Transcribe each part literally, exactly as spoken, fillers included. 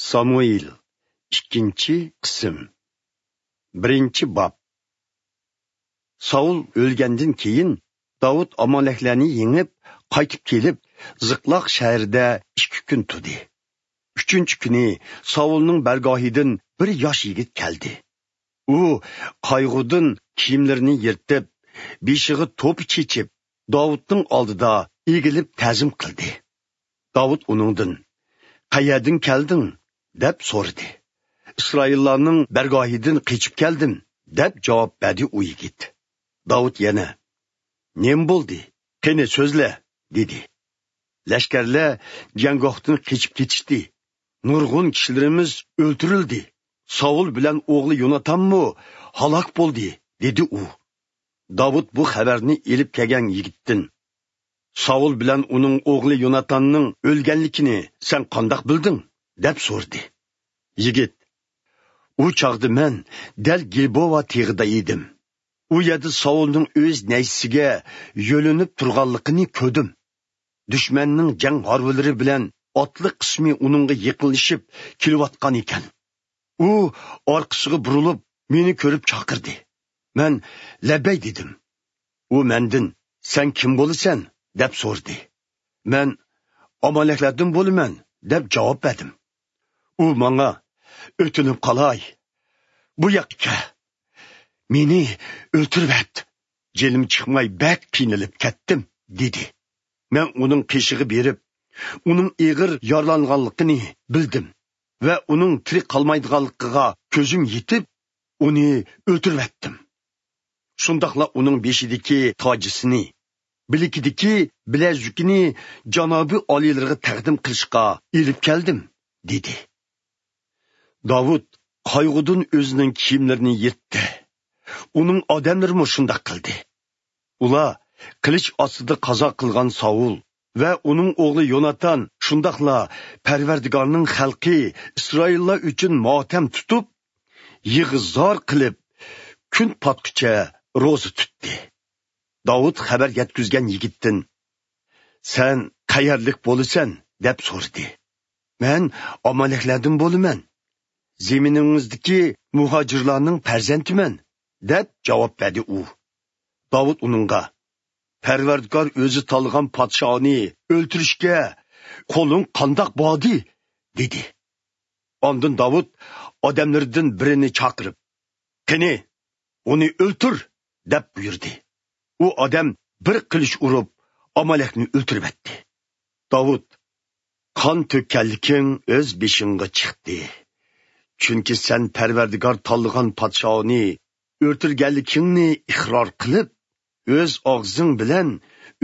سامۇئېل، ئىككىنچى قىسىم. بىرىنچى باب. ساۋۇل ئۆلگەندىن كېيىن، داۋۇت ئامالەكلەرنى يېڭىپ، قايتىپ كېلىپ، زىقلاق شەھىرىدە ئىككى كۈن تۇردى. ئۈچىنچى كۈنى ساۋۇلنىڭ بارگاھىدىن بىر ياش يىگىت كەلدى. ئۇ قايغۇدىن كىيىملىرىنى يىرتىپ، بېشىغا توپا چېچىپ، داۋۇتنىڭ ئالدىدا ئېگىلىپ تەزىم قىلدى. داۋۇت ئۇنىڭدىن: «قەيەردىن كەلدىڭ؟» دەپ سورىدى. «ئىسرائىللارنىڭ بارگاھىدىن قېچىپ كەلدىم» دەپ جاۋاب بەردى ئۇ يىگىت. داۋۇت يەنە: «نېمە بولدى؟ قېنى سۆزلە» دېدى. «لەشكەرلەر جەڭگاھتىن قېچىپ كېتىشتى. نۇرغۇن كىشىلىرىمىز ئۆلتۈرۈلدى. ساۋۇل بىلەن ئوغلى يوناتانمۇ ھالاك بولدى» دېدى ئۇ. داۋۇت بۇ خەۋەرنى ئېلىپ كەلگەن يىگىتتىن: «ساۋۇل بىلەن ئۇنىڭ ئوغلى يوناتاننىڭ ئۆلگەنلىكىنى سەن قانداق بىلدىڭ؟» دەپ سورىدى. يىگىت: «ئۇ چاغدا مەن دەل گىلبوۋا تېغىدا ئىدىم. ئۇ يەردە ساۋۇلنىڭ ئۆز نەيزىسىگە يۆلىنىپ تۇرغانلىقىنى كۆردۈم. دۈشمەننىڭ جەڭ ھارۋىلىرى بىلەن ئاتلىق قىسمى ئۇنىڭغا يېقىنلىشىپ كېلىۋاتقان ئىكەن. ئۇ ئارقىسىغا بۇرۇلۇپ، مېنى كۆرۈپ چاقىردى. مەن لەببەي دېدىم. ئۇ مەندىن، سەن كىم بولىسەن؟ دەپ سورىدى. مەن ئامالەكلەردىن بولىمەن، دەپ جاۋاب بەردىم. ئۇ ماڭا، ئۆتۈنۈپ قالاي، بۇ ياققا كەل، مېنى ئۆلتۈرۈۋەت، جېنىم چىقماي بەك قىينىلىپ كەتتىم، دېدى. مەن ئۇنىڭ قېشىغا بېرىپ، ئۇنىڭ ئېغىر يارىلانغانلىقىنى بىلدىم ۋە ئۇنىڭ تىرىك قالمايدىغانلىقىغا كۆزۈم يېتىپ، ئۇنى ئۆلتۈرۈۋەتتىم. شۇنداقلا ئۇنىڭ بېشىدىكى تاجىسىنى، بىلىكىدىكى بىلەزۈكىنى جانابىي ئالىيلىرىغا تەقدىم قىلىشقا ئېلىپ كەلدىم، دېدى. داۋۇت قايغۇدىن ئۆزىنىڭ كىيىملىرىنى يىرتتى. ئۇنىڭ ئادەملىرىمۇ شۇنداق قىلدى. ئۇلار قىلىچ ئاستىدا قازا قىلغان ساۋۇل ۋە ئۇنىڭ ئوغلى يوناتان، شۇنداقلا پەرۋەردىگارنىڭ خەلقى ئىسرائىللار ئۈچۈن ماتەم تۇتۇپ، يىغا-زار قىلىپ، كۈن پاتقۇچە روزا تۇتتى. داۋۇت خەۋەر يەتكۈزگەن يىگىتتىن: «سەن قەيەرلىك بولىسەن؟» دەپ سورىدى. «مەن ئامالەكلەردىن بولىمەن. زېمىنىڭىزدىكى مۇھاجىرلارنىڭ پەرزەنتىمەن» دەپ جاۋاب بەردى ئۇ. داۋۇت ئۇنىڭغا: «پەرۋەردىگار ئۆزى تاللىغان پادىشاھنى ئۆلتۈرۈشكە قولۇڭ قانداق باردى؟» دېدى. ئاندىن داۋۇت ئادەملىرىدىن بىرىنى چاقىرىپ: «قېنى، ئۇنى ئۆلتۈر!» دەپ بۇيرۇدى. ئۇ ئادەم بىر قىلىچ ئۇرۇپ، ئامالەكنى ئۆلتۈرۈۋەتتى. داۋۇت: «قان تۆككەنلىكىڭ ئۆز بېشىڭغا چىقتى. چۈنكى سەن پەرۋەردىگار تاللىغان پادىشاھنى ئۆلتۈرگەنلىكىڭنى ئىقرار قىلىپ، ئۆز ئاغزىڭ بىلەن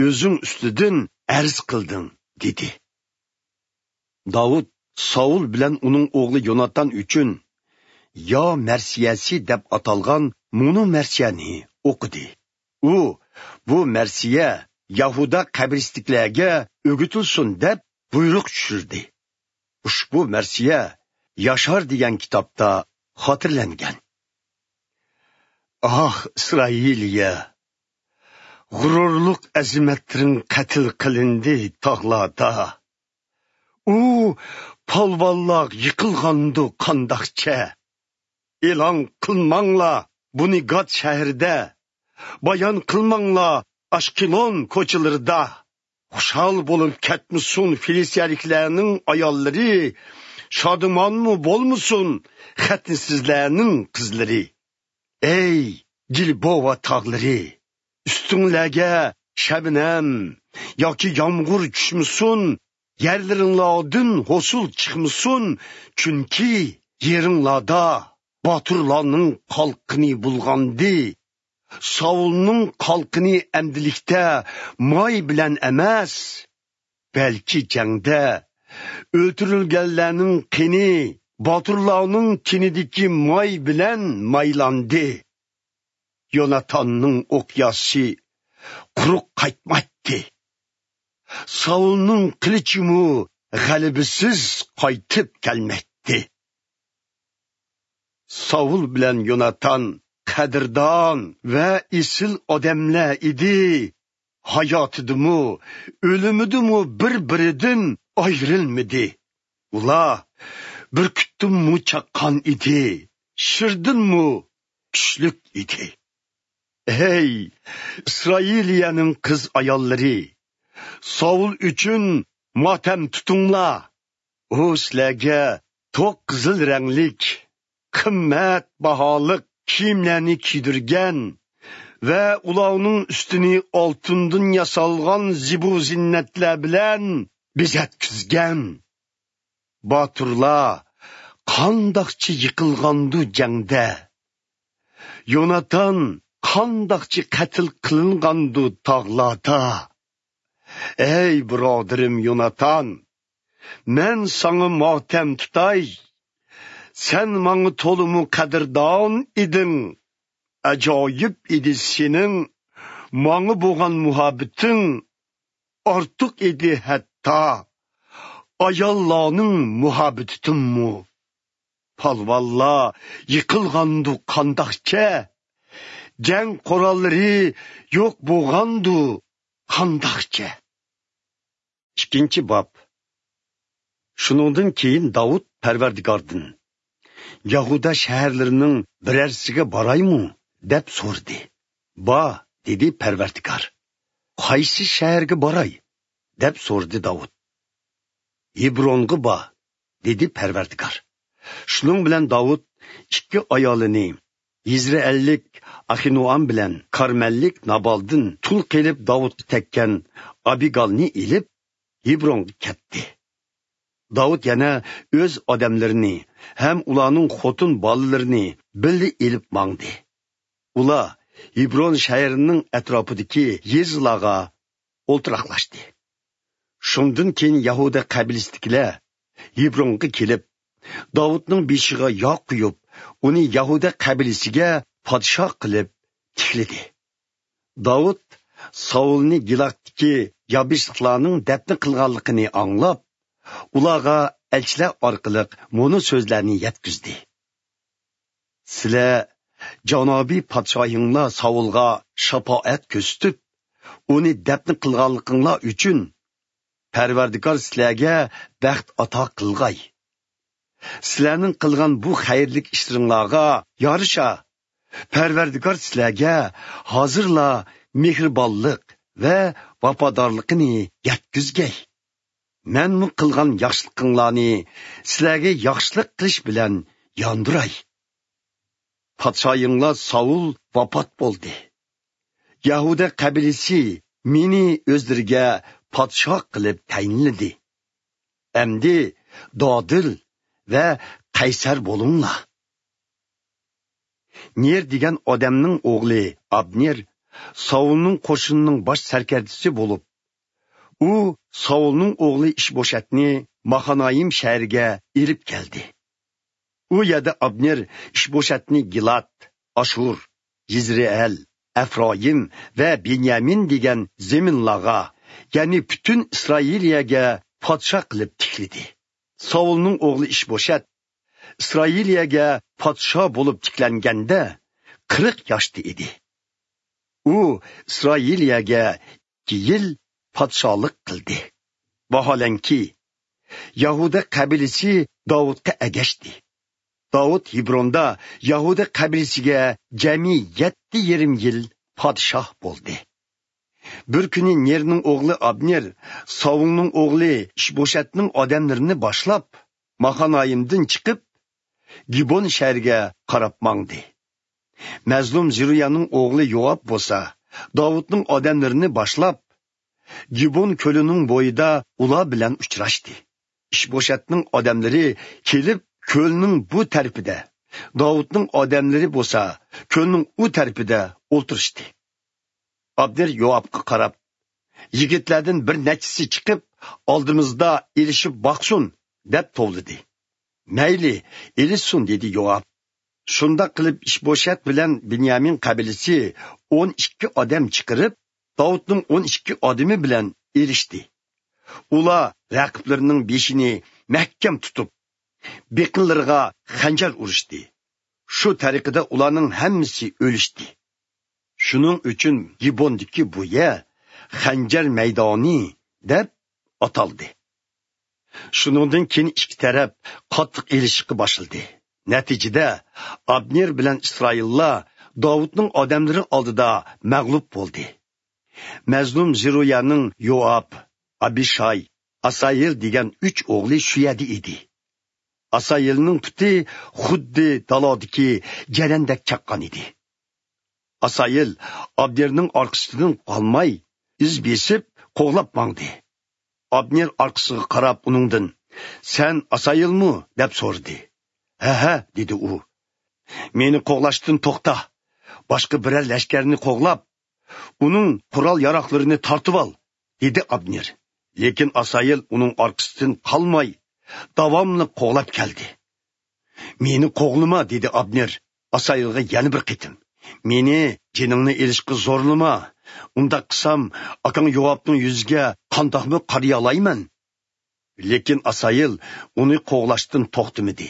ئۆزۈڭ ئۈستىدىن ئەرز قىلدىڭ» دېدى. داۋۇت ساۋۇل بىلەن ئۇنىڭ ئوغلى يوناتان ئۈچۈن يا مەرسىيەسى دەپ ئاتالغان مۇنۇ مەرسىيەنى ئوقۇدى. ئۇ بۇ مەرسىيە يەھۇدا قەبرىستىكلەرگە ئۆگىتىلسۇن دەپ بۇيرۇق چۈشۈردى. ئۇشبۇ مەرسىيە ياشار دېگەن كىتابتا خاتىرىلەنگەن. ئاھ، ئىسرائىلىيە! غۇرۇرلۇق ئەزىمەتلىرىڭ قەتل قىلىندى تاغلاردا. ئۇ پالۋانلار يىقىلغاندۇ قانداقچە؟ ئېلان قىلماڭلار بۇنى گات شەھىرىدە، بايان قىلماڭلار ئاشقېلون كوچىلىرىدا. خۇشال بولۇپ كەتمىسۇن فىلىستىيەلىكلەرنىڭ ئاياللىرى، شادىمانمۇ بولمىسۇن خەتنىسىزلەرنىڭ قىزلىرى. ئەي گىلبوۋا تاغلىرى، ئۈستۈڭلەرگە شەبنەم ياكى يامغۇر چۈشمىسۇن، يەرلىرىڭلاردىن ھوسۇل چىقمىسۇن، چۈنكى يېرىڭلاردا باتۇرلارنىڭ قالقىنى بۇلغاندى. ساۋۇلنىڭ قالقىنى ئەمدىلىكتە ماي بىلەن ئەمەس، بەلكى جەڭدە ئۆلتۈرۈلگەنلەرنىڭ قېنى باتۇرلارنىڭ تېنىدىكى ماي بىلەن مايلاندى. يوناتاننىڭ ئوقياسى قۇرۇق قايتمايتتى. ساۋۇلنىڭ قىلىچىمۇ غەلىبىسىز قايتىپ كەلمەيتتى. ساۋۇل بىلەن يوناتان قەدىردان ۋە ئېسىل ئادەملەر ئىدى. ھاياتىدىمۇ، ئۆلۈمىدىمۇ بىر-بىرىدىن ئايرىلمىدى. ئۇلار بۈركۈتتىنمۇ چاققان ئىدى، شىردىنمۇ كۈچلۈك ئىدى. ئەي، ئىسرائىلىيەنىڭ قىز-ئاياللىرى، ساۋۇل ئۈچۈن ماتەم تۇتۇڭلار. ئۇ سىلەرگە توق قىزىل رەڭلىك، قىممەت باھالىق كىيىملەرنى كىيدۈرگەن ۋە ئۇلارنىڭ ئۈستىنى ئالتۇندىن ياسالغان زىبۇ-زىننەتلەر بىلەن بېزەتكۈزگەن. باتۇرلار قانداقچە يىقىلغاندۇ جەڭدە! يوناتان قانداقچە قەتل قىلىنغاندۇ تاغلاردا! ئەي بۇرادىرىم يوناتان، مەن ساڭا ماتەم تۇتاي. سەن ماڭا تولىمۇ قەدىردان ئىدىڭ. ئاجايىپ ئىدى سېنىڭ ماڭا بولغان مۇھەببىتىڭ. ئارتۇق ئىدى ھەتتا ئاياللارنىڭ مۇھەببىتىدىنمۇ. پالۋانلار يىقىلغاندۇ قانداقچە؟ جەڭ قوراللىرى يوق بولغاندۇ قانداقچە؟ ئىككىنچى باب. شۇنىڭدىن كېيىن داۋۇت پەرۋەردىگاردىن، «يەھۇدا شەھەرلىرىنىڭ بىرەرسىگە بارايمۇ؟» دەپ سورىدى. «بار» دېدى پەرۋەردىگار. «قايسى شەھەرگە باراي؟» دەپ سورىدى داۋۇت. «ھېبرونغا بار» دېدى پەرۋەردىگار. شۇنىڭ بىلەن داۋۇت ئىككى ئايالىنى، يېزرېئىللىك ئاخىنوئام بىلەن كارمەللىك نابالدىن تۇل قېلىپ داۋۇتقا تەگكەن ئابىگالنى ئېلىپ، ھېبرونغا كەتتى. داۋۇت يەنە ئۆز ئادەملىرىنى ھەم ئۇلارنىڭ خوتۇن بالىلىرىنى بىللە ئېلىپ ماڭدى. ئۇلار ھېبرون شەھىرىنىڭ ئەتراپىدىكى يېزىلارغا ئولتۇراقلاشتى. شۇندىن كېيىن يەھۇدا قەبىلىسىدىكىلەر ھېبرونغا كېلىپ، داۋۇتنىڭ بېشىغا ياغ قۇيۇپ، ئۇنى يەھۇدا قەبىلىسىگە پادىشاھ قىلىپ تىكلىدى. داۋۇت ساۋۇلنى گىلاتتىكى يابېشلىقلارنىڭ دەپنە قىلغانلىقىنى ئاڭلاپ، ئۇلارغا ئەلچىلەر ئارقىلىق مۇنۇ سۆزلەرنى يەتكۈزدى: «سىلەر جانابىي پادىشاھىڭلار ساۋۇلغا شاپائەت كۆرسىتىپ، ئۇنى دەپنە قىلغانلىقىڭلار ئۈچۈن پەرۋەردىگار سىلەرگە بەخت ئاتا قىلغاي. سىلەرنىڭ قىلغان بۇ خەيرلىك ئىشلىرىڭلارغا يارىشا، پەرۋەردىگار سىلەرگە ھازىرلا مېھرىبانلىق ۋە ۋاپادارلىقىنى يەتكۈزگەي. مەنمۇ قىلغان ياخشىلىقىڭلارنى سىلەرگە ياخشىلىق قىلىش بىلەن ياندۇراي. پادىشاھىڭلار ساۋۇل ۋاپات بولدى. يەھۇدا قەبىلىسى مېنى ئۆزلىرىگە پادىشاھ قىلىپ تەيىنلىدى. ئەمدى دادىل ۋە قەيسەر بولۇڭلار.» نېر دېگەن ئادەمنىڭ ئوغلى ئابنېر ساۋۇلنىڭ قوشۇنىنىڭ باش سەركەردىسى بولۇپ، ئۇ ساۋۇلنىڭ ئوغلى ئىشبوشەتنى ماخانايىم شەھىرىگە ئېلىپ كەلدى. ئۇ يەردە ئابنېر ئىشبوشەتنى گىلات، ئاشۇر، يېزرېئىل، ئەفرايىم ۋە بېنيامىن دېگەن زېمىنلارغا، يەنى پۈتۈن ئىسرائىلىيەگە پادىشاھ قىلىپ تىكلىدى. ساۋۇلنىڭ ئوغلى ئىشبوشەت ئىسرائىلىيەگە پادىشاھ بولۇپ تىكلەنگەندە قىرىق ياشتا ئىدى. ئۇ ئىسرائىلىيەگە ئىككى يىل پادىشاھلىق قىلدى. ۋاھالەنكى، يەھۇدا قەبىلىسى داۋۇتقا ئەگەشتى. داۋۇت ھېبروندا يەھۇدا قەبىلىسىگە جەمئىي يەتتە يېرىم يىل پادىشاھ بولدى. بىر كۈنى نېرنىڭ ئوغلى ئابنېر ساۋۇلنىڭ ئوغلى ئىشبوشەتنىڭ ئادەملىرىنى باشلاپ، ماخانايىمدىن چىقىپ، گىبون شەھىرىگە قاراپ ماڭدى. مەزلۇم زېرۇيانىڭ ئوغلى يوئاب بولسا، داۋۇتنىڭ ئادەملىرىنى باشلاپ، گىبون كۆلىنىڭ بويىدا ئۇلار بىلەن ئۇچراشتى. ئىشبوشەتنىڭ ئادەملىرى كېلىپ، كۆلنىڭ بۇ تەرىپىدە، داۋۇتنىڭ ئادەملىرى بولسا، كۆلنىڭ ئۇ تەرىپىدە ئولتۇرۇشتى. ئابنېر يوئابقا قاراپ، «يىگىتلەردىن بىر نەچچىسى چىقىپ، ئالدىمىزدا ئېلىشىپ باقسۇن» دەپ توۋلىدى. «مەيلى، ئېلىشسۇن» دېدى يوئاب. شۇنداق قىلىپ، ئىشبوشەت بىلەن بېنيامىن قەبىلىسى ئون ئىككى ئادەم چىقىرىپ، داۋۇتنىڭ ئون ئىككى ئادىمى بىلەن ئېلىشتى. ئۇلار رەقىبلىرىنىڭ بېشىنى مەھكەم تۇتۇپ، بېقىنلىرىغا خەنجەر ئۇرۇشتى. شۇ تەرىقىدە ئۇلارنىڭ ھەممىسى ئۆلۈشتى. شۇنىڭ ئۈچۈن گىبوندىكى بۇ يەر خەنجەر مەيدانى دەپ ئاتالدى. شۇنىڭدىن كېيىن ئىككى تەرەپ قاتتىق ئېلىشىشقا باشلىدى. نەتىجىدە، ئابنېر بىلەن ئىسرائىللار داۋۇتنىڭ ئادەملىرى ئالدىدا مەغلۇپ بولدى. مەزلۇم زېرۇيانىڭ يوئاب، ئابىشاي، ئاسايىل دېگەن ئۈچ ئوغلى شۇ يەردە ئىدى. ئاسايىلنىڭ پۇتى خۇددى دالادىكى جەرەندەك چاققان ئىدى. ئاسايىل ئابنېرنىڭ ئارقىسىدىن قالماي، ئىز بېسىپ قوغلاپ ماڭدى. ئابنېر ئارقىسىغا قاراپ ئۇنىڭدىن، «سەن ئاسايىلمۇ؟» دەپ سورىدى. «ھە، ھە،» دېدى ئۇ. «مېنى قوغلاشتىن توختا. باشقا بىرەر لەشكەرنى قوغلاپ، ئۇنىڭ قورال-ياراغلىرىنى تارتىۋال،» دېدى ئابنېر. لېكىن ئاسايىل ئۇنىڭ ئارقىسىدىن قالماي، داۋاملىق قوغلاپ كەلدى. «مېنى قوغلىما،» دېدى ئابنېر ئاسايىلغا يەنە بىر قېتىم. «مېنى جېنىڭنى ئېلىشقا زورلىما. ئۇنداق قىلسام، ئاكاڭ يوئابنىڭ يۈزىگە قانداقمۇ قارىيالايمەن؟» لېكىن ئاسايىل ئۇنى قوغلاشتىن توختىمىدى.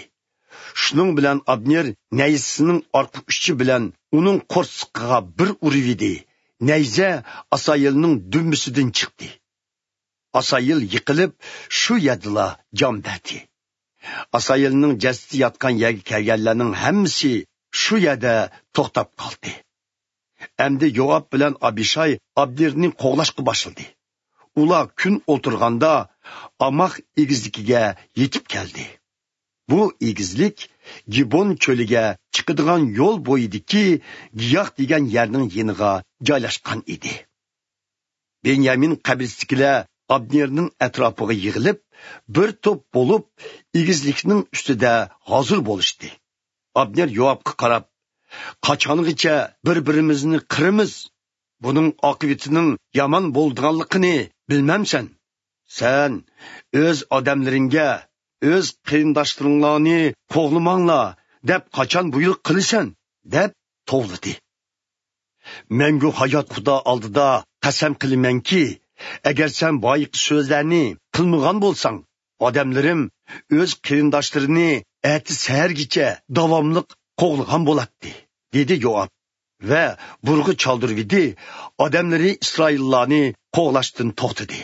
شۇنىڭ بىلەن ئابنېر نەيزىسىنىڭ ئارقا ئۇچى بىلەن ئۇنىڭ قورسىقىغا بىر ئۇرۇۋىدى. نەيزە ئاسايىلنىڭ دۈمبىسىدىن چىقتى. ئاسايىل يىقىلىپ، شۇ يەردىلا جان بەردى. ئاسايىلنىڭ جەسىتى ياتقان يەرگە كەلگەنلەرنىڭ ھەممىسى شۇ يەردە توختاپ قالدى. ئەمدى يوئاب بىلەن ئابىشاي ئابنېرنى قوغلاشقا باشلىدى. ئۇلار كۈن ئولتۇرغاندا ئاماق ئېگىزلىكىگە يېتىپ كەلدى. بۇ ئېگىزلىك گىبون چۆلىگە چىقىدىغان يول بويىدىكى گىياھ دېگەن يەرنىڭ يېنىغا جايلاشقان ئىدى. بېنيامىن قەبىلىسىدىكىلەر ئابنېرنىڭ ئەتراپىغا يىغىلىپ، بىر توپ بولۇپ، ئېگىزلىكنىڭ ئۈستىدە ھازىر بولۇشتى. ئابنېر يوئابقا قاراپ، «قاچانغىچە بىر-بىرىمىزنى قىرىمىز؟ بۇنىڭ ئاقىۋىتىنىڭ يامان بولىدىغانلىقىنى بىلمەمسەن؟ سەن ئۆز ئادەملىرىڭگە، ئۆز قېرىنداشلىرىڭلارنى قوغلىماڭلار دەپ قاچان بۇيرۇق قىلىسەن؟» دەپ توۋلىدى. «مەڭگۈ ھايات خۇدا ئالدىدا قەسەم قىلىمەنكى، ئەگەر سەن بايىقى سۆزلەرنى قىلمىغان بولساڭ، ئادەملىرىم ئۆز قېرىنداشلىرىنى ئەتە سەھەرگىچە داۋاملىق قوغلىغان بولاتتى» دېدى يوئاب ۋە بۇرغا چالدۇرۇۋىدى، ئادەملىرى ئىسرائىللارنى قوغلاشتىن توختىدى.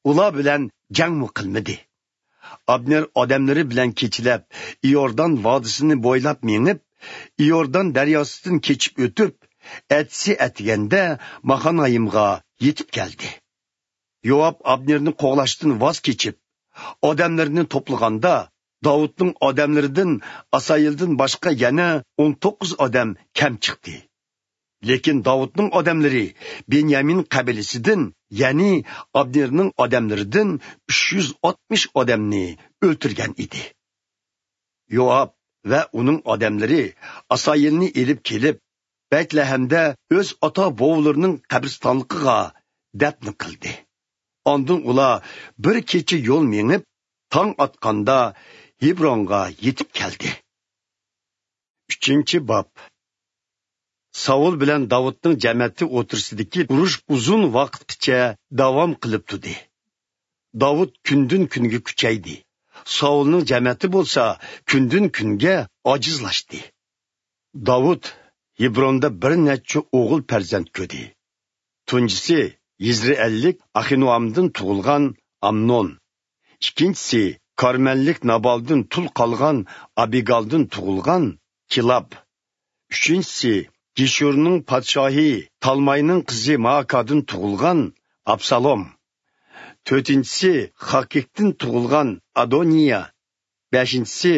ئۇلار بىلەن جەڭمۇ قىلمىدى. ئابنېر ئادەملىرى بىلەن كېچىلەپ ئىيوردان ۋادىسىنى بويلاپ مېڭىپ، ئىيوردان دەرياسىدىن كېچىپ ئۆتۈپ، ئەتىسى ئەتىگەندە ماخانايىمغا يېتىپ كەلدى. يوئاب ئابنېرنى قوغلاشتىن ۋاز كېچىپ، ئادەملىرىنى توپلىغاندا، داۋۇتنىڭ ئادەملىرىدىن ئاسايىلدىن باشقا يەنە ئون توققۇز ئادەم كەم چىقتى. لېكىن داۋۇتنىڭ ئادەملىرى بېنيامىن قەبىلىسىدىن، يەنى ئابنېرنىڭ ئادەملىرىدىن ئۈچ يۈز ئاتمىش ئادەمنى ئۆلتۈرگەن ئىدى. يوئاب ۋە ئۇنىڭ ئادەملىرى ئاسايىلنى ئېلىپ كېلىپ، بەتلەھەمدە ئۆز ئاتا-بوۋىلىرىنىڭ قەبرىستانلىقىغا دەپنە قىلدى. ئاندىن ئۇلار بىر كېچە يول مېڭىپ، تاڭ ئاتقاندا ھېبرونغا يېتىپ كەلدى. ئۈچىنچى باب. ساۋۇل بىلەن داۋۇتنىڭ جەمەتى ئوتتۇرىسىدىكى ئۇرۇش ئۇزۇن ۋاقىتقىچە داۋام قىلىپ تۇردى. داۋۇت كۈندىن-كۈنگە كۈچەيدى. ساۋۇلنىڭ جەمەتى بولسا كۈندىن-كۈنگە ئاجىزلاشتى. داۋۇت ھېبروندا بىر نەچچە ئوغۇل پەرزەنت كۆردى. تۇنجىسى يىزرېئەللىك ئاخىنوئامدىن تۇغۇلغان ئامنون. ئىككىنچىسى كارمەللىك نابالدىن تۇل قالغان ئابىگالدىن تۇغۇلغان كىلاب. ئۈچىنچىسى گېشۇرنىڭ پادىشاھى تالماينىڭ قىزى مائاكادىن تۇغۇلغان ئابسالوم. تۆتىنچىسى خاكىكتىن تۇغۇلغان ئادونىيا. بەشىنچىسى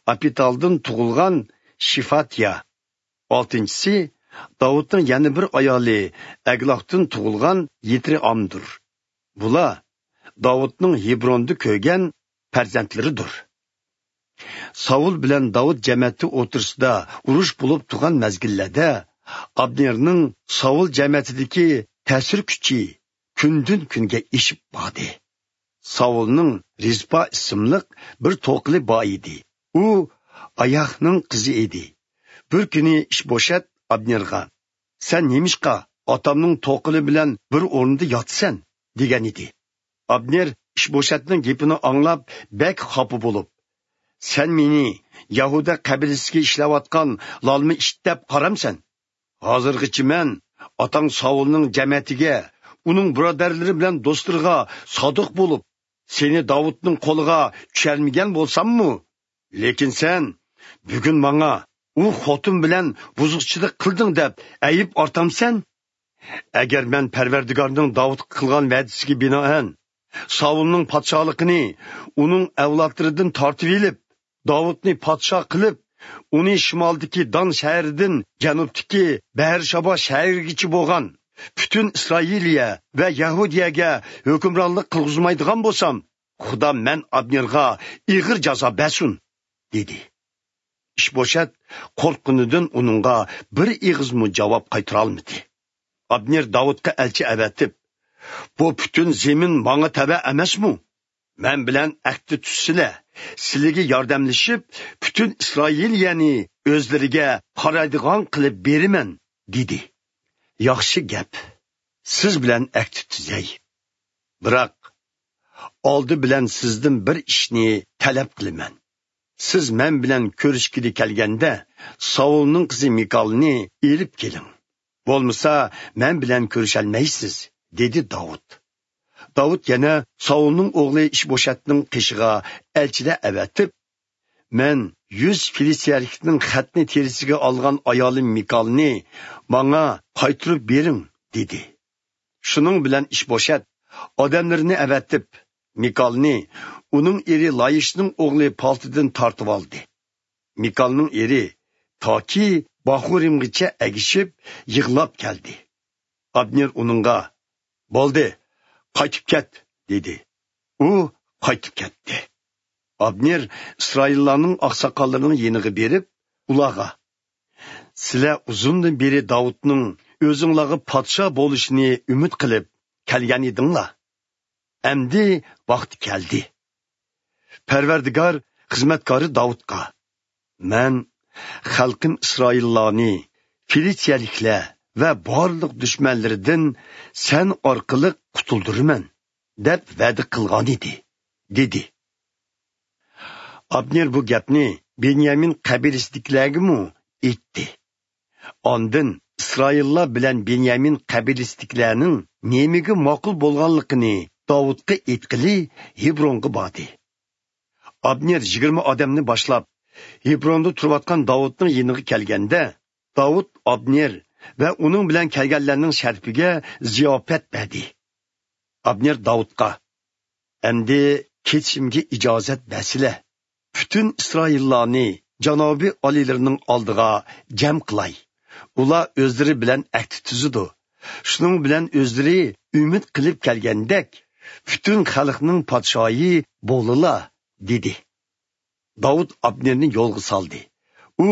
ئاپىتالدىن تۇغۇلغان شىفاتيا. ئالتىنچىسى داۋۇتنىڭ يەنە بىر ئايالى ئەگلاختىن تۇغۇلغان يىترىئامدۇر. بۇلار داۋۇتنىڭ ھېبروندا كۆرگەن پەرزەنتلىرىدۇر. ساۋۇل بىلەن داۋۇت جەمەتى ئوتتۇرىسىدا ئۇرۇش بولۇپ تۇرغان مەزگىللەردە ئابنېرنىڭ ساۋۇل جەمەتىدىكى تەسىر كۈچى كۈندىن-كۈنگە ئېشىپ باردى. ساۋۇلنىڭ رىزپا ئىسىملىق بىر توقىلى بار ئىدى. ئۇ ئاياھنىڭ قىزى ئىدى. بىر كۈنى ئىشبوشەت ئابنېرغا، «سەن نېمىشقا ئاتامنىڭ توقىلى بىلەن بىر ئورۇندا ياتىسەن؟» دېگەن ئىدى. ئابنېر ئىشبوشەتنىڭ گېپىنى ئاڭلاپ، بەك خاپا بولۇپ، «سەن مېنى يەھۇدا قەبىلىسىگە ئىشلەۋاتقان لالما ئىت دەپ قارامسەن؟ ھازىرغىچە مەن ئاتاڭ ساۋۇلنىڭ جەمەتىگە، ئۇنىڭ بۇرادەرلىرى بىلەن دوستلىرىغا سادىق بولۇپ، سېنى داۋۇتنىڭ قولىغا چۈشەرمىگەن بولساممۇ؟ لېكىن سەن بۈگۈن ماڭا، ئۇ خوتۇن بىلەن بۇزۇقچىلىق قىلدىڭ دەپ ئەيىب ئارتامسەن؟ ئەگەر مەن پەرۋەردىگارنىڭ داۋۇتقا قىلغان ۋەدىسىگە بىنائەن، ساۋۇلنىڭ پادىشاھلىقىنى ئۇنىڭ ئەۋلادلىرىدىن تارتىۋېلىپ، داۋۇتنى پادىشاھ قىلىپ، ئۇنى شىمالدىكى دان شەھىرىدىن جەنۇبتىكى بەئەرشابا شەھىرىگىچە بولغان پۈتۈن ئىسرائىلىيە ۋە يەھۇدىيەگە ھۆكۈمرانلىق قىلغۇزمايدىغان بولسام، خۇدا مەن ئابنېرغا ئېغىر جازا بەرسۇن!» دېدى. ئىشبوشەت قورققىنىدىن ئۇنىڭغا بىر ئېغىزمۇ جاۋاب قايتۇرالمىدى. ئابنېر داۋۇتقا ئەلچى ئەۋەتىپ: «بۇ پۈتۈن زېمىن ماڭا تەۋە ئەمەسمۇ؟ مەن بىلەن ئەھدى تۈزسىلە، سىلىگە ياردەملىشىپ، پۈتۈن ئىسرائىلىيەنى ئۆزلىرىگە قارايدىغان قىلىپ بېرىمەن» دېدى. «ياخشى گەپ، سىز بىلەن ئەھدى تۈزەي. بىراق، ئالدى بىلەن سىزدىن بىر ئىشنى تەلەپ قىلىمەن. سىز مەن بىلەن كۆرۈشكىلى كەلگەندە، ساۋۇلنىڭ قىزى مىكالنى ئېلىپ كېلىڭ. بولمىسا، مەن بىلەن كۆرۈشەلمەيسىز» دېدى داۋۇت. داۋۇت يەنە ساۋۇلنىڭ ئوغلى ئىشبوشەتنىڭ قېشىغا ئەلچىلەر ئەۋەتىپ: «مەن يۈز فىلىستىيەلىكنىڭ خەتنە تېرىسىگە ئالغان ئايالىم مىكالنى ماڭا قايتۇرۇپ بېرىڭ» دېدى. شۇنىڭ بىلەن ئىشبوشەت ئادەملىرىنى ئەۋەتىپ، مىكالنى ئۇنىڭ ئېرى لايىشنىڭ ئوغلى پالتىدىن تارتىۋالدى. مىكالنىڭ ئېرى تاكى باخۇرىمغىچە ئەگىشىپ يىغلاپ كەلدى. ئابنېر ئۇنىڭغا: «بولدى، قايتىپ كەت» دېدى. ئۇ قايتىپ كەتتى. ئابنېر ئىسرائىللارنىڭ ئاقساقاللىرىنىڭ يېنىغا بېرىپ، ئۇلارغا: «سىلەر ئۇزۇندىن بېرى داۋۇتنىڭ ئۆزۈڭلارغا پادىشاھ بولۇشىنى ئۈمىد قىلىپ كەلگەن ئىدىڭلار. ئەمدى ۋاقتى كەلدى. پەرۋەردىگار خىزمەتكارى داۋۇتقا: مەن خەلقىم ئىسرائىللارنى فىلىستىيەلىكلەر ۋە بارلىق دۈشمەنلىرىدىن سەن ئارقىلىق قۇتۇلدۇرىمەن دەپ ۋەدە قىلغانىدى» دېدى. ئابنېر بۇ گەپنى بېنيامىن قەبىلىسىدىكىلەرگىمۇ ئېيتتى. ئاندىن ئىسرائىللار بىلەن بېنيامىن قەبىلىسىدىكىلەرنىڭ نېمىگە ماقۇل بولغانلىقىنى داۋۇتقا ئېيتقىلى ھېبرونغا باردى. ئابنېر يىگىرمە ئادەمنى باشلاپ، ھېبروندا تۇرۇۋاتقان داۋۇتنىڭ يېنىغا كەلگەندە، داۋۇت ئابنېر ۋە ئۇنىڭ بىلەن كەلگەنلەرنىڭ شەرىپىگە زىياپەت بەردى. ئابنېر داۋۇتقا: «ئەمدى كېتىشىمگە ئىجازەت بەرسىلە. پۈتۈن ئىسرائىللارنى جانابىي ئالىيلىرىنىڭ ئالدىغا جەم قىلاي. ئۇلار ئۆزلىرى بىلەن ئەھدى تۈزىدۇ. شۇنىڭ بىلەن ئۆزلىرى ئۈمىد قىلىپ كەلگەندەك، پۈتۈن خەلقنىڭ پادىشاھى بولىلا» دېدى. داۋۇت ئابنېرنى يولغا سالدى. ئۇ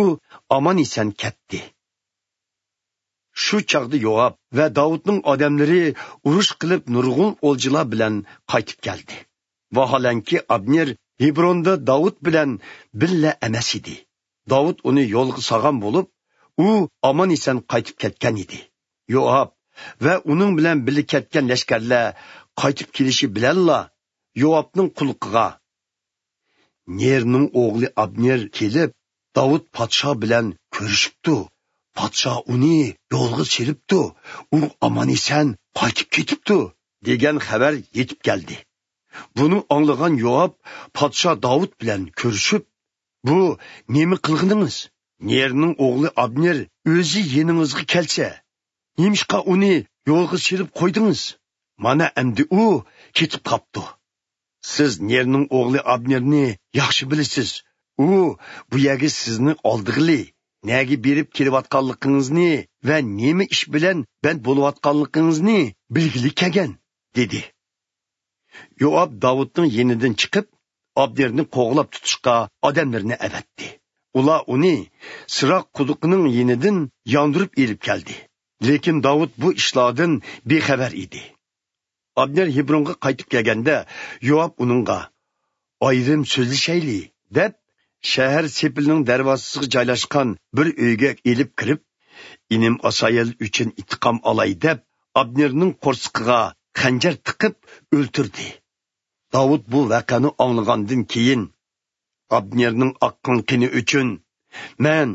ئامان-ئېسەن كەتتى. شۇ چاغدا يوئاب ۋە داۋۇتنىڭ ئادەملىرى ئۇرۇش قىلىپ نۇرغۇن ئولجىلار بىلەن قايتىپ كەلدى. ۋاھالەنكى، ئابنېر ھېبروندا داۋۇت بىلەن بىللە ئەمەس ئىدى. داۋۇت ئۇنى يولغا سالغان بولۇپ، ئۇ ئامان-ئېسەن قايتىپ كەتكەن ئىدى. يوئاب ۋە ئۇنىڭ بىلەن بىللە كەتكەن لەشكەرلەر قايتىپ كېلىشى بىلەنلا، يوئابنىڭ قۇلىقىغا: «نېرنىڭ ئوغلى ئابنېر كېلىپ، داۋۇت پادىشاھ بىلەن كۆرۈشۈپتۇ. پادىشاھ ئۇنى يولغا سېلىپتۇ. ئۇ ئامان-ئېسەن قايتىپ كېتىپتۇ» دېگەن خەۋەر يېتىپ كەلدى. بۇنى ئاڭلىغان يوئاب پادىشاھ داۋۇت بىلەن كۆرۈشۈپ: «بۇ نېمە قىلغىنىڭىز؟ نېرنىڭ ئوغلى ئابنېر ئۆزى يېنىڭىزغا كەلسە، نېمىشقا ئۇنى يولغا سېلىپ قويدىڭىز؟ مانا ئەمدى ئۇ كېتىپ قاپتۇ. سىز نېرنىڭ ئوغلى ئابنېرنى ياخشى بىلىسىز. ئۇ بۇ يەرگە سىزنى ئالدىغىلى، نەگە بېرىپ كېلىۋاتقانلىقىڭىزنى ۋە نېمە ئىش بىلەن بەند بولۇۋاتقانلىقىڭىزنى بىلگىلى كەلگەن» دېدى. يوئاب داۋۇتنىڭ يېنىدىن چىقىپ، ئابنېرنى قوغلاپ تۇتۇشقا ئادەملىرىنى ئەۋەتتى. ئۇلار ئۇنى سىراق قۇدۇقىنىڭ يېنىدىن ياندۇرۇپ ئېلىپ كەلدى. لېكىن داۋۇت بۇ ئىشلاردىن بىخەۋەر ئىدى. ئابنېر ھېبرونغا قايتىپ كەلگەندە، يوئاب ئۇنىڭغا: «ئايرىم سۆزلىشەيلى» دەپ، شەھەر سېپىلىنىڭ دەرۋازىسىغا جايلاشقان بىر ئۆيگە ئېلىپ كىرىپ، «ئىنىم ئاسايەل ئۈچۈن ئىنتىقام ئالاي» دەپ، ئابنېرنىڭ قورسىقىغا خەنجەر تىقىپ ئۆلتۈردى. داۋۇت بۇ ۋەقەنى ئاڭلىغاندىن كېيىن: «ئابنېرنىڭ ئاققان قېنى ئۈچۈن مەن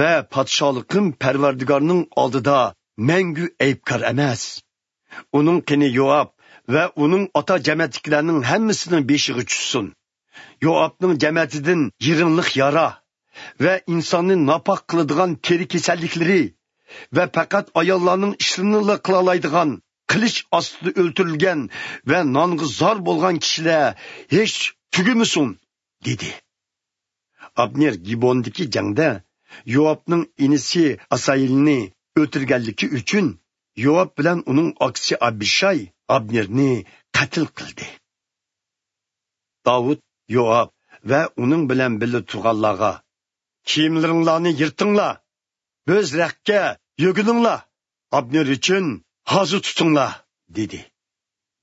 ۋە پادىشاھلىقىم پەرۋەردىگارنىڭ ئالدىدا مەڭگۈ ئەيىبكار ئەمەس. ئۇنىڭ قېنى يوئاب ۋە ئۇنىڭ ئاتا جەمەتتىكىلەرنىڭ ھەممىسىنىڭ بېشىغا چۈشسۇن. يوئابنىڭ جەمەتىدىن يىرىڭلىق يارا ۋە ئىنساننى ناپاق قىلىدىغان تېرە كېسەللىكلىرى ۋە پەقەت ئاياللارنىڭ ئىشلىرىنىلا قىلالايدىغان، قىلىچ ئاستىدا ئۆلتۈرۈلگەن ۋە نانغا زار بولغان كىشىلەر ھېچ تۈگىمىسۇن، دېدى. ئابنېر گىبوندىكى جەڭدە يوئابنىڭ ئىنىسى ئاسايىلنى ئۆلتۈرگەنلىكى ئۈچۈن، يوئاب بىلەن ئۇنىڭ ئاكىسى ئابىشاي ئابنېرنى قەتل قىلدى. داۋۇت يوئاب ۋە ئۇنىڭ بىلەن بىللە تۇرغانلارغا، «كىيىملىرىڭلارنى يىرتىڭلار، بۆزرەككە يۆگىنىڭلار، ئابنېر ئۈچۈن ھازا تۇتۇڭلار» دېدى.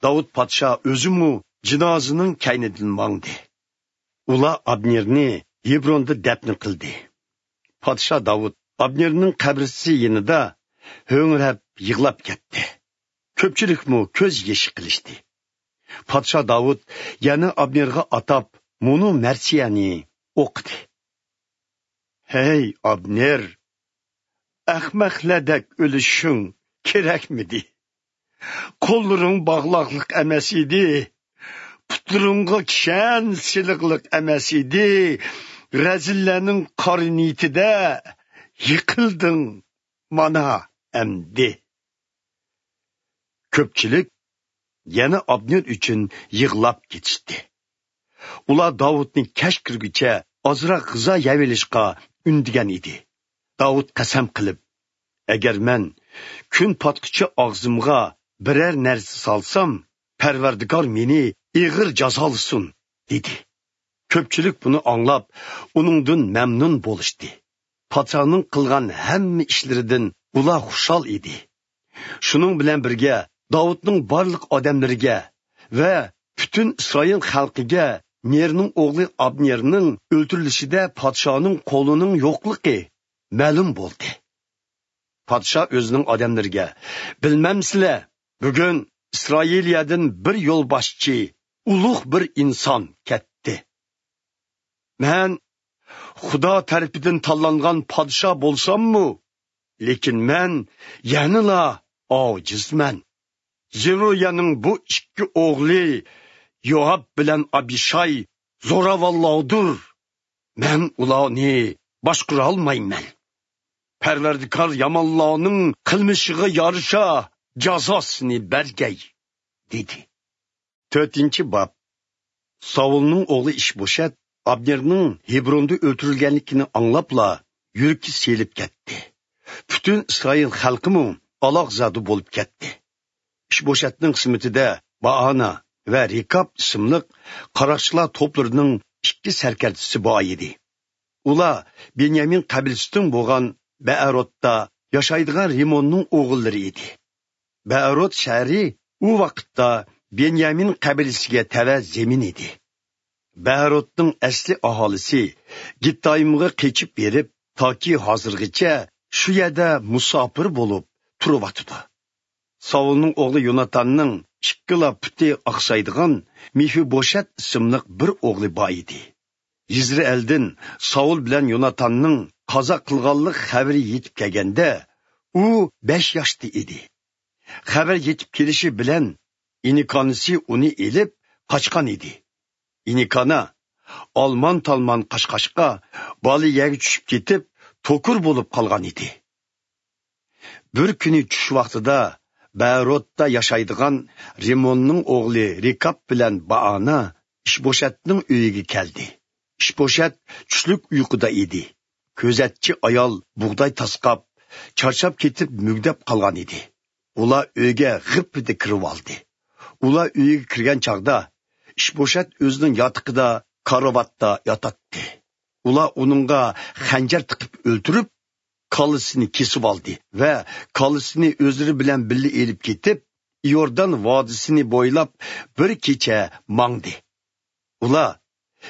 داۋۇت پادىشاھ ئۆزىمۇ جىنازىنىڭ كەينىدىن ماڭدى. ئۇلار ئابنېرنى ھېبروندا دەپنە قىلدى. پادىشاھ داۋۇت ئابنېرنىڭ قەبرىسى يېنىدا ھۆڭرەپ يىغلاپ كەتتى. كۆپچىلىكمۇ كۆز يېشى قىلىشتى. پادىشاھ داۋۇت يەنە ئابنېرغا ئاتاپ مۇنۇ مەرسىيەنى ئوقۇدى: «ھەي، ئابنېر! ئەخمەقلەردەك ئۆلۈشۈڭ كېرەكمىدى؟ قوللىرىڭ باغلاقلىق ئەمەس ئىدى، پۇتلىرىڭغا كىشەن سېلىقلىق ئەمەس ئىدى، رەزىللەرنىڭ قارا نىيىتىدە يىقىلدىڭ مانا ئەمدى.» كۆپچىلىك يەنە ئابنېر ئۈچۈن يىغلاپ كېتىشتى. ئۇلار داۋۇتنى كەچ كىرگۈچە ئازراق غىزا يەۋېلىشقا ئۈندىگەن ئىدى. داۋۇت قەسەم قىلىپ، «ئەگەر مەن كۈن پاتقۇچە ئاغزىمغا بىرەر نەرسە سالسام، پەرۋەردىگار مېنى ئېغىر جازالىسۇن» دېدى. كۆپچىلىك بۇنى ئاڭلاپ، ئۇنىڭدىن مەمنۇن بولۇشتى. پادىشاھنىڭ قىلغان ھەممە ئىشلىرىدىن ئۇلار خۇشال ئىدى. شۇنىڭ بىلەن بىرگە، داۋۇتنىڭ بارلىق ئادەملىرىگە ۋە پۈتۈن ئىسرائىل خەلقىگە نېرنىڭ ئوغلى ئابنېرنىڭ ئۆلتۈرۈلۈشىدە پادىشاھنىڭ قولىنىڭ يوقلۇقى مەلۇم بولدى. پادىشاھ ئۆزىنىڭ ئادەملىرىگە، «بىلمەمسىلەر، بۈگۈن ئىسرائىلىيەدىن بىر يولباشچى، ئۇلۇغ بىر ئىنسان كەتتى. مەن خۇدا تەرىپىدىن تاللانغان پادىشاھ بولساممۇ، لېكىن مەن يەنىلا ئاجىزمەن. زېرويەنىڭ بۇ ئىككى ئوغلى يوئاب بىلەن ئابىشاي زوراۋانلاردۇر. مەن ئۇلارنى باشقۇرالمايمەن. پەرۋەردىكار يامانلارنىڭ قىلمىشىغا يارىشا جازاسىنى بەرگەي» دېدى. تۆتىنچى باب. ساۋۇلنىڭ ئوغلى ئىشبوشەت ئابنېرنىڭ ھېبروندا ئۆلتۈرۈلگەنلىكىنى ئاڭلاپلا، يۈرىكى سېلىپ كەتتى. پۈتۈن ئىسرائىل خەلقىمۇ ئالاقزادە بولۇپ كەتتى. ئىشبوشەتنىڭ خىزمىتىدە بائانا ۋە رېكاب ئىسىملىق قاراقچىلار توپلىرىنىڭ ئىككى سەركەردىسى بار ئىدى. ئۇلار بېنيامىن قەبىلىسىدىن بولغان بەئەرۇتتا ياشايدىغان رىموننىڭ ئوغۇللىرى ئىدى. بەئەرۇت شەھىرى ئۇ ۋاقىتتا بېنيامىن قەبىلىسىگە تەۋە زېمىن ئىدى. بەئەرۇتنىڭ ئەسلى ئاھالىسى گىتتايىمغا قېچىپ بېرىپ، تاكى ھازىرغىچە شۇ يەردە مۇساپىر بولۇپ تۇرۇۋاتىدۇ. ساۋۇلنىڭ ئوغلى يوناتاننىڭ ئىككىلا پۇتى ئاقسايدىغان مېفىبوشەت ئىسىملىق بىر ئوغلى بار ئىدى. يىزرېئىلدىن ساۋۇل بىلەن يوناتاننىڭ قازا قىلغانلىق خەۋىرى يېتىپ كەلگەندە، ئۇ بەش ياشتا ئىدى. خەۋەر يېتىپ كېلىشى بىلەن ئىنىكانىسى ئۇنى ئېلىپ قاچقان ئىدى. ئىنىكانا ئالمان-تالمان قاچقاچقا، بالا يەرگە چۈشۈپ كېتىپ، توكۇر بولۇپ قالغان ئىدى. بىر كۈنى چۈش ۋاقتىدا بەئەرۇتتا ياشايدىغان رىموننىڭ ئوغلى رېكاب بىلەن بائانا ئىشبوشەتنىڭ ئۆيىگە كەلدى. ئىشبوشەت چۈشلۈك ئۇيقۇدا ئىدى. كۆزەتچى ئايال بۇغداي تاسقاپ، چارچاپ كېتىپ مۈگدەپ قالغان ئىدى. ئۇلار ئۆيگە غىپپىدە كىرىۋالدى. ئۇلار ئۆيگە كىرگەن چاغدا ئىشبوشەت ئۆزىنىڭ ياتىقىدا، كارىۋاتتا ياتاتتى. ئۇلار ئۇنىڭغا خەنجەر تىقىپ ئۆلتۈرۈپ، كاللىسىنى كېسىۋالدى ۋە كاللىسىنى ئۆزلىرى بىلەن بىللە ئېلىپ كېتىپ، ئىيوردان ۋادىسىنى بويلاپ بىر كېچە ماڭدى. ئۇلار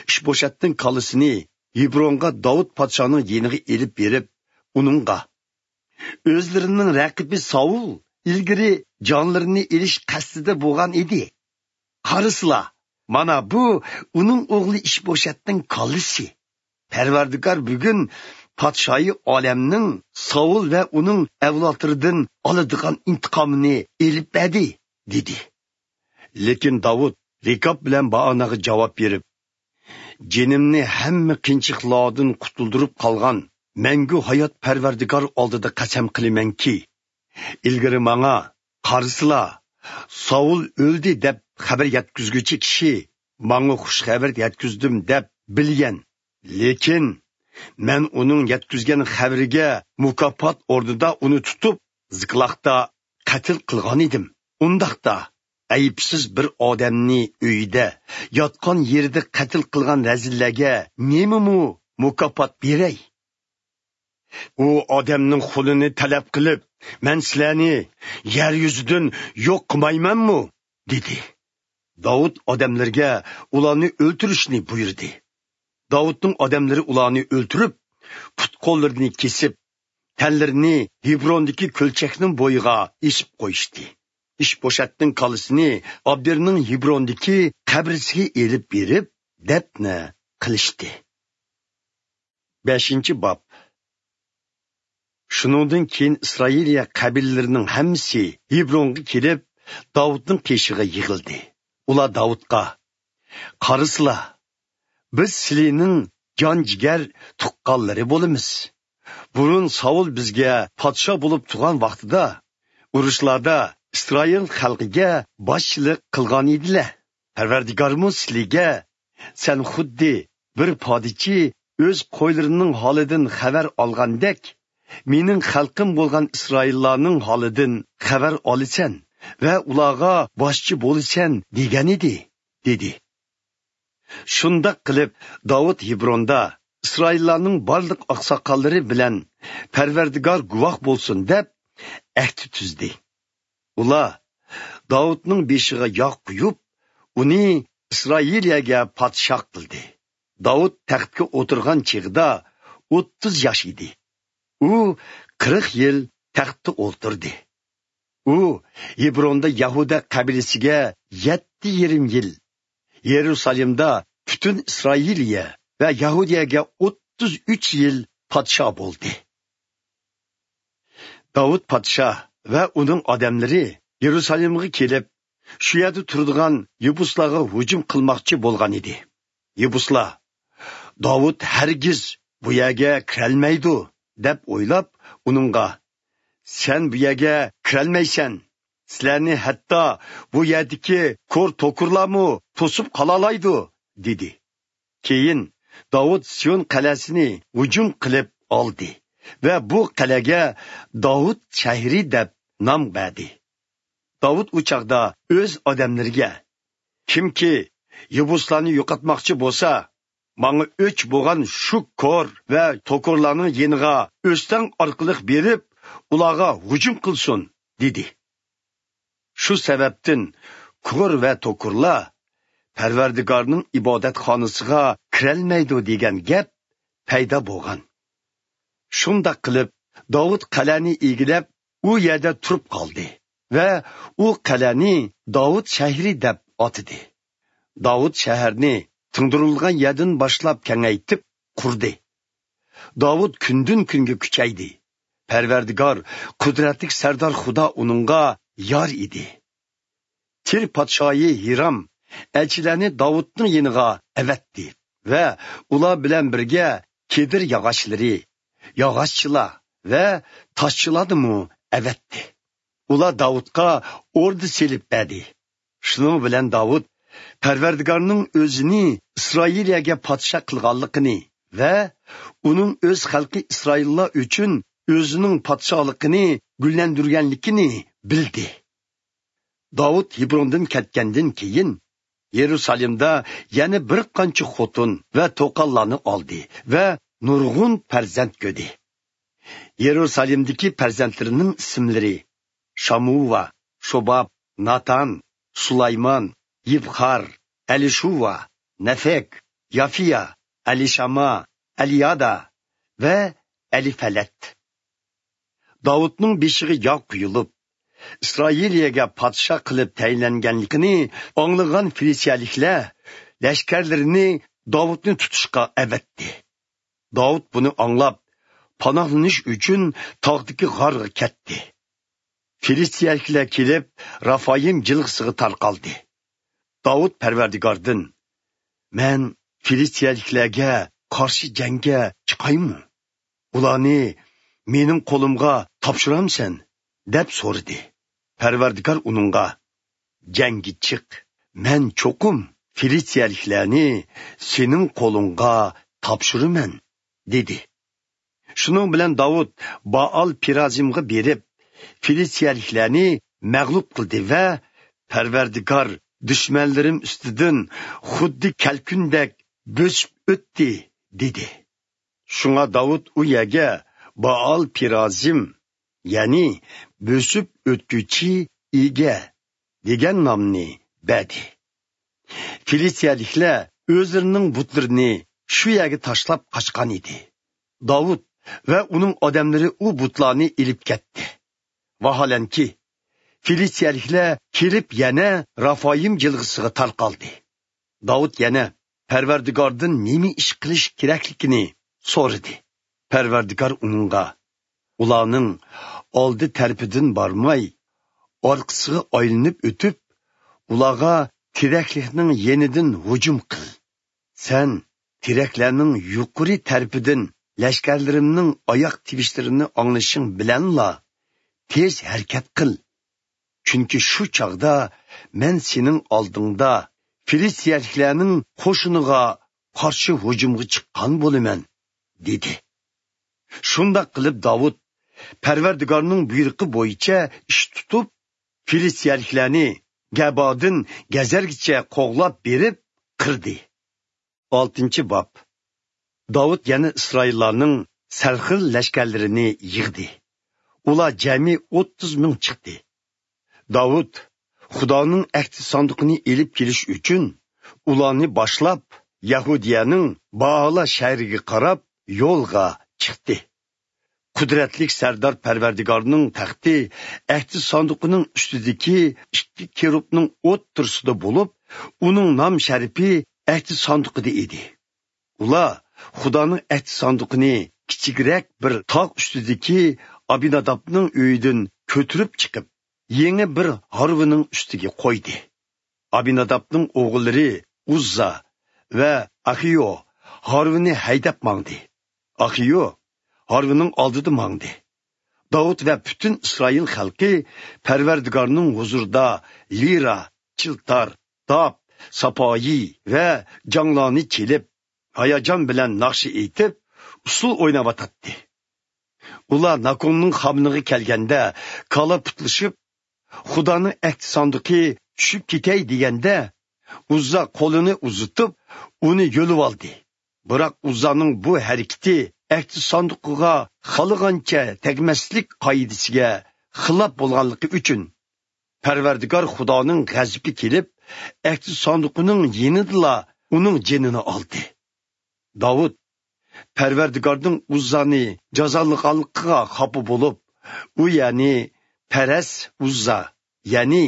ئىشبوشەتنىڭ كاللىسىنى ھېبرونغا داۋۇت پادىشاھنىڭ يېنىغا ئېلىپ بېرىپ، ئۇنىڭغا، ئۆزلىرىنىڭ رەقىبى ساۋۇل ئىلگىرى جانلىرىنى ئېلىش قەستىدە بولغان ئىدى. قارىسىلا، مانا بۇ ئۇنىڭ ئوغلى ئىشبوشەتنىڭ كاللىسى. پەرۋەردىگار بۈگۈن پادىشاھى ئالەمنىڭ ساۋۇل ۋە ئۇنىڭ ئەۋلادلىرىدىن ئالىدىغان ئىنتىقامىنى ئېلىپ بەردى، دېدى. لېكىن داۋۇت رېكاب بىلەن بائاناغا جاۋاب بېرىپ، جېنىمنى ھەممە قىيىنچىلىقلاردىن قۇتۇلدۇرۇپ قالغان مەڭگۈ ھايات پەرۋەردىگار ئالدىدا قەسەم قىلىمەنكى، ئىلگىرى ماڭا، «قارىسىلا، ساۋۇل ئۆلدى» دەپ خەۋەر يەتكۈزگۈچى كىشى، «ماڭا خۇش خەۋەر يەتكۈزدۈم» دەپ بىلگەن. لېكىن مەن ئۇنىڭ يەتكۈزگەن خەۋىرىگە مۇكاپات ئورنىدا ئۇنى تۇتۇپ، زىكلاغدا قەتل قىلغان ئىدىم. ئۇنداقتا، ئەيىبسىز بىر ئادەمنى ئۆيىدە، ياتقان يېرىدە قەتل قىلغان رەزىللەرگە نېمىمۇ مۇكاپات بېرەي؟ ئۇ ئادەمنىڭ خۇنىنى تەلەپ قىلىپ، مەن سىلەرنى يەر يۈزىدىن يوق قىلمايمەنمۇ؟ دېدى. داۋۇت ئادەملىرىگە ئۇلارنى ئۆلتۈرۈشنى بۇيرۇدى. داۋۇتنىڭ ئادەملىرى ئۇلارنى ئۆلتۈرۈپ، پۇت-قوللىرىنى كېسىپ، تەنلىرىنى ھېبروندىكى كۆلچەكنىڭ بويىغا ئېسىپ قويۇشتى. ئىشبوشەتنىڭ كاللىسىنى ئابنېرنىڭ ھېبروندىكى قەبرىسىگە ئېلىپ بېرىپ، دەپنە قىلىشتى. بەشىنچى باب. شۇنىڭدىن كېيىن ئىسرائىلىيە قەبىلىلىرىنىڭ ھەممىسى ھېبرونغا كېلىپ، داۋۇتنىڭ قېشىغا يىغىلدى. ئۇلار داۋۇتقا، «قارىسىلا، بىز سىلىنىڭ جان-جىگەر تۇغقانلىرى بولىمىز. بۇرۇن ساۋۇل بىزگە پادىشاھ بولۇپ تۇرغان ۋاقتىدا، ئۇرۇشلاردا ئىسرائىل خەلقىگە باشچىلىق قىلغان ئىدىلە. پەرۋەردىگارمۇ سىلىگە، سەن خۇددى بىر پادىچى ئۆز قويلىرىنىڭ ھالىدىن خەۋەر ئالغاندەك، مېنىڭ خەلقىم بولغان ئىسرائىللارنىڭ ھالىدىن خەۋەر ئالىسەن ۋە ئۇلارغا باشچى بولىسەن دېگەنىدى» دېدى. شۇنداق قىلىپ، داۋۇت ھېبروندا ئىسرائىللارنىڭ بارلىق ئاقساقاللىرى بىلەن «پەرۋەردىگار گۇۋاھ بولسۇن» دەپ ئەھدى تۈزدى. ئۇلار داۋۇتنىڭ بېشىغا ياغ قۇيۇپ، ئۇنى ئىسرائىلىيەگە پادىشاھ قىلدى. داۋۇت تەختكە ئولتۇرغان چېغىدا ئوتتۇز ياش ئىدى. ئۇ قىرىق يىل تەختتە ئولتۇردى. ئۇ ھېبروندا يەھۇدە قەبىلىسىگە يەتتە يېرىم يىل، يېرۇسالېمدا پۈتۈن ئىسرائىلىيە ۋە يەھۇدىيەگە ئوتتۇز ئۈچ يىل پادىشاھ بولدى. داۋۇت پادىشاھ ۋە ئۇنىڭ ئادەملىرى يېرۇسالېمغا كېلىپ، شۇ يەردە تۇرىدىغان يېبۇسلارغا ھۇجۇم قىلماقچى بولغان ئىدى. يېبۇسلار، «داۋۇت ھەرگىز بۇ يەرگە كىرەلمەيدۇ» دەپ ئويلاپ، ئۇنىڭغا، «سەن بۇ يەرگە كىرەلمەيسەن. سىلەرنى ھەتتا بۇ يەردىكى كور توكۇرلارمۇ توسۇپ قالالايدۇ» دېدى. كېيىن داۋۇت سىيون قەلئەسىنى ھۇجۇم قىلىپ ئالدى ۋە بۇ قەلئەگە داۋۇت شەھىرى دەپ نام بەردى. داۋۇت ئۇ چاغدا ئۆز ئادەملىرىگە، «كىمكى يېبۇسلارنى يوقاتماقچى بولسا، ماڭا ئۆچ بولغان شۇ كور ۋە توكۇرلارنىڭ يېنىغا ئۆستەڭ ئارقىلىق بېرىپ، ئۇلارغا ھۇجۇم قىلسۇن» دېدى. شۇ سەۋەبتىن كور ۋە توكۇرلار «پەرۋەردىگارنىڭ ئىبادەتخانىسىغا كىرەلمەيدۇ» دېگەن گەپ پەيدا بولغان. شۇنداق قىلىپ، داۋۇت قەلئەنى ئىگىلەپ، ئۇ يەردە تۇرۇپ قالدى ۋە ئۇ قەلئەنى داۋۇت شەھىرى دەپ ئاتىدى. داۋۇت شەھەرنى تىڭدۇرۇلغان يەردىن باشلاپ كېڭەيتىپ قۇردى. داۋۇت كۈندىن-كۈنگە كۈچەيدى. پەرۋەردىگار، قۇدرەتلىك سەردار خۇدا ئۇنىڭغا يار ئىدى. تىر پادىشاھى ھىرام ئەلچىلەرنى داۋۇتنىڭ يېنىغا ئەۋەتتى ۋە ئۇلار بىلەن بىرگە كېدىر ياغاچلىرى، ياغاچچىلار ۋە تاشچىلارنىمۇ ئەۋەتتى. ئۇلار داۋۇتقا ئوردا سېلىپ بەردى. شۇنىڭ بىلەن داۋۇت پەرۋەردىگارنىڭ ئۆزىنى ئىسرائىلىيەگە پادىشاھ قىلغانلىقىنى ۋە ئۇنىڭ ئۆز خەلقى ئىسرائىللار ئۈچۈن ئۆزىنىڭ پادىشاھلىقىنى گۈللەندۈرگەنلىكىنى بىلدى. داۋۇت ھېبروندىن كەتكەندىن كېيىن، يېرۇسالېمدا يەنە بىر قانچە خوتۇن ۋە توقاللارنى ئالدى ۋە نۇرغۇن پەرزەنت كۆردى. يېرۇسالېمدىكى پەرزەنتلىرىنىڭ ئىسىملىرى: شامۇۋا، شوباب، ناتان، سۇلايمان، يىبخار، ئەلىشۇۋا، نەفەك، يافىيا، ئەلىشاما، ئەلىيادا ۋە ئەلىفەلەت. داۋۇتنىڭ بېشىغا ياغ قۇيۇلۇپ، ئىسرائىلىيەگە پادىشاھ قىلىپ تەيىنلەنگەنلىكىنى ئاڭلىغان فىلىستىيەلىكلەر لەشكەرلىرىنى داۋۇتنى تۇتۇشقا ئەۋەتتى. داۋۇت بۇنى ئاڭلاپ، پاناھلىنىش ئۈچۈن تاغدىكى غارغا كەتتى. فىلىستىيەلىكلەر كېلىپ، رافايىم جىلغىسىغا تارقالدى. داۋۇت پەرۋەردىگاردىن: «مەن فىلىستىيەلىكلەرگە قارشى جەڭگە چىقايمۇ؟ ئۇلارنى مېنىڭ قولۇمغا تاپشۇرامسەن؟» دەپ سورىدى. پەرۋەردىگار ئۇنىڭغا: «جەڭگە چىق، مەن چوقۇم فىلىستىيەلىكلەرنى سېنىڭ قولۇڭغا تاپشۇرىمەن» دېدى. شۇنىڭ بىلەن داۋۇت بائال پېرازىمغا بېرىپ، فىلىستىيەلىكلەرنى مەغلۇپ قىلدى ۋە: «پەرۋەردىگار دۈشمەنلىرىم ئۈستىدىن خۇددى كەلكۈندەك بۆسۈپ ئۆتتى» دېدى. شۇڭا داۋۇت ئۇ يەرگە بائال پېرازىم، يەنى بۆسۈپ ئۆتكۈچى ئىگە دېگەن نامنى بەردى. فىلىستىيەلىكلەر ئۆزلىرىنىڭ بۇتلىرىنى شۇ يەرگە تاشلاپ قاچقان ئىدى. داۋۇت ۋە ئۇنىڭ ئادەملىرى ئۇ بۇتلارنى ئېلىپ كەتتى. ۋاھالەنكى، فىلىستىيەلىكلەر كېلىپ يەنە رافايىم جىلغىسىغا تارقالدى. داۋۇت يەنە پەرۋەردىگاردىن نېمە ئىش قىلىش كېرەكلىكىنى سورىدى. پەرۋەردىگار ئۇنىڭغا: «ئۇلارنىڭ ئالدى تەرىپىدىن بارماي، ئارقىسىغا ئايلىنىپ ئۆتۈپ، ئۇلارغا تېرەكلىكنىڭ يېنىدىن ھۇجۇم قىل. سەن تېرەكلەرنىڭ يۇقىرى تەرىپىدىن لەشكەرلىرىمنىڭ ئاياق تىۋىشلىرىنى ئاڭلىشىڭ بىلەنلا تېز ھەرىكەت قىل. چۈنكى شۇ چاغدا مەن سېنىڭ ئالدىڭدا فىلىستىيەلىكلەرنىڭ قوشۇنىغا قارشى ھۇجۇمغا چىققان بولىمەن» دېدى. شۇنداق قىلىپ داۋۇت پەرۋەردىگارنىڭ بۇيرۇقى بويىچە ئىش تۇتۇپ، فىلىستىيەلىكلەرنى گەبادىن گەزەرگىچە قوغلاپ بېرىپ قىردى. ئالتىنچى باب. داۋۇت يەنە ئىسرائىللارنىڭ سەرخىل لەشكەرلىرىنى يىغدى. ئۇلار جەمئىي ئوتتۇز مىڭ چىقتى. داۋۇت خۇدانىڭ ئەھدى ساندۇقىنى ئېلىپ كېلىش ئۈچۈن ئۇلارنى باشلاپ، يەھۇدىيەنىڭ بائالا شەھىرىگە قاراپ يولغا چىقتى. قۇدرەتلىك سەردار پەرۋەردىگارنىڭ تەختى ئەھدى ساندۇقىنىڭ ئۈستىدىكى ئىككى كېرۇبنىڭ ئوتتۇرىسىدا بولۇپ، ئۇنىڭ نام شەرىپى ئەھدى ساندۇقىدا ئىدى. ئۇلار خۇدانىڭ ئەھدى ساندۇقىنى كىچىكرەك بىر تاغ ئۈستىدىكى ئابىنادابنىڭ ئۆيىدىن كۆتۈرۈپ چىقىپ، يېڭى بىر ھارۋىنىڭ ئۈستىگە قويدى. ئابىنادابنىڭ ئوغۇللىرى ئۇززا ۋە ئاخىيو ھارۋىنى ھەيدەپ ماڭدى. ئاخىيو ھارۋىنىڭ ئالدىدا ماڭدى. داۋۇت ۋە پۈتۈن ئىسرائىل خەلقى پەرۋەردىگارنىڭ ھۇزۇرىدا لىرا، چىلتار، داپ، ساپايى ۋە جاڭلارنى چېلىپ، ھاياجان بىلەن ناخشا ئېيتىپ، ئۇسسۇل ئويناۋاتاتتى. ئۇلار ناكوننىڭ خامىنىغا كەلگەندە، كالا پۇتلىشىپ، خۇدانىڭ ئەھدى ساندۇقى چۈشۈپ كېتەي دېگەندە، ئۇززا قولىنى ئۇزىتىپ، ئۇنى يۆلۈۋالدى. بىراق ئۇززانىڭ بۇ ھەرىكىتى ئەھدى ساندۇقىغا خالىغانچە تەگمەسلىك قائىدىسىگە خىلاپ بولغانلىقى ئۈچۈن، پەرۋەردىگار خۇدانىڭ غەزىپى كېلىپ، ئەھدى ساندۇقىنىڭ يېنىدىلا ئۇنىڭ جېنىنى ئالدى. داۋۇت پەرۋەردىگارنىڭ ئۇززانى جازالىغانلىقىغا خاپا بولۇپ، ئۇ يەرنى پەرەس ئۇززا، يەنى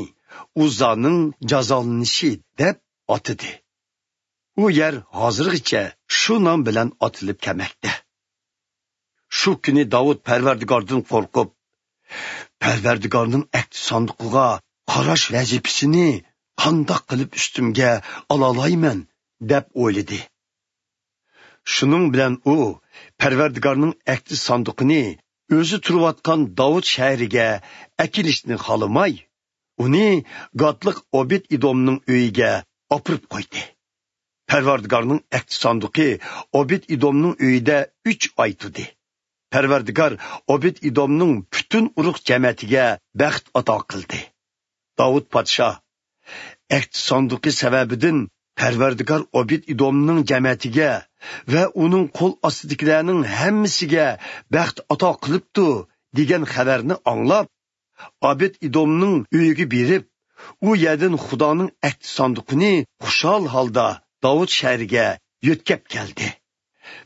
ئۇززانىڭ جازالىنىشى دەپ ئاتىدى. ئۇ يەر ھازىرغىچە شۇ نام بىلەن ئاتىلىپ كەلمەكتە. شۇ كۈنى داۋۇت پەرۋەردىگاردىن قورقۇپ، «پەرۋەردىگارنىڭ ئەھدى ساندۇقىغا قاراش ۋەزىپىسىنى قانداق قىلىپ ئۈستۈمگە ئالالايمەن؟» دەپ ئويلىدى. شۇنىڭ بىلەن ئۇ پەرۋەردىگارنىڭ ئەھدى ساندۇقىنى ئۆزى تۇرۇۋاتقان داۋۇت شەھىرىگە ئەكېلىشنى خالىماي، ئۇنى گاتلىق ئوبېد ئىدومنىڭ ئۆيىگە ئاپىرىپ قويدى. پەرۋەردىگارنىڭ ئەھدى ساندۇقى ئوبېد ئىدومنىڭ ئۆيىدە ئۈچ ئاي تۇردى. پەرۋەردىگار ئوبېد ئىدومنىڭ پۈتۈن ئۇرۇق جەمەتىگە بەخت ئاتا قىلدى. داۋۇت پادىشاھ: «ئەھدى ساندۇقى سەۋەبىدىن پەرۋەردىگار ئوبېد ئىدومنىڭ جەمەتىگە ۋە ئۇنىڭ قول ئاستىدىكىلەرنىڭ ھەممىسىگە بەخت ئاتا قىلىپتۇ» دېگەن خەۋەرنى ئاڭلاپ، ئابېد ئىدومنىڭ ئۆيىگە بېرىپ، ئۇ يەردىن خۇدانىڭ ئەھدى ساندۇقىنى خۇشال ھالدا داۋۇت شەھىرىگە يۆتكەپ كەلدى.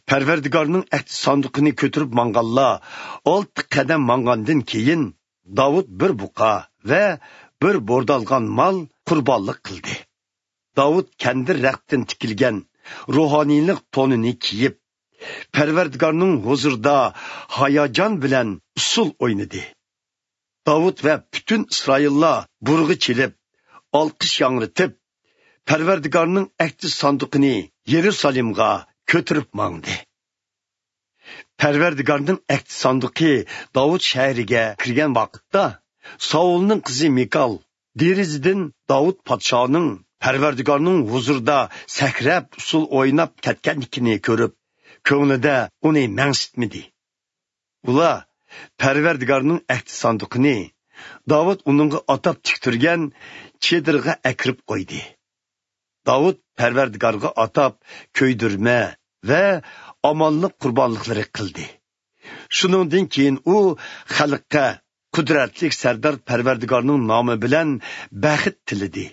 پەرۋەردىگارنىڭ ئەھدى ساندۇقىنى كۆتۈرۈپ ماڭغانلار ئالتە قەدەم ماڭغاندىن كېيىن، داۋۇت بىر بۇقا ۋە بىر بوردالغان مال قۇربانلىق قىلدى. داۋۇت كەندىر رەختتىن تىكىلگەن روھانىيلىق تونىنى كىيىپ، پەرۋەردىگارنىڭ ھۇزۇرىدا ھاياجان بىلەن ئۇسسۇل ئوينىدى. داۋۇت ۋە پۈتۈن ئىسرائىللار بۇرغا چېلىپ، ئالقىش ياڭرىتىپ، پەرۋەردىگارنىڭ ئەھدى ساندۇقىنى يېرۇسالېمغا كۆتۈرۈپ ماڭدى. پەرۋەردىگارنىڭ ئەھدى ساندۇقى داۋۇت شەھىرىگە كىرگەن ۋاقىتتا، ساۋۇلنىڭ قىزى مىكال دېرىزىدىن داۋۇت پادىشاھنىڭ پەرۋەردىگارنىڭ ھۇزۇرىدا سەكرەپ، ئۇسسۇل ئويناپ كەتكەنلىكىنى كۆرۈپ، كۆڭلىدە ئۇنى مەنسىتمىدى. ئۇلار پەرۋەردىگارنىڭ ئەھدى ساندۇقىنى داۋۇت ئۇنىڭغا ئاتاپ تىكتۈرگەن چېدىرغا ئەكىرىپ قويدى. داۋۇت پەرۋەردىگارغا ئاتاپ كۆيدۈرمە ۋە ئامانلىق قۇربانلىقلىرى قىلدى. شۇنىڭدىن كېيىن ئۇ خەلققە قۇدرەتلىك سەردار پەرۋەردىگارنىڭ نامى بىلەن بەخت تىلىدى.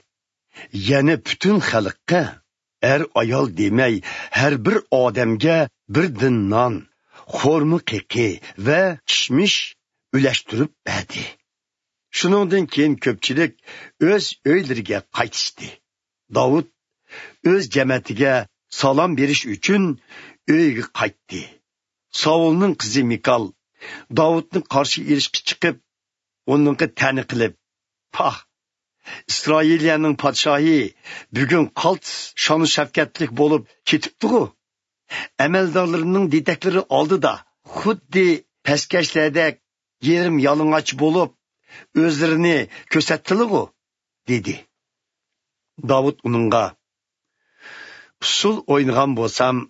يەنە پۈتۈن خەلققە، ئەر-ئايال دېمەي، ھەر بىر ئادەمگە بىردىن نان، خورما قېقى ۋە كىشمىش ئۈلەشتۈرۈپ بەردى. شۇنىڭدىن كېيىن كۆپچىلىك ئۆز ئۆيلىرىگە قايتىشتى. داۋۇت ئۆز جەمەتىگە سالام بېرىش ئۈچۈن ئۆيىگە قايتتى. ساۋۇلنىڭ قىزى مىكال داۋۇتنى قارشى ئېلىشقا چىقىپ، ئۇنىڭغا تەنە قىلىپ، پاھ، ئىسرائىلىيەنىڭ پادىشاھى بۈگۈن قالتىس شانۇ شەۋكەتلىك بولۇپ كېتىپتىغۇ؟ ئەمەلدارلىرىنىڭ دېدەكلىرى ئالدىدا خۇددى پەسكەشلەردەك يېرىم يالىڭاچ بولۇپ، ئۆزلىرىنى كۆرسەتتىلىغۇ؟ دېدى. داۋۇت ئۇنىڭغا، ئۇسسۇل ئوينىغان بولسام،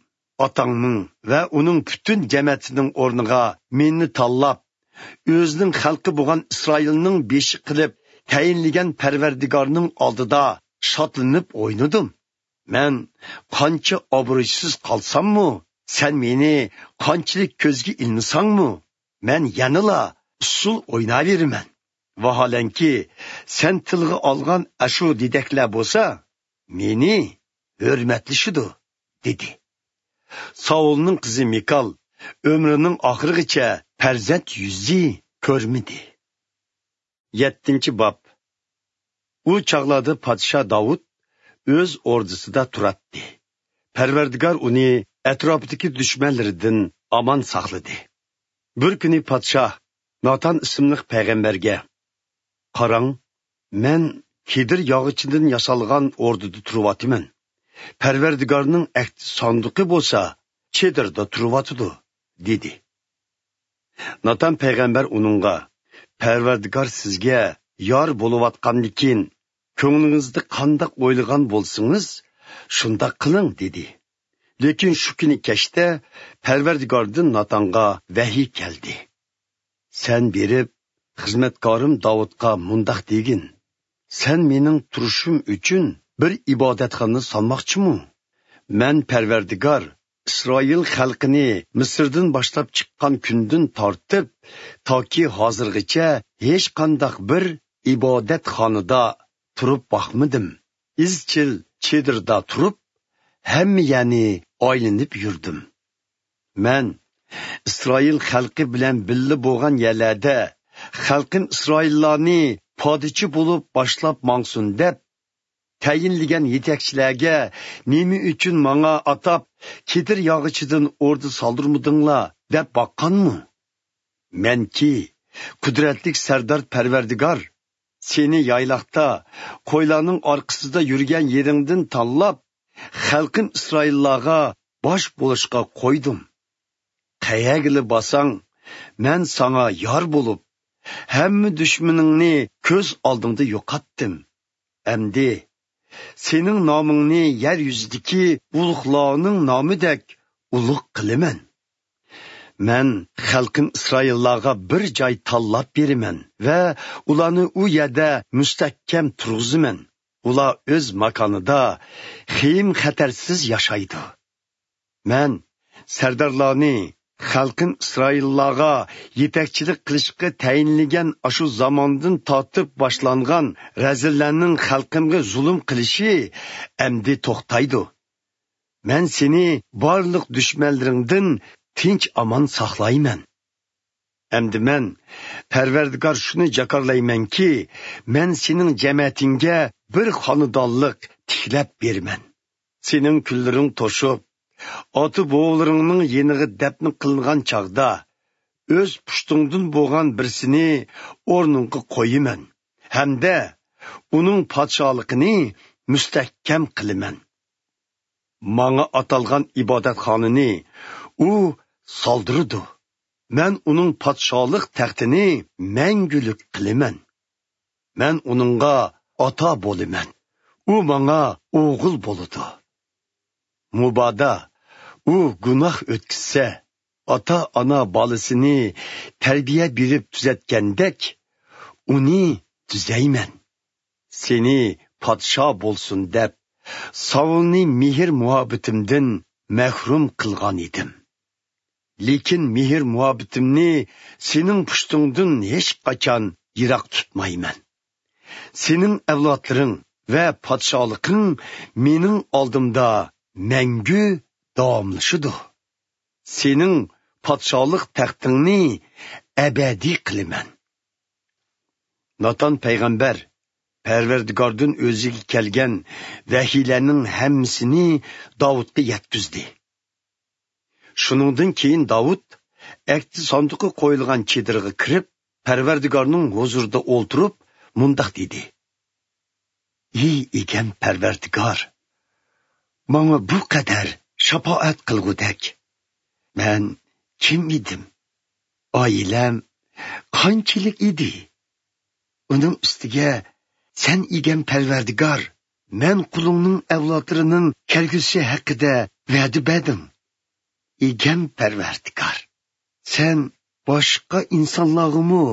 ئاتاڭنىڭ ۋە ئۇنىڭ پۈتۈن جەمەتىنىڭ ئورنىغا مېنى تاللاپ، ئۆزىنىڭ خەلقى بولغان ئىسرائىلنىڭ بېشى قىلىپ تەيىنلىگەن پەرۋەردىگارنىڭ ئالدىدا شادلىنىپ ئوينىدىم. مەن قانچە ئابرۇيسىز قالساممۇ، سەن مېنى قانچىلىك كۆزگە ئىلمىساڭمۇ، مەن يەنىلا ئۇسسۇل ئويناۋېرىمەن. ۋاھالەنكى، سەن تىلغا ئالغان ئاشۇ دېدەكلەر بولسا، مېنى ھۆرمەتلىشىدۇ، دېدى. ساۋۇلنىڭ قىزى مىكال ئۆمرىنىڭ ئاخىرىغىچە پەرزەنت يۈزى كۆرمىدى. يەتتىنچى باب. ئۇ چاغلاردا پادىشاھ داۋۇت ئۆز ئوردىسىدا تۇراتتى. پەرۋەردىگار ئۇنى ئەتراپىدىكى دۈشمەنلىرىدىن ئامان ساقلىدى. بىر كۈنى پادىشاھ ناتان ئىسىملىق پەيغەمبەرگە، قاراڭ، مەن كېدىر ياغىچىدىن ياسالغان ئوردىدا تۇرۇۋاتىمەن. پەرۋەردىگارنىڭ ئەھدى ساندۇقى بولسا چېدىردا تۇرۇۋاتىدۇ، دېدى. ناتان پەيغەمبەر ئۇنىڭغا، پەرۋەردىگار سىزگە يار بولۇۋاتقاندىكىن، كۆڭلىڭىزدە قانداق ئويلىغان بولسىڭىز، شۇنداق قىلىڭ، دېدى. لېكىن شۇ كۈنى كەچتە پەرۋەردىگاردىن ناتانغا ۋەھىي كەلدى. سەن بېرىپ، خىزمەتكارىم داۋۇتقا مۇنداق دېگىن، سەن مېنىڭ تۇرۇشۇم ئۈچۈن بىر ئىبادەتخانا سالماقچىمۇ؟ مەن پەرۋەردىگار ئىسرائىل خەلقىنى مىسىردىن باشلاپ چىققان كۈندىن تارتىپ، تاكى ھازىرغىچە ھېچقانداق بىر ئىبادەتخانىدا تۇرۇپ باقمىدىم. ئىزچىل چېدىردا تۇرۇپ، ھەممە يەرنى ئايلىنىپ يۈردۈم. مەن ئىسرائىل خەلقى بىلەن بىللە بولغان يەرلەردە خەلقىم ئىسرائىللارنى پادىچى بولۇپ باشلاپ ماڭسۇن دەپ، تەيىنلىگەن يېتەكچىلەرگە نېمە ئۈچۈن ماڭا ئاتاپ كېدىر ياغىچىدىن ئوردا سالدۇرمىدىڭلار دەپ باققانمۇ؟ مەنكى، قۇدرەتلىك سەردار پەرۋەردىگار، سېنى يايلاقتا، قويلارنىڭ ئارقىسىدا يۈرگەن يېرىڭدىن تاللاپ، خەلقىم ئىسرائىللارغا باش بولۇشقا قويدۇم. قەيەرگىلا بارساڭ، مەن ساڭا يار بولۇپ، ھەممە دۈشمىنىڭنى كۆز ئالدىڭدا يوقاتتىم. ئەمدى سېنىڭ نامىڭنى يەر يۈزىدىكى ئۇلۇغلارنىڭ نامىدەك ئۇلۇغ قىلىمەن. مەن خەلقىم ئىسرائىللارغا بىر جاي تاللاپ بېرىمەن ۋە ئۇلارنى ئۇ يەردە مۇستەھكەم تۇرغۇزىمەن. ئۇلار ئۆز ماكانىدا خېيىم-خەتەرسىز ياشايدۇ. مەن سەردارلارنى خەلقىم ئىسرائىللارغا يېتەكچىلىك قىلىشقا تەيىنلىگەن ئاشۇ زاماندىن تارتىپ باشلانغان رەزىللەرنىڭ خەلقىمگە زۇلۇم قىلىشى ئەمدى توختايدۇ. مەن سېنى بارلىق دۈشمەنلىرىڭدىن تىنچ-ئامان ساقلايمەن. ئەمدى مەن، پەرۋەردىگار، شۇنى جاكارلايمەنكى، مەن سېنىڭ جەمەتىڭگە بىر خانىدانلىق تىكلەپ بېرىمەن. سېنىڭ كۈنلىرىڭ توشۇپ، ئاتا-بوۋىلىرىڭنىڭ يېنىغا دەپنە قىلىنغان چاغدا، ئۆز پۇشتۇڭدىن بولغان بىرسىنى ئورنۇڭغا قويىمەن ھەمدە ئۇنىڭ پادىشاھلىقىنى مۇستەھكەم قىلىمەن. ماڭا ئاتالغان ئىبادەتخانىنى ئۇ سالدۇرىدۇ. مەن ئۇنىڭ پادىشاھلىق تەختىنى مەڭگۈلۈك قىلىمەن. مەن ئۇنىڭغا ئاتا بولىمەن. ئۇ ماڭا ئوغۇل بولىدۇ. مۇبادا ئۇ گۇناھ ئۆتكۈزسە، ئاتا-ئانا بالىسىنى تەربىيە بېرىپ تۈزەتكەندەك، ئۇنى تۈزەيمەن. سېنى پادىشاھ بولسۇن دەپ، ساۋۇلنى مېھىر-مۇھەببىتىمدىن مەھرۇم قىلغان ئىدىم. لېكىن مېھىر-مۇھەببىتىمنى سېنىڭ پۇشتۇڭدىن ھېچقاچان يىراق تۇتمايمەن. سېنىڭ ئەۋلادلىرىڭ ۋە پادىشاھلىقىڭ مېنىڭ ئالدىمدا مەڭگۈ داۋاملىشىدۇ. سېنىڭ پادىشاھلىق تەختىڭنى ئەبەدىي قىلىمەن. ناتان پەيغەمبەر پەرۋەردىگاردىن ئۆزىگە كەلگەن ۋەھىيلەرنىڭ ھەممىسىنى داۋۇتقا يەتكۈزدى. شۇنىڭدىن كېيىن داۋۇت ئەھدى ساندۇقى قويۇلغان چېدىرغا كىرىپ، پەرۋەردىگارنىڭ ھۇزۇرىدا ئولتۇرۇپ، مۇنداق دېدى: «ئى ئىگەم پەرۋەردىگار، ماڭا بۇ قەدەر شاپائەت قىلغۇدەك مەن كىم ئىدىم؟ ئائىلەم قانچىلىك ئىدى؟ ئۇنىڭ ئۈستىگە سەن ئىگەم پەرۋەردىگار، مەن قۇلۇڭنىڭ ئەۋلادلىرىنىڭ كەلگۈسى ھەققىدە ۋەدە بەردىڭ. ئىگەم پەرۋەردىگار، سەن باشقا ئىنسانلارغىمۇ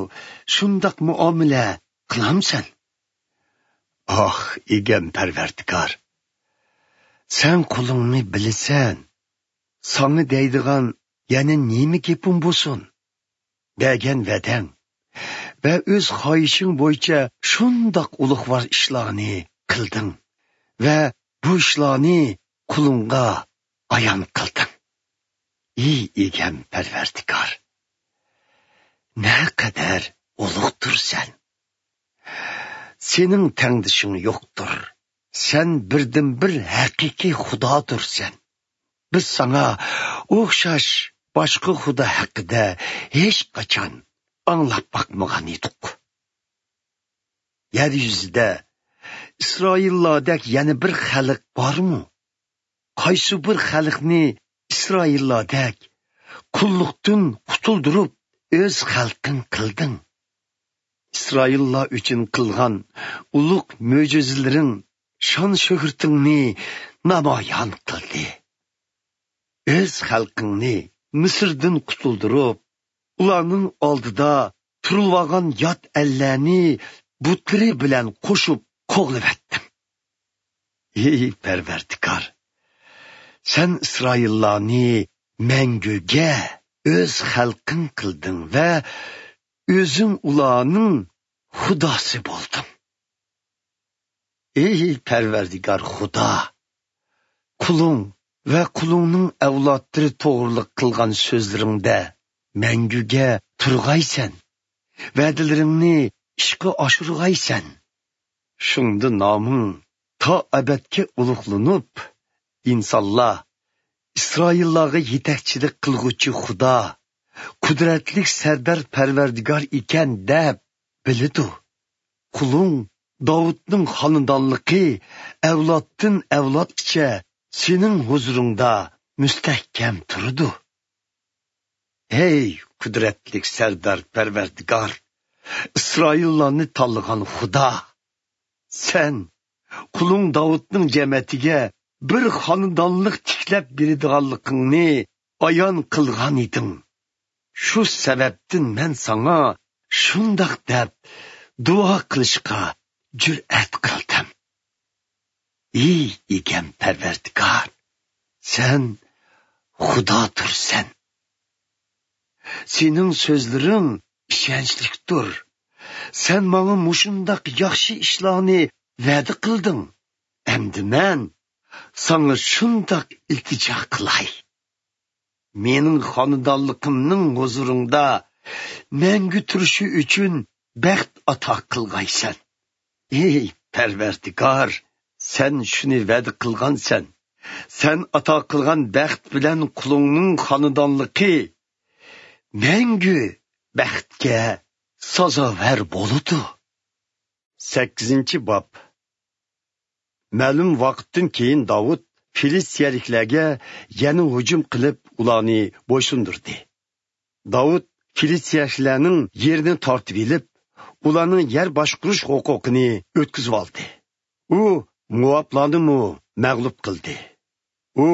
شۇنداق مۇئامىلە قىلامسەن؟ ئاھ، ئىگەم پەرۋەردىگار، سەن قۇلۇڭنى بىلىسەن. ساڭا دەيدىغان يەنە نېمە گېپىم بولسۇن؟ بەرگەن ۋەدەڭ ۋە ئۆز خاھىشىڭ بويىچە شۇنداق ئۇلۇغۋار ئىشلارنى قىلدىڭ ۋە بۇ ئىشلارنى قۇلۇڭغا ئايان قىلدىڭ. ئى ئىگەم پەرۋەردىگار، نەقەدەر ئۇلۇغدۇرسەن! سېنىڭ تەڭدىشىڭ يوقتۇر. سەن بىردىنبىر ھەقىقىي خۇدادۇرسەن. بىز ساڭا ئوخشاش باشقا خۇدا ھەققىدە ھېچقاچان ئاڭلاپ باقمىغان ئىدۇق. يەر يۈزىدە ئىسرائىللاردەك يەنە بىر خەلق بارمۇ؟ قايسى بىر خەلقنى ئىسرائىللاردەك قۇللۇقتىن قۇتۇلدۇرۇپ، ئۆز خەلقىڭ قىلدىڭ؟ ئىسرائىللار ئۈچۈن قىلغان ئۇلۇغ مۆجىزىلىرىڭ شان-شۆھرىتىڭنى نامايان قىلدى. ئۆز خەلقىڭنى مىسىردىن قۇتۇلدۇرۇپ، ئۇلارنىڭ ئالدىدا تۇرۇلۇۋالغان يات ئەللەرنى بۇتلىرى بىلەن قوشۇپ قوغلىۋەتتىڭ. ئى پەرۋەردىگار، سەن ئىسرائىللارنى مەڭگۈگە ئۆز خەلقىڭ قىلدىڭ ۋە ئۆزۈڭ ئۇلارنىڭ خۇداسى بولدۇڭ. ئى پەرۋەردىگار خۇدا، قۇلۇڭ ۋە قۇلۇڭنىڭ ئەۋلادلىرى توغرىلىق قىلغان سۆزلىرىڭدە مەڭگۈگە تۇرغايسەن، ۋەدىلىرىڭنى ئىشقا ئاشۇرغايسەن. شۇڭدا نامىڭ تا ئەبەدكە ئۇلۇغلىنىپ، ئىنسانلار ئىسرائىللارغا يېتەكچىلىك قىلغۇچى خۇدا، قۇدرەتلىك سەردار پەرۋەردىگار ئىكەن دەپ بىلىدۇ. قۇلۇڭ داۋۇتنىڭ خانىدانلىقى ئەۋلادتىن ئەۋلادقىچە سېنىڭ ھۇزۇرۇڭدا مۇستەھكەم تۇرىدۇ. ھەي، قۇدرەتلىك سەردار پەرۋەردىگار، ئىسرائىللارنى تاللىغان خۇدا! سەن قۇلۇڭ داۋۇتنىڭ جەمەتىگە بىر خانىدانلىق تىكلەپ بېرىدىغانلىقىڭنى ئايان قىلغان ئىدىڭ. شۇ سەۋەبتىن مەن ساڭا شۇنداق دەپ دۇئا قىلىشقا جۈرئەت قىلدىم. ئى ئىگەم پەرۋەردىگار، سەن خۇدادۇرسەن. سېنىڭ سۆزلىرىڭ ئىشەنچلىكتۇر. سەن ماڭا مۇشۇنداق ياخشى ئىشلارنى ۋەدە قىلدىڭ. ئەمدى مەن ساڭا شۇنداق ئىلتىجا قىلاي. مېنىڭ خانىدانلىقىمنىڭ ھۇزۇرۇڭدا مەڭگۈ تۇرۇشى ئۈچۈن بەخت ئاتا قىلغايسەن. ئى پەرۋەردىگار، سەن شۇنى ۋەدە قىلغانسەن. سەن ئاتا قىلغان بەخت بىلەن قۇلۇڭنىڭ خانىدانلىقى مەڭگۈ بەختكە سازاۋەر بولىدۇ. سەككىزىنچى باب. مەلۇم ۋاقىتتىن كېيىن داۋۇت فىلىستىيەلىكلەرگە يەنە ھۇجۇم قىلىپ، ئۇلارنى بويسۇندۇردى. داۋۇت فىلىستىيەلىكلەرنىڭ يېرىنى تارتىۋېلىپ، ئۇلارنىڭ يەر باشقۇرۇش ھوقۇقىنى ئۆتكۈزۈۋالدى. ئۇ موئابلارنىمۇ مەغلۇپ قىلدى. ئۇ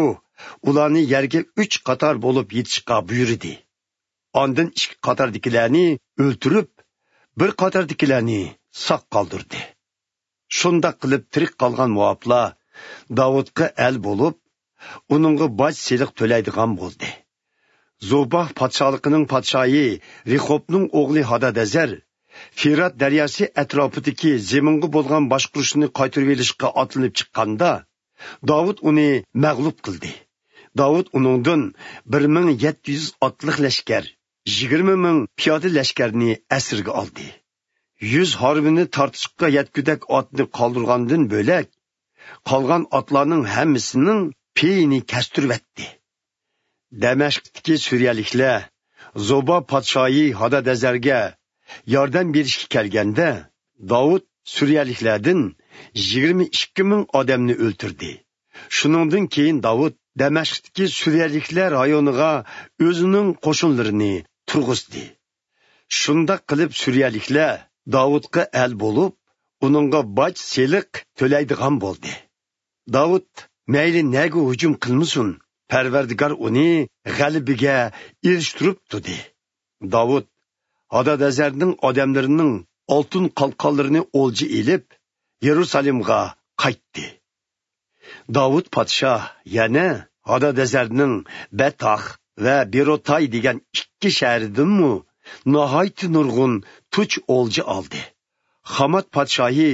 ئۇلارنى يەرگە ئۈچ قاتار بولۇپ يېتىشقا بۇيرۇدى. ئاندىن ئىككى قاتاردىكىلەرنى ئۆلتۈرۈپ، بىر قاتاردىكىلەرنى ساق قالدۇردى. شۇنداق قىلىپ تىرىك قالغان موئابلار داۋۇتقا ئەل بولۇپ، ئۇنىڭغا باج سېلىق تۆلەيدىغان بولدى. زوبا پادىشاھلىقىنىڭ پادىشاھى رېخوبنىڭ ئوغلى ھادادەزەر فىرات دەرياسى ئەتراپىدىكى زېمىنغا بولغان باشقۇرۇشنى قايتۇرۇۋېلىشقا ئاتلىنىپ چىققاندا، داۋۇت ئۇنى مەغلۇپ قىلدى. داۋۇت ئۇنىڭدىن بىر مىڭ يەتتە يۈز ئاتلىق لەشكەر، يىگىرمە مىڭ پىيادە لەشكەرنى ئەسىرگە ئالدى. يۈز ھارۋىنى تارتىشقا يەتكۈدەك ئاتنى قالدۇرغاندىن بۆلەك، قالغان ئاتلارنىڭ ھەممىسىنىڭ پېيىنى كەستۈرۈۋەتتى. دەمەشقتىكى سۈرىيەلىكلەر زوبا پادىشاھى ھادادەزەرگە ياردەم بېرىشكە كەلگەندە، داۋۇت سۈرىيەلىكلەردىن يىگىرمە ئىككى مىڭ ئادەمنى ئۆلتۈردى. شۇنىڭدىن كېيىن داۋۇت دەمەشقتىكى سۈرىيەلىكلەر رايونىغا ئۆزىنىڭ قوشۇنلىرىنى تۇرغۇزدى. شۇنداق قىلىپ سۈرىيەلىكلەر داۋۇتقا ئەل بولۇپ، ئۇنىڭغا باج سېلىق تۆلەيدىغان بولدى. داۋۇت مەيلى نەگە ھۇجۇم قىلمىسۇن، پەرۋەردىگار ئۇنى غەلىبىگە ئېرىشتۈرۈپ تۇردى. داۋۇت ھادادەزەرنىڭ ئادەملىرىنىڭ ئالتۇن قالقانلىرىنى ئولجا ئېلىپ، يېرۇسالېمغا قايتتى. داۋۇت پادىشاھ يەنە ھادادەزەرنىڭ بەتاخ ۋە بېروتاي دېگەن ئىككى شەھىرىدىنمۇ ناھايىتى نۇرغۇن تۇچ ئولجا ئالدى. خامات پادىشاھى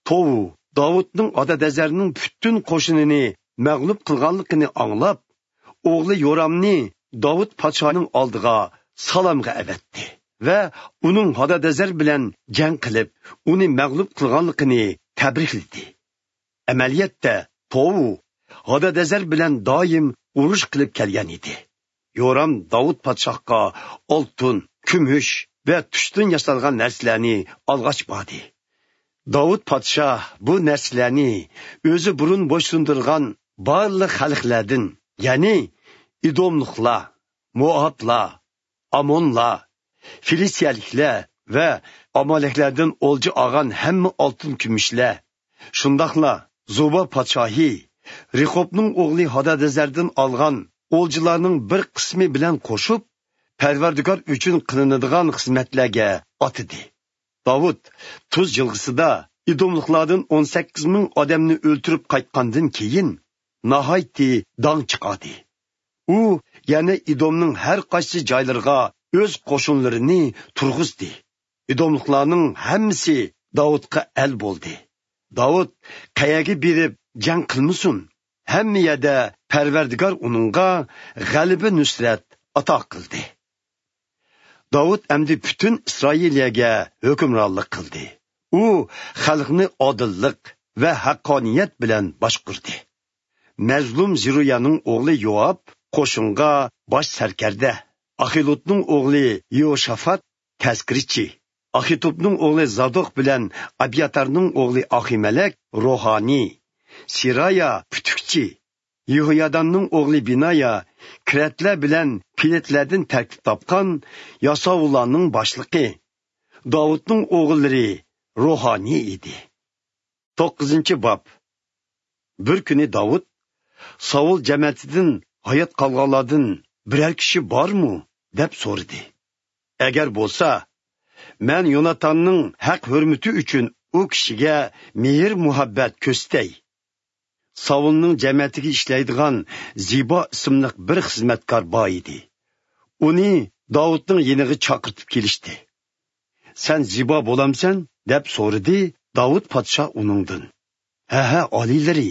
توۋۇ داۋۇتنىڭ ھادادەزەرنىڭ پۈتۈن قوشۇنىنى مەغلۇپ قىلغانلىقىنى ئاڭلاپ، ئوغلى يورامنى داۋۇت پادىشاھنىڭ ئالدىغا سالامغا ئەۋەتتى ۋە ئۇنىڭ ھادادەزەر بىلەن جەڭ قىلىپ، ئۇنى مەغلۇپ قىلغانلىقىنى تەبرىكلىدى. ئەمەلىيەتتە، توۋۇ ھادادەزەر بىلەن دائىم ئۇرۇش قىلىپ كەلگەن ئىدى. يورام داۋۇت پادىشاھقا ئالتۇن، كۈمۈش ۋە تۇشتىن ياسالغان نەرسىلەرنى ئالغاچ باردى. داۋۇت پادىشاھ بۇ نەرسىلەرنى ئۆزى بۇرۇن بويسۇندۇرغان بارلىق خەلقلەردىن، يەنى ئىدوملۇقلار، موئابلار، ئامونلار، فىلىستىيەلىكلەر ۋە ئامالەكلەردىن ئولجا ئالغان ھەممە ئالتۇن كۈمۈشلەر، شۇنداقلا زوبا پادىشاھى رېخوبنىڭ ئوغلى ھادادەزەردىن ئالغان ئولجىلارنىڭ بىر قىسمى بىلەن قوشۇپ، پەرۋەردىگار ئۈچۈن قىلىنىدىغان خىزمەتلەرگە ئاتىدى. داۋۇت تۇز جىلغىسىدا ئىدوملۇقلاردىن ئون سەككىز مىڭ ئادەمنى ئۆلتۈرۈپ قايتقاندىن كېيىن، ناھايىتى داڭ چىقاردى. ئۇ يەنە ئىدومنىڭ ھەر قايسى جايلىرىغا ئۆز قوشۇنلىرىنى تۇرغۇزدى. ئىدوملۇقلارنىڭ ھەممىسى داۋۇتقا ئەل بولدى. داۋۇت قەيەرگە بېرىپ جەڭ قىلمىسۇن، ھەممە يەردە پەرۋەردىگار ئۇنىڭغا غەلىبە نۇسرەت ئاتا قىلدى. داۋۇت ئەمدى پۈتۈن ئىسرائىلىيەگە ھۆكۈمرانلىق قىلدى. ئۇ خەلقنى ئادىللىق ۋە ھەققانىيەت بىلەن باشقۇردى. مەزلۇم زېرۇيانىڭ ئوغلى يوئاب قوشۇنغا باش سەركەردە، ئاخىلۇدنىڭ ئوغلى يېھوشافات تەزكىرىچى، ئاخىتوبنىڭ ئوغلى زادوق بىلەن ئەبياتارنىڭ ئوغلى ئاخىمەلەك روھانىي، سېرايا پۈتۈكچى، يېھوياداننىڭ ئوغلى بىنايا كىرەتلەر بىلەن پېلەتلەردىن تەركىب تاپقان ياساۋۇللارنىڭ باشلىقى، داۋۇتنىڭ ئوغۇللىرى روھانىي ئىدى. توققۇزىنچى باب. بىر كۈنى داۋۇت، ساۋۇل جەمەتىدىن ھايات قالغانلاردىن بىرەر كىشى بارمۇ؟ دەپ سورىدى. ئەگەر بولسا، مەن يوناتاننىڭ ھەق ھۆرمىتى ئۈچۈن ئۇ كىشىگە مېھىر مۇھەببەت كۆرسىتەي. ساۋۇلنىڭ جەمەتىگە ئىشلەيدىغان زىبا ئىسىملىق بىر خىزمەتكار بار ئىدى. ئۇنى داۋۇتنىڭ يېنىغا چاقىرتىپ كېلىشتى. سەن زىبا بولامسەن؟ دەپ سورىدى داۋۇت پادىشاھ ئۇنىڭدىن. ھە، ھە، ئالىيلىرى،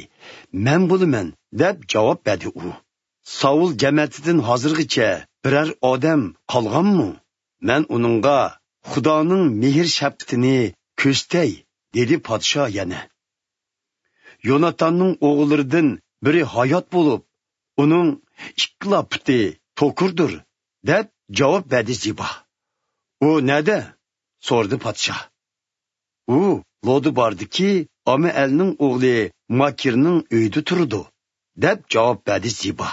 مەن بولىمەن، دەپ جاۋاب بەردى ئۇ. ساۋۇل جەمەتىدىن ھازىرغىچە بىرەر ئادەم قالغانمۇ؟ مەن ئۇنىڭغا خۇدانىڭ مېھىر شەپقىتىنى كۆرسىتەي، دېدى پادىشاھ يەنە. يوناتاننىڭ ئوغۇللىرىدىن بىرى ھايات بولۇپ، ئۇنىڭ ئىككىلا پۇتى توكۇردۇر، دەپ جاۋاب بەردى زىبا. ئۇ نەدە؟ سورىدى پادىشاھ. ئۇ لودىباردىكى ئامىئەلنىڭ ئوغلى ماكىرنىڭ ئۆيىدە تۇرىدۇ، دەپ جاۋاب بەردى زىبا.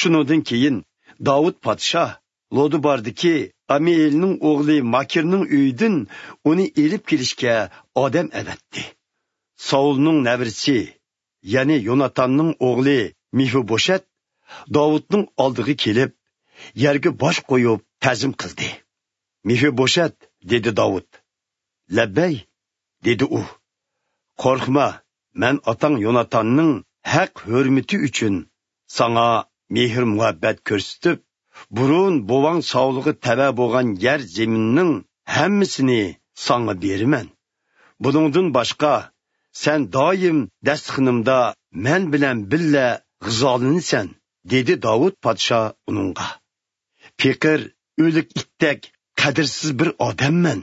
شۇنىڭدىن كېيىن داۋۇت پادىشاھ لودىباردىكى ئامىئېلنىڭ ئوغلى ماكىرنىڭ ئۆيىدىن ئۇنى ئېلىپ كېلىشكە ئادەم ئەۋەتتى. ساۋۇلنىڭ نەۋرىسى، يەنى يوناتاننىڭ ئوغلى مېفىبوشەت داۋۇتنىڭ ئالدىغا كېلىپ، يەرگە باش قويۇپ تەزىم قىلدى. «مېفىبوشەت!» دېدى داۋۇت. «لەببەي!» دېدى ئۇ. «قورقما، مەن ئاتاڭ يوناتاننىڭ ھەق ھۆرمىتى ئۈچۈن ساڭا مېھىر-مۇھەببەت كۆرسىتىپ، بۇرۇن بوۋاڭ ساۋۇلغا تەۋە بولغان يەر زېمىننىڭ ھەممىسىنى ساڭا بېرىمەن. بۇنىڭدىن باشقا، سەن دائىم دەستىخىنىمدا مەن بىلەن بىللە غىزالىنىسەن» دېدى داۋۇت پادىشاھ ئۇنىڭغا. «پېقىر، ئۆلۈك ئىتتەك قەدىرسىز بىر ئادەممەن.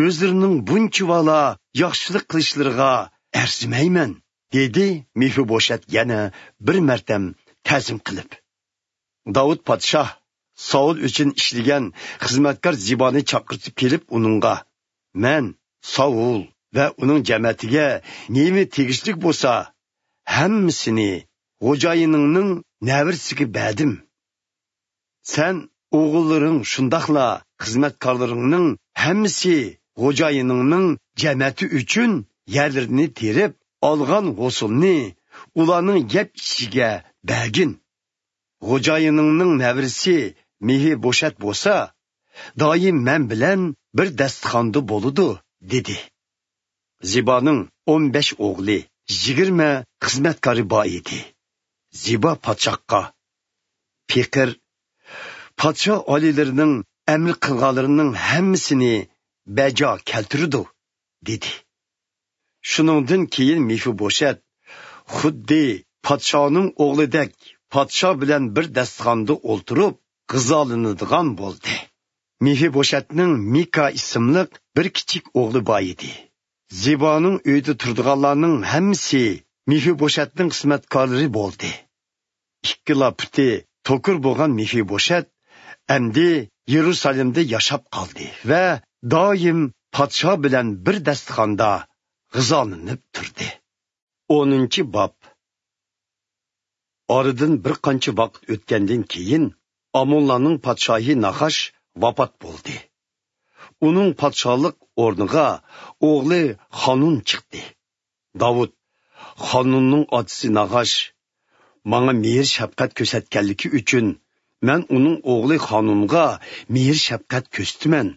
ئۆزلىرىنىڭ بۇنچىۋالا ياخشىلىق قىلىشلىرىغا ئەرزىمەيمەن» دېدى مېفىبوشەت يەنە بىر مەرتەم تەزىم قىلىپ. داۋۇت پادىشاھ ساۋۇل ئۈچۈن ئىشلىگەن خىزمەتكار زىبانى چاقىرتىپ كېلىپ ئۇنىڭغا: «مەن ساۋۇل ۋە ئۇنىڭ جەمەتىگە نېمە تېگىشلىك بولسا، ھەممىسىنى خوجايىنىڭنىڭ نەۋرىسىگە بەردىم. سەن، ئوغۇللىرىڭ، شۇنداقلا خىزمەتكارلىرىڭنىڭ ھەممىسى خوجايىنىڭنىڭ جەمەتى ئۈچۈن يەرلىرىنى تېرىپ، ئالغان ھوسۇلنى ئۇلارنىڭ يەپ ئىچىشىگە بەرگىن. خوجايىنىڭنىڭ نەۋرىسى مېفىبوشەت بولسا، دائىم مەن بىلەن بىر دەستىخاندا بولىدۇ» دېدى. زىبانىڭ ئون بەش ئوغلى، يىگىرمە خىزمەتكارى بار ئىدى. زىبا پادىشاھقا: «پېقىر پادىشاھ ئالىيلىرىنىڭ ئەمر قىلغانلىرىنىڭ ھەممىسىنى بەجا كەلتۈرىدۇ» دېدى. شۇنىڭدىن كېيىن مېفىبوشەت خۇددى پادىشاھنىڭ ئوغلىدەك پادىشاھ بىلەن بىر دەستىخاندا ئولتۇرۇپ غىزالىنىدىغان بولدى. مېفىبوشەتنىڭ مىكا ئىسىملىق بىر كىچىك ئوغلى بار ئىدى. زىبانىڭ ئۆيىدە تۇرىدىغانلارنىڭ ھەممىسى مېفىبوشەتنىڭ خىزمەتكارلىرى بولدى. ئىككىلا پۇتى توكۇر بولغان مېفىبوشەت ئەمدى يېرۇسالېمدە ياشاپ قالدى ۋە دائىم پادىشاھ بىلەن بىر دەستىخاندا غىزالىنىپ تۇردى. ئونىنچى باب. ئارىدىن بىر قانچە ۋاقىت ئۆتكەندىن كېيىن، ئامونلارنىڭ پادىشاھى ناخاش ۋاپات بولدى. ئۇنىڭ پادىشاھلىق ئورنىغا ئوغلى خانۇن چىقتى. داۋۇت: «خانۇننىڭ ئاتىسى ناخاش ماڭا مېھىر-شەپقەت كۆرسەتكەنلىكى ئۈچۈن، مەن ئۇنىڭ ئوغلى خانۇنغا مېھىر-شەپقەت كۆرسىتىمەن»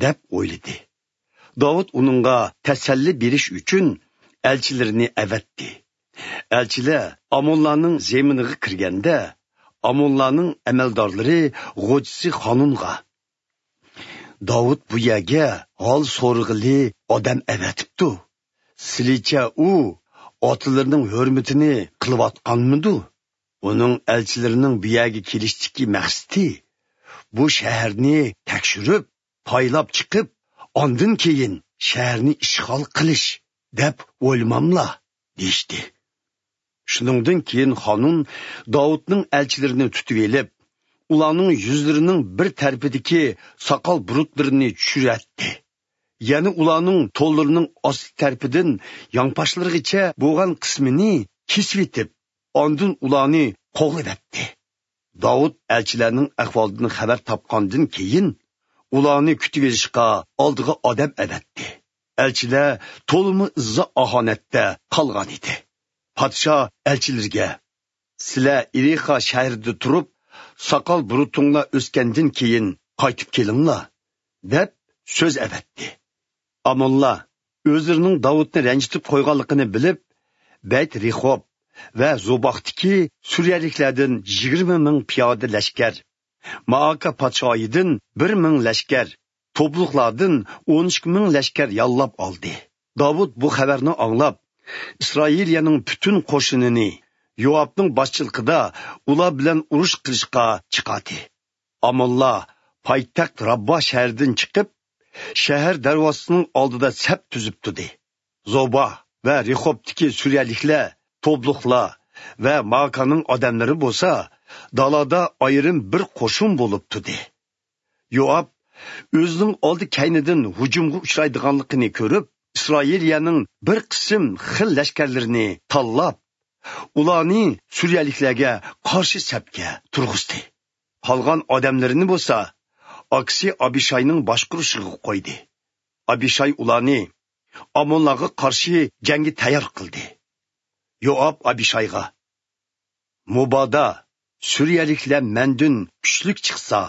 دەپ ئويلىدى. داۋۇت ئۇنىڭغا تەسەللى بېرىش ئۈچۈن ئەلچىلىرىنى ئەۋەتتى. ئەلچىلەر ئامونلارنىڭ زېمىنىغا كىرگەندە، ئامونلارنىڭ ئەمەلدارلىرى غوجىسى خانۇنغا: «داۋۇت بۇ يەرگە ھال سورىغىلى ئادەم ئەۋەتىپتۇ. سىلىچە ئۇ ئاتىلىرىنىڭ ھۆرمىتىنى قىلىۋاتقانمىدۇ؟ ئۇنىڭ ئەلچىلىرىنىڭ بۇ يەرگە كېلىشتىكى مەقسىتى بۇ شەھەرنى تەكشۈرۈپ، پايلاپ چىقىپ، ئاندىن كېيىن شەھەرنى ئىشغال قىلىش دەپ ئويلىماملا؟» دېيىشتى. شۇنىڭدىن كېيىن خانۇن داۋۇتنىڭ ئەلچىلىرىنى تۇتۇۋېلىپ، ئۇلارنىڭ يۈزلىرىنىڭ بىر تەرىپىدىكى ساقال بۇرۇتلىرىنى چۈشۈرەتتى. يەنە ئۇلارنىڭ تونلىرىنىڭ ئاستى تەرىپىدىن ياڭپاشلىرىغىچە بولغان قىسمىنى كېسىۋېتىپ، ئاندىن ئۇلارنى قوغلىۋەتتى. داۋۇت ئەلچىلەرنىڭ ئەھۋالىدىن خەۋەر تاپقاندىن كېيىن، ئۇلارنى كۈتۈۋېلىشقا ئالدىغا ئادەم ئەۋەتتى. ئەلچىلەر تولىمۇ ئىززا ئاھانەتتە قالغانىدى. پادىشاھ ئەلچىلىرىگە: «سىلەر ئېرىخا شەھىرىدە تۇرۇپ، ساقال بۇرۇتۇڭلار ئۆسكەندىن كېيىن قايتىپ كېلىڭلار» دەپ سۆز ئەۋەتتى. ئامونلار ئۆزلىرىنىڭ داۋۇتنى رەنجىتىپ قويغانلىقىنى بىلىپ، بەيت رېخوب ۋە زوباختىكى سۈرىيەلىكلەردىن يىگىرمە مىڭ پىيادە لەشكەر، مائاكا پادىشاھىدىن بىر مىڭ لەشكەر، توبلۇقلاردىن ئون ئىككى مىڭ لەشكەر ياللاپ ئالدى. داۋۇت بۇ خەۋەرنى ئاڭلاپ، ئىسرائىلىيەنىڭ پۈتۈن قوشۇنىنى يوئابنىڭ باشچىلىقىدا ئۇلار بىلەن ئۇرۇش قىلىشقا چىقاردى. ئامونلار پايتەخت راببا شەھىرىدىن چىقىپ، شەھەر دەرۋازىسىنىڭ ئالدىدا سەپ تۈزۈپ تۇردى. زوبا ۋە رېخوبتىكى سۈرىيەلىكلەر، توبلۇقلار ۋە ماكانىڭ ئادەملىرى بولسا دالادا ئايرىم بىر قوشۇن بولۇپ تۇردى. يوئاب ئۆزىنىڭ ئالدى كەينىدىن ھۇجۇمغا ئۇچرايدىغانلىقىنى كۆرۈپ، ئىسرائىلىيەنىڭ بىر قىسىم خىل لەشكەرلىرىنى تاللاپ، ئۇلارنى سۈرىيەلىكلەرگە قارشى سەپكە تۇرغۇزدى. قالغان ئادەملىرىنى بولسا ئاكىسى ئابىشاينىڭ باشقۇرۇشىغا قويدى. ئابىشاي ئۇلارنى ئامونلارغا قارشى جەڭگە تەييار قىلدى. يوئاب ئابىشايغا: «مۇبادا سۈرىيەلىكلەر مەندىن كۈچلۈك چىقسا،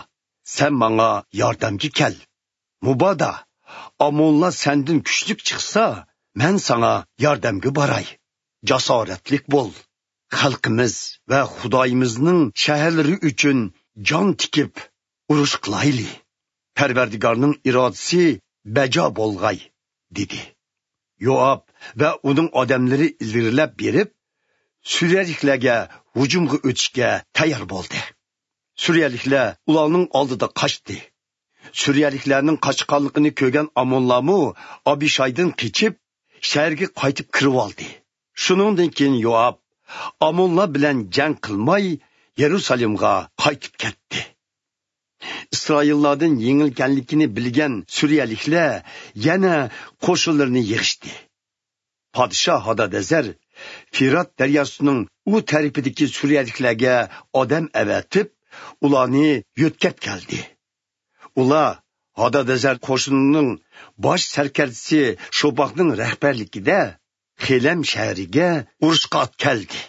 سەن ماڭا ياردەمگە كەل. مۇبادا ئامونلار سەندىن كۈچلۈك چىقسا، مەن ساڭا ياردەمگە باراي. جاسارەتلىك بول. خەلقىمىز ۋە خۇدايىمىزنىڭ شەھەرلىرى ئۈچۈن جان تىكىپ ئۇرۇش قىلايلى. پەرۋەردىگارنىڭ ئىرادىسى بەجا بولغاي» دېدى. يوئاب ۋە ئۇنىڭ ئادەملىرى ئىلگىرىلەپ بېرىپ، سۈرىيەلىكلەرگە ھۇجۇمغا ئۆتۈشكە تەييار بولدى. سۈرىيەلىكلەر ئۇلارنىڭ ئالدىدا قاچتى. سۈرىيەلىكلەرنىڭ قاچقانلىقىنى كۆرگەن ئامونلارمۇ ئابىشايدىن قېچىپ، شەھەرگە قايتىپ كىرىۋالدى. شۇنىڭدىن كېيىن يوئاب ئامونلار بىلەن جەڭ قىلماي، يېرۇسالېمغا قايتىپ كەتتى. ئىسرائىللاردىن يېڭىلگەنلىكىنى بىلگەن سۈرىيەلىكلەر يەنە قوشۇنلىرىنى يىغىشتى. پادىشاھ ھادادەزەر فىرات دەرياسىنىڭ ئۇ تەرىپىدىكى سۈرىيەلىكلەرگە ئادەم ئەۋەتىپ، ئۇلارنى يۆتكەپ كەلدى. ئۇلار ھادادەزەر قوشۇنىنىڭ باش سەركەردىسى شوباكنىڭ رەھبەرلىكىدە خېلەم شەھىرىگە ئۇرۇشقا ئات كەلدى.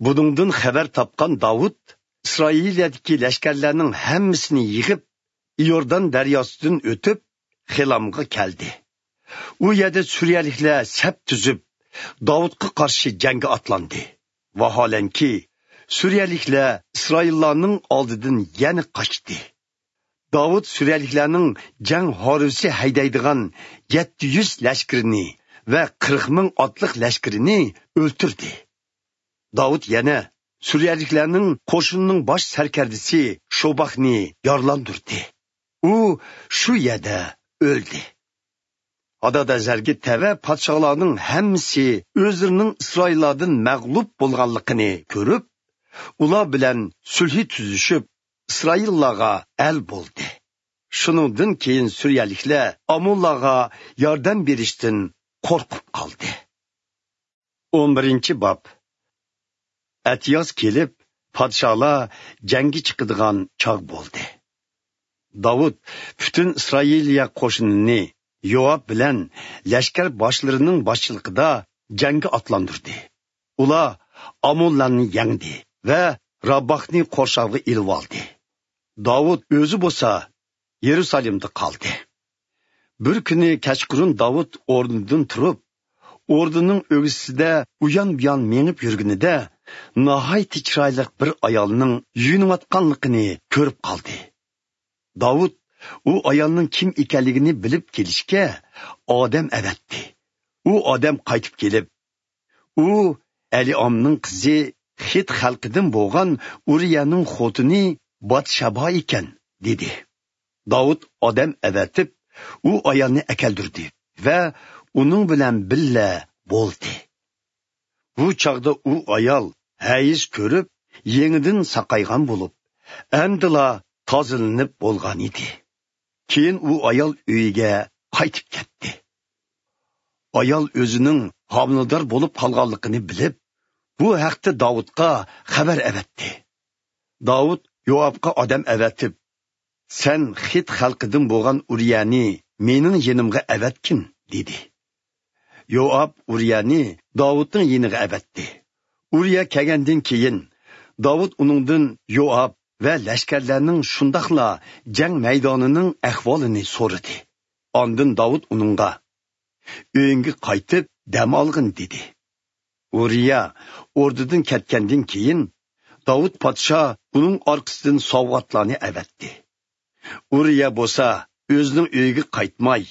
بۇنىڭدىن خەۋەر تاپقان داۋۇت ئىسرائىلىيەدىكى لەشكەرلەرنىڭ ھەممىسىنى يىغىپ، ئىيوردان دەرياسىدىن ئۆتۈپ، خېلامغا كەلدى. ئۇ يەردە سۈرىيەلىكلەر سەپ تۈزۈپ، داۋۇتقا قارشى جەڭگە ئاتلاندى. ۋاھالەنكى، سۈرىيەلىكلەر ئىسرائىللارنىڭ ئالدىدىن يەنە قاچتى. داۋۇت سۈرىيەلىكلەرنىڭ جەڭ ھارۋىسى ھەيدەيدىغان يەتتە يۈز لەشكىرىنى ۋە قىرىق مىڭ ئاتلىق لەشكىرىنى ئۆلتۈردى. داۋۇت يەنە سۈرىيەلىكلەرنىڭ قوشۇنىنىڭ باش سەركەردىسى شوباكنى يارىلاندۇردى. ئۇ شۇ يەردە ئۆلدى. ھادادەزەرگە تەۋە پادىشاھلارنىڭ ھەممىسى ئۆزلىرىنىڭ ئىسرائىللاردىن مەغلۇپ بولغانلىقىنى كۆرۈپ، ئۇلار بىلەن سۈلھى تۈزۈشۈپ، ئىسرائىللارغا ئەل بولدى. شۇنىڭدىن كېيىن سۈرىيەلىكلەر ئامونلارغا ياردەم بېرىشتىن قورقۇپ قالدى. ئون بىرىنچى باب. ئەتىياز كېلىپ، پادىشاھلار جەڭگە چىقىدىغان چاغ بولدى. داۋۇت پۈتۈن ئىسرائىلىيە قوشۇنىنى يوئاب بىلەن لەشكەر باشلىرىنىڭ باشچىلىقىدا جەڭگە ئاتلاندۇردى. ئۇلار ئامونلارنى يەڭدى ۋە راباغنى قورشاۋغا ئېلىۋالدى. داۋۇت ئۆزى بولسا يېرۇسالېمدا قالدى. بىر كۈنى كەچقۇرۇن داۋۇت ئورنىدىن تۇرۇپ، ئوردىنىڭ ئۆگزىسىدە ئۇيان-بۇيان مېڭىپ يۈرگىنىدە، ناھايىتى چىرايلىق بىر ئايالنىڭ يۇيۇنۇۋاتقانلىقىنى كۆرۈپ قالدى. داۋۇت ئۇ ئايالنىڭ كىم ئىكەنلىكىنى بىلىپ كېلىشكە ئادەم ئەۋەتتى. ئۇ ئادەم قايتىپ كېلىپ، ئۇ ئەلىئامنىڭ قىزى، خىت خەلقىدىن بولغان ئۇرىيەنىڭ خوتۇنى باتشەبا ئىكەن، دېدى. داۋۇت ئادەم ئەۋەتىپ، ئۇ ئايالنى ئەكەلدۈردى ۋە ئۇنىڭ بىلەن بىللە بولدى. بۇ چاغدا ئۇ ئايال ھەيز كۆرۈپ، يېڭىدىن ساقايغان بولۇپ، ئەمدىلا تازىلىنىپ بولغان ئىدى. كېيىن ئۇ ئايال ئۆيىگە قايتىپ كەتتى. ئايال ئۆزىنىڭ ھامىلىدار بولۇپ قالغانلىقىنى بىلىپ، بۇ ھەقتە داۋۇتقا خەۋەر ئەۋەتتى. داۋۇت يوئابقا ئادەم ئەۋەتىپ، «سەن خىت خەلقىدىن بولغان ئۇرىيەنى مېنىڭ يېنىمغا ئەۋەتكىن» دېدى. يوئاب ئۇرىيەنى داۋۇتنىڭ يېنىغا ئەۋەتتى. ئۇرىيە كەلگەندىن كېيىن، داۋۇت ئۇنىڭدىن يوئاب ۋە لەشكەرلەرنىڭ، شۇنداقلا جەڭ مەيدانىنىڭ ئەھۋالىنى سورىدى. ئاندىن داۋۇت ئۇنىڭغا، «ئۆيۈڭگە قايتىپ دەم ئالغىن» دېدى. ئۇرىيە ئوردىدىن كەتكەندىن كېيىن، داۋۇت پادىشاھ ئۇنىڭ ئارقىسىدىن سوۋغاتلارنى ئەۋەتتى. ئۇرىيە بولسا ئۆزىنىڭ ئۆيىگە قايتماي،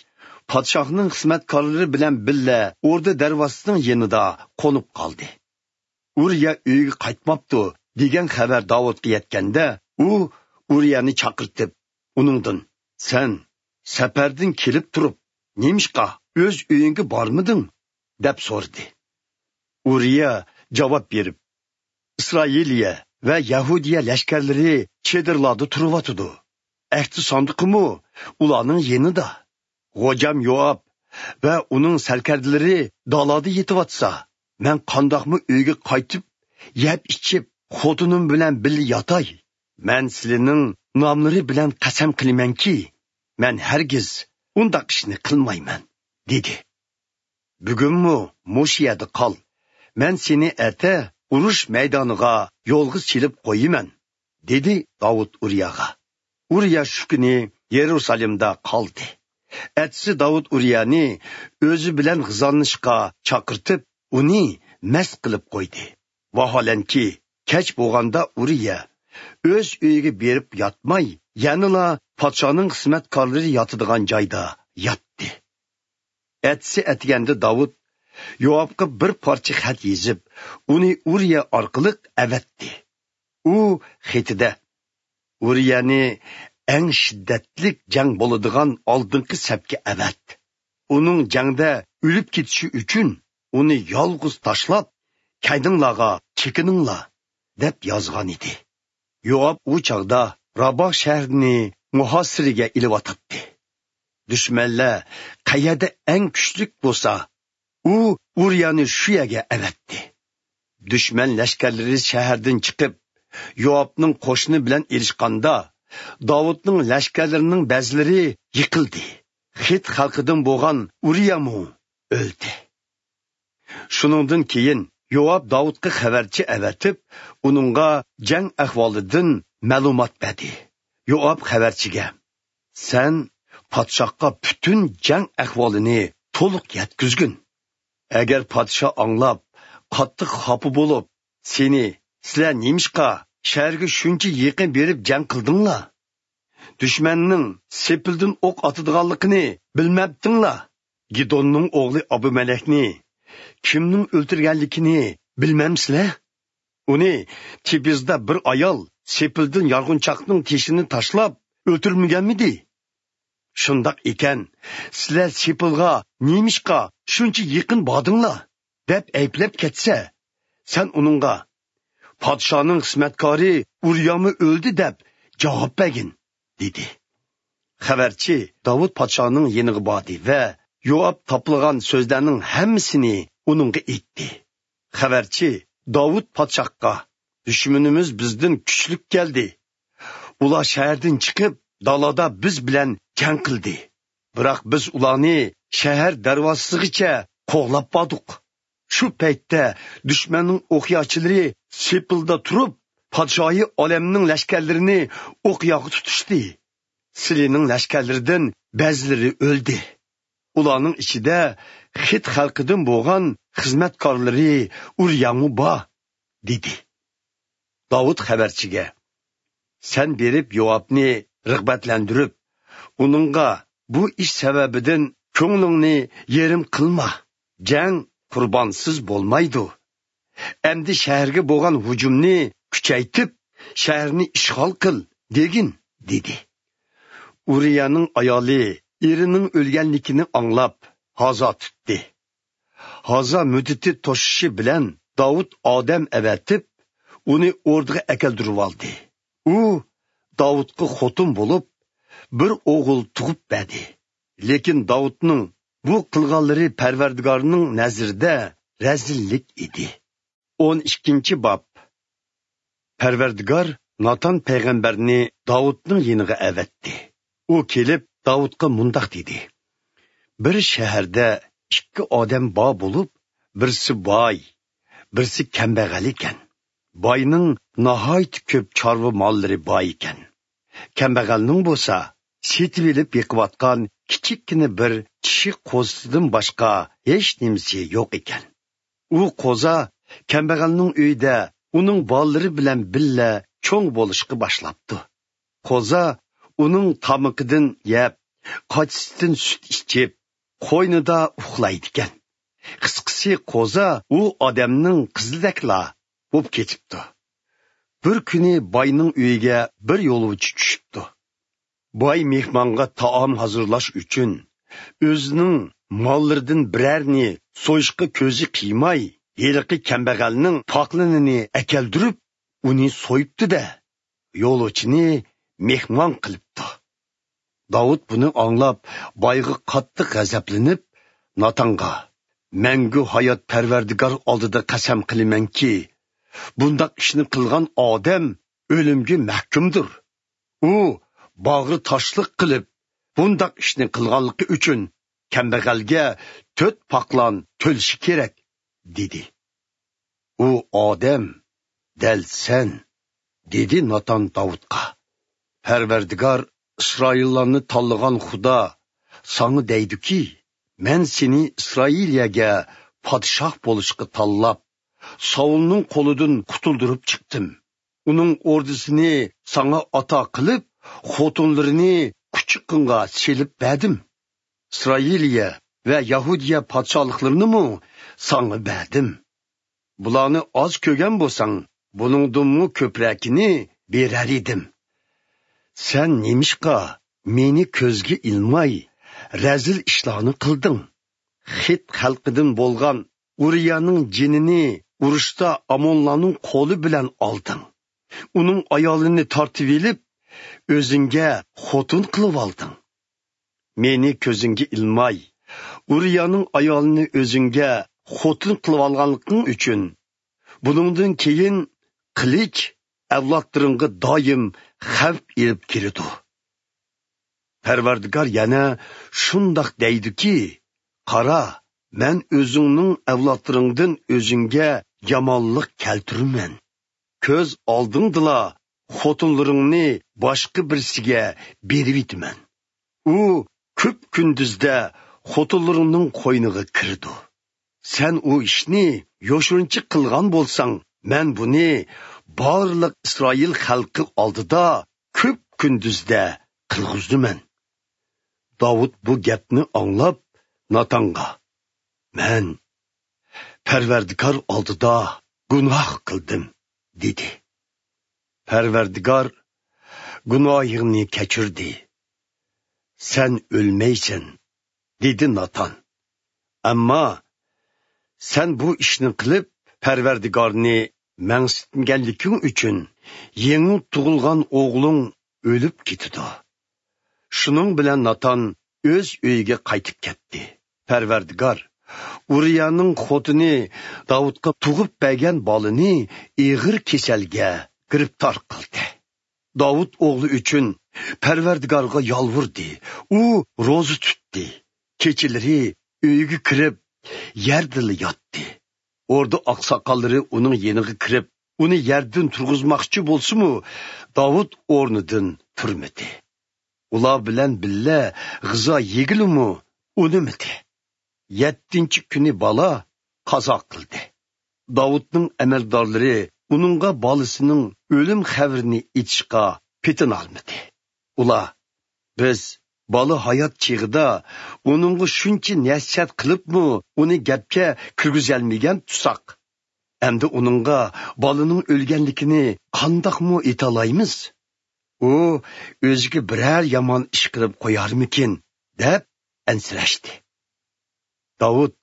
پادىشاھنىڭ خىزمەتكارلىرى بىلەن بىللە ئوردا دەرۋازىسىنىڭ يېنىدا قونۇپ قالدى. «ئۇرىيە ئۆيىگە قايتماپتۇ» دېگەن خەۋەر داۋۇتقا يەتكەندە، ئۇ ئۇرىيەنى چاقىرتىپ، ئۇنىڭدىن، «سەن سەپەردىن كېلىپ تۇرۇپ، نېمىشقا ئۆز ئۆيۈڭگە بارمىدىڭ؟» دەپ سورىدى. ئۇرىيە جاۋاب بېرىپ، «ئىسرائىلىيە ۋە يەھۇدىيە لەشكەرلىرى چېدىرلاردا تۇرۇۋاتىدۇ. ئەھدى ساندۇقىمۇ ئۇلارنىڭ يېنىدا. خوجام يوئاب ۋە ئۇنىڭ سەركەردىلىرى دالادا يېتىۋاتسا، مەن قانداقمۇ ئۆيگە قايتىپ، يەپ ئىچىپ، خوتۇنۇم بىلەن بىللە ياتاي؟ مەن سىلىنىڭ ناملىرى بىلەن قەسەم قىلىمەنكى، مەن ھەرگىز ئۇنداق ئىشنى قىلمايمەن، دېدى. بۈگۈنمۇ مۇشۇ يەردە قال. مەن سېنى ئەتە ئۇرۇش مەيدانىغا يولغا سېلىپ قويىمەن، دېدى داۋۇت ئۇرىياغا. ئۇرىيا شۇ كۈنى يېرۇسالېمدا قالدى. ئەتىسى داۋۇت ئۇرىيانى ئۆزى بىلەن غىزالىنىشقا چاقىرتىپ، ئۇنى مەست قىلىپ قويدى. ۋاھالەنكى، كەچ بولغاندا ئۇرىيا ئۆز ئۆيىگە بېرىپ ياتماي، يەنىلا پادىشاھنىڭ خىزمەتكارلىرى ياتىدىغان جايدا ياتتى. ئەتىسى ئەتىگەندە داۋۇت يوئابقا بىر پارچە خەت يېزىپ، ئۇنى ئۇرىيا ئارقىلىق ئەۋەتتى. ئۇ خېتىدە، ئۇرىيانى ئەڭ شىددەتلىك جەڭ بولىدىغان ئالدىنقى سەپكە ئەۋەت. ئۇنىڭ جەڭدە ئۆلۈپ كېتىشى ئۈچۈن ئۇنى يالغۇز تاشلاپ، كەينىڭلارغا چېكىنىڭلار، دەپ يازغان ئىدى. يوئاب ئۇ چاغدا راباغ شەھىرىنى مۇھاسىرىگە ئېلىۋاتاتتى. دۈشمەنلەر قەيەردە ئەڭ كۈچلۈك بولسا، ئۇ ئۇرىيانى شۇ يەرگە ئەۋەتتى. دۈشمەن لەشكەرلىرى شەھەردىن چىقىپ، يوئابنىڭ قوشۇنى بىلەن ئېلىشقاندا، داۋۇتنىڭ لەشكەرلىرىنىڭ بەزىلىرى يىقىلدى. خىت خەلقىدىن بولغان ئۇرىيامۇ ئۆلدى. شۇنىڭدىن كېيىن يوئاب داۋۇتقا خەۋەرچى ئەۋەتىپ، ئۇنىڭغا جەڭ ئەھۋالىدىن مەلۇمات بەردى. يوئاب خەۋەرچىگە، سەن پادىشاھقا پۈتۈن جەڭ ئەھۋالىنى تولۇق يەتكۈزگىن. ئەگەر پادىشاھ ئاڭلاپ، قاتتىق خاپا بولۇپ، سېنى، سىلەر نېمىشقا شەھەرگە شۇنچە يېقىن بېرىپ جەڭ قىلدىڭلار؟ دۈشمەننىڭ سېپىلدىن ئوق ئاتىدىغانلىقىنى بىلمەپتىڭلار؟ گىدوننىڭ ئوغلى ئابىمەلەكنى كىمنىڭ ئۆلتۈرگەنلىكىنى بىلمەمسىلەر؟ ئۇنى تېبىزدا بىر ئايال سېپىلدىن يارغۇنچاقنىڭ تېشىنى تاشلاپ ئۆلتۈرمىگەنمىدى؟ شۇنداق ئىكەن، سىلەر سېپىلغا نېمىشقا شۇنچە يېقىن باردىڭلار؟ دەپ ئەيىبلەپ كەتسە، سەن ئۇنىڭغا، پادىشاھنىڭ خىزمەتكارى ئۇرىيامۇ ئۆلدى دەپ جاۋاب بەرگىن، دېدى. خەۋەرچى داۋۇت پادىشاھنىڭ يېنىغا باردى ۋە يوئاب تاپىلىغان سۆزلەرنىڭ ھەممىسىنى ئۇنىڭغا ئېيتتى. خەۋەرچى داۋۇت پادىشاھقا، دۈشمىنىمىز بىزدىن كۈچلۈك كەلدى. ئۇلار شەھەردىن چىقىپ، دالادا بىز بىلەن جەڭ قىلدى. بىراق بىز ئۇلارنى شەھەر دەرۋازىسىغىچە قوغلاپ باردۇق. شۇ پەيتتە دۈشمەننىڭ ئوقياچىلىرى سېپىلدا تۇرۇپ، پادىشاھى ئالەمنىڭ لەشكەرلىرىنى ئوقياغا تۇتۇشتى. سىلىنىڭ لەشكەرلىرىدىن بەزىلىرى ئۆلدى. ئۇلارنىڭ ئىچىدە خىت خەلقىدىن بولغان خىزمەتكارلىرى ئۇرىيامۇ بار، دېدى. داۋۇت خەۋەرچىگە، سەن بېرىپ يوئابنى رىغبەتلەندۈرۈپ، ئۇنىڭغا، بۇ ئىش سەۋەبىدىن كۆڭلۈڭنى يېرىم قىلما. جەڭ قۇربانسىز بولمايدۇ. ئەمدى شەھەرگە بولغان ھۇجۇمنى كۈچەيتىپ، شەھەرنى ئىشغال قىل، دېگىن، دېدى. ئۇرىيانىڭ ئايالى ئېرىنىڭ ئۆلگەنلىكىنى ئاڭلاپ، ھازا تۇتتى. ھازا مۇددىتى توشۇشى بىلەن داۋۇت ئادەم ئەۋەتىپ، ئۇنى ئوردىغا ئەكەلدۈرۈۋالدى. ئۇ داۋۇتقا خوتۇن بولۇپ، بىر ئوغۇل تۇغۇپ بەردى. لېكىن داۋۇتنىڭ بۇ قىلغانلىرى پەرۋەردىگارنىڭ نەزىرىدە رەزىللىك ئىدى. ئون ئىككىنچى باب. پەرۋەردىگار ناتان پەيغەمبەرنى داۋۇتنىڭ يېنىغا ئەۋەتتى. ئۇ كېلىپ، داۋۇتقا مۇنداق دېدى: بىر شەھەردە ئىككى ئادەم بار بولۇپ، بىرسى باي، بىرسى كەمبەغەل ئىكەن. باينىڭ ناھايىتى كۆپ چارۋا ماللىرى بار ئىكەن. كەمبەغەلنىڭ بولسا سېتىۋېلىپ بېقىۋاتقان كىچىككىنە بىر چىشى قوزىسىدىن باشقا ھېچ نېمىسى يوق ئىكەن. ئۇ قوزا كەمبەغەلنىڭ ئۆيىدە ئۇنىڭ بالىلىرى بىلەن بىللە چوڭ بولۇشقا باشلاپتۇ. قوزا ئۇنىڭ تامىقىدىن يەپ، قاچىسىدىن سۈت ئىچىپ، قوينىدا ئۇخلايدىكەن. قىسقىسى، قوزا ئۇ ئادەمنىڭ قىزىدەكلا بوپ كېتىپتۇ. بىر كۈنى باينىڭ ئۆيىگە بىر يولۇچى چۈشۈپتۇ. باي مېھمانغا تائام ھازىرلاش ئۈچۈن ئۆزىنىڭ ماللىرىدىن بىرەرنى سويۇشقا كۆزى قىيماي، ھېلىقى كەمبەغەلنىڭ پاقلىنىنى ئەكەلدۈرۈپ، ئۇنى سويۇپتۇ-دە، يولۇچىنى مېھمان قىلىپتۇ. داۋۇت بۇنى ئاڭلاپ، بايغا قاتتىق غەزەپلىنىپ، ناتانغا: «مەڭگۈ ھايات پەرۋەردىگار ئالدىدا قەسەم قىلىمەنكى، بۇنداق ئىشنى قىلغان ئادەم ئۆلۈمگە مەھكۇمدۇر. ئۇ باغرى تاشلىق قىلىپ، بۇنداق ئىشنى قىلغانلىقى ئۈچۈن كەمبەغەلگە تۆت پاقلان تۆلىشى كېرەك» دېدى. «ئۇ ئادەم دەل سەن» دېدى ناتان داۋۇتقا. «پەرۋەردىگار، ئىسرائىللارنى تاللىغان خۇدا ساڭا دەيدۇكى، مەن سېنى ئىسرائىلىيەگە پادىشاھ بولۇشقا تاللاپ، ساۋۇلنىڭ قولىدىن قۇتۇلدۇرۇپ چىقتىم. ئۇنىڭ ئوردىسىنى ساڭا ئاتا قىلىپ، خوتۇنلىرىنى قۇچىقىڭغا سېلىپ بەردىم. ئىسرائىلىيە ۋە يەھۇدىيە پادىشاھلىقلىرىنىمۇ ساڭا بەردىم. بۇلارنى ئاز كۆرگەن بولساڭ، بۇنىڭدىنمۇ كۆپرەكىنى بېرەر ئىدىم. سەن نېمىشقا مېنى كۆزگە ئىلماي، رەزىل ئىشلارنى قىلدىڭ؟ خىت خەلقىدىن بولغان ئۇرىيانىڭ جېنىنى ئۇرۇشتا ئامونلارنىڭ قولى بىلەن ئالدىڭ. ئۇنىڭ ئايالىنى تارتىۋېلىپ، ئۆزۈڭگە خوتۇن قىلىۋالدىڭ. مېنى كۆزۈڭگە ئىلماي، ئۇرىيانىڭ ئايالىنى ئۆزۈڭگە خوتۇن قىلىۋالغانلىقىڭ ئۈچۈن، بۇنىڭدىن كېيىن قىلىچ ئەۋلادلىرىڭغا دائىم خەۋپ ئېلىپ كېلىدۇ. پەرۋەردىگار يەنە شۇنداق دەيدۇكى، قارا، مەن ئۆزۈڭنىڭ ئەۋلادلىرىڭدىن ئۆزۈڭگە يامانلىق كەلتۈرىمەن. كۆز ئالدىڭدىلا خوتۇنلىرىڭنى باشقا بىرسىگە بېرىۋېتىمەن. ئۇ كۈپ كۈندۈزدە خوتۇنلىرىڭنىڭ قوينىغا كىرىدۇ. سەن ئۇ ئىشنى يوشۇرۇنچە قىلغان بولساڭ، مەن بۇنى بارلىق ئىسرائىل خەلقى ئالدىدا كۈپ كۈندۈزدە قىلغۇزىمەن. داۋۇت بۇ گەپنى ئاڭلاپ، ناتانغا: «مەن پەرۋەردىگار ئالدىدا گۇناھ قىلدىم» دېدى. پەرۋەردىگار گۇناھىڭنى كەچۈردى. سەن ئۆلمەيسەن، دېدى ناتان. ئەمما سەن بۇ ئىشنى قىلىپ، پەرۋەردىگارنى مەنسىتمىگەنلىكىڭ ئۈچۈن يېڭى تۇغۇلغان ئوغلۇڭ ئۆلۈپ كېتىدۇ. شۇنىڭ بىلەن ناتان ئۆز ئۆيىگە قايتىپ كەتتى. پەرۋەردىگار ئۇرىيانىڭ خوتۇنى داۋۇتقا تۇغۇپ بەرگەن بالىنى ئېغىر كېسەلگە گىرىپتار قىلدى. داۋۇت ئوغلى ئۈچۈن پەرۋەردىگارغا يالۋۇردى. ئۇ روزا تۇتتى. كېچىلىرى ئۆيىگە كىرىپ، يەردىلا ياتتى. ئوردا ئاقساقاللىرى ئۇنىڭ يېنىغا كىرىپ، ئۇنى يەردىن تۇرغۇزماقچى بولسىمۇ، داۋۇت ئورنىدىن تۇرمىدى. ئۇلار بىلەن بىللە غىزا يېگىلىمۇ ئۇنىمىدى. يەتتىنچى كۈنى بالا قازا قىلدى. داۋۇتنىڭ ئەمەلدارلىرى ئۇنىڭغا بالىسىنىڭ ئۆلۈم خەۋىرىنى ئېيتىشقا پېتىنالمىدى. ئۇلار: «بىز بالا ھايات چېغىدا ئۇنىڭغا شۇنچە نەسىھەت قىلىپمۇ ئۇنى گەپكە كىرگۈزەلمىگەن تۇرساق، ئەمدى ئۇنىڭغا بالىنىڭ ئۆلگەنلىكىنى قانداقمۇ ئېيتالايمىز؟ ئۇ ئۆزىگە بىرەر يامان ئىش قىلىپ قويارمىكىن؟» دەپ ئەنسىرەشتى. داۋۇت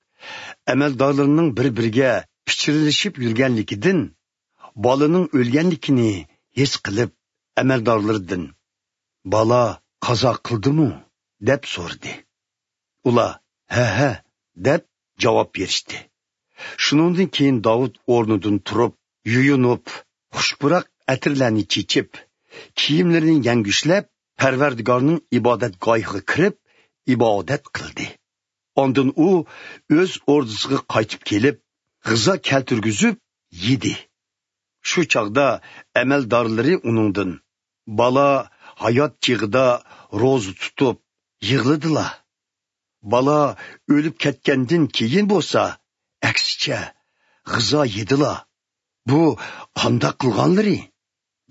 ئەمەلدارلىرىنىڭ بىر-بىرىگە پىچىرلىشىپ يۈرگەنلىكىدىن، بالىنىڭ ئۆلگەنلىكىنى ھېس قىلىپ، ئەمەلدارلىرىدىن: «بالا قازا قىلدىمۇ؟» دەپ سورىدى. ئۇلار: «ھە، ھە» دەپ جاۋاب بېرىشتى. شۇنىڭدىن كېيىن داۋۇت ئورنىدىن تۇرۇپ، يۇيۇنۇپ، خۇش پۇراق ئەتىرلەرنى چېچىپ، كىيىملىرىنى يەڭگۈشلەپ، پەرۋەردىگارنىڭ ئىبادەتگاھىغا كىرىپ، ئىبادەت قىلدى. ئاندىن ئۇ ئۆز ئوردىسىغا قايتىپ كېلىپ، غىزا كەلتۈرگۈزۈپ يېدى. شۇ چاغدا ئەمەلدارلىرى ئۇنىڭدىن: «بالا ھايات چېغىدا روزا تۇتۇپ يىغلىدىلا. بالا ئۆلۈپ كەتكەندىن كېيىن بولسا، ئەكسىچە، غىزا يېدىلا. بۇ قانداق قىلغانلىرى؟»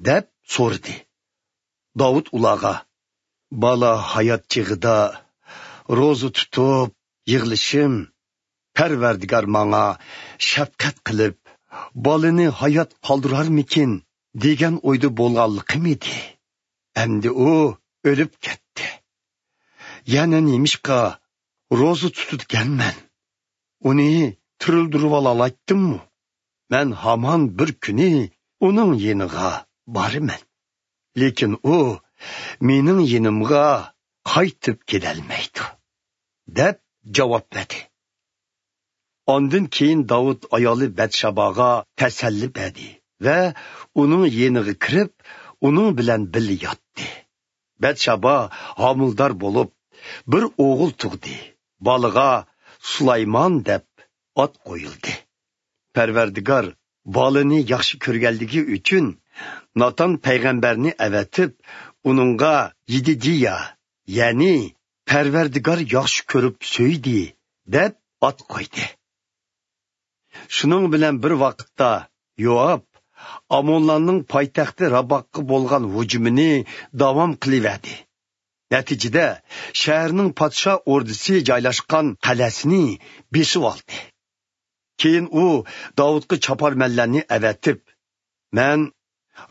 دەپ سورىدى. داۋۇت ئۇلارغا: «بالا ھايات چېغىدا روزا تۇتۇپ يىغلىشىم، پەرۋەردىگار ماڭا شەپقەت قىلىپ، بالىنى ھايات قالدۇرارمىكىن دېگەن ئويدا بولغانلىقىم ئىدى. ئەمدى ئۇ ئۆلۈپ كەتتى. يەنە نېمىشقا روزا تۇتىدىكەنمەن؟ ئۇنى تىرىلدۈرۈۋالالايتتىممۇ؟ مەن ھامان بىر كۈنى ئۇنىڭ يېنىغا بارىمەن. لېكىن ئۇ مېنىڭ يېنىمغا قايتىپ كېلەلمەيدۇ» دەپ جاۋاب بەردى. ئاندىن كېيىن داۋۇت ئايالى بەتشاباغا تەسەللى بەردى ۋە ئۇنىڭ يېنىغا كىرىپ، ئۇنىڭ بىلەن بىللە ياتتى. بەتشابا ھامىلىدار بولۇپ، بىر ئوغۇل تۇغدى. بالىغا سۇلايمان دەپ ئات قويۇلدى. پەرۋەردىگار بالىنى ياخشى كۆرگەنلىكى ئۈچۈن ناتان پەيغەمبەرنى ئەۋەتىپ، ئۇنىڭغا يېدىدىيا، يەنى «پەرۋەردىگار ياخشى كۆرۈپ سۆيدى» دەپ ئات قويدى. شۇنىڭ بىلەن بىر ۋاقىتتا يوئاب ئامونلارنىڭ پايتەختى راباغقا بولغان ھۇجۇمىنى داۋام قىلىۋەردى. نەتىجىدە، شەھەرنىڭ پادىشاھ ئوردىسى جايلاشقان قەلئەسىنى بېسىۋالدى. كېيىن ئۇ داۋۇتقا چاپارمەنلەرنى ئەۋەتىپ، «مەن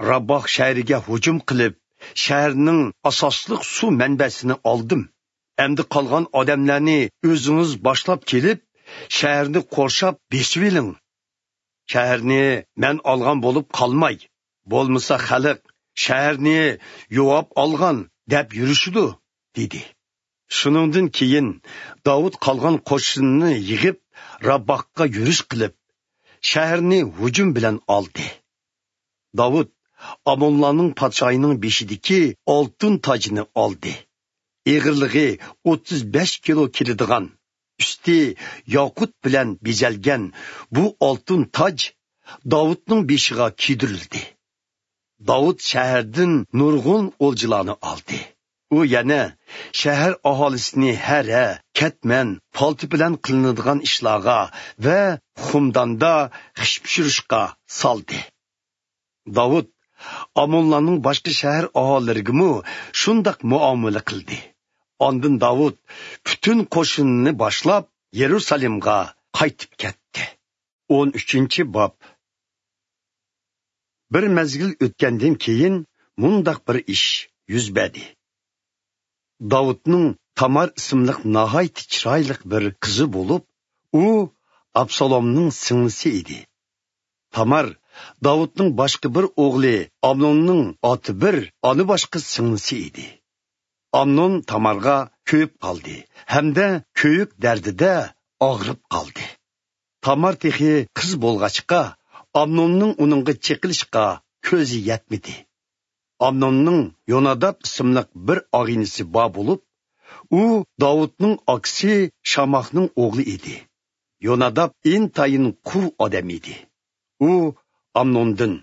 راباغ شەھىرىگە ھۇجۇم قىلىپ، شەھەرنىڭ ئاساسلىق سۇ مەنبەسىنى ئالدىم. ئەمدى قالغان ئادەملەرنى ئۆزىڭىز باشلاپ كېلىپ، شەھەرنى قورشاپ بېسىۋېلىڭ. شەھەرنى مەن ئالغان بولۇپ قالماي، بولمىسا خەلق، شەھەرنى يوئاب ئالغان دەپ يۈرۈشىدۇ» دېدى. شۇنىڭدىن كېيىن داۋۇت قالغان قوشۇننى يىغىپ، راباغقا يۈرۈش قىلىپ، شەھەرنى ھۇجۇم بىلەن ئالدى. داۋۇت ئامونلارنىڭ پادىشاھىنىڭ بېشىدىكى ئالتۇن تاجنى ئالدى. ئېغىرلىقى ئوتتۇز بەش كىلو كېلىدىغان، ئۈستى ياقۇت بىلەن بېزەلگەن بۇ ئالتۇن تاج داۋۇتنىڭ بېشىغا كىيدۈرۈلدى. داۋۇت شەھەردىن نۇرغۇن ئولجىلارنى ئالدى. ئۇ يەنە شەھەر ئاھالىسىنى ھەرە، كەتمەن، پالتا بىلەن قىلىنىدىغان ئىشلارغا ۋە خۇمداندا خىش پىشۇرۇشقا سالدى. داۋۇت ئامونلارنىڭ باشقا شەھەر ئاھالىلىرىگىمۇ شۇنداق مۇئامىلە قىلدى. ئاندىن داۋۇت پۈتۈن قوشۇنىنى باشلاپ، يېرۇسالېمغا قايتىپ كەتتى. ئون ئۈچىنچى باب. بىر مەزگىل ئۆتكەندىن كېيىن مۇنداق بىر ئىش يۈز بەردى. داۋۇتنىڭ تامار ئىسىملىق ناھايىتى چىرايلىق بىر قىزى بولۇپ، ئۇ ئابسالومنىڭ سىڭلىسى ئىدى. تامار داۋۇتنىڭ باشقا بىر ئوغلى ئامنوننىڭ ئاتا بىر، ئانا باشقا سىڭلىسى ئىدى. ئامنون تامارغا كۆيۈپ قالدى ھەمدە كۆيۈك دەردىدە ئاغرىپ قالدى. تامار تېخى قىز بولغاچقا، ئامنوننىڭ ئۇنىڭغا چېقىلىشقا كۆزى يەتمىدى. ئامنوننىڭ يوناداب ئىسىملىق بىر ئاغىنىسى بار بولۇپ، ئۇ داۋۇتنىڭ ئاكىسى شاماخنىڭ ئوغلى ئىدى. يوناداب ئىنتايىن قۇۋ ئادەم ئىدى. ئۇ ئامنوندىن: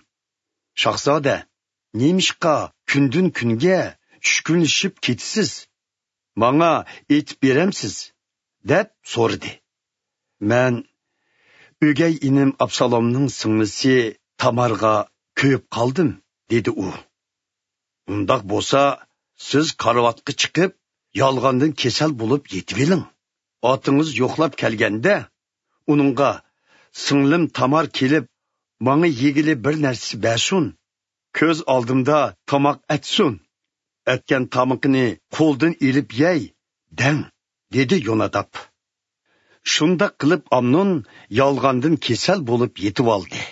«شاھزادە، نېمىشقا كۈندىن-كۈنگە چۈشكۈنلىشىپ كېتىسىز؟ ماڭا ئېيتىپ بېرەمسىز؟» دەپ سورىدى. «مەن ئۆگەي ئىنىم ئابسالومنىڭ سىڭلىسى تامارغا كۆيۈپ قالدىم» دېدى ئۇ. «ئۇنداق بولسا، سىز كارىۋاتقا چىقىپ، يالغاندىن كېسەل بولۇپ يېتىۋېلىڭ. ئاتىڭىز يوقلاپ كەلگەندە، ئۇنىڭغا: سىڭلىم تامار كېلىپ، ماڭا يېگىلى بىر نەرسە بەرسۇن، كۆز ئالدىمدا تاماق ئەتسۇن، ئەتكەن تامىقىنى قولدىن ئېلىپ يەي، دەڭ» دېدى يوناداب. شۇنداق قىلىپ ئامنون يالغاندىن كېسەل بولۇپ يېتىۋالدى.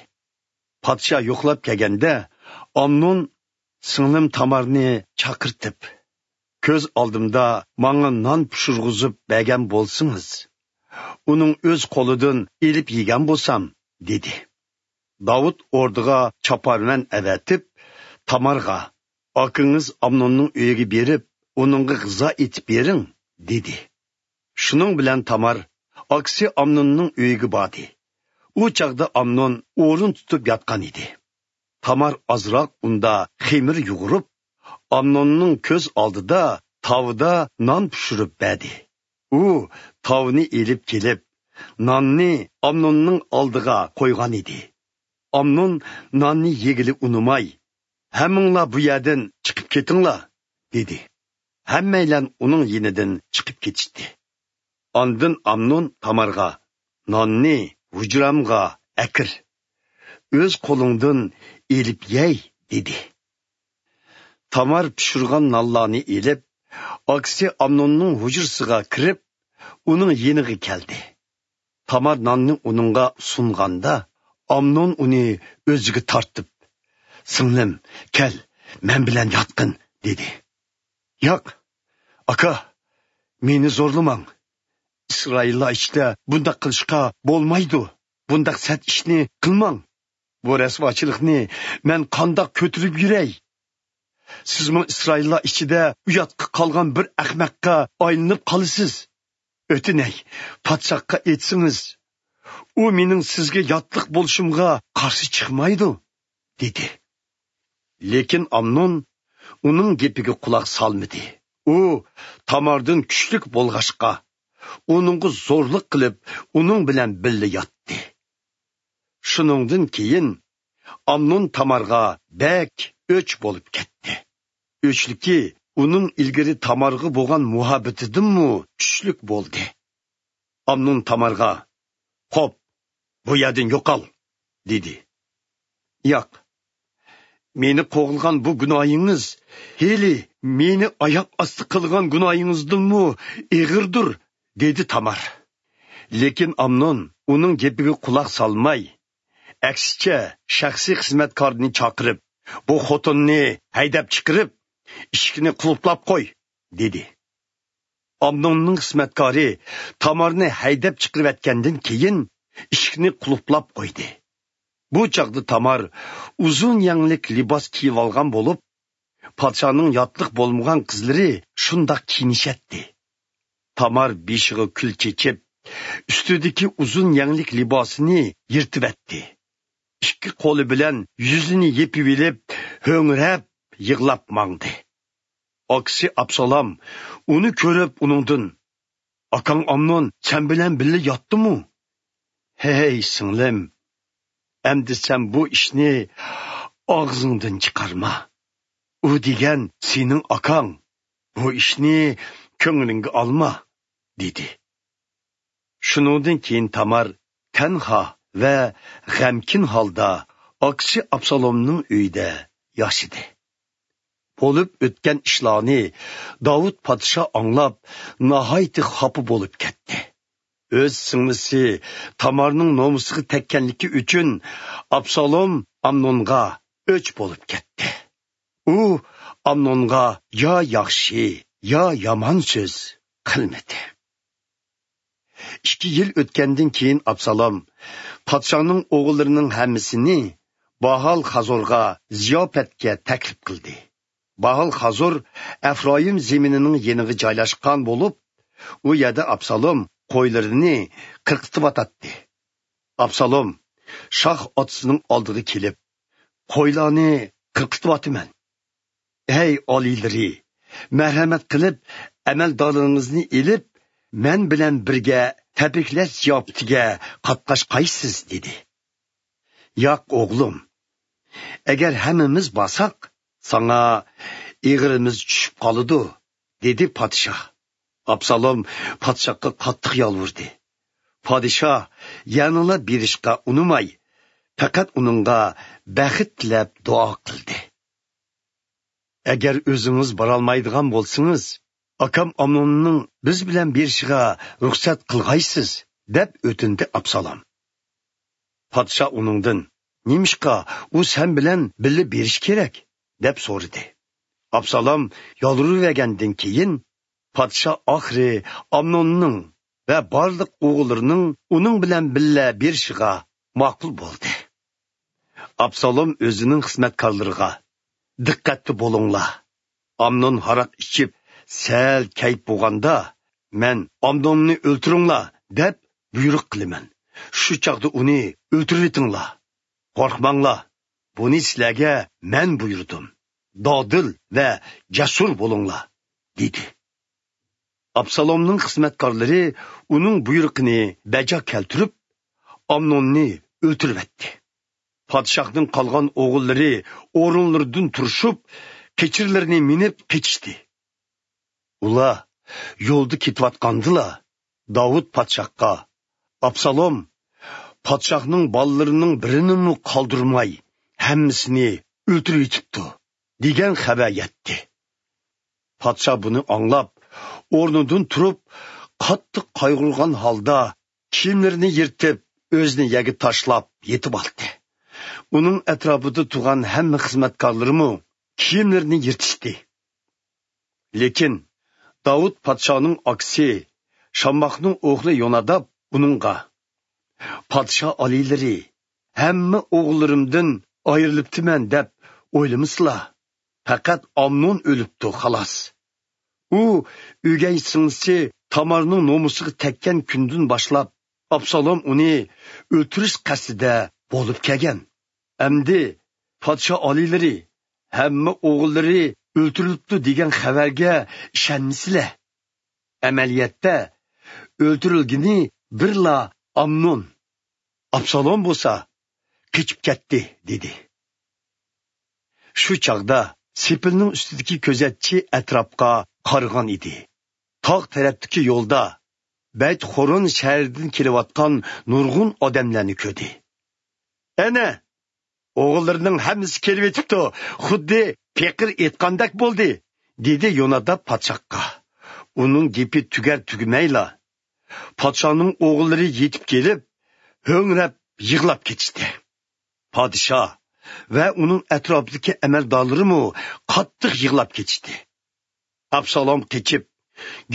پادىشاھ يوقلاپ كەلگەندە، ئامنون سىڭلىم تامارنى چاقىرتىپ: «كۆز ئالدىمدا ماڭا نان پىشۇرغۇزۇپ بەرگەن بولسىڭىز، ئۇنىڭ ئۆز قولىدىن ئېلىپ يېگەن بولسام» دېدى. داۋۇت ئوردىغا چاپارمەن ئەۋەتىپ، تامارغا: «ئاكىڭىز ئامنوننىڭ ئۆيىگە بېرىپ، ئۇنىڭغا غىزا ئېتىپ بېرىڭ» دېدى. شۇنىڭ بىلەن تامار ئاكىسى ئامنوننىڭ ئۆيىگە باردى. ئۇ چاغدا ئامنون ئورۇن تۇتۇپ ياتقان ئىدى. تامار ئازراق ئۇندا خېمىر يۇغۇرۇپ، ئامنوننىڭ كۆز ئالدىدا تاۋىدا نان پىشۇرۇپ بەردى. ئۇ تاۋىنى ئېلىپ كېلىپ، ناننى ئامنوننىڭ ئالدىغا قويغان ئىدى. ئامنون ناننى يېگىلى ئۇنىماي: «ھەممىڭلار بۇ يەردىن چىقىپ كېتىڭلار» دېدى. ھەممەيلەن ئۇنىڭ يېنىدىن چىقىپ كېتىشتى. ئاندىن ئامنون تامارغا: «ناننى ھۇجرامغا ئەكىر، ئۆز قولۇڭدىن ئېلىپ يەي» دېدى. تامار پىشۇرغان نانلارنى ئېلىپ، ئاكىسى ئامنوننىڭ ھۇجرىسىغا كىرىپ، ئۇنىڭ يېنىغا كەلدى. تامار ناننى ئۇنىڭغا سۇنغاندا، ئامنون ئۇنى ئۆزىگە تارتىپ: «سىڭلىم، كەل، مەن بىلەن ياتقىن» دېدى. «ياق، ئاكا، مېنى زورلىماڭ. ئىسرائىللار ئىچىدە بۇنداق قىلىشقا بولمايدۇ. بۇنداق سەت ئىشنى قىلماڭ. بۇ رەسۋاچىلىقنى مەن قانداق كۆتۈرۈپ يۈرەي؟ سىزمۇ ئىسرائىللار ئىچىدە ئۇياتقا قالغان بىر ئەخمەققە ئايلىنىپ قالىسىز. ئۆتۈنەي، پادىشاھقا ئېيتسىڭىز، ئۇ مېنىڭ سىزگە ياتلىق بولۇشۇمغا قارشى چىقمايدۇ، دېدى. لېكىن ئامنون ئۇنىڭ گېپىگە قۇلاق سالمىدى. ئۇ تاماردىن كۈچلۈك بولغاچقا، ئۇنىڭغا زورلۇق قىلىپ، ئۇنىڭ بىلەن بىللە ياتتى. شۇنىڭدىن كېيىن ئامنون تامارغا بەك ئۆچ بولۇپ كەتتى. ئۆچلۈكى ئۇنىڭ ئىلگىرى تامارغا بولغان مۇھەببىتىدىنمۇ كۈچلۈك بولدى. ئامنون تامارغا، «قوپ، بۇ يەردىن يوقال!» دېدى. «ياق، مېنى قوغلىغان بۇ گۇناھىڭىز ھېلى مېنى ئاياق ئاستى قىلغان گۇناھىڭىزدىنمۇ ئېغىردۇر» دېدى تامار. لېكىن ئامنون ئۇنىڭ گېپىگە قۇلاق سالماي، ئەكسىچە، شەخسىي خىزمەتكارنى چاقىرىپ، «بۇ خوتۇننى ھەيدەپ چىقىرىپ، ئىشىكنى قۇلۇپلاپ قوي» دېدى. ئامنوننىڭ خىزمەتكارى تامارنى ھەيدەپ چىقىرىۋەتكەندىن كېيىن، ئىشىكنى قۇلۇپلاپ قويدى. بۇ چاغدا تامار ئۇزۇن يەڭلىك لىباس كىيىۋالغان بولۇپ، پادىشاھنىڭ ياتلىق بولمىغان قىزلىرى شۇنداق كىيىنىشەتتى. تامار بېشىغا كۈل چېچىپ، ئۈستىدىكى ئۇزۇن يەڭلىك لىباسىنى يىرتىۋەتتى. ئىككى قولى بىلەن يۈزىنى يېپىۋېلىپ، ھۆڭرەپ، يىغلاپ ماڭدى. ئاكىسى ئابسالام ئۇنى كۆرۈپ، ئۇنىڭدىن، «ئاكاڭ ئامنون سەن بىلەن بىللە ياتتىمۇ؟» «ھەي، سىڭلىم، ئەمدى سەن بۇ ئىشنى ئاغزىڭدىن چىقارما. ئۇ دېگەن سېنىڭ ئاكاڭ. بۇ ئىشنى كۆڭلۈڭگە ئالما» دېدى. شۇنىڭدىن كېيىن تامار تەنھا ۋە غەمكىن ھالدا ئاكىسى ئابسالومنىڭ ئۆيىدە ياشىدى. بولۇپ ئۆتكەن ئىشلارنى داۋۇت پادىشاھ ئاڭلاپ، ناھايىتى خاپا بولۇپ كەتتى. ئۆز سىڭلىسى تامارنىڭ نومۇسىغا تەگكەنلىكى ئۈچۈن ئابسالوم ئامنونغا ئۆچ بولۇپ كەتتى. ئۇ ئامنونغا يا ياخشى، يا يامان سۆز قىلمىدى. ئىككى يىل ئۆتكەندىن كېيىن ئابسالوم پادىشاھنىڭ ئوغۇللىرىنىڭ ھەممىسىنى باھال خازورغا زىياپەتكە تەكلىپ قىلدى. باھال خازور ئەفرايىم زېمىنىنىڭ يېنىغا جايلاشقان بولۇپ، ئۇ يەردە ئابسالوم قويلىرىنى قىرقىتىۋاتاتتى. ئابسالوم شاھ ئاتىسىنىڭ ئالدىغا كېلىپ، «قويلارنى قىرقىتىۋاتىمەن. ھەي ئالىيلىرى، مەرھەمەت قىلىپ، ئەمەلدارلىرىڭىزنى ئېلىپ، مەن بىلەن بىرگە تەبرىكلەش زىياپىتىگە قاتناشقايسىز» دېدى. «ياق، ئوغلۇم، ئەگەر ھەممىمىز بارساق، ساڭا ئېغىرىمىز چۈشۈپ قالىدۇ» دېدى پادىشاھ. ئابسالوم پادىشاھقا قاتتىق يالۋۇردى. پادىشاھ يەنىلا بېرىشقا ئۇنىماي، پەقەت ئۇنىڭغا بەخت تىلەپ دۇئا قىلدى. «ئەگەر ئۆزىڭىز بارالمايدىغان بولسىڭىز، ئاكام ئامنوننىڭ بىز بىلەن بېرىشىغا رۇخسەت قىلغايسىز» دەپ ئۆتۈندى ئابسالوم. پادىشاھ ئۇنىڭدىن، «نېمىشقا ئۇ سەن بىلەن بىللە بېرىشى كېرەك؟» دەپ سورىدى. ئابسالوم يالۋۇرۇۋەرگەندىن كېيىن، پادىشاھ ئاخىرى ئامنوننىڭ ۋە بارلىق ئوغۇللىرىنىڭ ئۇنىڭ بىلەن بىللە بېرىشىغا ماقۇل بولدى. ئابسالوم ئۆزىنىڭ خىزمەتكارلىرىغا، «دىققەتتە بولۇڭلار! ئامنون ھاراق ئىچىپ، سەل كەيپ بولغاندا، مەن، 'ئامنوننى ئۆلتۈرۈڭلار!' دەپ بۇيرۇق قىلىمەن. شۇ چاغدا ئۇنى ئۆلتۈرۈۋېتىڭلار. قورقماڭلار، بۇنى سىلەرگە مەن بۇيرۇدۇم. دادىل ۋە جەسۇر بولۇڭلار» دېدى. ئابسالومنىڭ خىزمەتكارلىرى ئۇنىڭ بۇيرۇقىنى بەجا كەلتۈرۈپ، ئامنوننى ئۆلتۈرۈۋەتتى. پادىشاھنىڭ قالغان ئوغۇللىرى ئورۇنلىرىدىن تۇرۇشۇپ، قېچىرلىرىنى مىنىپ قېچىشتى. ئۇلار يولدا كېتىۋاتقاندىلا، داۋۇت پادىشاھقا، «ئابسالوم پادىشاھنىڭ بالىلىرىنىڭ بىرىنىمۇ قالدۇرماي، ھەممىسىنى ئۆلتۈرۈۋېتىپتۇ» دېگەن خەۋەر يەتتى. پادىشاھ بۇنى ئاڭلاپ، ئورنىدىن تۇرۇپ، قاتتىق قايغۇرغان ھالدا كىيىملىرىنى يىرتىپ، ئۆزىنى يەرگە تاشلاپ يېتىۋالدى. ئۇنىڭ ئەتراپىدا تۇرغان ھەممە خىزمەتكارلىرىمۇ كىيىملىرىنى يىرتىشتى. لېكىن داۋۇت پادىشاھنىڭ ئاكىسى، شامماخنىڭ ئوغلى يوناداب ئۇنىڭغا: «پادىشاھ ئالىيلىرى، ھەممە ئوغۇللىرىمدىن ئايرىلىپتىمەن دەپ ئويلىمىسىلا، پەقەت ئامنون ئۆلۈپتۇ، خالاس. ئۇ ئۆگەي سىڭلىسى تامارنىڭ نومۇسىغا تەگكەن كۈندىن باشلاپ، ئابسالوم ئۇنى ئۆلتۈرۈش قەستىدە بولۇپ كەلگەن. ئەمدى پادىشاھ ئالىيلىرى، ھەممە ئوغۇللىرى ئۆلتۈرۈلۈپتۇ دېگەن خەۋەرگە ئىشەنمىسىلە. ئەمەلىيەتتە ئۆلتۈرۈلگىنى بىرلا ئامنون. ئابسالوم بولسا قېچىپ كەتتى» دېدى. شۇ چاغدا سېپىلنىڭ ئۈستىدىكى كۆزەتچى ئەتراپقا قارىغان ئىدى. تاغ تەرەپتىكى يولدا بەيت خورون شەھىرىدىن كېلىۋاتقان نۇرغۇن ئادەملەرنى كۆردى. «ئەنە، ئوغۇللىرىنىڭ ھەممىسى كېلىۋېتىپتۇ، خۇددى پېقىر ئېيتقاندەك بولدى» دېدى يوناداب پادىشاھقا. ئۇنىڭ گېپى تۈگەر تۈگىمەيلا، پادىشاھنىڭ ئوغۇللىرى يېتىپ كېلىپ، ھۆڭرەپ يىغلاپ كېتىشتى. پادىشاھ ۋە ئۇنىڭ ئەتراپىدىكى ئەمەلدارلىرىمۇ قاتتىق يىغلاپ كېتىشتى. ئابسالوم قېچىپ،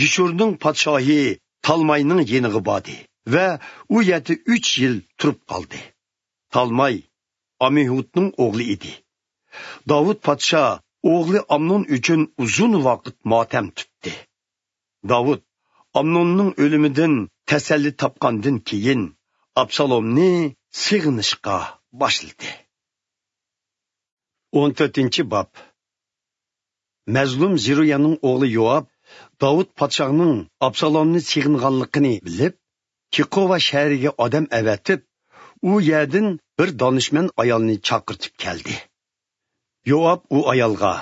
گېشۇرنىڭ پادىشاھى تالماينىڭ يېنىغا باردى ۋە ئۇ يەردە ئۈچ يىل تۇرۇپ قالدى. تالماي ئامىھۇدنىڭ ئوغلى ئىدى. داۋۇت پادىشاھ ئوغلى ئامنون ئۈچۈن ئۇزۇن ۋاقىت ماتەم تۇتتى. داۋۇت ئامنوننىڭ ئۆلۈمىدىن تەسەللى تاپقاندىن كېيىن، ئابسالومنى سېغىنىشقا باشلىدى. ئون تۆتىنچى باب. مەزلۇم زېرۇيانىڭ ئوغلى يوئاب داۋۇت پادىشاھنىڭ ئابسالومنى سېغىنغانلىقىنى بىلىپ، تېقوۋا شەھىرىگە ئادەم ئەۋەتىپ، ئۇ يەردىن بىر دانىشمەن ئايالنى چاقىرتىپ كەلدى. يوئاب ئۇ ئايالغا: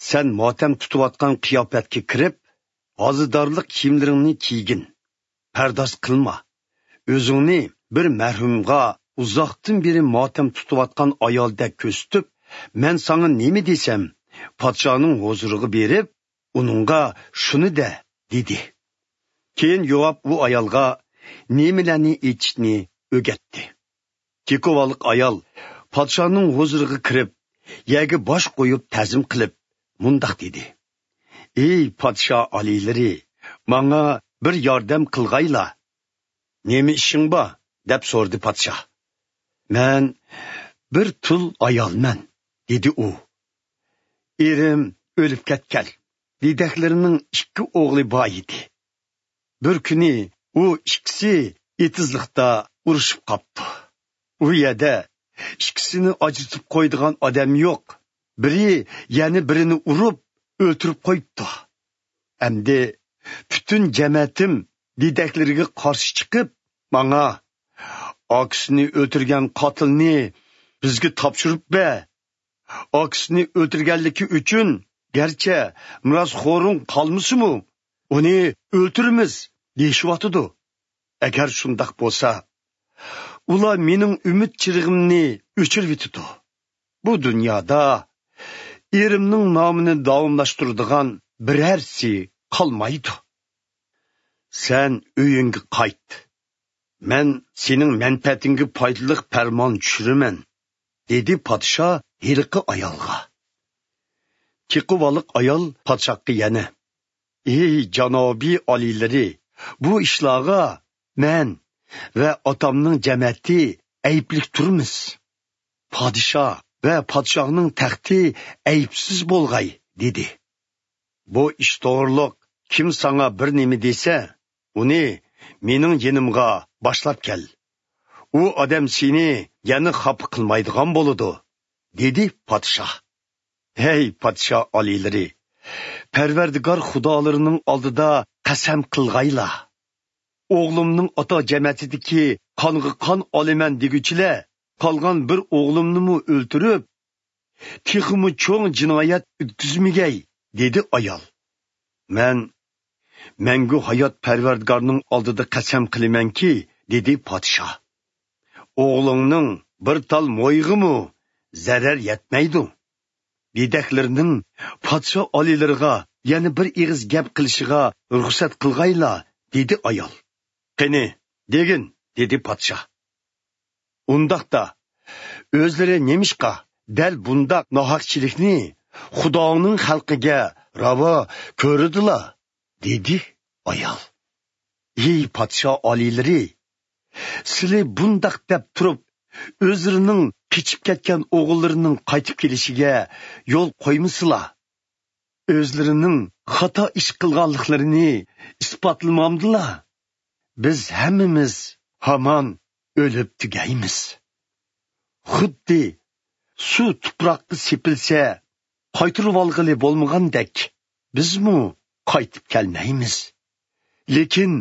«سەن ماتەم تۇتۇۋاتقان قىياپەتكە كىرىپ، ھازىدارلىق كىيىملىرىڭنى كىيگىن. پەرداز قىلما. ئۆزۈڭنى بىر مەرھۇمغا ئۇزاقتىن بېرى ماتەم تۇتۇۋاتقان ئايالدەك كۆرسىتىپ، مەن ساڭا نېمە دېسەم، پادىشاھنىڭ ھۇزۇرىغا بېرىپ، ئۇنىڭغا شۇنى دە» دېدى. كېيىن يوئاب ئۇ ئايالغا نېمىلەرنى ئېيتىشنى ئۆگەتتى. تېكوۋالىق ئايال پادىشاھنىڭ ھۇزۇرىغا كىرىپ، يەرگە باش قويۇپ تەزىم قىلىپ، مۇنداق دېدى: «ئەي پادىشاھ ئالىيلىرى، ماڭا بىر ياردەم قىلغايلا.» «نېمە ئىشىڭ بار؟» دەپ سورىدى پادىشاھ. «مەن بىر تۇل ئايالمەن»، دېدى ئۇ. «ئېرىم ئۆلۈپ كەتكەن، دېدەكلىرىنىڭ ئىككى ئوغلى بار ئىدى. بىر كۈنى ئۇ ئىككىسى ئېتىزلىقتا ئۇرۇشۇپ قاپتۇ. ئۇ يەردە ئىككىسىنى ئاجرىتىپ قويىدىغان ئادەم يوق. بىرى يەنە بىرىنى ئۇرۇپ ئۆلتۈرۈپ قويۇپتۇ. ئەمدى پۈتۈن جەمەتىم دېدەكلىرىگە قارشى چىقىپ، ماڭا: 'ئاكىسىنى ئۆلتۈرگەن قاتىلنى بىزگە تاپشۇرۇپ بەر. ئاكىسىنى ئۆلتۈرگەنلىكى ئۈچۈن گەرچە مىراسخورۇڭ قالمىسىمۇ، ئۇنى ئۆلتۈرىمىز' دېيىشىۋاتىدۇ. ئەگەر شۇنداق بولسا، ئۇلار مېنىڭ ئۈمىد چىرىغىمنى ئۆچۈرۈۋېتىدۇ. بۇ دۇنيادا ئېرىمنىڭ نامىنى داۋاملاشتۇرىدىغان بىرەرسى قالمايدۇ. سەن ئۆيۈڭگە قايت. مەن سېنىڭ مەنپەئەتىڭگە پايدىلىق پەرمان چۈشۈرىمەن»، دېدى پادىشاھ ھېلىقى ئايالغا. تېقىۋالىق ئايال پادىشاھقا يەنە: «ئەي جانابىي ئالىيلىرى، بۇ ئىشلارغا مەن ۋە ئاتامنىڭ جەمەتى ئەيىبلىك تۇرمىز. پادىشاھ ۋە پادىشاھنىڭ تەختى ئەيىبسىز بولغاي» دېدى. «بۇ ئىش توغرۇلۇق كىم ساڭا بىر نېمە دېسە، ئۇنى مېنىڭ يېنىمغا باشلاپ كەل. ئۇ ئادەم سېنى يەنە خاپا قىلمايدىغان بولىدۇ» دېدى پادىشاھ. «ھەي پادىشاھ ئالىيلىرى، پەرۋەردىگار خۇدالىرىنىڭ ئالدىدا قەسەم قىلغايلا، ئوغلۇمنىڭ ئاتا جەمەتىدىكى قانغا قان ئالىمەن دېگۈچىلەر قالغان بىر ئوغلۇمنىمۇ ئۆلتۈرۈپ، تېخىمۇ چوڭ جىنايەت ئۆتكۈزمىگەي» دېدى ئايال. «مەن مەڭگۈ ھايات پەرۋەردىگارنىڭ ئالدىدا قەسەم قىلىمەنكى» دېدى پادىشاھ، «ئوغلۇڭنىڭ بىر تال مويىغىمۇ زەرەر يەتمەيدۇ. دېدەكلىرىنىڭ پادىشاھ ئالىيلىرىغا يەنە بىر ئېغىز گەپ قىلىشىغا رۇخسەت قىلغايلا» دېدى ئايال. «قېنى، دېگىن» دېدى پادىشاھ. «ئۇنداقتا، ئۆزلىرى نېمىشقا دەل بۇنداق ناھەقچىلىكنى خۇدانىڭ خەلقىگە راۋا كۆرىدىلا؟ دېدى ئايال. ھەي پادىشاھ ئالىيلىرى، سىلى بۇنداق دەپ تۇرۇپ، ئۆزلىرىنىڭ قېچىپ كەتكەن ئوغۇللىرىنىڭ قايتىپ كېلىشىگە يول قويمىسىلا، ئۆزلىرىنىڭ خاتا ئىش قىلغانلىقلىرىنى ئىسپاتلىمامدىلا، بىز ھەممىمىز ھامان ئۆلۈپ تۈگەيمىز. خۇددى سۇ تۇپراققا سېپىلسە، قايتۇرۇۋالغىلى بولمىغاندەك، بىزمۇ قايتىپ كەلمەيمىز. لېكىن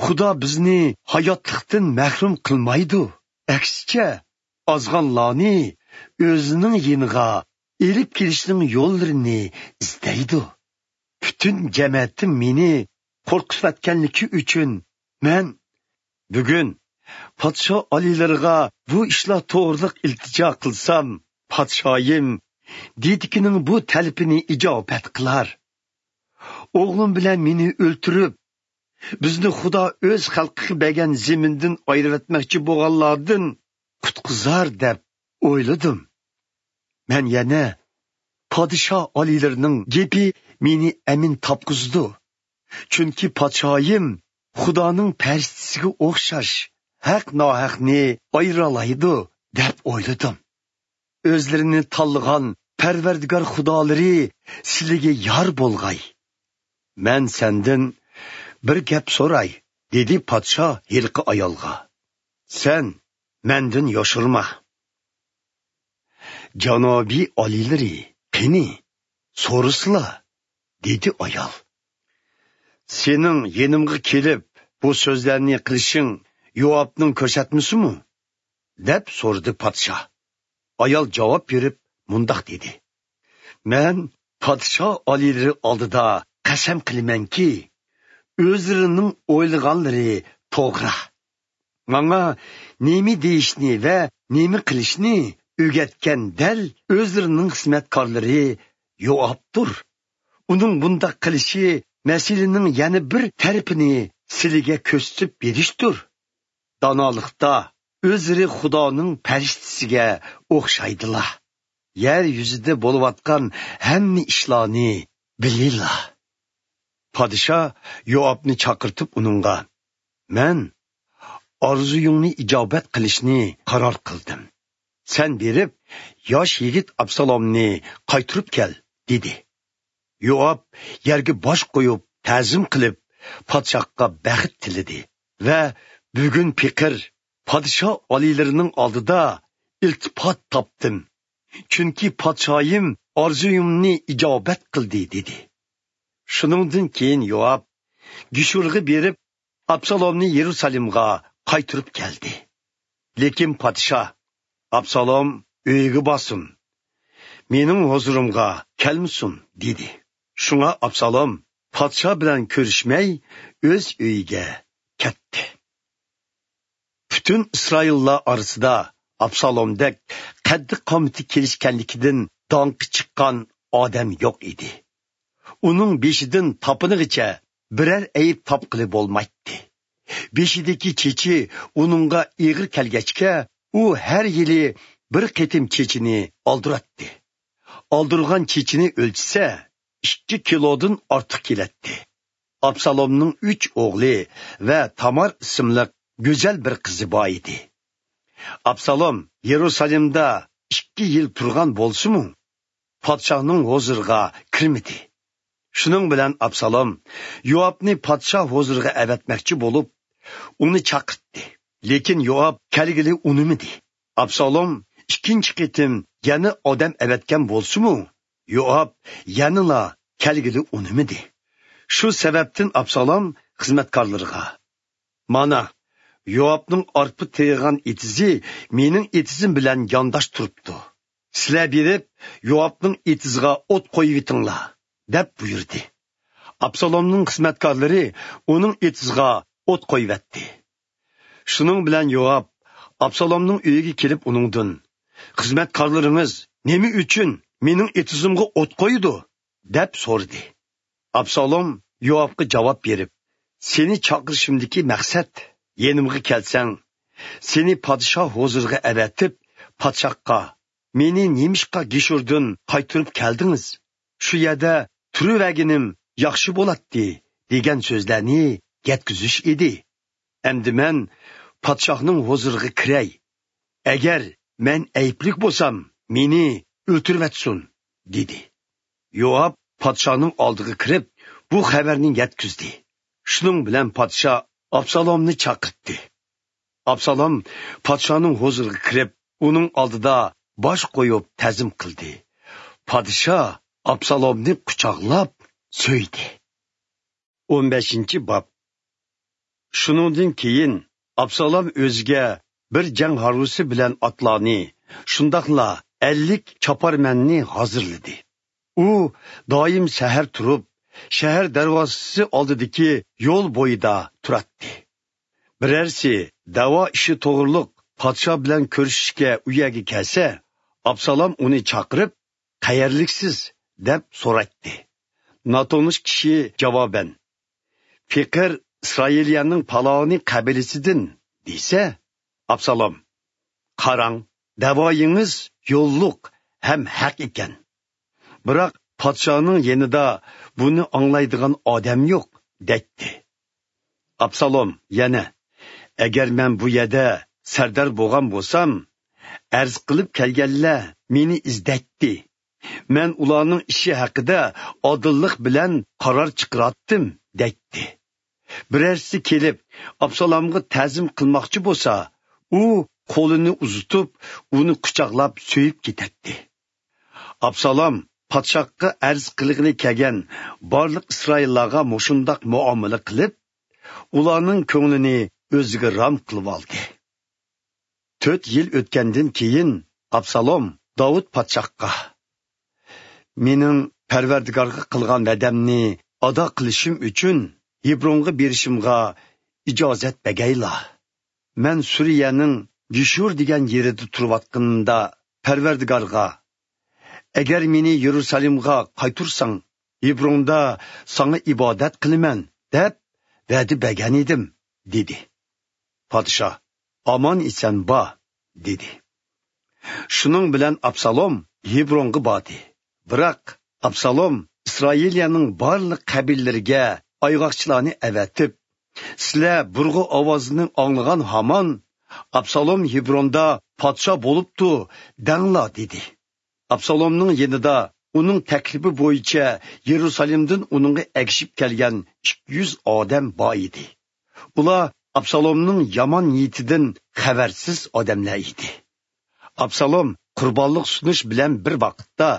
خۇدا بىزنى ھاياتلىقتىن مەھرۇم قىلمايدۇ. ئەكسىچە، ئازغانلارنى ئۆزىنىڭ يېنىغا ئېلىپ كېلىشنىڭ يوللىرىنى ئىزدەيدۇ. پۈتۈن جەمەتىم مېنى قورقۇتۇۋەتكەنلىكى ئۈچۈن، مەن بۈگۈن پادىشاھ ئالىيلىرىغا بۇ ئىشلار توغرىلىق ئىلتىجا قىلسام، پادىشاھىم دېدىكىنىڭ بۇ تەلىپىنى ئىجابەت قىلار. ئوغلۇم بىلەن مېنى ئۆلتۈرۈپ، بىزنى خۇدا ئۆز خەلقىگە بەرگەن زېمىندىن ئايرىۋەتمەكچى بولغانلاردىن قۇتقۇزار دەپ ئويلىدىم. مەن يەنە پادىشاھ ئالىيلىرىنىڭ گېپى مېنى ئەمىن تاپقۇزىدۇ. چۈنكى پادىشاھىم خۇدانىڭ پەرىشتىسىگە ئوخشاش ھەق ناھەقنى ئايرىالايدۇ دەپ ئويلىدىم. ئۆزلىرىنى تاللىغان پەرۋەردىگار خۇدالىرى سىلىگە يار بولغاي. مەن سەندىن بىر گەپ سوراي، دېدى پادىشاھ ھېلىقى ئايالغا. سەن مەندىن يوشۇرما. جانابىي ئالىيلىرى، قېنى، سورىسىلا، دېدى ئايال. سېنىڭ يېنىمغا كېلىپ، بۇ سۆزلەرنى قىلىشىڭ يوئابنىڭ كۆرسەتمىسىمۇ؟ دەپ سورىدى پادىشاھ. ئايال جاۋاب بېرىپ مۇنداق دېدى: مەن پادىشاھ ئالىيلىرى ئالدىدا قەسەم قىلىمەنكى، ئۆزلىرىنىڭ ئويلىغانلىرى توغرا. ماڭا نېمە دېيىشنى ۋە نېمە قىلىشنى ئۆگەتكەن دەل ئۆزلىرىنىڭ خىزمەتكارلىرى يوئابتۇر. ئۇنىڭ بۇنداق قىلىشى مەسىلىنىڭ يەنە بىر تەرىپىنى سىلىگە كۆرسىتىپ بېرىشتۇر. دانالىقتا ئۆزلىرى خۇدانىڭ پەرىشتىسىگە ئوخشايدىلا. يەر يۈزىدە بولۇۋاتقان ھەممە ئىشلارنى بىلىلا. پادىشاھ يوئابنى چاقىرتىپ ئۇنىڭغا: مەن ئارزۇيۇڭنى ئىجابەت قىلىشنى قارار قىلدىم. سەن بېرىپ، ياش يىگىت ئابسالومنى قايتۇرۇپ كەل، دېدى. يوئاب يەرگە باش قويۇپ، تەزىم قىلىپ، پادىشاھقا بەخت تىلىدى ۋە بۈگۈن پېقىر پادىشاھ ئالىيلىرىنىڭ ئالدىدا ئىلتىپات تاپتىم، چۈنكى پادىشاھىم ئارزۇيۇمنى ئىجابەت قىلدى، دېدى. شۇنىڭدىن كېيىن يوئاب گېشۇرغا بېرىپ، ئابسالومنى يېرۇسالېمغا قايتۇرۇپ كەلدى. لېكىن پادىشاھ: ئابسالوم ئۆيىگە بارسۇن، مېنىڭ ھۇزۇرۇمغا كەلمىسۇن، دېدى. شۇڭا ئابسالوم پادىشاھ بىلەن كۆرۈشمەي، ئۆز ئۆيىگە كەتتى. پۈتۈن ئىسرائىللار ئارىسىدا ئابسالومدەك قەددى-قامىتى كېلىشكەنلىكىدىن داڭقى چىققان ئادەم يوق ئىدى. ئۇنىڭ بېشىدىن تاپىنىغىچە بىرەر ئەيىب تاپقىلى بولمايتتى. بېشىدىكى چېچى ئۇنىڭغا ئېغىر كەلگەچكە، ئۇ ھەر يىلى بىر قېتىم چېچىنى ئالدۇراتتى. ئالدۇرغان چېچىنى ئۆلچىسە، ئىككى كىلودىن ئارتۇق كېلەتتى. ئابسالومنىڭ ئۈچ ئوغلى ۋە تامار ئىسىملىق گۈزەل بىر قىزى بار ئىدى. ئابسالوم يېرۇسالېمدا ئىككى يىل تۇرغان بولسىمۇ، پادىشاھنىڭ ھۇزۇرىغا كىرمىدى. شۇنىڭ بىلەن ئابسالوم يوئابنى پادىشاھ ھۇزۇرىغا ئەۋەتمەكچى بولۇپ، ئۇنى چاقىرتتى. لېكىن يوئاب كەلگىلى ئۇنىمىدى. ئابسالوم ئىككىنچى قېتىم يەنە ئادەم ئەۋەتكەن بولسىمۇ، يوئاب يەنىلا كەلگىلى ئۇنىمىدى. شۇ سەۋەبتىن ئابسالوم خىزمەتكارلىرىغا: مانا، يوئابنىڭ ئارپا تېرىغان ئېتىزى مېنىڭ ئېتىزىم بىلەن يانداش تۇرۇپتۇ. سىلەر بېرىپ، يوئابنىڭ ئېتىزىغا ئوت قويۇۋېتىڭلار، دەپ بۇيرۇدى. ئابسالومنىڭ خىزمەتكارلىرى ئۇنىڭ ئېتىزىغا ئوت قويۇۋەتتى. شۇنىڭ بىلەن يوئاب ئابسالومنىڭ ئۆيىگە كېلىپ ئۇنىڭدىن: خىزمەتكارلىرىڭىز نېمە ئۈچۈن مېنىڭ ئېتىزىمغا ئوت قويىدۇ؟ دەپ سورىدى. ئابسالوم يوئابقا جاۋاب بېرىپ: سېنى چاقىرىشىمدىكى مەقسەت، يېنىمغا كەلسەڭ، سېنى پادىشاھ ھۇزۇرىغا ئەۋەتىپ، پادىشاھقا: مېنى نېمىشقا گېشۇردىن قايتۇرۇپ كەلدىڭىز؟ شۇ يەردە تۇرۇۋەرگىنىم ياخشى بولاتتى، دېگەن سۆزلەرنى يەتكۈزۈش ئىدى. ئەمدى مەن پادىشاھنىڭ ھۇزۇرىغا كىرەي. ئەگەر مەن ئەيىبلىك بولسام، مېنى ئۆلتۈرۈۋەتسۇن، دېدى. يوئاب پادىشاھنىڭ ئالدىغا كىرىپ، بۇ خەۋەرنى يەتكۈزدى. شۇنىڭ بىلەن پادىشاھ ئابسالومنى چاقىرتتى. ئابسالوم پادىشاھنىڭ ھۇزۇرىغا كىرىپ، ئۇنىڭ ئالدىدا باش قويۇپ تەزىم قىلدى. پادىشاھ ئابسالومنى قۇچاقلاپ سۆيدى. ئون بەشىنچى باب. شۇنىڭدىن كېيىن ئابسالوم ئۆزىگە بىر جەڭ ھارۋىسى بىلەن ئاتلارنى، شۇنداقلا ئەللىك چاپارمەننى ھازىرلىدى. ئۇ دائىم سەھەر تۇرۇپ، شەھەر دەرۋازىسى ئالدىدىكى يول بويىدا تۇراتتى. بىرەرسى دەۋا ئىشى توغرۇلۇق پادىشاھ بىلەن كۆرۈشۈشكە ئۇ يەرگە كەلسە، ئابسالوم ئۇنى چاقىرىپ، «قەيەرلىكسىز؟» دەپ سورايتتى. ناتونۇش كىشى جاۋابەن، «پېقىر ئىسرائىلىيەنىڭ پالاۋانى قەبىلىسىدىن» دېسە، ئابسالوم، «قاراڭ، دەۋايىڭىز يوللۇق ھەم ھەق ئىكەن. بىراق پادىشاھنىڭ يېنىدا بۇنى ئاڭلايدىغان ئادەم يوق» دەيتتى. ئابسالوم يەنە، «ئەگەر مەن بۇ يەردە سەردار بولغان بولسام، ئەرز قىلىپ كەلگەنلەر مېنى ئىزدەيتتى. مەن ئۇلارنىڭ ئىشى ھەققىدە ئادىللىق بىلەن قارار چىقىراتتىم» دەيتتى. بىرەرسى كېلىپ، ئابسالومغا تەزىم قىلماقچى بولسا، ئۇ قولىنى ئۇزىتىپ، ئۇنى قۇچاقلاپ سۆيۈپ كېتەتتى. ئابسالوم پادىشاھقا ئەرز قىلغىلى كەلگەن بارلىق ئىسرائىللارغا مۇشۇنداق مۇئامىلە قىلىپ، ئۇلارنىڭ كۆڭلىنى ئۆزىگە رام قىلىۋالدى. تۆت يىل ئۆتكەندىن كېيىن ئابسالوم داۋۇت پادىشاھقا، «مېنىڭ پەرۋەردىگارغا قىلغان ۋەدەمنى ئادا قىلىشىم ئۈچۈن ھېبرونغا بېرىشىمغا ئىجازەت بەگەيلا. مەن سۈرىيەنىڭ گېشۇر دېگەن يېرىدە تۇرۇۋاتقىنىمدا پەرۋەردىگارغا، ئەگەر مېنى يېرۇسالېمغا قايتۇرساڭ، ھېبروندا ساڭا ئىبادەت قىلىمەن دەپ ۋەدە بەرگەن ئىدىم» دېدى. پادىشاھ، «ئامان ئېسەن بار» دېدى. شۇنىڭ بىلەن ئابسالوم ھېبرونغا باردى. بىراق ئابسالوم ئىسرائىلىيەنىڭ بارلىق قەبىلىلىرىگە ئايغاقچىلارنى ئەۋەتىپ، «سىلەر بۇرغۇ ئاۋازىنى ئاڭلىغان ھامان، ئابسالوم ھېبروندا پادىشاھ بولۇپتۇ دەڭلار» دېدى. ئابسالومنىڭ يېنىدا ئۇنىڭ تەكلىپى بويىچە يېرۇسالېمدىن ئۇنىڭغا ئەگىشىپ كەلگەن ئىككى يۈز ئادەم بار ئىدى. ئۇلار ئابسالومنىڭ يامان نىيىتىدىن خەۋەرسىز ئادەملەر ئىدى. ئابسالوم قۇربانلىق سۇنۇش بىلەن بىر ۋاقىتتا،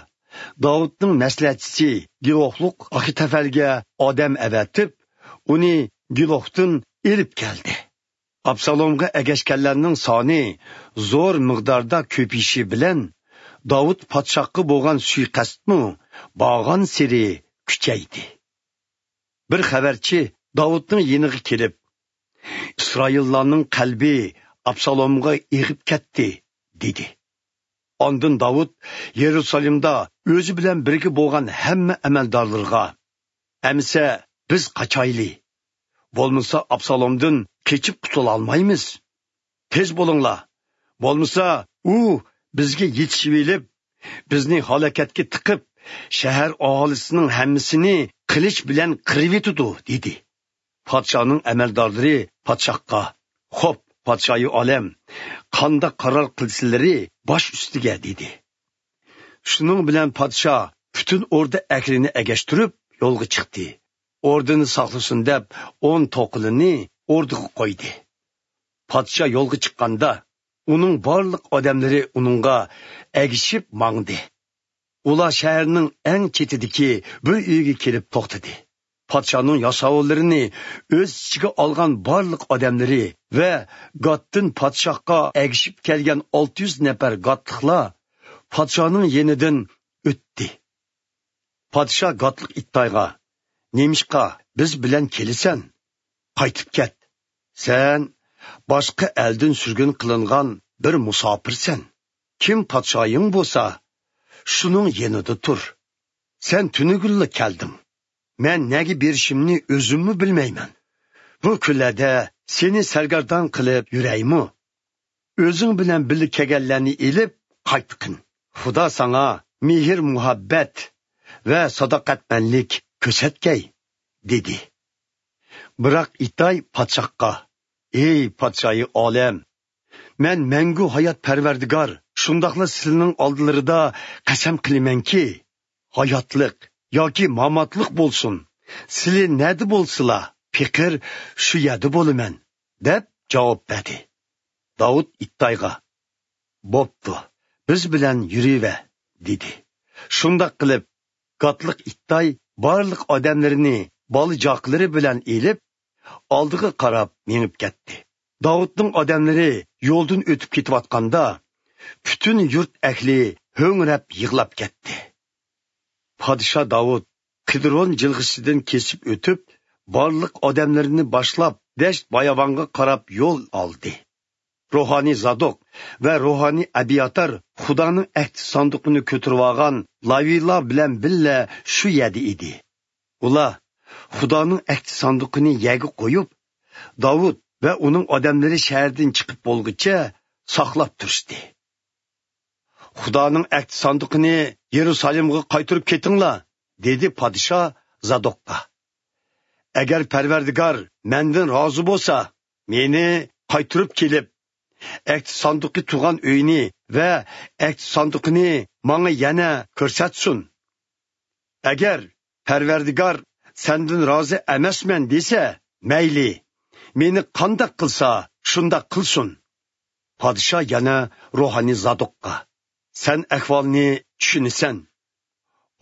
داۋۇتنىڭ مەسلىھەتچىسى گىلوفلۇق ئاخىتەفەلگە ئادەم ئەۋەتىپ، ئۇنى گىلوفتىن ئېلىپ كەلدى. ئابسالومغا ئەگەشكەنلەرنىڭ سانى زور مىقداردا كۆپىيىشى بىلەن، داۋۇت پادىشاھقا بولغان سۇيىقەستمۇ بارغانسېرى كۈچەيدى. بىر خەۋەرچى داۋۇتنىڭ يېنىغا كېلىپ، «ئىسرائىللارنىڭ قەلبى ئابسالومغا ئېغىپ كەتتى» دېدى. ئاندىن داۋۇت يېرۇسالېمدا ئۆزى بىلەن بىرگە بولغان ھەممە ئەمەلدارلىرىغا، «ئەمىسە بىز قاچايلى، بولمىسا ئابسالومدىن قېچىپ قۇتۇلالمايمىز. تېز بولۇڭلار، بولمىسا ئۇ بىزگە يېتىشىۋېلىپ، بىزنى ھالاكەتكە تىقىپ، شەھەر ئاھالىسىنىڭ ھەممىسىنى قىلىچ بىلەن قىرىۋېتىدۇ» دېدى. پادىشاھنىڭ ئەمەلدارلىرى پادىشاھقا، «خوپ، پادىشاھى ئالەم، قانداق قارار قىلسىلىرى باش ئۈستىگە» دېدى. شۇنىڭ بىلەن پادىشاھ پۈتۈن ئوردا ئەھلىنى ئەگەشتۈرۈپ يولغا چىقتى. ئوردىنى ساقلىسۇن دەپ ئون توقىلىنى ئوردىغا قويدى. پادىشاھ يولغا چىققاندا، ئۇنىڭ بارلىق ئادەملىرى ئۇنىڭغا ئەگىشىپ ماڭدى. ئۇلار شەھەرنىڭ ئەڭ چېتىدىكى بىر ئۆيگە كېلىپ توختىدى. پادىشاھنىڭ ياساۋۇللىرىنى ئۆز ئىچىگە ئالغان بارلىق ئادەملىرى ۋە گاتتىن پادىشاھقا ئەگىشىپ كەلگەن ئالتە يۈز نەپەر گاتلىقلار پادىشاھنىڭ يېنىدىن ئۆتتى. پادىشاھ گاتلىق ئىتتايغا، «نېمىشقا بىز بىلەن كېلىسەن؟ قايتىپ كەت. سەن باشقا ئەلدىن سۈرگۈن قىلىنغان بىر مۇساپىرسەن. كىم پادىشاھىڭ بولسا، شۇنىڭ يېنىدا تۇر. سەن تۈنۈگۈنلا كەلدىڭ. مەن نەگە بېرىشىمنى ئۆزۈممۇ بىلمەيمەن. بۇ كۈنلەردە سېنى سەرگەردان قىلىپ يۈرەيمۇ؟ ئۆزۈڭ بىلەن بىللە كەلگەنلەرنى ئېلىپ قايتقىن. خۇدا ساڭا مېھىر-مۇھەببەت ۋە ساداقەتمەنلىك كۆرسەتكەي» دېدى. بىراق ئىتاي پادىشاھقا: «ئەي پادىشاھى ئالەم! مەن مەڭگۈ ھايات پەرۋەردىگار، شۇنداقلا سىلىنىڭ ئالدىلىرىدا قەسەم قىلىمەنكى، ھاياتلىق ياكى ماماتلىق بولسۇن، سىلى نەدە بولسىلا، پېقىر شۇ يەردە بولىمەن» دەپ جاۋاب بەردى. داۋۇت ئىتتايغا: «بوپتۇ، بىز بىلەن يۈرۈۋەر» دېدى. شۇنداق قىلىپ، گاتلىق ئىتتاي بارلىق ئادەملىرىنى بالا-چاقىلىرى بىلەن ئېلىپ، ئالدىغا قاراپ مېڭىپ كەتتى. داۋۇتنىڭ ئادەملىرى يولدىن ئۆتۈپ كېتىۋاتقاندا، پۈتۈن يۇرت ئەھلى ھۆڭرەپ يىغلاپ كەتتى. پادىشاھ داۋۇت قىدرون جىلغىسىدىن كېسىپ ئۆتۈپ، بارلىق ئادەملىرىنى باشلاپ، دەشت-باياۋانغا قاراپ يول ئالدى. روھانىي زادوق ۋە روھانىي ئەبياتار خۇدانىڭ ئەھدى ساندۇقىنى كۆتۈرۈۋالغان لاۋىيلار بىلەن بىللە شۇ يەردە ئىدى. ئۇلار خۇدانىڭ ئەھدى ساندۇقىنى يەرگە قويۇپ، داۋۇت ۋە ئۇنىڭ ئادەملىرى شەھەردىن چىقىپ بولغۇچە ساقلاپ تۇرۇشتى. «خۇدانىڭ ئەھدى ساندۇقىنى يېرۇسالىمغا قايتۇرۇپ كېتىڭلار» دېدى پادىشاھ زادوققا. «ئەگەر پەرۋەردىگار مەندىن رازى بولسا، مېنى قايتۇرۇپ كېلىپ، ئەھدى ساندۇقى تۇرغان ئۆينى ۋە ئەھدى ساندۇقىنى ماڭا يەنە كۆرسەتسۇن. ئەگەر پەرۋەردىگار سەندىن رازى ئەمەسمەن دېسە، مەيلى، مېنى قانداق قىلسا، شۇنداق قىلسۇن.» پادىشاھ يەنە روھانىي زادوققا: «سەن ئەھۋالنى چۈشىنىسەن.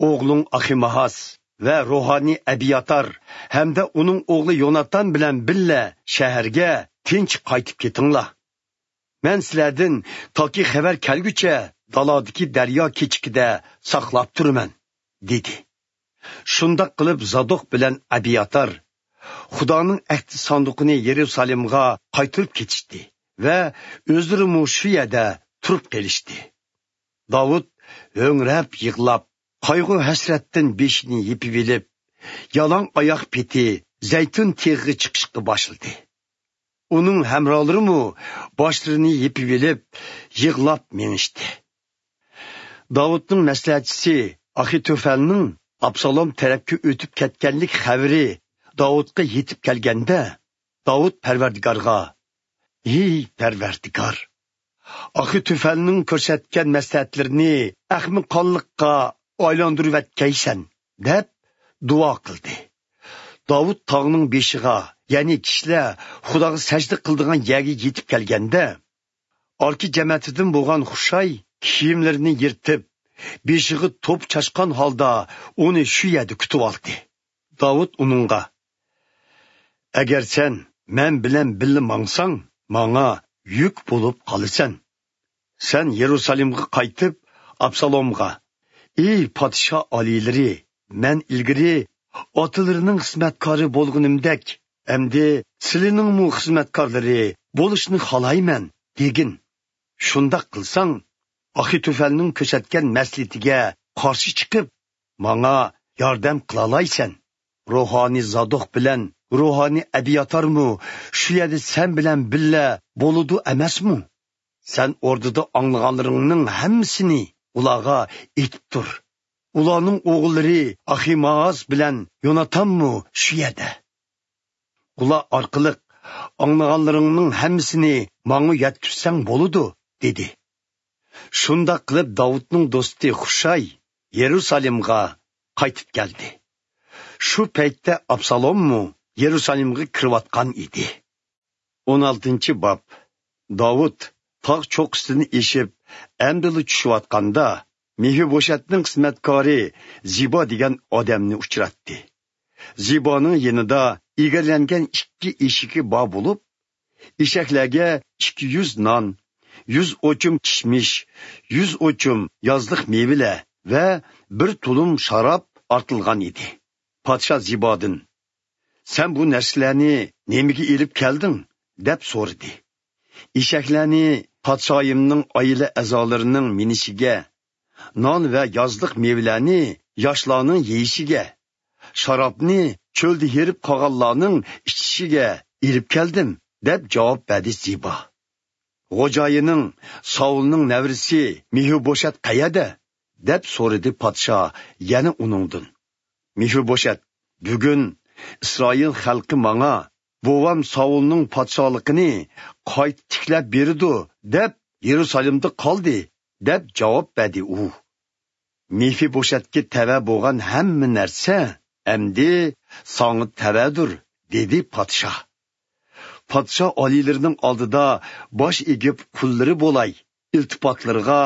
ئوغلۇڭ ئاخىماھاس ۋە روھانىي ئەبياتار ھەمدە ئۇنىڭ ئوغلى يوناتان بىلەن بىللە شەھەرگە تىنچ قايتىپ كېتىڭلار. مەن سىلەردىن تاكى خەۋەر كەلگۈچە دالادىكى دەريا كېچىكىدە ساقلاپ تۇرىمەن» دېدى. شۇنداق قىلىپ زادوق بىلەن ئەبياتار خۇدانىڭ ئەھدى ساندۇقىنى يېرۇسالېمغا قايتۇرۇپ كېتىشتى ۋە ئۆزلىرىمۇ شۇ يەردە تۇرۇپ قېلىشتى. داۋۇت ھۆڭرەپ يىغلاپ، قايغۇ-ھەسرەتتىن بېشىنى يېپىۋېلىپ، يالاڭ ئاياق پېتى زەيتۇن تېغىغا چىقىشقا باشلىدى. ئۇنىڭ ھەمراھلىرىمۇ باشلىرىنى يېپىۋېلىپ، يىغلاپ مېڭىشتى. داۋۇتنىڭ مەسلىھەتچىسى ئاخىتوفەلنىڭ ئابسالوم تەرەپكە ئۆتۈپ كەتكەنلىك خەۋىرى داۋۇتقا يېتىپ كەلگەندە، داۋۇت پەرۋەردىگارغا: «ھېي پەرۋەردىگار! ئاخىتوفەلنىڭ كۆرسەتكەن مەسلىھەتلىرىنى ئەخمىقانلىققا ئايلاندۇرۇۋەتكەيسەن» دەپ دۇئا قىلدى. داۋۇت تاغنىڭ بېشىغا، يەنى كىشىلەر خۇداغا سەجدە قىلىدىغان يەرگە يېتىپ كەلگەندە، ئاركا جەمەتىدىن بولغان خۇشاي كىيىملىرىنى يىرتىپ، بېشىغا توپا چاچقان ھالدا ئۇنى شۇ يەردە كۈتۈۋالدى. داۋۇت ئۇنىڭغا: «ئەگەر سەن مەن بىلەن بىللە ماڭساڭ، ماڭا يۈك بولۇپ قالىسەن. سەن يېرۇسالېمغا قايتىپ، ئابسالومغا: ئى پادىشاھ ئالىيلىرى، مەن ئىلگىرى ئاتىلىرىنىڭ خىزمەتكارى بولغىنىمدەك، ئەمدى سىلىنىڭمۇ خىزمەتكارلىرى بولۇشنى خالايمەن» دېگىن. شۇنداق قىلساڭ، ئاخىتوفەلنىڭ كۆرسەتكەن مەسلىھىتىگە قارشى چىقىپ، ماڭا ياردەم قىلالايسەن. روھانىي زادوق بىلەن روھانىي ئەبياتارمۇ شۇ يەردە سەن بىلەن بىللە بولىدۇ ئەمەسمۇ؟ سەن ئوردىدا ئاڭلىغانلىرىڭنىڭ ھەممىسىنى ئۇلارغا ئېيتىپ تۇر. ئۇلارنىڭ ئوغۇللىرى ئاخىمائاز بىلەن يوناتانمۇ شۇ يەردە. ئۇلار ئارقىلىق ئاڭلىغانلىرىڭنىڭ ھەممىسىنى ماڭا يەتكۈزسەڭ بولىدۇ، دېدى. شۇنداق قىلىپ داۋۇتنىڭ دوستى خۇشاي يېرۇسالېمغا قايتىپ كەلدى. شۇ پەيتتە ئابسالوممۇ يېرۇسالېمغا كىرىۋاتقان ئىدى. ئون ئالتىنچى باب. داۋۇت تاغ چوققىسىدىن ئېشىپ، ئەمدىلا چۈشۈۋاتقاندا، مېفىبوشەتنىڭ خىزمەتكارى زىبا دېگەن ئادەمنى ئۇچراتتى. زىبانىڭ يېنىدا ئىگىلەنگەن ئىككى ئېشىكى بار بولۇپ، ئېشەكلەرگە ئىككى يۈز نان، يۈز ئوچۇم كىشمىش، يۈز ئوچۇم يازلىق مېۋىلەر ۋە بىر تۇلۇم شاراب ئارتىلغان ئىدى. پادىشاھ زىبادىن: «سەن بۇ نەرسىلەرنى نېمىگە ئېلىپ كەلدىڭ؟» دەپ سورىدى. «ئېشەكلەرنى پادىشاھىمنىڭ ئائىلە ئەزالىرىنىڭ مىنىشىگە، نان ۋە يازلىق مېۋىلەرنى ياشلارنىڭ يېيىشىگە، شارابنى چۆلدە ھېرىپ قالغانلارنىڭ ئىچىشىگە ئېلىپ كەلدىم» دەپ جاۋاب بەردى زىبا. «خوجايىنىڭ، ساۋۇلنىڭ نەۋرىسى مېفىبوشەت قەيەردە؟» دەپ سورىدى پادىشاھ يەنە ئۇنىڭدىن. مېفىبوشەت: «بۈگۈن ئىسرائىل خەلقى ماڭا، بوۋام ساۋۇلنىڭ پادىشاھلىقىنى قايتا تىكلەپ بېرىدۇ، دەپ يېرۇسالېمدا قالدى، دەپ جاۋاب بەردى ئۇ. مېفىبوشەتكە تەۋە بولغان ھەممە نەرسە ئەمدى ساڭا تەۋەدۇر، دېدى پادىشاھ. پادىشاھ ئالىيلىرىنىڭ ئالدىدا باش ئېگىپ قۇللىرى بولاي، ئىلتىپاتلىرىغا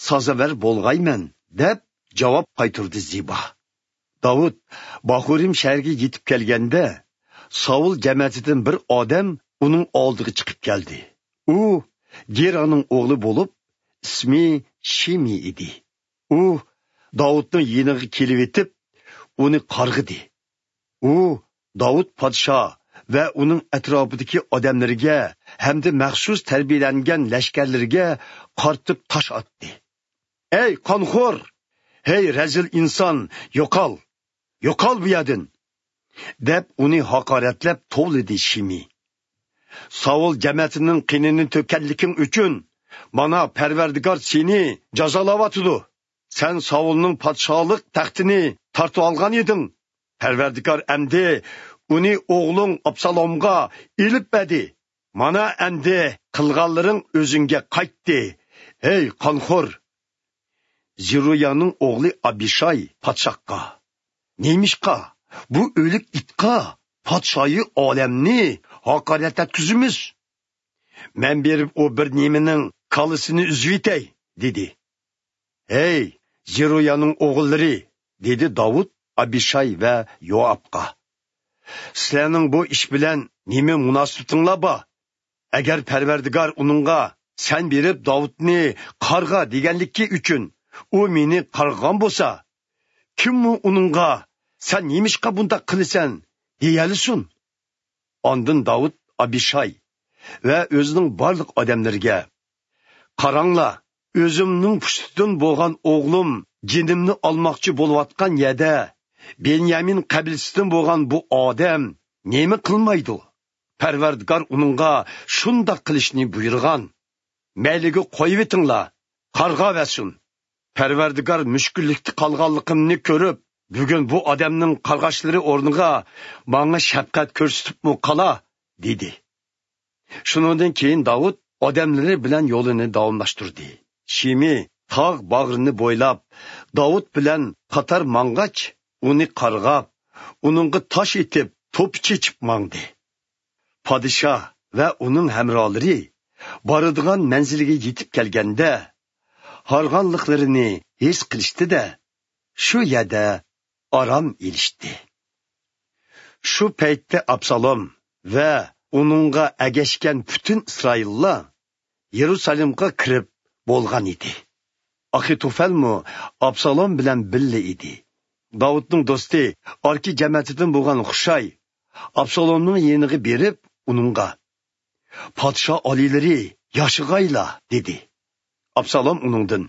سازاۋەر بولغايمەن، دەپ جاۋاب قايتۇردى زىبا. داۋۇت باخۇرىم شەھىرىگە يېتىپ كەلگەندە، ساۋۇل جەمەتىدىن بىر ئادەم ئۇنىڭ ئالدىغا چىقىپ كەلدى. ئۇ گېرانىڭ ئوغلى بولۇپ، ئىسمى شىمىي ئىدى. ئۇ داۋۇتنىڭ يېنىغا كېلىۋېتىپ، ئۇنى قارغىدى. ئۇ داۋۇت پادىشاھ ۋە ئۇنىڭ ئەتراپىدىكى ئادەملىرىگە ھەمدە مەخسۇس تەربىيەلەنگەن لەشكەرلىرىگە قارىتىپ تاش ئاتتى. «ئەي قانخور! ھەي رەزىل ئىنسان، يوقال! يوقال بۇ يەردىن!» دەپ ئۇنى ھاقارەتلەپ توۋلىدى شىمىي. «ساۋۇل جەمەتىنىڭ قېنىنى تۆككەنلىكىڭ ئۈچۈن مانا پەرۋەردىگار سېنى جازالاۋاتىدۇ. سەن ساۋۇلنىڭ پادىشاھلىق تەختىنى تارتىۋالغان ئىدىڭ. پەرۋەردىگار ئەمدى ئۇنى ئوغلۇڭ ئابسالومغا ئېلىپ بەردى. مانا ئەمدى قىلغانلىرىڭ ئۆزۈڭگە قايتتى، ھەي قانخور!» زېرۇيانىڭ ئوغلى ئابىشاي پادىشاھقا: «نېمىشقا بۇ ئۆلۈك ئىتقا پادىشاھى ئالەمنى ھاقارەت ئەتكۈزىمىز؟ مەن بېرىپ ئۇ بىر نېمىنىڭ كاللىسىنى ئۈزۈۋېتەي» دېدى. «ھەي زېرۇيانىڭ ئوغۇللىرى!» دېدى داۋۇت ئابىشاي ۋە يوئابقا. «سىلەرنىڭ بۇ ئىش بىلەن نېمە مۇناسىۋىتىڭلار بار؟ ئەگەر پەرۋەردىگار ئۇنىڭغا، سەن بېرىپ داۋۇتنى قارغا دېگەنلىكى ئۈچۈن ئۇ مېنى قارغىغان بولسا، كىممۇ ئۇنىڭغا، سەن نېمىشقا بۇنداق قىلىسەن دېيەلىسۇن؟» ئاندىن داۋۇت ئابىشاي ۋە ئۆزىنىڭ بارلىق ئادەملىرىگە: «قاراڭلار، ئۆزۈمنىڭ پۇشتىدىن بولغان ئوغلۇم جېنىمنى ئالماقچى بولۇۋاتقان يەردە، بېنيامىن قەبىلىسىدىن بولغان بۇ ئادەم نېمە قىلمايدۇ؟ پەرۋەردىگار ئۇنىڭغا شۇنداق قىلىشنى بۇيرۇغان. مەيلىگە قويۇۋېتىڭلار، قارغاۋەرسۇن. پەرۋەردىگار مۈشكۈللۈكتە قالغانلىقىمنى كۆرۈپ، بۈگۈن بۇ ئادەمنىڭ قارغاشلىرى ئورنىغا ماڭا شەپقەت كۆرسىتىپمۇ قالا» دېدى. شۇنىڭدىن كېيىن داۋۇت ئادەملىرى بىلەن يولىنى داۋاملاشتۇردى. شىمىي تاغ باغرىنى بويلاپ داۋۇت بىلەن قاتار ماڭغاچ، ئۇنى قارغاپ، ئۇنىڭغا تاش ئېتىپ، توپا چېچىپ ماڭدى. پادىشاھ ۋە ئۇنىڭ ھەمراھلىرى بارىدىغان مەنزىلگە يېتىپ كەلگەندە، ھارغانلىقلىرىنى ھېس قىلىشتى-دە، شۇ يەردە ئارام ئېلىشتى. شۇ پەيتتە ئابسالوم ۋە ئۇنىڭغا ئەگەشكەن پۈتۈن ئىسرائىللار يېرۇسالېمغا كىرىپ بولغان ئىدى. ئاخىتوفەلمۇ ئابسالوم بىلەن بىللە ئىدى. داۋۇتنىڭ دوستى ئاركى جەمەتىدىن بولغان خۇشاي ئابسالومنىڭ يېنىغا بېرىپ، ئۇنىڭغا: «پادىشاھ ئالىيلىرى ياشىغايلا!» دېدى. ئابسالوم ئۇنىڭدىن: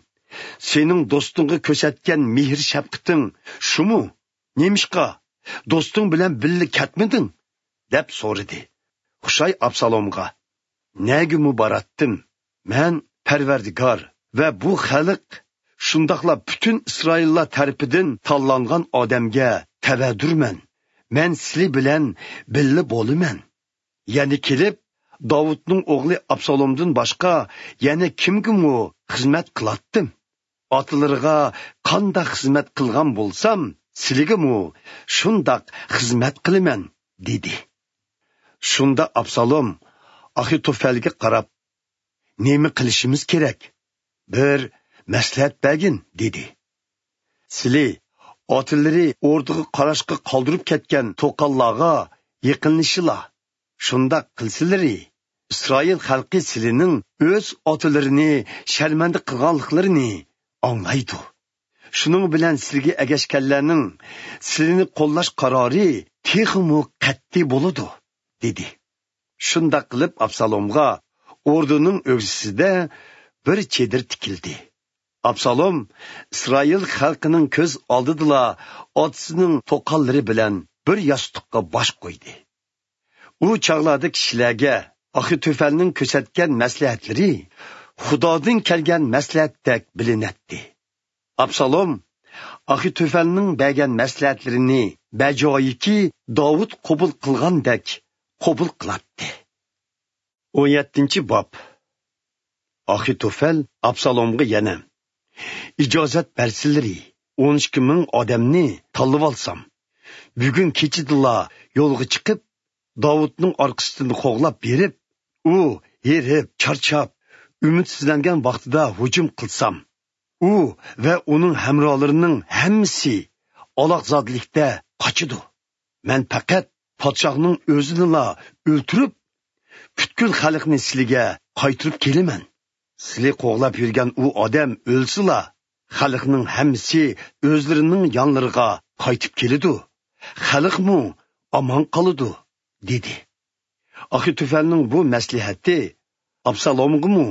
«سېنىڭ دوستۇڭغا كۆرسەتكەن مېھىر-شەپقىتىڭ شۇمۇ؟ نېمىشقا دوستۇڭ بىلەن بىللە كەتمىدىڭ؟» دەپ سورىدى. خۇشاي ئابسالومغا: «نەگىمۇ باراتتىم؟ مەن پەرۋەردىگار ۋە بۇ خەلق، شۇنداقلا پۈتۈن ئىسرائىللار تەرىپىدىن تاللانغان ئادەمگە تەۋەدۇرمەن. مەن سىلى بىلەن بىللە بولىمەن. يەنە كېلىپ، داۋۇتنىڭ ئوغلى ئابسالومدىن باشقا يەنە كىمگىمۇ خىزمەت قىلاتتىم؟ ئاتىلىرىغا قانداق خىزمەت قىلغان بولسام، سىلىگىمۇ شۇنداق خىزمەت قىلىمەن» دېدى. شۇندا ئابسالوم ئاخىتوفەلگە قاراپ: «نېمە قىلىشىمىز كېرەك؟ بىر مەسلىھەت بەرگىن» دېدى. «سىلى ئاتىلىرى ئوردىغا قاراشقا قالدۇرۇپ كەتكەن توقاللارغا يېقىنلىشىلا. شۇنداق قىلسىلىرى، ئىسرائىل خەلقى سىلىنىڭ ئۆز ئاتىلىرىنى شەرمەندە قىلغانلىقلىرىنى ئاڭلايدۇ. شۇنىڭ بىلەن سىلىگە ئەگەشكەنلەرنىڭ سىلىنى قوللاش قارارى تېخىمۇ قەتئىي بولىدۇ» دېدى. شۇنداق قىلىپ ئابسالومغا ئوردىنىڭ ئۆگزىسىدە بىر چېدىر تىكىلدى. ئابسالوم ئىسرائىل خەلقىنىڭ كۆز ئالدىدىلا ئاتىسىنىڭ توقاللىرى بىلەن بىر ياستۇققا باش قويدى. ئۇ چاغلاردا كىشىلەرگە ئاخىتوفەلنىڭ كۆرسەتكەن مەسلىھەتلىرى خۇدادىن كەلگەن مەسلىھەتتەك بىلىنەتتى. ئابسالوم ئاخىتوفەلنىڭ بەرگەن مەسلىھەتلىرىنى بەجايىكى داۋۇت قوبۇل قىلغاندەك قوبۇل قىلاتتى. ئون يەتتىنچى باب. ئاخىتوفەل ئابسالومغا يەنە: «ئىجازەت بەرسىلىرى، ئون ئىككى مىڭ ئادەمنى تاللىۋالسام، بۈگۈن كېچىدىلا يولغا چىقىپ، داۋۇتنىڭ ئارقىسىدىن قوغلاپ بېرىپ، ئۇ ھېرىپ، چارچاپ، ئۈمىدسىزلەنگەن ۋاقتىدا ھۇجۇم قىلسام، ئۇ ۋە ئۇنىڭ ھەمراھلىرىنىڭ ھەممىسى ئالاقزادىلىكتە قاچىدۇ. مەن پەقەت پادىشاھنىڭ ئۆزىنىلا ئۆلتۈرۈپ، پۈتكۈل خەلقنى سىلىگە قايتۇرۇپ كېلىمەن. سىلى قوغلاپ يۈرگەن ئۇ ئادەم ئۆلسىلا، خەلقنىڭ ھەممىسى ئۆزلىرىنىڭ يانلىرىغا قايتىپ كېلىدۇ، خەلقمۇ ئامان قالىدۇ» دېدى. ئاخىتوفەلنىڭ بۇ مەسلىھەتى ئابسالومغىمۇ،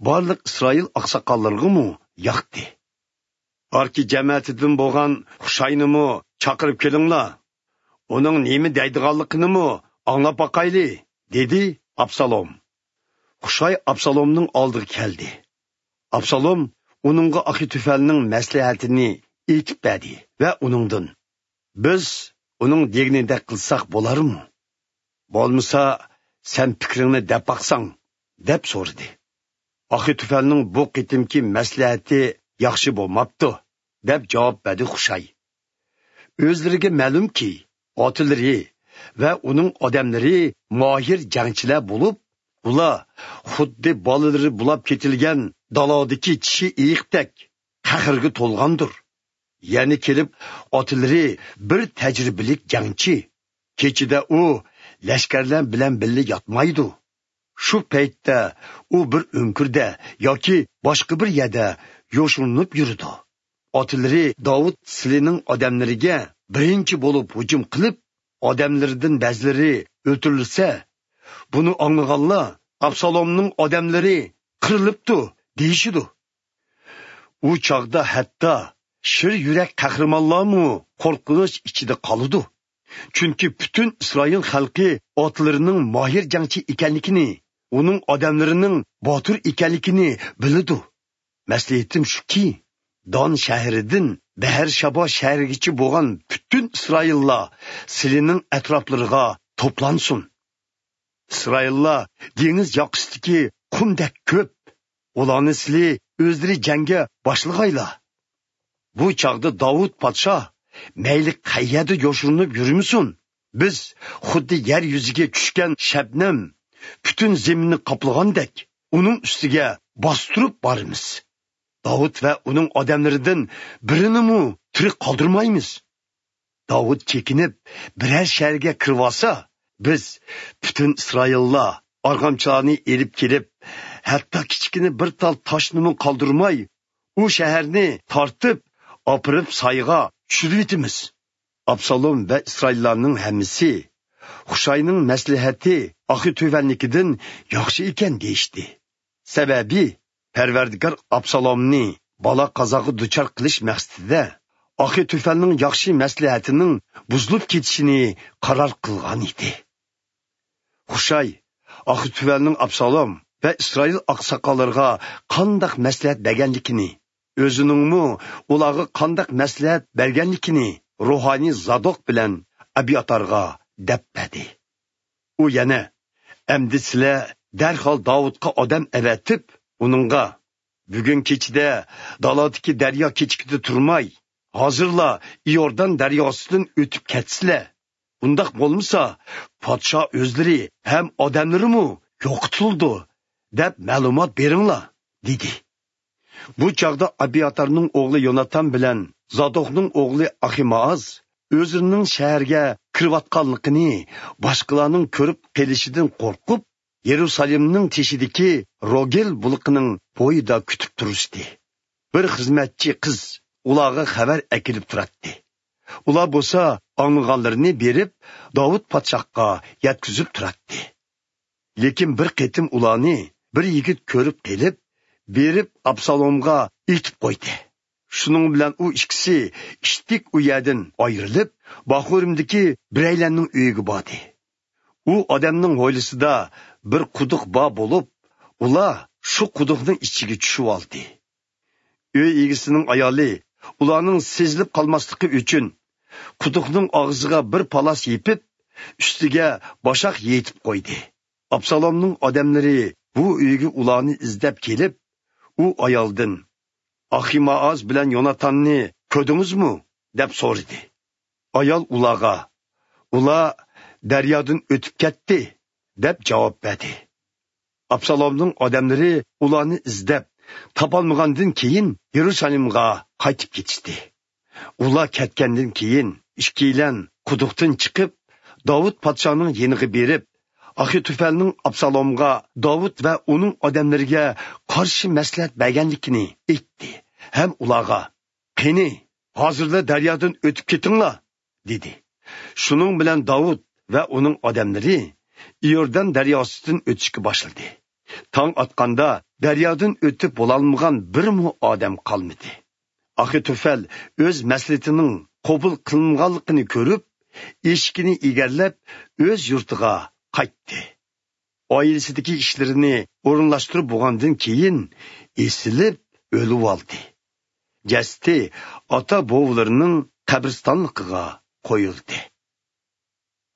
بارلىق ئىسرائىل ئاقساقاللىرىغىمۇ ياقتى. «ئاركا جەمەتىدىن بولغان خۇشاينىمۇ چاقىرىپ كېلىڭلار، ئۇنىڭ نېمە دەيدىغانلىقىنىمۇ ئاڭلاپ باقايلى» دېدى ئابسالوم. خۇشاي ئابسالومنىڭ ئالدىغا كەلدى. ئابسالوم ئۇنىڭغا ئاخىتوفەلنىڭ مەسلىھەتىنى ئېيتىپ بەردى ۋە ئۇنىڭدىن: «بىز ئۇنىڭ دېگىنىدەك قىلساق بولارمۇ؟ بولمىسا، سەن پىكرىڭنى دەپ باقساڭ» دەپ سورىدى. «ئاخىتوفەلنىڭ بۇ قېتىمقى مەسلىھەتى ياخشى بولماپتۇ» دەپ جاۋاب بەردى خۇشاي. ئۆزلىرىگە مەلۇمكى، ئاتىلىرى ۋە ئۇنىڭ ئادەملىرى ماھىر جەڭچىلەر بولۇپ، ئۇلار خۇددى بالىلىرى بۇلاپ كېتىلگەن دالادىكى چىشى ئېيىقتەك قەھرىگە تولغاندۇر. يەنە كېلىپ ئاتىلىرى بىر تەجرىبىلىك جەڭچى. كېچىدە ئۇ لەشكەرلەر بىلەن بىللە ياتمايدۇ. شۇ پەيتتە ئۇ بىر ئۆڭكۈردە ياكى باشقا بىر يەردە يوشۇرۇنۇپ يۈرىدۇ. ئاتىلىرى داۋۇت سىلىنىڭ ئادەملىرىگە بىرىنچى بولۇپ ھۇجۇم قىلىپ، ئادەملىرىدىن بەزىلىرى ئۆلتۈرۈلسە، بۇنى ئاڭلىغانلار: «ئابسالومنىڭ ئادەملىرى قىرىلىپتۇ» دېيىشىدۇ. ئۇ چاغدا ھەتتا شىر يۈرەك قەھرىمانلارمۇ قورقۇنچ ئىچىدە قالىدۇ. چۈنكى پۈتۈن ئىسرائىل خەلقى ئاتىلىرىنىڭ ماھىر جەڭچى ئىكەنلىكىنى، ئۇنىڭ ئادەملىرىنىڭ باتۇر ئىكەنلىكىنى بىلىدۇ. مەسلىھىتىم شۇكى، دان شەھىرىدىن بەھەرشابا شەھىرىگىچە بولغان پۈتۈن ئىسرائىللار سىلىنىڭ ئەتراپلىرىغا توپلانسۇن. ئىسرائىللار دېڭىز ياقىسىدىكى قۇمدەك كۆپ. ئۇلارنى سىلى ئۆزلىرى جەڭگە باشلىغايلا. بۇ چاغدا داۋۇت پادىشاھ مەيلى قەيەردە يوشۇرۇنۇپ يۈرمىسۇن، بىز خۇددى يەر يۈزىگە چۈشكەن شەبنەم پۈتۈن زېمىننى قاپلىغاندەك، ئۇنىڭ ئۈستىگە باستۇرۇپ بارىمىز. داۋۇت ۋە ئۇنىڭ ئادەملىرىدىن بىرىنىمۇ تىرىك قالدۇرمايمىز. داۋۇت چېكىنىپ، بىرەر شەھەرگە كىرىۋالسا، بىز پۈتۈن ئىسرائىللار ئارغامچىلارنى ئېلىپ كېلىپ، ھەتتا كىچىككىنە بىر تال تاشنىمۇ قالدۇرماي، ئۇ شەھەرنى تارتىپ ئاپىرىپ سايىغا چۈشۈرۈۋېتىمىز. ئابسالوم ۋە ئىسرائىللارنىڭ ھەممىسى خۇشاينىڭ مەسلىھەتى ئاخىتوفەلنىڭكىدىن ياخشى ئىكەن دېيىشتى. سەۋەبى، پەرۋەردىگار ئابسالومنى بالا-قازاغا دۇچار قىلىش مەقسىتىدە ئاخىتوفەلنىڭ ياخشى مەسلىھەتىنىڭ بۇزۇلۇپ كېتىشىنى قارار قىلغان ئىدى. خۇشاي ئاخىتوفەلنىڭ ئابسالوم ۋە ئىسرائىل ئاقساقاللىرىغا قانداق مەسلىھەت بەرگەنلىكىنى، ئۆزىنىڭمۇ ئۇلارغا قانداق مەسلىھەت بەرگەنلىكىنى روھانىي زادوق بىلەن ئەبياتارغا دەپ بەردى. ئۇ يەنە: «ئەمدى سىلەر دەرھال داۋۇتقا ئادەم ئەۋەتىپ، ئۇنىڭغا: بۈگۈن كېچىدە دالادىكى دەريا كېچىكىدە تۇرماي، ھازىرلا ئىيوردان دەرياسىدىن ئۆتۈپ كەتسىلە. ئۇنداق بولمىسا، پادىشاھ ئۆزلىرى ھەم ئادەملىرىمۇ يوقىتىلىدۇ، دەپ مەلۇمات بېرىڭلار» دېدى. بۇ چاغدا ئابياتارنىڭ ئوغلى يوناتان بىلەن زادوقنىڭ ئوغلى ئاخىمائاز ئۆزلىرىنىڭ شەھەرگە كىرىۋاتقانلىقىنى باشقىلارنىڭ كۆرۈپ قېلىشىدىن قورقۇپ، يېرۇسالېمنىڭ تېشىدىكى روگېل بۇلىقىنىڭ بويىدا كۈتۈپ تۇرۇشتى. بىر خىزمەتچى قىز ئۇلارغا خەۋەر ئەكېلىپ تۇراتتى. ئۇلار بولسا ئاڭلىغانلىرىنى بېرىپ، داۋۇت پادىشاھقا يەتكۈزۈپ تۇراتتى. لېكىن بىر قېتىم ئۇلارنى بىر يىگىت كۆرۈپ قېلىپ، بېرىپ ئابسالومغا ئېيتىپ قويدى. شۇنىڭ بىلەن ئۇ ئىككىسى ئىتتىك ئۇ يەردىن ئايرىلىپ، باخۇرىمدىكى بىرەيلەننىڭ ئۆيىگە باردى. ئۇ ئادەمنىڭ ھويلىسىدا بىر قۇدۇق بار بولۇپ، ئۇلار شۇ قۇدۇقنىڭ ئىچىگە چۈشۈۋالدى. ئۆي ئىگىسىنىڭ ئايالى ئۇلارنىڭ سېزىلىپ قالماسلىقى ئۈچۈن قۇدۇقنىڭ ئاغزىغا بىر پالاس يېپىپ، ئۈستىگە باشاق يېيىتىپ قويدى. ئابسالومنىڭ ئادەملىرى بۇ ئۆيگە ئۇلارنى ئىزدەپ كېلىپ، ئۇ ئايالدىن، «ئاخىمائاز بىلەن يوناتاننى كۆردىڭىزمۇ؟» دەپ سورىدى. ئايال ئۇلارغا، «ئۇلار دەريادىن ئۆتۈپ كەتتى» دەپ جاۋاب بەردى. ئابسالومنىڭ ئادەملىرى ئۇلارنى ئىزدەپ تاپالمىغاندىن كېيىن، يېرۇسالېمغا قايتىپ كېتىشتى. ئۇلار كەتكەندىن كېيىن، ئىككىيلەن قۇدۇقتىن چىقىپ، داۋۇت پادىشاھنىڭ يېنىغا بېرىپ، ئاخىتوفەلنىڭ ئابسالومغا داۋۇت ۋە ئۇنىڭ ئادەملىرىگە قارشى مەسلىھەت بەرگەنلىكىنى ئېيتتى ھەم ئۇلارغا، «قېنى، ھازىرلا دەريادىن ئۆتۈپ كېتىڭلار» دېدى. شۇنىڭ بىلەن داۋۇت ۋە ئۇنىڭ ئادەملىرى ئىيوردان دەرياسىدىن ئۆتۈشكە باشلىدى. تاڭ ئاتقاندا دەريادىن ئۆتۈپ بولالمىغان بىرمۇ ئادەم قالمىدى. ئاخىتوفەل ئۆز مەسلىھىتىنىڭ قوبۇل قىلىنغانلىقىنى كۆرۈپ، ئېشىكىنى ئېگەرلەپ، ئۆز يۇرتىغا قايتتى. ئائىلىسىدىكى ئىشلىرىنى ئورۇنلاشتۇرۇپ بولغاندىن كېيىن، ئېسىلىپ ئۆلۈۋالدى. جەسىتى ئاتا-بوۋىلىرىنىڭ قەبرىستانلىقىغا قويۇلدى.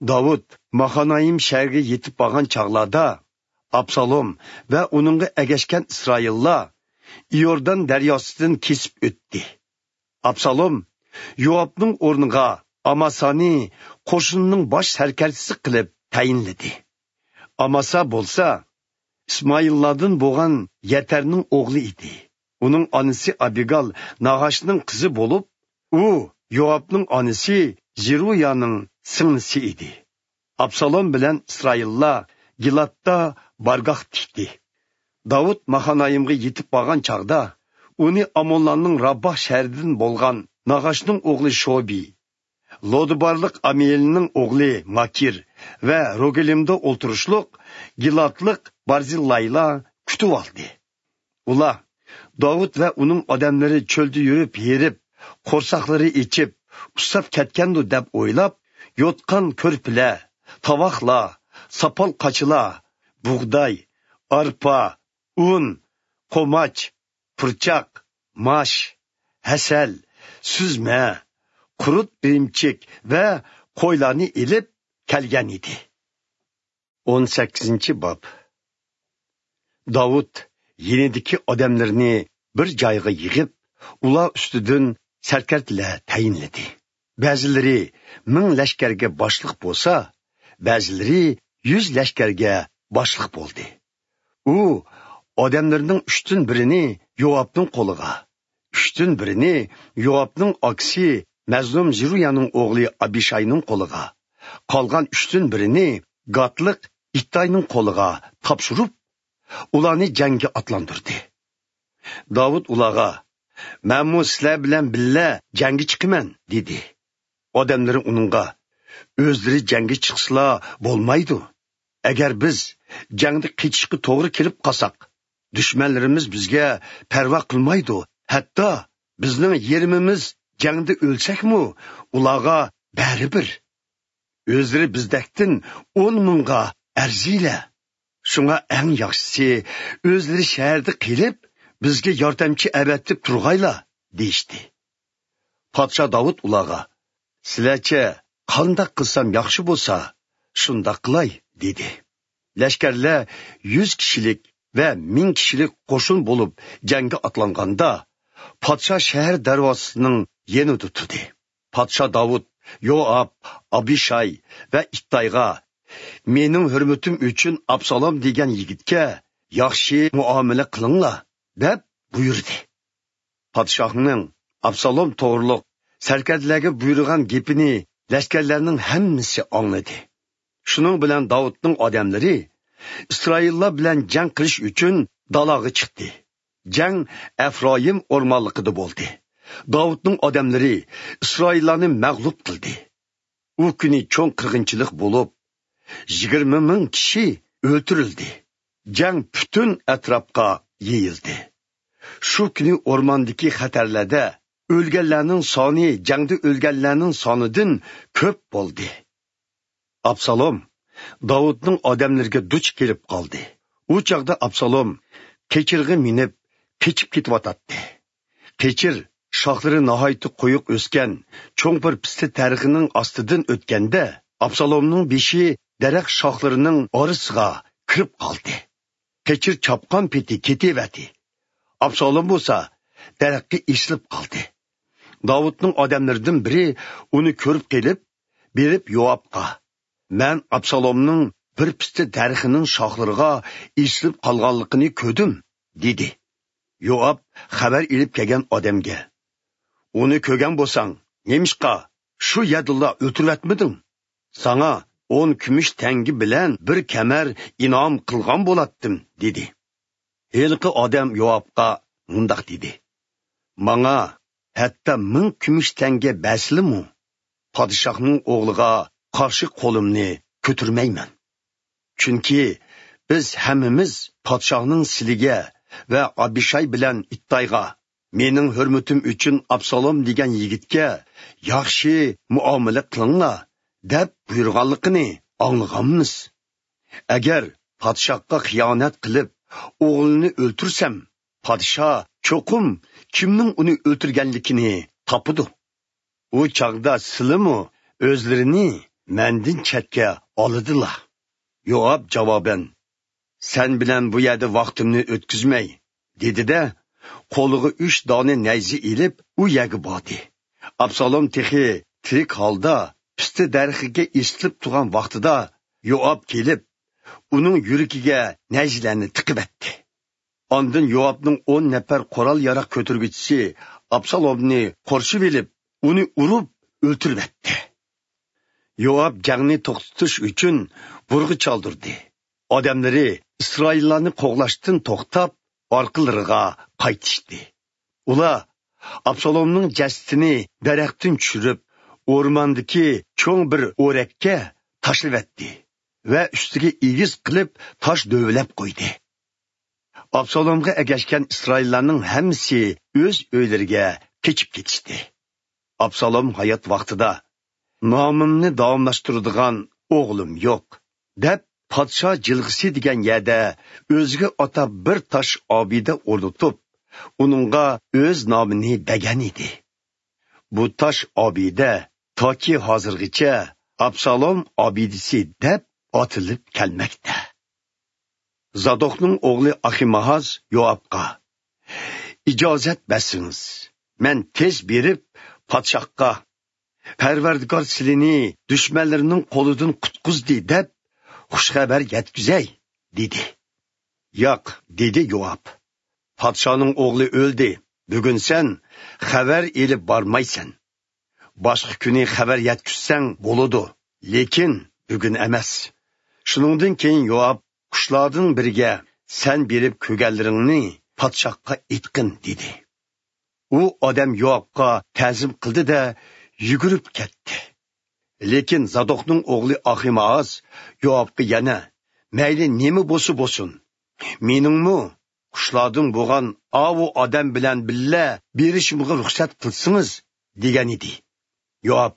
داۋۇت ماخانايىم شەھىرىگە يېتىپ بارغان چاغلاردا، ئابسالوم ۋە ئۇنىڭغا ئەگەشكەن ئىسرائىللار ئىيوردان دەرياسىدىن كېسىپ ئۆتتى. ئابسالوم يوئابنىڭ ئورنىغا ئاماسانى قوشۇننىڭ باش سەركەردىسى قىلىپ تەيىنلىدى. ئاماسا بولسا ئىسمائىللاردىن بولغان يەتەرنىڭ ئوغلى ئىدى. ئۇنىڭ ئانىسى ئابىگال ناھاشنىڭ قىزى بولۇپ، ئۇ يوئابنىڭ ئانىسى زېرۇيانىڭ سىڭلىسى ئىدى. ئابسالوم بىلەن ئىسرائىللار گىلادتا بارگاھ تىكتى. داۋۇت ماخانايىمغا يېتىپ بارغان چاغدا، ئۇنى ئامونلارنىڭ رابباھ شەھىرىدىن بولغان ناھاشنىڭ ئوغلى شوبى، لودىبارلىق ئامىئېلنىڭ ئوغلى ماكىر ۋە روگېلىمدا ئولتۇرۇشلۇق گىلادلىق بارزىللايلار كۈتۈۋالدى. ئۇلار داۋۇت ۋە ئۇنىڭ ئادەملىرى چۆلدە يۈرۈپ ھېرىپ، قورساقلىرى ئېچىپ، ئۇسساپ كەتكەندۇ دەپ ئويلاپ، يوتقان كۆرپىلەر، تاۋاقلار، ساپال قاچىلار، بۇغداي، ئارپا، ئۇن، قوماچ، پۇرچاق، ماش، ھەسەل، سۈزمە، قۇرۇت ئىرىمچىك ۋە قويلارنى ئېلىپ كەلگەن ئىدى. ئون سەككىزىنچى باب. داۋۇت يېنىدىكى ئادەملىرىنى بىر جايغا يىغىپ، ئۇلار ئۈستىدىن سەركەردىلەر تەيىنلىدى. بەزىلىرى مىڭ لەشكەرگە باشلىق بولسا، بەزىلىرى يۈز لەشكەرگە باشلىق بولدى. ئۇ ئادەملىرىنىڭ ئۈچتىن بىرىنى يوئابنىڭ قولىغا، ئۈچتىن بىرىنى يوئابنىڭ ئاكىسى مەزلۇم زېرۇيانىڭ ئوغلى ئابىشاينىڭ قولىغا، قالغان ئۈچتىن بىرىنى گاتلىق ئىتتاينىڭ قولىغا تاپشۇرۇپ، ئۇلارنى جەڭگە ئاتلاندۇردى. داۋۇت ئۇلارغا، «مەنمۇ سىلەر بىلەن بىللە جەڭگە چىقىمەن» دېدى. ئادەملىرى ئۇنىڭغا، «ئۆزلىرى جەڭگە چىقسىلا بولمايدۇ. ئەگەر بىز جەڭدە قېچىشقا توغرا كېلىپ قالساق، دۈشمەنلىرىمىز بىزگە پەرۋا قىلمايدۇ. ھەتتا بىزنىڭ يېرىمىمىز جەڭدە ئۆلسەكمۇ، ئۇلارغا بەرىبىر. ئۆزلىرى بىزدەكتىن ئون مىڭغا ئەرزىيلەر. شۇڭا ئەڭ ياخشىسى، ئۆزلىرى شەھەردە قېلىپ، بىزگە ياردەمچى ئەۋەتىپ تۇرغايلا» دېيىشتى. پادىشاھ داۋۇت ئۇلارغا، «سىلەرچە قانداق قىلسام ياخشى بولسا، شۇنداق قىلاي» دېدى. لەشكەرلەر يۈز كىشىلىك ۋە مىڭ كىشىلىك قوشۇن بولۇپ جەڭگە ئاتلانغاندا، پادىشاھ شەھەر دەرۋازىسىنىڭ يېنىدا تۇردى. پادىشاھ داۋۇت يوئاب، ئابىشاي ۋە ئىتتايغا، «مېنىڭ ھۆرمىتىم ئۈچۈن ئابسالوم دېگەن يىگىتكە ياخشى مۇئامىلە قىلىڭلار» دەپ بۇيرۇدى. پادىشاھنىڭ ئابسالوم توغرۇلۇق سەركەردىلەرگە بۇيرۇغان گېپىنى لەشكەرلەرنىڭ ھەممىسى ئاڭلىدى. شۇنىڭ بىلەن داۋۇتنىڭ ئادەملىرى ئىسرائىللار بىلەن جەڭ قىلىش ئۈچۈن دالاغا چىقتى. جەڭ ئەفرايىم ئورمانلىقىدا بولدى. داۋۇتنىڭ ئادەملىرى ئىسرائىللارنى مەغلۇپ قىلدى. ئۇ كۈنى چوڭ قىرغىنچىلىق بولۇپ، يىگىرمە مىڭ كىشى ئۆلتۈرۈلدى. جەڭ پۈتۈن ئەتراپقا يېيىلدى. شۇ كۈنى ئورماندىكى خەتەرلەردە ئۆلگەنلەرنىڭ سانى جەڭدە ئۆلگەنلەرنىڭ سانىدىن كۆپ بولدى. ئابسالوم داۋۇتنىڭ ئادەملىرىگە دۇچ كېلىپ قالدى. ئۇ چاغدا ئابسالوم قېچىرغا مىنىپ، قېچىپ كېتىۋاتاتتى. قېچىر شاخلىرى ناھايىتى قويۇق ئۆسكەن چوڭ بىر پىستە دەرىخىنىڭ ئاستىدىن ئۆتكەندە، ئابسالومنىڭ بېشى دەرەخ شاخلىرىنىڭ ئارىسىغا كىرىپ قالدى. قېچىر چاپقان پېتى كېتىۋەتتى. ئابسالوم بولسا دەرەخكە ئېسىلىپ قالدى. داۋۇتنىڭ ئادەملىرىدىن بىرى ئۇنى كۆرۈپ قېلىپ، بېرىپ يوئابقا، «مەن ئابسالومنىڭ بىر پىستە دەرىخىنىڭ شاخلىرىغا ئېسىلىپ قالغانلىقىنى كۆردۈم» دېدى. يوئاب خەۋەر ئېلىپ كەلگەن ئادەمگە، «ئۇنى كۆرگەن بولساڭ، نېمىشقا شۇ يەردىلا ئۆلتۈرۈۋەتمىدىڭ؟ ساڭا ئون كۈمۈش تەڭگە بىلەن بىر كەمەر ئىنئام قىلغان بولاتتىم» دېدى. ھېلىقى ئادەم يوئابقا مۇنداق دېدى، «ماڭا ھەتتا مىڭ كۈمۈش تەڭگە بەرسىلىمۇ، پادىشاھنىڭ ئوغلىغا قارشى قولۇمنى كۆتۈرمەيمەن. چۈنكى بىز ھەممىمىز پادىشاھنىڭ سىلىگە ۋە ئابىشاي بىلەن ئىتتايغا، مېنىڭ ھۆرمىتىم ئۈچۈن ئابسالوم دېگەن يىگىتكە ياخشى مۇئامىلە قىلىڭلار دەپ بۇيرۇغانلىقىنى ئاڭلىغانمىز. ئەگەر پادىشاھقا خىيانەت قىلىپ، ئوغلىنى ئۆلتۈرسەم، پادىشاھ چوقۇم كىمنىڭ ئۇنى ئۆلتۈرگەنلىكىنى تاپىدۇ. ئۇ چاغدا سىلىمۇ ئۆزلىرىنى مەندىن چەتكە ئالىدىلا.» يوئاب جاۋابەن، «سەن بىلەن بۇ يەردە ۋاقتىمنى ئۆتكۈزمەي» دېدى-دە، قولىغا ئۈچ دانە نەيزە ئېلىپ، ئۇ يەرگە باردى. ئابسالوم تېخى تىرىك ھالدا پىستە دەرىخىگە ئېسىلىپ تۇرغان ۋاقتىدا، يوئاب كېلىپ، ئۇنىڭ يۈرىكىگە نەيزىلەرنى تىقىۋەتتى. ئاندىن يوئابنىڭ ئون نەپەر قورال-ياراغ كۆتۈرگۈچىسى ئابسالومنى قورشىۋېلىپ، ئۇنى ئۇرۇپ ئۆلتۈرۈۋەتتى. يوئاب جەڭنى توختىتىش ئۈچۈن بۇرغا چالدۇردى. ئادەملىرى ئىسرائىللارنى قوغلاشتىن توختاپ، ئارقىلىرىغا قايتىشتى. ئۇلار ئابسالومنىڭ جەسىتىنى دەرەختىن چۈشۈرۈپ، ئورماندىكى چوڭ بىر ئورەككە تاشلىۋەتتى ۋە ئۈستىگە ئېگىز قىلىپ تاش دۆۋىلەپ قويدى. ئابسالومغا ئەگەشكەن ئىسرائىللارنىڭ ھەممىسى ئۆز ئۆيلىرىگە قېچىپ كېتىشتى. ئابسالوم ھايات ۋاقتىدا، «نامىمنى داۋاملاشتۇرىدىغان ئوغلۇم يوق» دەپ، پادىشاھ جىلغىسى دېگەن يەردە ئۆزىگە ئاتاپ بىر تاش ئابىدە ئورنىتىپ، ئۇنىڭغا ئۆز نامىنى بەرگەن ئىدى. بۇ تاش ئابىدە تاكى ھازىرغىچە ئابسالوم ئابىدىسى دەپ ئاتىلىپ كەلمەكتە. زادوقنىڭ ئوغلى ئاخىمائاز يوئابقا، «ئىجازەت بەرسىڭىز، مەن تېز بېرىپ پادىشاھقا، پەرۋەردىگار سىلىنى دۈشمەنلىرىنىڭ قولىدىن قۇتقۇزدى دەپ خۇش خەۋەر يەتكۈزەي» دېدى. «ياق» دېدى يوئاب، «پادىشاھنىڭ ئوغلى ئۆلدى، بۈگۈن سەن خەۋەر ئېلىپ بارمايسەن. باشقا كۈنى خەۋەر يەتكۈزسەڭ بولىدۇ، لېكىن بۈگۈن ئەمەس.» شۇنىڭدىن كېيىن يوئاب قۇشلاردىن بىرىگە، «سەن بېرىپ كۆرگەنلىرىڭنى پادىشاھقا ئېيتقىن» دېدى. ئۇ ئادەم يوئابقا تەزىم قىلدى-دە، يۈگۈرۈپ كەتتى. لېكىن زادوقنىڭ ئوغلى ئاخىمائاز يوئابقا يەنە، «مەيلى نېمە بولسا بولسۇن، مېنىڭمۇ قۇشلاردىن بولغان ئاۋۇ ئادەم بىلەن بىللە بېرىشىمغا رۇخسەت قىلسىڭىز» دېگەنىدى. يوئاب،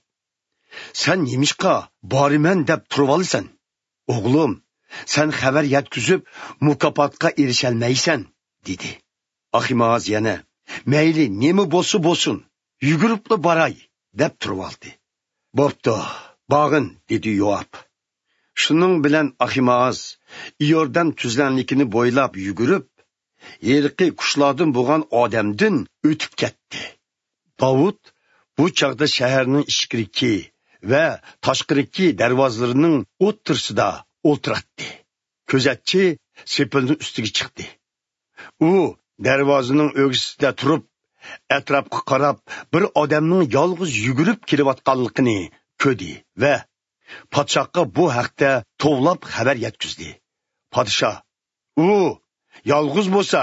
«سەن نېمىشقا بارىمەن دەپ تۇرۇۋالىسەن؟ ئوغلۇم، سەن خەۋەر يەتكۈزۈپ، مۇكاپاتقا ئېرىشەلمەيسەن» دېدى. ئاخىمائاز يەنە، «مەيلى نېمە بولسا بولسۇن، يۈگۈرۈپلا باراي» دەپ تۇرۇۋالدى. «بوپتۇ، بارغىن» دېدى يوئاب. شۇنىڭ بىلەن ئاخىمائاز ئىيوردان تۈزلەڭلىكىنى بويلاپ يۈگۈرۈپ، ھېلىقى قۇشلاردىن بولغان ئادەمدىن ئۆتۈپ كەتتى. داۋۇت بۇ چاغدا شەھەرنىڭ ئىچكىرىكى ۋە تاشقىرىكى دەرۋازىلىرىنىڭ ئوتتۇرىسىدا ئولتۇراتتى. كۆزەتچى سېپىلنىڭ ئۈستىگە چىقتى. ئۇ دەرۋازىنىڭ ئۆگزىسىدە تۇرۇپ، ئەتراپقا قاراپ، بىر ئادەمنىڭ يالغۇز يۈگۈرۈپ كېلىۋاتقانلىقىنى كۆردى ۋە پادىشاھقا بۇ ھەقتە توۋلاپ خەۋەر يەتكۈزدى. پادىشاھ، «ئۇ يالغۇز بولسا،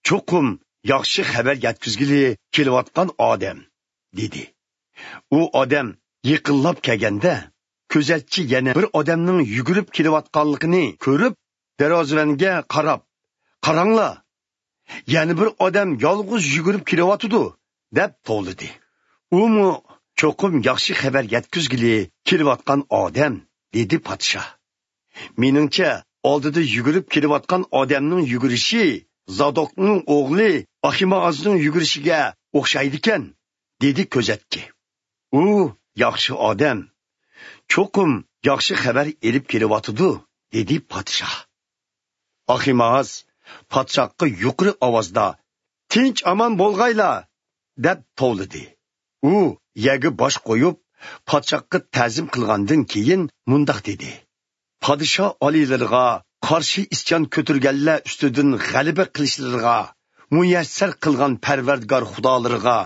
چوقۇم ياخشى خەۋەر يەتكۈزگىلى كېلىۋاتقان ئادەم» دېدى. ئۇ ئادەم يېقىنلاپ كەلگەندە، كۆزەتچى يەنە بىر ئادەمنىڭ يۈگۈرۈپ كېلىۋاتقانلىقىنى كۆرۈپ، دەرۋازىۋەنگە قاراپ، «قاراڭلار، يەنە بىر ئادەم يالغۇز يۈگۈرۈپ كېلىۋاتىدۇ» دەپ توۋلىدى. ئۇمۇ، «چوقۇم ياخشى خەۋەر يەتكۈزگىلى كېلىۋاتقان ئادەم» دېدى پادىشاھ. «مېنىڭچە، ئالدىدا يۈگۈرۈپ كېلىۋاتقان ئادەمنىڭ يۈگۈرۈشى زادوقنىڭ ئوغلى ئاخىمائازنىڭ يۈگۈرۈشىگە ئوخشايدىكەن، دېدى كۆزەتكى. ئۇ ياخشى ئادەم، چوقۇم ياخشى خەۋەر ئېلىپ كېلىۋاتىدۇ، دېدى پادىشاھ. ئاخىمائاز پادىشاھقا يۇقىرى ئاۋازدا، تىنچ ئامان بولغايلا، دەپ توۋلىدى. ئۇ يەرگە باش قويۇپ، پادىشاھقا تەزىم قىلغاندىن كېيىن مۇنداق دېدى: پادىشاھ ئالىيلىرىغا قارشى ئىسيان كۆتۈرگەنلەر ئۈستىدىن غەلىبە قىلىشلىرىغا مۇيەسسەر قىلغان پەرۋەردىگار خۇدالىرىغا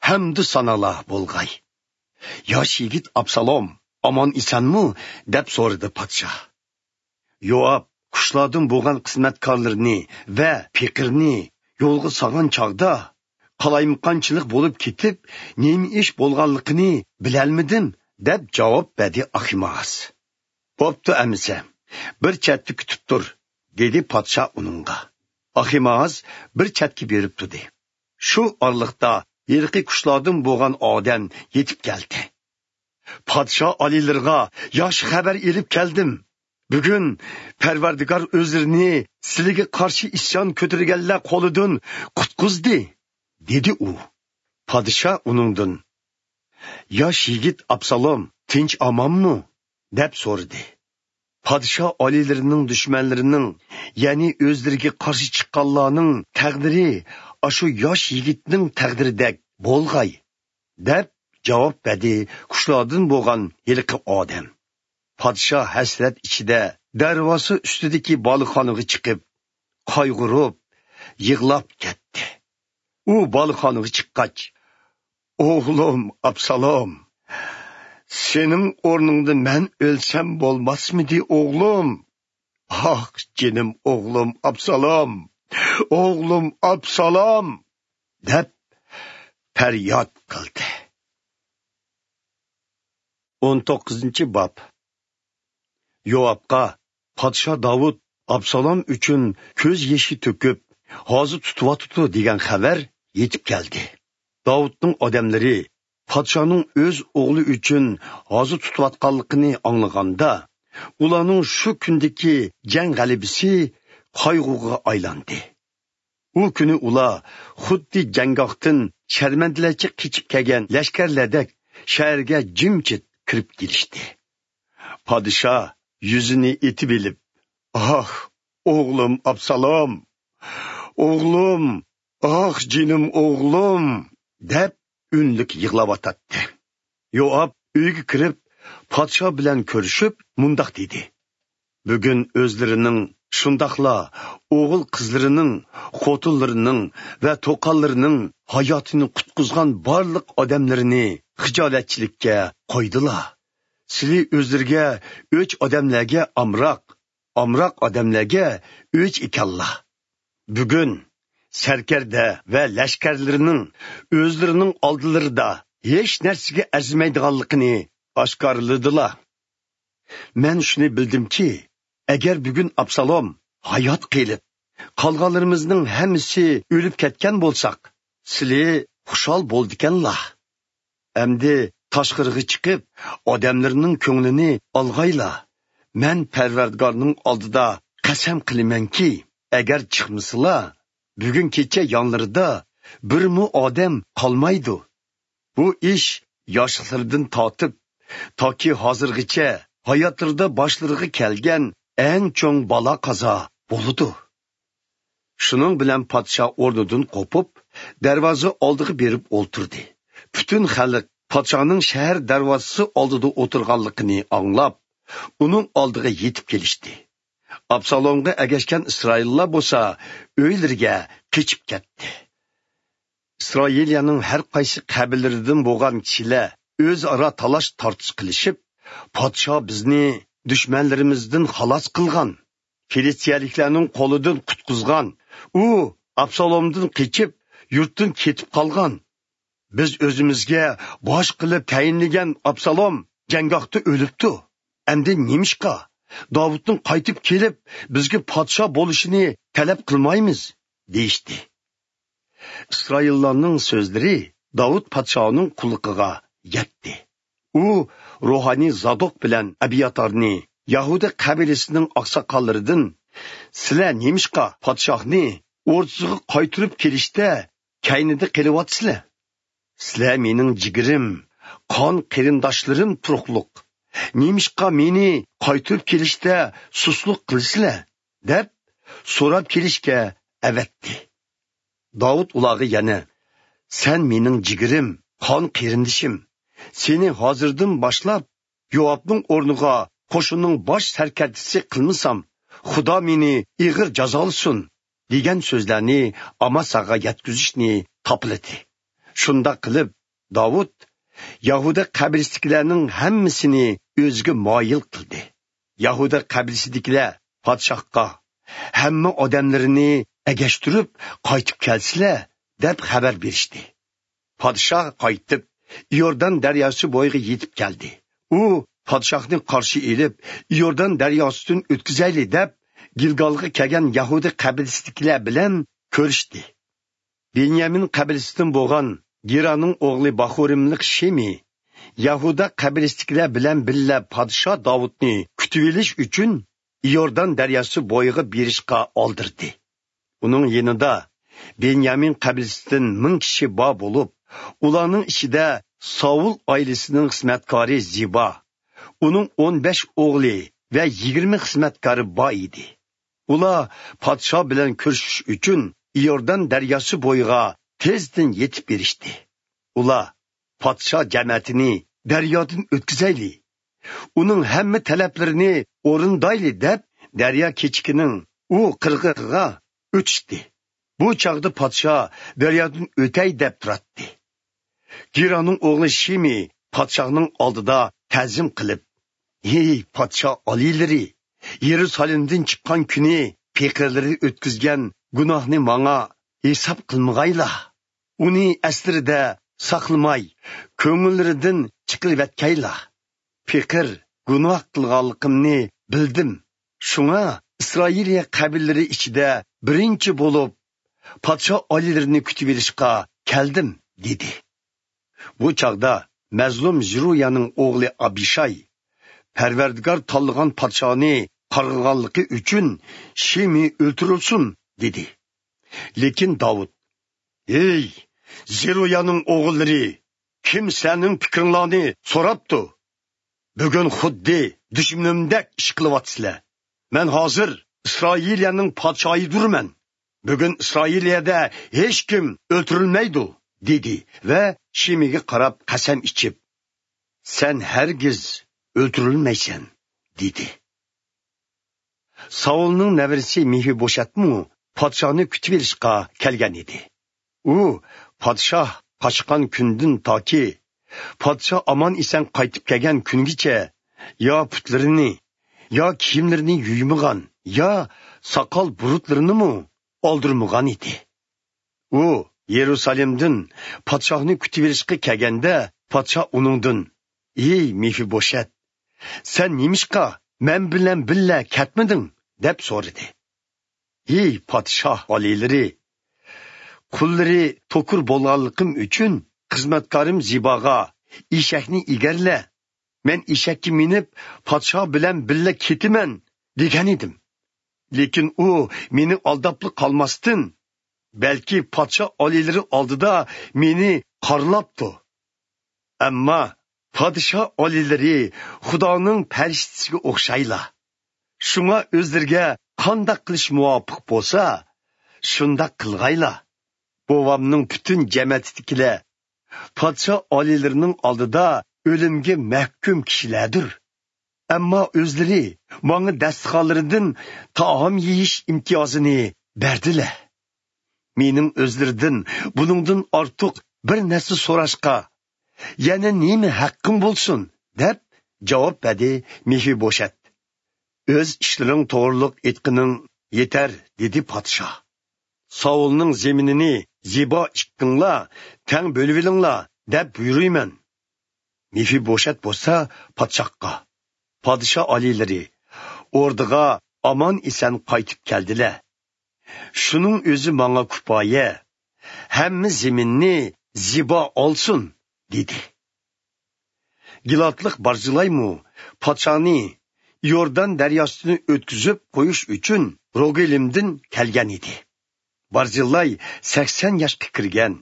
ھەمدۇ سانالار بولغاي. ياش يىگىت ئابسالوم ئامان ئېسەنمۇ؟ دەپ سورىدى پادىشاھ. يوئاب قۇشلاردىن بولغان خىزمەتكارلىرىنى ۋە پېقىرنى يولغا سالغان چاغدا، قالايمىقانچىلىق بولۇپ كېتىپ، نېمە ئىش بولغانلىقىنى بىلەلمىدىم، دەپ جاۋاب بەردى ئاخىمائاز. بوپتۇ ئەمىسە، بىر چەتتە كۈتۈپ تۇر، دېدى پادىشاھ ئۇنىڭغا. ئاخىمائاز بىر چەتكە بېرىپ تۇردى. شۇ ئارىلىقتا ھېلىقى قۇشلاردىن بولغان ئادەم يېتىپ كەلدى. پادىشاھ ئالىيلىرىغا ياخشى خەۋەر ئېلىپ كەلدىم. بۈگۈن پەرۋەردىگار ئۆزلىرىنى سىلىگە قارشى ئىسيان كۆتۈرگەنلەر قولىدىن قۇتقۇزدى، دېدى ئۇ. پادىشاھ ئۇنىڭدىن، ياش يىگىت ئابسالوم تىنچ ئامانمۇ؟ دەپ سورىدى. پادىشاھ ئالىيلىرىنىڭ دۈشمەنلىرىنىڭ، يەنى ئۆزلىرىگە قارشى چىققانلارنىڭ تەقدىرى ئاشۇ ياش يىگىتنىڭ تەقدىرىدەك بولغاي، دەپ جاۋاب بەردى قۇشلاردىن بولغان ھېلىقى ئادەم. پادىشاھ ھەسرەت ئىچىدە دەرۋازا ئۈستىدىكى بالىخانىغا چىقىپ، قايغۇرۇپ، يىغلاپ كەتتى. ئۇ بالىخانىغا چىققاچ، ئوغلۇم ئابسالوم، سېنىڭ ئورنۇڭدا مەن ئۆلسەم بولماسمىدى، ئوغلۇم؟ ئاھ، جېنىم ئوغلۇم ئابسالوم، ئوغلۇم ئابسالوم! دەپ پەرياد قىلدى. ئون توققۇزىنچى باب. يوئابقا پادىشاھ داۋۇت ئابسالوم ئۈچۈن كۆز يېشى تۆكۈپ، ھازا تۇتۇۋاتىدۇ دېگەن خەۋەر يېتىپ كەلدى. داۋۇتنىڭ ئادەملىرى پادىشاھنىڭ ئۆز ئوغلى ئۈچۈن ھازا تۇتۇۋاتقانلىقىنى ئاڭلىغاندا، ئۇلارنىڭ شۇ كۈندىكى جەڭ غەلىبىسى قايغۇغا ئايلاندى. ئۇ كۈنى ئۇلار خۇددى جەڭگاھتىن شەرمەندىلەرچە قېچىپ كەلگەن لەشكەرلەردەك شەھەرگە جىمجىت كىرىپ كېلىشتى. پادىشاھ يۈزىنى ئېتىۋېلىپ، ئاھ، ئوغلۇم ئابسالوم! ئوغلۇم! ئاھ، جېنىم ئوغلۇم! دەپ ئۈنلۈك يىغلاۋاتاتتى. يوئاب ئۆيگە كىرىپ، پادىشاھ بىلەن كۆرۈشۈپ، مۇنداق دېدى: بۈگۈن ئۆزلىرىنىڭ، شۇنداقلا ئوغۇل قىزلىرىنىڭ، خوتۇنلىرىنىڭ ۋە توقاللىرىنىڭ ھاياتىنى قۇتقۇزغان بارلىق ئادەملىرىنى خىجالەتچىلىككە قويدىلا. سىلى ئۆزلىرىگە ئۆچ ئادەملەرگە ئامراق، ئامراق ئادەملەرگە ئۆچ ئىكەنلا. بۈگۈن سەركەردە ۋە لەشكەرلىرىنىڭ ئۆزلىرىنىڭ ئالدىلىرىدا ھېچ نەرسىگە ئەرزىمەيدىغانلىقىنى ئاشكارىلىدىلا. مەن شۇنى بىلدىمكى، ئەگەر بۈگۈن ئابسالوم ھايات قېلىپ، قالغانلىرىمىزنىڭ ھەممىسى ئۆلۈپ كەتكەن بولساق، سىلى خۇشال بولىدىكەنلا. ئەمدى تاشقىرىغا چىقىپ، ئادەملەرنىڭ كۆڭلىنى ئالغايلا. مەن پەرۋەردىگارنىڭ ئالدىدا قەسەم قىلىمەنكى، ئەگەر چىقمىسىلا، بۈگۈن كېچە يانلىرىدا بىرمۇ ئادەم قالمايدۇ. بۇ ئىش ياشلىقلىرىدىن تارتىپ تاكى ھازىرغىچە ھاياتلىرىدا باشلىرىغا كەلگەن ئەڭ چوڭ بالا-قازا بولىدۇ. شۇنىڭ بىلەن پادىشاھ ئورنىدىن قوپۇپ، دەرۋازا ئالدىغا بېرىپ ئولتۇردى. پۈتۈن خەلق پادىشاھنىڭ شەھەر دەرۋازىسى ئالدىدا ئولتۇرغانلىقىنى ئاڭلاپ، ئۇنىڭ ئالدىغا يېتىپ كېلىشتى. ئابسالومغا ئەگەشكەن ئىسرائىللار بولسا ئۆيلىرىگە قېچىپ كەتتى. ئىسرائىلىيەنىڭ ھەر قايسى قەبىلىلىرىدىن بولغان كىشىلەر ئۆزئارا تالاش-تارتىش قىلىشىپ، پادىشاھ بىزنى دۈشمەنلىرىمىزدىن خالاس قىلغان، فىلىستىيەلىكلەرنىڭ قولىدىن قۇتقۇزغان، ئۇ ئابسالومدىن قېچىپ، يۇرتتىن كېتىپ قالغان. بىز ئۆزىمىزگە باش قىلىپ تەيىنلىگەن ئابسالوم جەڭگاھتا ئۆلۈپتۇ. ئەمدى نېمىشقا داۋۇتنىڭ قايتىپ كېلىپ، بىزگە پادىشاھ بولۇشىنى تەلەپ قىلمايمىز؟ دېيىشتى. ئىسرائىللارنىڭ سۆزلىرى داۋۇت پادىشاھنىڭ قۇلىقىغا يەتتى. ئۇ روھانىي زادوق بىلەن ئەبياتارنى، يەھۇدىي قەبىلىسىنىڭ ئاقساقاللىرىدىن، سىلەر نېمىشقا پادىشاھنى ئوردىسىغا قايتۇرۇپ كېلىشتە كەينىدە قېلىۋاتىسىلەر؟ سىلەر مېنىڭ جىگىرىم، قان قېرىنداشلىرىم تۇرۇقلۇق. نېمىشقا مېنى قايتۇرۇپ كېلىشتە سۇسلۇق قىلىسىلەر؟ دەپ سوراپ كېلىشكە ئەۋەتتى. داۋۇت ئۇلارغا يەنە، سەن مېنىڭ جىگىرىم، قان قېرىندىشىم. سېنى ھازىردىن باشلاپ يوئابنىڭ ئورنىغا قوشۇننىڭ باش سەركەردىسى قىلمىسام، خۇدا مېنى ئېغىر جازالىسۇن، دېگەن سۆزلەرنى ئاماساغا يەتكۈزۈشنى تاپىلىدى. شۇنداق قىلىپ، داۋۇت يەھۇدا قەبىلىسىدىكىلەرنىڭ ھەممىسىنى ئۆزىگە مايىل قىلدى. يەھۇدا قەبىلىسىدىكىلەر پادىشاھقا، ھەممە ئادەملىرىنى ئەگەشتۈرۈپ قايتىپ كەلسىلە، دەپ خەۋەر بېرىشتى. پادىشاھ قايتىپ، ئىيوردان دەرياسى بويىغا يېتىپ كەلدى. ئۇ پادىشاھنى قارشى ئېلىپ، ئىيوردان دەرياسىدىن ئۆتكۈزەيلى دەپ، گىلگالغا كەلگەن يەھۇدا قەبىلىسىدىكىلەر بىلەن كۆرۈشتى. بېنيامىن قەبىلىسىدىن بولغان گېرانىڭ ئوغلى باخۇرىملىق شىمى يەھۇدا قەبىلىسىدىكىلەر بىلەن بىللە پادىشاھ داۋۇتنى كۈتۈۋېلىش ئۈچۈن ئىيوردان دەرياسى بويىغا بېرىشقا ئالدىردى. ئۇنىڭ يېنىدا بېنيامىن قەبىلىسىدىن مىڭ كىشى بار بولۇپ، ئۇلارنىڭ ئىچىدە ساۋۇل ئائىلىسىنىڭ خىزمەتكارى زىبا، ئۇنىڭ ئون بەش ئوغلى ۋە يىگىرمە خىزمەتكارى بار ئىدى. ئۇلار پادىشاھ بىلەن كۆرۈشۈش ئۈچۈن ئىيوردان دەرياسى بويىغا تېزدىن يېتىپ بېرىشتى. ئۇلار، پادىشاھ جەمەتىنى دەريادىن ئۆتكۈزەيلى، ئۇنىڭ ھەممە تەلەپلىرىنى ئورۇندايلى دەپ، دەريا كېچىكىنىڭ ئۇ قىرغىقىغا ئۆتۈشتى. بۇ چاغدا پادىشاھ دەريادىن ئۆتەي دەپ تۇراتتى. گېرانىڭ ئوغلى شىمى پادىشاھنىڭ ئالدىدا تەزىم قىلىپ، ھېي، پادىشاھ ئالىيلىرى! يېرۇسالېمدىن چىققان كۈنى پېقىرلىرى ئۆتكۈزگەن گۇناھنى ماڭا ھېساب قىلمىغايلا. ئۇنى ئەسلىرىدە ساقلىماي، كۆڭۈللىرىدىن چىقىرىۋەتكەيلا. پېقىر گۇناھ قىلغانلىقىمنى بىلدىم. شۇڭا ئىسرائىلىيە قەبىلىلىرى ئىچىدە بىرىنچى بولۇپ، پادىشاھ ئالىيلىرىنى كۈتۈۋېلىشقا كەلدىم، دېدى. بۇ چاغدا مەزلۇم زېرۇيانىڭ ئوغلى ئابىشاي، پەرۋەردىگار تاللىغان پادىشاھنى قارغىغانلىقى ئۈچۈن شىمى ئۆلتۈرۈلسۇن، دېدى. لېكىن داۋۇت، ھېي، زېرۇيانىڭ ئوغۇللىرى، كىم سىلەرنىڭ پىكرىڭلارنى سوراپتۇ؟ بۈگۈن خۇددى دۈشمىنىمدەك ئىش قىلىۋاتىسىلەر. مەن ھازىر ئىسرائىلىيەنىڭ پادىشاھىدۇرمەن. بۈگۈن ئىسرائىلىيەدە ھېچكىم ئۆلتۈرۈلمەيدۇ، دېدى ۋە شىمىگە قاراپ قەسەم ئىچىپ، سەن ھەرگىز ئۆلتۈرۈلمەيسەن، دېدى. ساۋۇلنىڭ نەۋرىسى مېفىبوشەتمۇ پادىشاھنى كۈتۈۋېلىشقا كەلگەن ئىدى. ئۇ پادىشاھ قاچقان كۈندىن تاكى پادىشاھ ئامان-ئېسەن قايتىپ كەلگەن كۈنگىچە يا پۇتلىرىنى، يا كىيىملىرىنى يۇيمىغان، يا ساقال بۇرۇتلىرىنىمۇ ئالدۇرمىغان ئىدى. ئۇ يېرۇسالېمدىن پادىشاھنى كۈتۈۋېلىشقا كەلگەندە، پادىشاھ ئۇنىڭدىن، ئېي مېفىبوشەت، سەن نېمىشقا مەن بىلەن بىللە كەتمىدىڭ؟ دەپ سورىدى. ھېي پادىشاھ ئالىيلىرى، قۇللىرى توكۇر بولغانلىقىم ئۈچۈن خىزمەتكارىم زىباغا، ئېشەكنى ئېگەرلە، مەن ئېشەككە مىنىپ پادىشاھ بىلەن بىللە كېتىمەن، دېگەنىدىم. لېكىن ئۇ مېنى ئالداپلا قالماستىن، بەلكى پادىشاھ ئالىيلىرى ئالدىدا مېنى قارىلاپتۇ. ئەمما پادىشاھ ئالىيلىرى خۇدانىڭ پەرىشتىسىگە ئوخشايلا. شۇڭا ئۆزلىرىگە قانداق قىلىش مۇۋاپىق بولسا، شۇنداق قىلغايلا. بوۋامنىڭ پۈتۈن جەمەتىدىكىلەر پادىشاھ ئالىيلىرىنىڭ ئالدىدا ئۆلۈمگە مەھكۇم كىشىلەردۇر. ئەمما ئۆزلىرى ماڭا دەستىخانلىرىدىن تائام يېيىش ئىمتىيازىنى بەردىلە. مېنىڭ ئۆزلىرىدىن بۇنىڭدىن ئارتۇق بىر نەرسە سوراشقا يەنە نېمە ھەققىم بولسۇن؟ دەپ جاۋاب بەردى مېفىبوشەت. ئۆز ئىشلىرىڭ توغرۇلۇق ئېيتقىنىڭ يېتەر، دېدى پادىشاھ. ساۋۇلنىڭ زېمىنىنى زىبا ئىككىڭلار تەڭ بۆلۈۋېلىڭلار، دەپ بۇيرۇيمەن. مېفىبوشەت بولسا پادىشاھقا، پادىشاھ ئالىيلىرى ئوردىغا ئامان-ئېسەن قايتىپ كەلدىلە. شۇنىڭ ئۆزى ماڭا كۇپايە، ھەممە زېمىننى زىبا ئالسۇن، دېدى. گىلادلىق بارزىلايمۇ پادىشاھنى يوردان دەرياسىدىن ئۆتكۈزۈپ قويۇش ئۈچۈن روگېلىمدىن كەلگەن ئىدى. بارزىلاي سەكسەن ياشقا كىرگەن،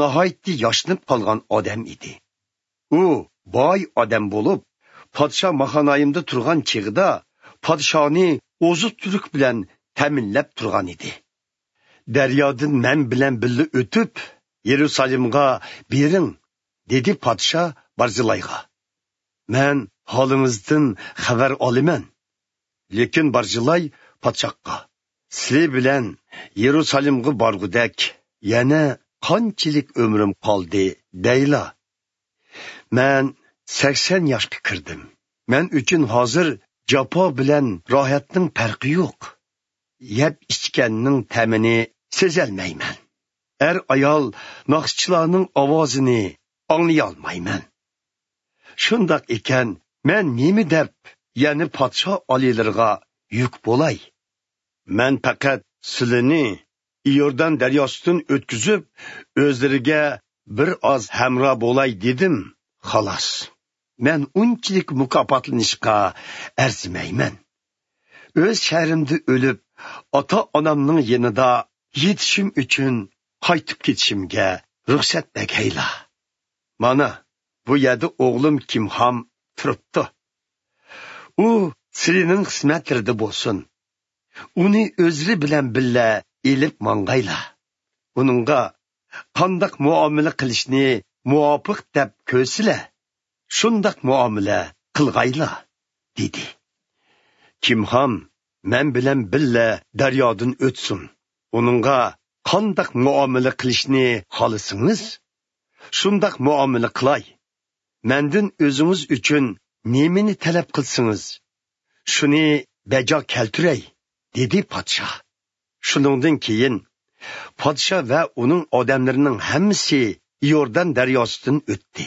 ناھايىتى ياشىنىپ قالغان ئادەم ئىدى. ئۇ باي ئادەم بولۇپ، پادىشاھ ماخانايىمدا تۇرغان چېغىدا پادىشاھنى ئوزۇق-تۈلۈك بىلەن تەمىنلەپ تۇرغان ئىدى. «دەريادىن مەن بىلەن بىللە ئۆتۈپ، يېرۇسالىمغا بېرىڭ» دېدى پادىشاھ بارزىلايغا. «مەن ھالىڭىزدىن خەۋەر ئالىمەن.» لېكىن بارزىلاي پادىشاھقا: «سىلى بىلەن يېرۇسالىمغا بارغۇدەك يەنە قانچىلىك ئۆمرۈم قالدى دەيلا؟ مەن سەكسەن ياشقا كىردىم. مەن ئۈچۈن ھازىر جاپا بىلەن راھەتنىڭ پەرقى يوق. يەپ ئىچكەننىڭ تەمىنى سېزەلمەيمەن. ئەر-ئايال ناخشىچىلارنىڭ ئاۋازىنى ئاڭلىيالمايمەن. شۇنداق ئىكەن، مەن نېمە دەپ يەنە پادىشاھ ئالىيلىرىغا يۈك بولاي؟ مەن پەقەت سىلىنى ئىيوردان دەرياسىدىن ئۆتكۈزۈپ، ئۆزلىرىگە بىر ئاز ھەمراھ بولاي دېدىم، خالاس. مەن ئۇنچىلىك مۇكاپاتلىنىشقا ئەرزىمەيمەن. ئۆز شەھىرىمدە ئۆلۈپ، ئاتا-ئانامنىڭ يېنىدا يېتىشىم ئۈچۈن قايتىپ كېتىشىمگە رۇخسەت بەرگەيلا. مانا، بۇ يەردە ئوغلۇم كىمھام تۇرۇپتۇ. ئۇ سىلىنىڭ خىزمەتلىرىدە بولسۇن. ئۇنى ئۆزلىرى بىلەن بىللە ئېلىپ ماڭغايلا. ئۇنىڭغا قانداق مۇئامىلە قىلىشنى مۇۋاپىق دەپ كۆرسىلە، شۇنداق مۇئامىلە قىلغايلا» دېدى. «كىمھام مەن بىلەن بىللە دەريادىن ئۆتسۇن. ئۇنىڭغا قانداق مۇئامىلە قىلىشنى خالىسىڭىز، شۇنداق مۇئامىلە قىلاي. مەندىن ئۆزىڭىز ئۈچۈن نېمىنى تەلەپ قىلسىڭىز، شۇنى بەجا كەلتۈرەي» دېدى پادىشاھ. شۇنىڭدىن كېيىن پادىشاھ ۋە ئۇنىڭ ئادەملىرىنىڭ ھەممىسى ئىيوردان دەرياسىدىن ئۆتتى.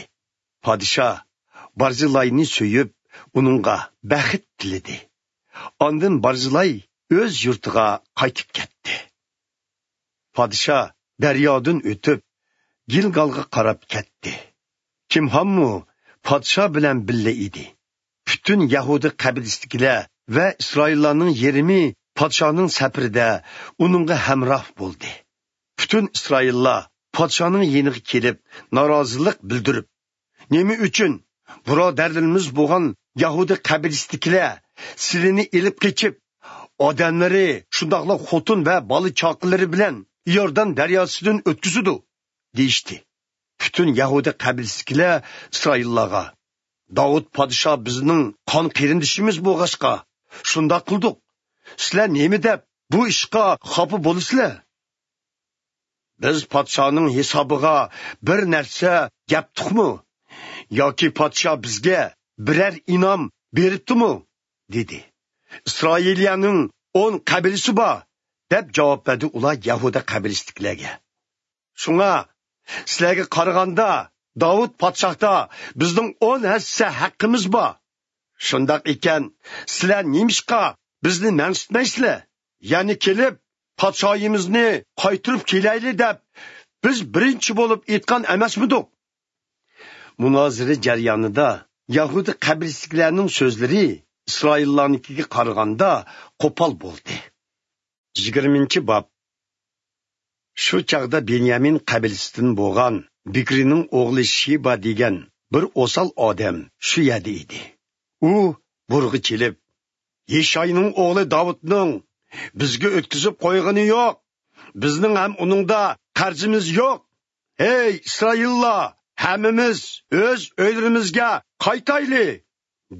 پادىشاھ بارزىلاينى سۆيۈپ، ئۇنىڭغا بەخت تىلىدى. ئاندىن بارزىلاي ئۆز يۇرتىغا قايتىپ كەتتى. پادىشاھ دەريادىن ئۆتۈپ، گىلگالغا قاراپ كەتتى. كىمھاممۇ پادىشاھ بىلەن بىللە ئىدى. پۈتۈن يەھۇدىي قەبىلىسىدىكىلەر ۋە ئىسرائىللارنىڭ يېرىمى پادىشاھنىڭ سەپىرىدە ئۇنىڭغا ھەمراھ بولدى. پۈتۈن ئىسرائىللار پادىشاھنىڭ يېنىغا كېلىپ، نارازىلىق بىلدۈرۈپ: «نېمە ئۈچۈن بۇرادەرلىرىمىز بولغان يەھۇدىي قەبىلىسىدىكىلەر سىلىنى ئېلىپ قېچىپ، ئادەملىرى، شۇنداقلا خوتۇن ۋە بالا-چاقىلىرى بىلەن ئىيوردان دەرياسىدىن ئۆتكۈزىدۇ؟» دېيىشتى. پۈتۈن يەھۇدىي قەبىلىسىدىكىلەر ئىسرائىللارغا: «داۋۇت پادىشاھ بىزنىڭ قان قېرىندىشىمىز بولغاچقا، شۇنداق قىلدۇق. سىلەر نېمە دەپ بۇ ئىشقا خاپا بولىسىلەر؟ بىز پادىشاھنىڭ ھېسابىغا بىر نەرسە گەپتۇقمۇ؟ ياكى پادىشاھ بىزگە بىرەر ئىنئام بېرىپتىمۇ؟» دېدى. «ئىسرائىلىيەنىڭ ئون قەبىلىسى بار» دەپ جاۋاب بەردى ئۇلار يەھۇدىي قەبىلىسىدىكىلەرگە. «شۇڭا سىلەرگە قارىغاندا داۋۇت پادىشاھتا بىزنىڭ ئون ھەسسە ھەققىمىز بار. شۇنداق ئىكەن، سىلەر نېمىشقا بىزنى مەنسىتمەيسىلەر؟ يەنە كېلىپ، پادىشاھىمىزنى قايتۇرۇپ كېلەيلى دەپ، بىز بىرىنچى بولۇپ ئېيتقان ئەمەسمىدۇق؟» مۇنازىرە جەريانىدا يەھۇدىي قەبىلىسىدىكىلەرنىڭ سۆزلىرى ئىسرائىللارنىڭكىگە قارىغاندا قوپال بولدى. يىگىرمىنچى باب. شۇ چاغدا بېنيامىن قەبىلىسىدىن بولغان بىكرىنىڭ ئوغلى شىبا دېگەن بىر ئوسال ئادەم شۇ يەردە ئىدى. ئۇ بۇرغا چېلىپ: «يىشاينىڭ ئوغلى داۋۇتنىڭ بىزگە ئۆتكۈزۈپ قويغىنى يوق. بىزنىڭ ھەم ئۇنىڭدا قەرزىمىز يوق. ھەي ئىسرائىللار، ھەممىمىز ئۆز ئۆيلىرىمىزگە قايتايلى!»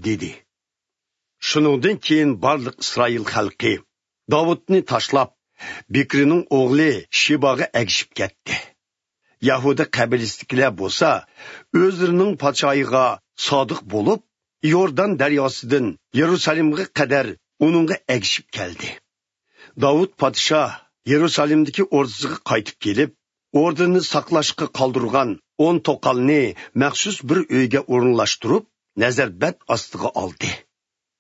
دېدى. شۇنىڭدىن كېيىن بارلىق ئىسرائىل خەلقى داۋۇتنى تاشلاپ، بىكرىنىڭ ئوغلى شىباغا ئەگىشىپ كەتتى. يەھۇدىي قەبىلىسىدىكىلەر بولسا ئۆزلىرىنىڭ پادىشاھىغا سادىق بولۇپ، يوردان دەرياسىدىن يېرۇسالىمغا قەدەر ئۇنىڭغا ئەگىشىپ كەلدى. داۋۇت پادىشاھ يېرۇسالىمدىكى ئوردىسىغا قايتىپ كېلىپ، ئوردىنى ساقلاشقا قالدۇرغان ئون توقالنى مەخسۇس بىر ئۆيگە ئورۇنلاشتۇرۇپ، نەزەربەند ئاستىغا ئالدى.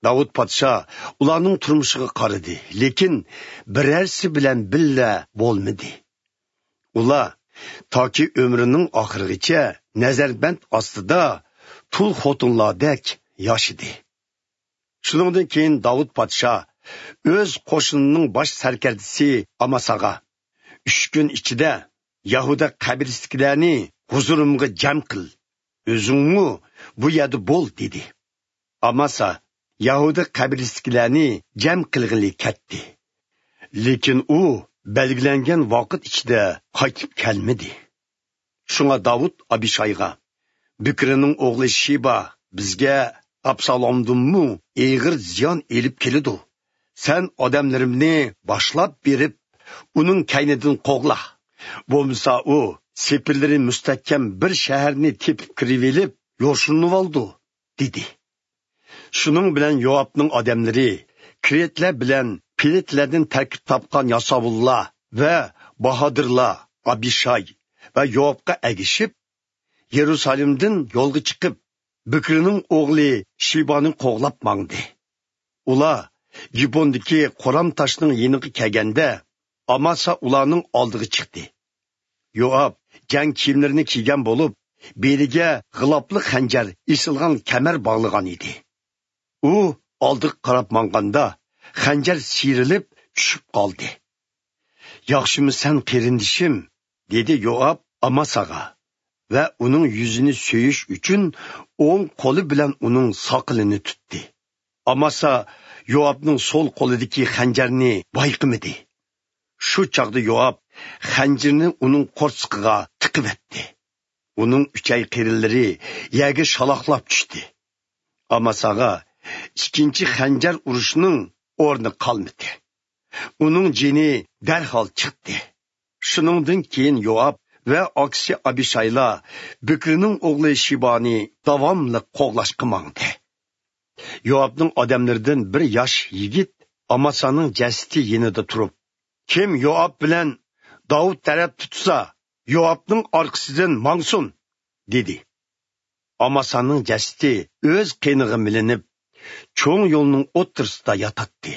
داۋۇت پادىشاھ ئۇلارنىڭ تۇرمۇشىغا قارىدى، لېكىن بىرەرسى بىلەن بىللە بولمىدى. ئۇلار تاكى ئۆمرىنىڭ ئاخىرىغىچە نەزەربەند ئاستىدا تۇل خوتۇنلاردەك ياشىدى. شۇنىڭدىن كېيىن داۋۇت پادىشاھ ئۆز قوشۇنىنىڭ باش سەركەردىسى ئاماساغا: «ئۈچ كۈن ئىچىدە يەھۇدىي قەبرىسىدىكىلەرنى ھۇزۇرۇمغا جەم قىل، ئۆزۈڭمۇ بۇ يەردە بول» دېدى. ئاماسا يەھۇدىي قەبرىسىدىكىلەرنى جەم قىلغىلى كەتتى. لېكىن ئۇ بەلگىلەنگەن ۋاقىت ئىچىدە قايتىپ كەلمىدى. شۇڭا داۋۇت ئابىشايغا: «بىكرىنىڭ ئوغلى شىبا بىزگە ئابسالومدىنمۇ ئېغىر زىيان ئېلىپ كېلىدۇ. سەن ئادەملىرىمنى باشلاپ بېرىپ، ئۇنىڭ كەينىدىن قوغلا. بولمىسا ئۇ سېپىللىرى مۇستەھكەم بىر شەھەرنى تېپىپ كىرىۋېلىپ يوشۇرۇنۇۋالىدۇ» دېدى. شۇنىڭ بىلەن يوئابنىڭ ئادەملىرى، كرېتلەر بىلەن پېلېتلەردىن تەركىب تاپقان ياساۋۇللار ۋە باھادىرلار ئابىشاي ۋە يوئابقا ئەگىشىپ، يېرۇسالېمدىن يولغا چىقىپ، بىكرىنىڭ ئوغلى شىبانى قوغلاپ ماڭدى. ئۇلار گىبوندىكى قورام تاشنىڭ يېنىغا كەلگەندە، ئاماسا ئۇلارنىڭ ئالدىغا چىقتى. يوئاب جەڭ كىيىملىرىنى كىيگەن بولۇپ، بېلىگە غىلاپلىق خەنجەر ئېسىلغان كەمەر باغلىغان ئىدى. ئۇ ئالدىغا قاراپ ماڭغاندا، خەنجەر سىيرىلىپ چۈشۈپ قالدى. «ياخشىمۇ سەن، قېرىندىشىم؟» دېدى يوئاب ئاماساغا ۋە ئۇنىڭ يۈزىنى سۆيۈش ئۈچۈن ئوڭ قولى بىلەن ئۇنىڭ ساقىلىنى تۇتتى. ئاماسا يوئابنىڭ سول قولىدىكى خەنجەرنى بايقىمىدى. شۇ چاغدا يوئاب خەنجىرىنى ئۇنىڭ قورسىقىغا تىقىۋەتتى. ئۇنىڭ ئۈچەي قېرىنلىرى يەرگە شالاقلاپ چۈشتى. ئاماساغا ئىككىنچى خەنجەر ئۇرۇشنىڭ ئورنى قالمىدى. ئۇنىڭ جېنى دەرھال چىقتى. شۇنىڭدىن كېيىن يوئاب ۋە ئاكىسى ئابىشايلار بىكرىنىڭ ئوغلى شىبانى داۋاملىق قوغلاشقا ماڭدى. يوئابنىڭ ئادەملىرىدىن بىر ياش يىگىت ئاماسانىڭ جەسىتى يېنىدا تۇرۇپ: «كىم يوئاب بىلەن داۋۇت تەرەپ تۇتسا، يوئابنىڭ ئارقىسىدىن ماڭسۇن!» دېدى. ئاماسانىڭ جەسىتى ئۆز قېنىغا مىلىنىپ، چوڭ يولنىڭ ئوتتۇرىسىدا ياتاتتى.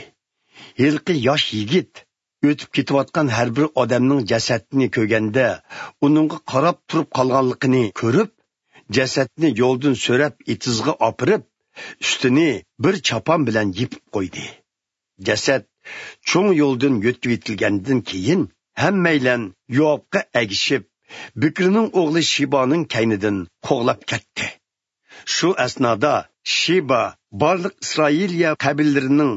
ھېلىقى ياش يىگىت ئۆتۈپ كېتىۋاتقان ھەر بىر ئادەمنىڭ جەسەتىنى كۆرگەندە، ئۇنىڭغا قاراپ تۇرۇپ قالغانلىقىنى كۆرۈپ، جەسەتنى يولدىن سۆرەپ ئېتىزغا ئاپىرىپ، ئۈستىنى بىر چاپان بىلەن يېپىپ قويدى. جەسەت چوڭ يولدىن يۆتكىۋېتىلگەندىن كېيىن، ھەممەيلەن يوئابقا ئەگىشىپ، بىكرىنىڭ ئوغلى شىبانىڭ كەينىدىن قوغلاپ كەتتى. شۇ ئەسنادا شىبا بارلىق ئىسرائىلىيە قەبىلىلىرىنىڭ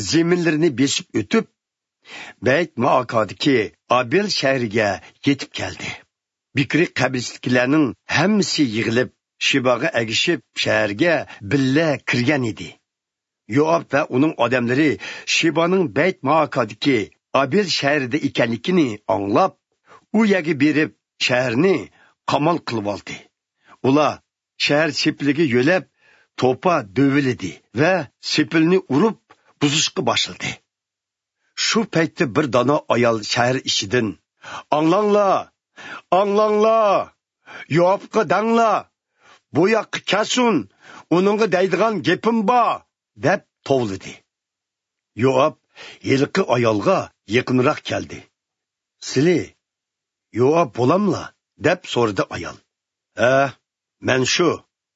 زېمىنلىرىنى بېسىپ ئۆتۈپ، بەيت مائاكادىكى ئابېل شەھىرىگە يېتىپ كەلدى. بىكرى قەبىلىسىدىكىلەرنىڭ ھەممىسى يىغىلىپ، شىباغا ئەگىشىپ شەھەرگە بىللە كىرگەن ئىدى. يوئاب ۋە ئۇنىڭ ئادەملىرى شىبانىڭ بەيت مائاكادىكى ئابېل شەھىرىدە ئىكەنلىكىنى ئاڭلاپ، ئۇ يەرگە بېرىپ شەھەرنى قامال قىلىۋالدى. ئۇلار شەھەر سېپىلىگە يۆلەپ، توپا دۆۋىلىدى ۋە سېپىلنى ئۇرۇپ بۇزۇشقا باشلىدى. شۇ پەيتتە بىر دانا ئايال شەھەر ئىچىدىن: «ئاڭلاڭلار! ئاڭلاڭلار! يوئابقا دەڭلار! بۇ ياققا كەلسۇن! ئۇنىڭغا دەيدىغان گېپىم بار!» دەپ توۋلىدى. يوئاب ھېلىقى ئايالغا يېقىنراق كەلدى. «سىلى يوئاب بولاملا؟» دەپ سورىدى ئايال. «ھە، مەن شۇ»،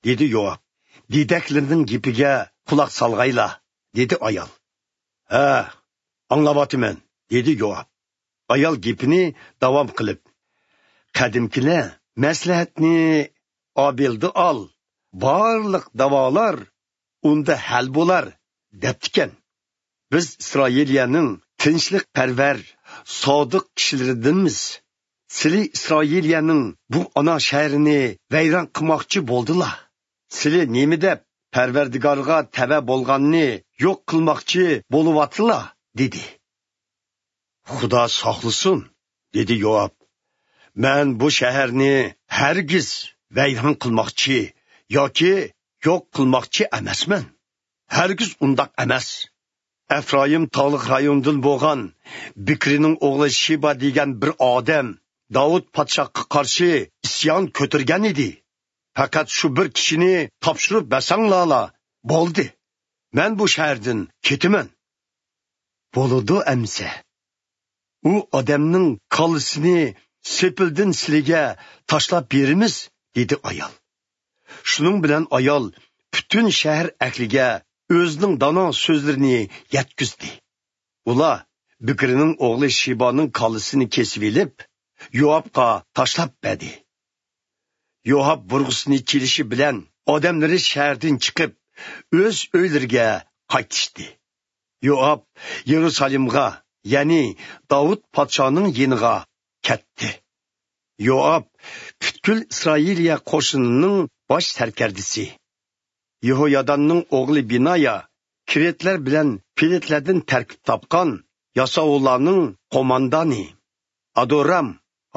دېدى يوئاب. «دېدەكلىرىنىڭ گېپىگە قۇلاق سالغايلا»، دېدى ئايال. «ھە، ئاڭلاۋاتىمەن»، دېدى يوئاب. ئايال گېپىنى داۋام قىلىپ: «قەدىمكىلەر مەسلىھەتنى ئابېلدا ئال، بارلىق داۋالار ئۇندا ھەل بولار» دەپتىكەن. «بىز ئىسرائىلىيەنىڭ تىنچلىقپەرۋەر، سادىق كىشىلىرىدىنمىز. سىلى ئىسرائىلىيەنىڭ بۇ ئانا شەھىرىنى ۋەيران قىلماقچى بولدىلا. سىلى نېمە دەپ پەرۋەردىگارغا تەۋە بولغاننى يوق قىلماقچى بولۇۋاتىلا؟» دېدى. «خۇدا ساقلىسۇن»، دېدى يوئاب. «مەن بۇ شەھەرنى ھەرگىز ۋەيران قىلماقچى ياكى يوق قىلماقچى ئەمەسمەن. ھەرگىز ئۇنداق ئەمەس. ئەفرايىم تاغلىق رايونىدىن بولغان بىكرىنىڭ ئوغلى شىبا دېگەن بىر ئادەم داۋۇت پادىشاھقا قارشى ئىسيان كۆتۈرگەن ئىدى. پەقەت شۇ بىر كىشىنى تاپشۇرۇپ بەرسەڭلارلا بولدى. مەن بۇ شەھەردىن كېتىمەن.» «بولىدۇ ئەمىسە. ئۇ ئادەمنىڭ كاللىسىنى سېپىلدىن سىلىگە تاشلاپ بېرىمىز»، دېدى ئايال. شۇنىڭ بىلەن ئايال پۈتۈن شەھەر ئەھلىگە ئۆزىنىڭ دانا سۆزلىرىنى يەتكۈزدى. ئۇلار بىكرىنىڭ ئوغلى شىبانىڭ كاللىسىنى كېسىۋېلىپ، يوئابقا تاشلاپ بەردى. يوئاب بۇرغىسىنى چېلىشى بىلەن ئادەملىرى شەھەردىن چىقىپ، ئۆز ئۆيلىرىگە قايتىشتى. يوئاب يېرۇسالېمغا، يەنى داۋۇت پادىشاھنىڭ يېنىغا كەتتى. يوئاب پۈتكۈل ئىسرائىلىيە قوشۇنىنىڭ باش سەركەردىسى، يېھوياداننىڭ ئوغلى بىنايا، كىرېتلەر بىلەن پېلېتلەردىن تەركىب تاپقان ياساۋۇللارنىڭ قوماندانى، ئادورام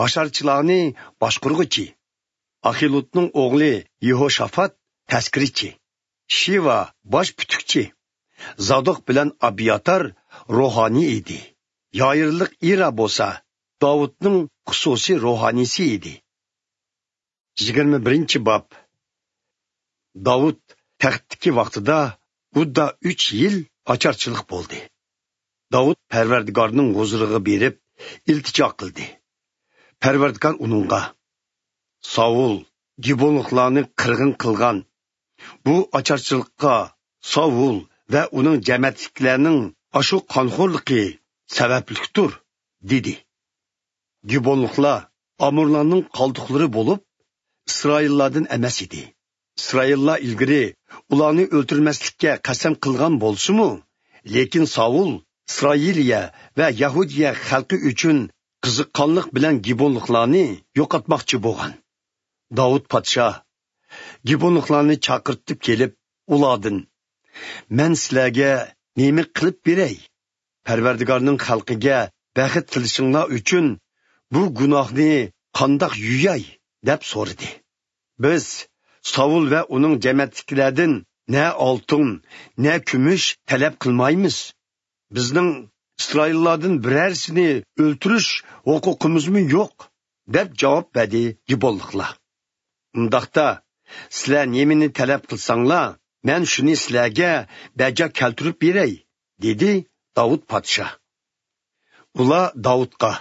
ھاشارچىلارنى باشقۇرغۇچى، ئاخىلۇدنىڭ ئوغلى يېھوشافات تەسكىرىچى، شىۋا باش پۈتۈكچى، زادوق بىلەن ئابياتار روھانىي ئىدى. يايىرلىق ئىرا بولسا داۋۇتنىڭ خۇسۇسىي روھانىيسى ئىدى. يىگىرمە بىرىنچى باب. داۋۇت تەختتىكى ۋاقتىدا ئۇدا ئۈچ يىل ئاچارچىلىق بولدى. داۋۇت پەرۋەردىگارنىڭ ھۇزۇرىغا بېرىپ ئىلتىجا قىلدى. پەرۋەردىگار ئۇنىڭغا، ساۋۇل گىبونلۇقلارنى قىرغىن قىلغان بۇ ئاچارچىلىققا ساۋۇل ۋە ئۇنىڭ جەمەتتىكىلەرنىڭ ئاشۇ قانخورلۇقى سەۋەبلىكتۇر، دېدى. گىبونلۇقلار ئامورلارنىڭ قالدۇقلىرى بولۇپ، ئىسرائىللاردىن ئەمەس ئىدى. ئىسرائىللار ئىلگىرى ئۇلارنى ئۆلتۈرمەسلىككە قەسەم قىلغان بولسىمۇ، لېكىن ساۋۇل ئىسرائىلىيە ۋە يەھۇدىيە خەلقى ئۈچۈن قىزىققانلىق بىلەن گىبونلۇقلارنى يوقاتماقچى بولغان. داۋۇت پادىشاھ گىبونلۇقلارنى چاقىرتىپ كېلىپ، ئۇلاردىن، مەن سىلەرگە نېمە قىلىپ بېرەي؟ پەرۋەردىگارنىڭ خەلقىگە بەخت تىلىشىڭلار ئۈچۈن بۇ گۇناھنى قانداق يۇياي؟ دەپ سورىدى. بىز ساۋۇل ۋە ئۇنىڭ جەمەتتىكىلەردىن نە ئالتۇن، نە كۈمۈش تەلەپ قىلمايمىز. بىزنىڭ ئىسرائىللاردىن بىرەرسىنى ئۆلتۈرۈش ھوقۇقىمىزمۇ يوق، دەپ جاۋاب بەردى گىبونلۇقلار. ئۇنداقتا، سىلەر نېمىنى تەلەپ قىلساڭلار، مەن شۇنى سىلەرگە بەجا كەلتۈرۈپ بېرەي، دېدى داۋۇت پادىشاھ. ئۇلار داۋۇتقا،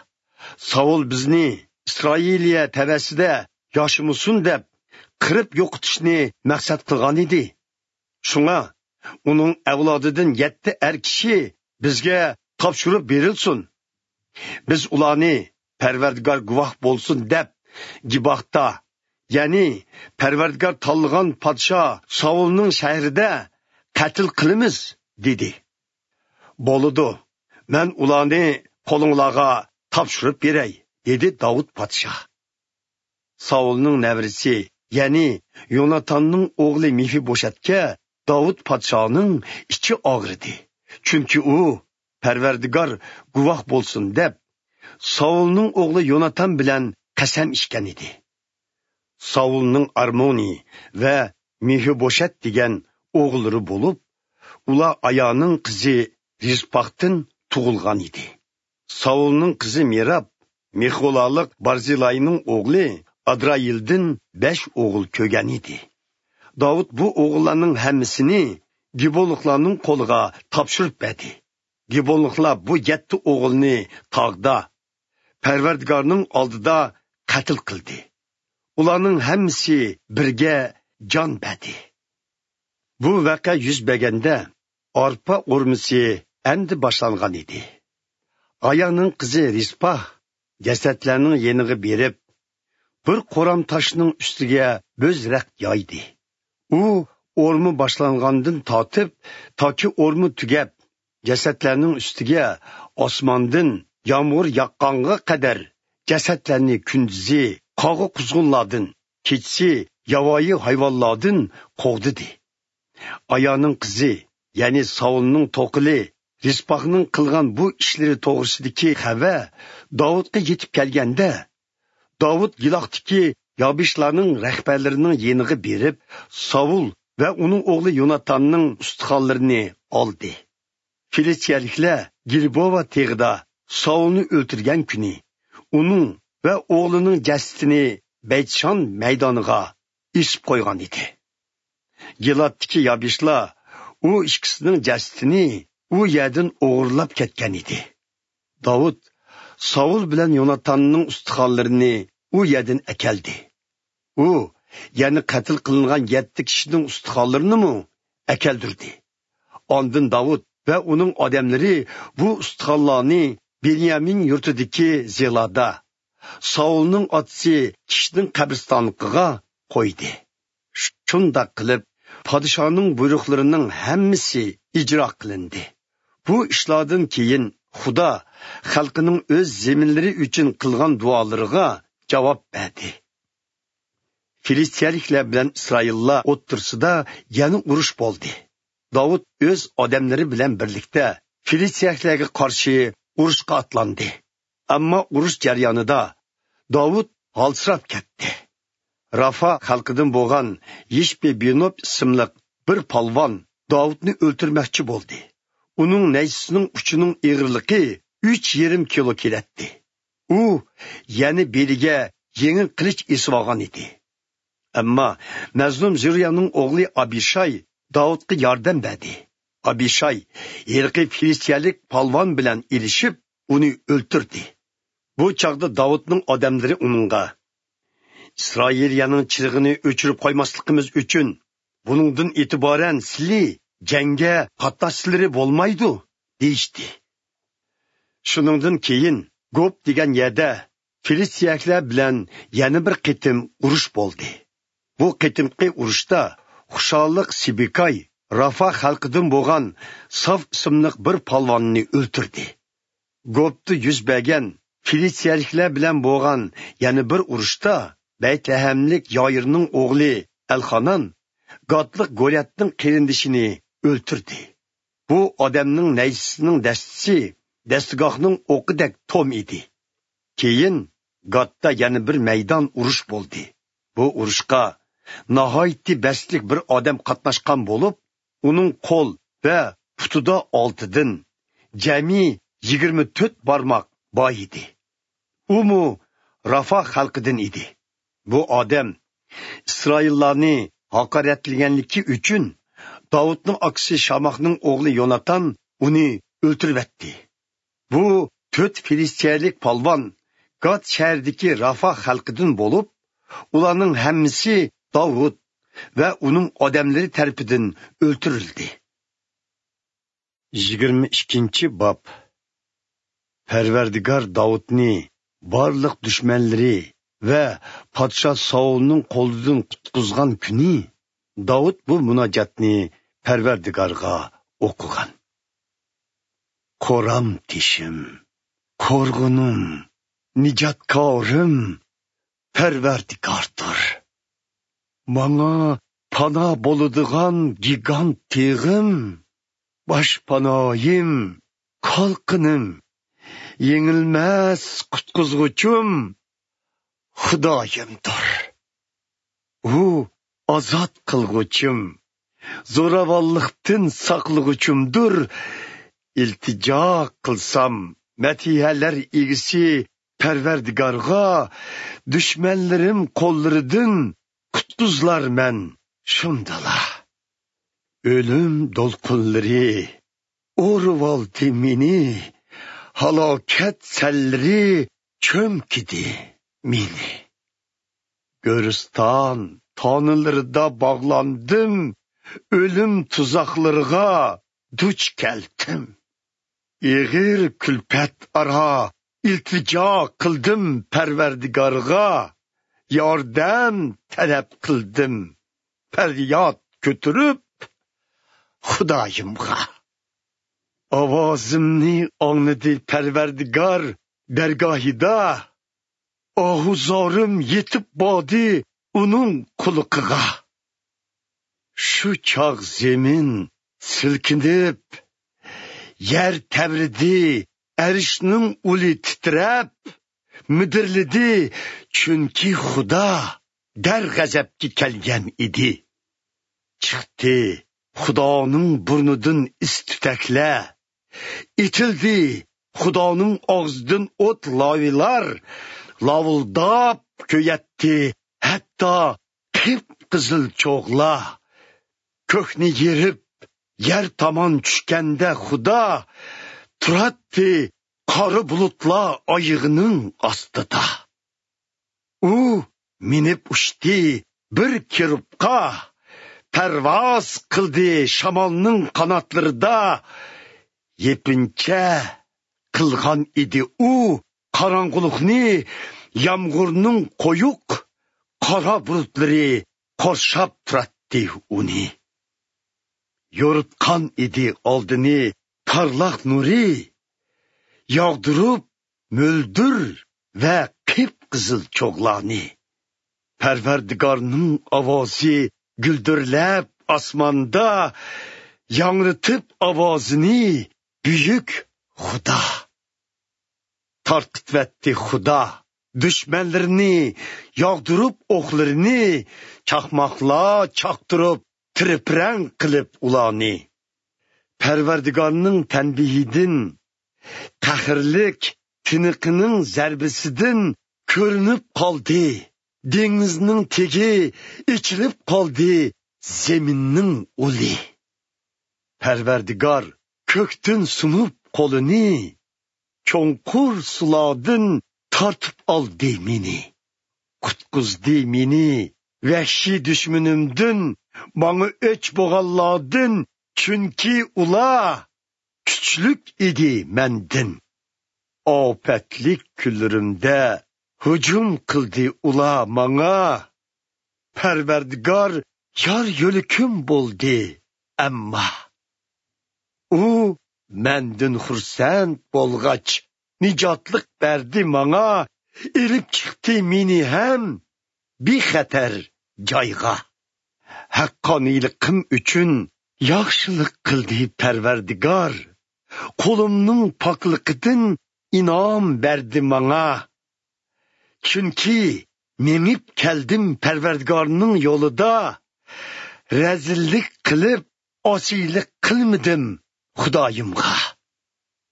ساۋۇل بىزنى ئىسرائىلىيە تەۋەسىدە ياشىمىسۇن دەپ، قىرىپ يوقىتىشنى مەقسەت قىلغان ئىدى. شۇڭا ئۇنىڭ ئەۋلادىدىن يەتتە ئەر كىشى بىزگە تاپشۇرۇپ بېرىلسۇن. بىز ئۇلارنى پەرۋەردىگار گۇۋاھ بولسۇن دەپ، گىباھتا، يەنى پەرۋەردىگار تاللىغان پادىشاھ ساۋۇلنىڭ شەھىرىدە قەتل قىلىمىز، دېدى. بولىدۇ، مەن ئۇلارنى قولۇڭلارغا تاپشۇرۇپ بېرەي، دېدى داۋۇت پادىشاھ. ساۋۇلنىڭ نەۋرىسى، يەنى يوناتاننىڭ ئوغلى مېفىبوشەتكە داۋۇت پادىشاھنىڭ ئىچى ئاغرىدى. چۈنكى ئۇ، پەرۋەردىگار گۇۋاھ بولسۇن دەپ، ساۋۇلنىڭ ئوغلى يوناتان بىلەن قەسەم ئىچكەن ئىدى. ساۋۇلنىڭ ئارمونى ۋە مېفىبوشەت دېگەن ئوغۇللىرى بولۇپ، ئۇلار ئايانىڭ قىزى رىزپاقتىن تۇغۇلغان ئىدى. ساۋۇلنىڭ قىزى مېراب مېخولالىق بارزىلاينىڭ ئوغلى ئادرايىلدىن بەش ئوغۇل كۆرگەن ئىدى. داۋۇت بۇ ئوغۇللارنىڭ ھەممىسىنى گىبونلۇقلارنىڭ قولىغا تاپشۇرۇپ بەردى. گىبونلۇقلار بۇ يەتتە ئوغۇلنى تاغدا، پەرۋەردىگارنىڭ ئالدىدا قەتل قىلدى. ئۇلارنىڭ ھەممىسى بىرگە جان بەردى. بۇ ۋەقە يۈز بەرگەندە، ئارپا ئورمىسى ئەمدى باشلانغان ئىدى. ئايانىڭ قىزى رىزپا جەسەتلەرنىڭ يېنىغا بېرىپ، بىر قورام تاشنىڭ ئۈستىگە بۆز رەخت يايدى. ئۇ ئورما باشلانغاندىن تارتىپ، تاكى ئورما تۈگەپ، جەسەتلەرنىڭ ئۈستىگە ئاسماندىن يامغۇر ياغقانغا قەدەر جەسەتلەرنى كۈندۈزى قاغا-قۇزغۇنلاردىن، كېچىسى ياۋايى ھايۋانلاردىن قوغدىدى. ئايانىڭ قىزى، يەنى ساۋۇلنىڭ توقىلى رىزپاقنىڭ قىلغان بۇ ئىشلىرى توغرىسىدىكى خەۋەر داۋۇتقا يېتىپ كەلگەندە، داۋۇت گىلاختىكى يابىشلارنىڭ رەھبەرلىرىنىڭ يېنىغا بېرىپ، ساۋۇل ۋە ئۇنىڭ ئوغلى يوناتاننىڭ ئۇستىخانلىرىنى ئالدى. فىلىستىيەلىكلەر گىلبوۋا تېغىدا ساۋۇلنى ئۆلتۈرگەن كۈنى ئۇنىڭ ۋە ئوغلىنىڭ جەسىتىنى بەيتشان مەيدانىغا ئېسىپ قويغان ئىدى. گىلادتىكى يابىشلار ئۇ ئىككىسىنىڭ جەسىتىنى ئۇ يەردىن ئوغرىلاپ كەتكەن ئىدى. داۋۇت ساۋۇل بىلەن يوناتاننىڭ ئۇستىخانلىرىنى ئۇ يەردىن ئەكەلدى. ئۇ يەنە قەتل قىلىنغان يەتتە كىشىنىڭ ئۇستىخانلىرىنىمۇ ئەكەلدۈردى. ئاندىن داۋۇت ۋە ئۇنىڭ ئادەملىرى بۇ ئۇستىخانلارنى بېنيامىن يۇرتىدىكى زېلادا، ساۋۇلنىڭ ئاتىسى كىشنىڭ قەبرىستانلىقىغا قويدى. شۇنداق قىلىپ، پادىشاھنىڭ بۇيرۇقلىرىنىڭ ھەممىسى ئىجرا قىلىندى. بۇ ئىشلاردىن كېيىن خۇدا خەلقىنىڭ ئۆز زېمىنلىرى ئۈچۈن قىلغان دۇئالىرىغا جاۋاب بەردى. فىلىستىيەلىكلەر بىلەن ئىسرائىللار ئوتتۇرىسىدا يەنە ئۇرۇش بولدى. داۋۇت ئۆز ئادەملىرى بىلەن بىرلىكتە فىلىستىيەلىكلەرگە قارشى ئۇرۇشقا ئاتلاندى. ئەمما ئۇرۇش جەريانىدا داۋۇت ھالسىراپ كەتتى. رافا خەلقىدىن بولغان يىشبى بىنوب ئىسىملىق بىر پالۋان داۋۇتنى ئۆلتۈرمەكچى بولدى. ئۇنىڭ نەيزىسىنىڭ ئۇچىنىڭ ئېغىرلىقى ئۈچ يېرىم كىلو كېلەتتى. ئۇ يەنە بېلىگە يېڭى قىلىچ ئېسىۋالغان ئىدى. ئەمما مەزلۇم زۇرىيانىڭ ئوغلى ئابىشاي داۋۇتقا ياردەم بەردى. ئابىشاي ھېلىقى فىلىستىيەلىك پالۋان بىلەن ئېلىشىپ، ئۇنى ئۆلتۈردى. بۇ چاغدا داۋۇتنىڭ ئادەملىرى ئۇنىڭغا، «ئىسرائىلىيەنىڭ چىرىغىنى ئۆچۈرۈپ قويماسلىقىمىز ئۈچۈن، بۇنىڭدىن ئېتىبارەن سىلى جەڭگە قاتناشسىلىرى بولمايدۇ» دېيىشتى. شۇنىڭدىن كېيىن گوب دېگەن يەردە فىلىستىيەلىكلەر بىلەن يەنە بىر قېتىم ئۇرۇش بولدى. بۇ قېتىمقى ئۇرۇشتا خۇشاللىق سىبىكاي رافا خەلقىدىن بولغان ساف ئىسىملىق بىر پالۋاننى ئۆلتۈردى. گوبتا يۈز بەرگەن فىلىستىيەلىكلەر بىلەن بولغان يەنە بىر ئۇرۇشتا بەيتلەھەملىك يائىرنىڭ ئوغلى ئەلخانان گاتلىق گولياتنىڭ قېرىندىشىنى ئۆلتۈردى. بۇ ئادەمنىڭ نەيزىسىنىڭ دەستىسى دەستىگاھنىڭ ئوقىدەك توم ئىدى. كېيىن گاتتا يەنە بىر مەيدان ئۇرۇش بولدى. بۇ ئۇرۇشقا ناھايىتى بەستلىك بىر ئادەم قاتناشقان بولۇپ، ئۇنىڭ قول ۋە پۇتىدا ئالتىدىن جەمئىي يىگىرمە تۆت بارماق بار ئىدى. ئۇمۇ رافا خەلقىدىن ئىدى. بۇ ئادەم ئىسرائىللارنى ھاقارەتلىگەنلىكى ئۈچۈن داۋۇتنىڭ ئاكىسى شاماخنىڭ ئوغلى يوناتان ئۇنى ئۆلتۈرۈۋەتتى. بۇ تۆت فىلىستىيەلىك پالۋان گات شەھىرىدىكى رافا خەلقىدىن بولۇپ، ئۇلارنىڭ ھەممىسى داۋۇت ۋە ئۇنىڭ ئادەملىرى تەرىپىدىن ئۆلتۈرۈلدى. يىگىرمە ئىككىنچى باب. پەرۋەردىگار داۋۇتنى بارلىق دۈشمەنلىرى ۋە پادىشاھ ساۋۇلنىڭ قولىدىن قۇتقۇزغان كۈنى داۋۇت بۇ مۇناجاتنى پەرۋەردىگارغا ئوقۇغان. قورام تېشىم، قورغىنىم، نىجاتكارىم پەرۋەردىگاردۇر. ماڭا پانا بولىدىغان گىگانت تېغىم، باشپاناھىم، قالقىنىم، يېڭىلمەس قۇتقۇزغۇچۇم خۇدايىمدۇر. ئۇ ئازاد قىلغۇچىم، زوراۋانلىقتىن ساقلىغۇچۇمدۇر. ئىلتىجا قىلسام، مەدھىيەلەر ئىگىسى پەرۋەردىگارغا، دۈشمەنلىرىم قوللىرىدىن قۇتقۇزۇلارمەن شۇندىلا. ئۆلۈم دولقۇنلىرى ئورۇۋالدى مېنى، ھالاكەت سەللىرى چۆمكىدى مېنى. گۆرىستان تانىلىرىدا باغلاندىم، ئۆلۈم تۇزاقلىرىغا دۇچ كەلدىم. ئېغىر كۈلپەت ئارا ئىلتىجا قىلدىم پەرۋەردىگارغا، ياردەم تەلەپ قىلدىم، پەرياد كۆتۈرۈپ خۇدايىمغا. ئاۋازىمنى ئاڭلىدى پەرۋەردىگار دەرگاھىدا، ئاھۇزارىم يېتىپ باردى ئۇنىڭ قۇلىقىغا. شۇ چاغ زېمىن سىلكىنىپ، يەر تەۋرىدى، ئەرشنىڭ ئۇلى تىترەپ، مىدىرلىدى، چۈنكى خۇدا دەرغەزەپكە كەلگەن ئىدى. چىقتى خۇدانىڭ بۇرنىدىن ئىس تۈتەكلەر، ئېتىلدى خۇدانىڭ ئاغزىدىن ئوت لاۋىلار، لاۋۇلداپ كۆيەتتى ھەتتا قىپقىزىل چوغلار. كۆكنى يېرىپ، يەر تامان چۈشكەندە خۇدا، تۇراتتى قارا بۇلۇتلار ئايىغىنىڭ ئاستىدا. ئۇ مىنىپ ئۇچتى بىر كېرۇبقا، پەرۋاز قىلدى شامالنىڭ قاناتلىرىدا. يېپىنچا قىلغان ئىدى ئۇ قاراڭغۇلۇقنى، يامغۇرنىڭ قويۇق قارا بۇلۇتلىرى قورشاپ تۇراتتى ئۇنى. يورۇتقان ئىدى ئالدىنى تارلاق نۇرى، ياغدۇرۇپ مۆلدۈر ۋە قىپقىزىل چوغلارنى. پەرۋەردىگارنىڭ ئاۋازى گۈلدۈرلەپ ئاسماندا، ياڭرىتىپ ئاۋازىنى بۈيۈك خۇدا. تارقىتىۋەتتى خۇدا دۈشمەنلىرىنى، ياغدۇرۇپ ئوقلىرىنى، چاقماقلار چاقتۇرۇپ، تىرىپرەڭ قىلىپ ئۇلارنى. پەرۋەردىگارنىڭ تەنبىھىدىن، قەھرلىك تىنىقىنىڭ زەربىسىدىن كۆرۈنۈپ قالدى. دېڭىزنىڭ تېگى ئېچىلىپ قالدى، زېمىننىڭ ئۇلى. پەرۋەردىگار كۆكتىن سۇنۇپ قولىنى، چوڭقۇر سۇلاردىن تارتىپ ئالدى مېنى. قۇتقۇزدى مېنى ۋەھشىي دۈشمىنىمدىن، ماڭا ئۆچ بولغانلاردىن، چۈنكى ئۇلار كۈچلۈك ئىدى مەندىن. ئاپەتلىك كۈنلىرىمدە ھۇجۇم قىلدى ئۇلار ماڭا. پەرۋەردىگار يار يۆلىكىم بولدى، ئەمما ئۇ مەندىن خۇرسەن بولغاچ، نىجاتلىق بەردى ماڭا، ئېلىپ چىقتى مېنى ھەم بىخەتەر جايغا. ھەققانىيلىقىم ئۈچۈن ياخشىلىق قىلدى پەرۋەردىگار، قولۇمنىڭ پاكلىقىدىن ئىنئام بەردى ماڭا. چۈنكى مېڭىپ كەلدىم پەرۋەردىگارنىڭ يولىدا، رەزىللىك قىلىپ، ئاسىيلىق قىلمىدىم خۇدايىمغا.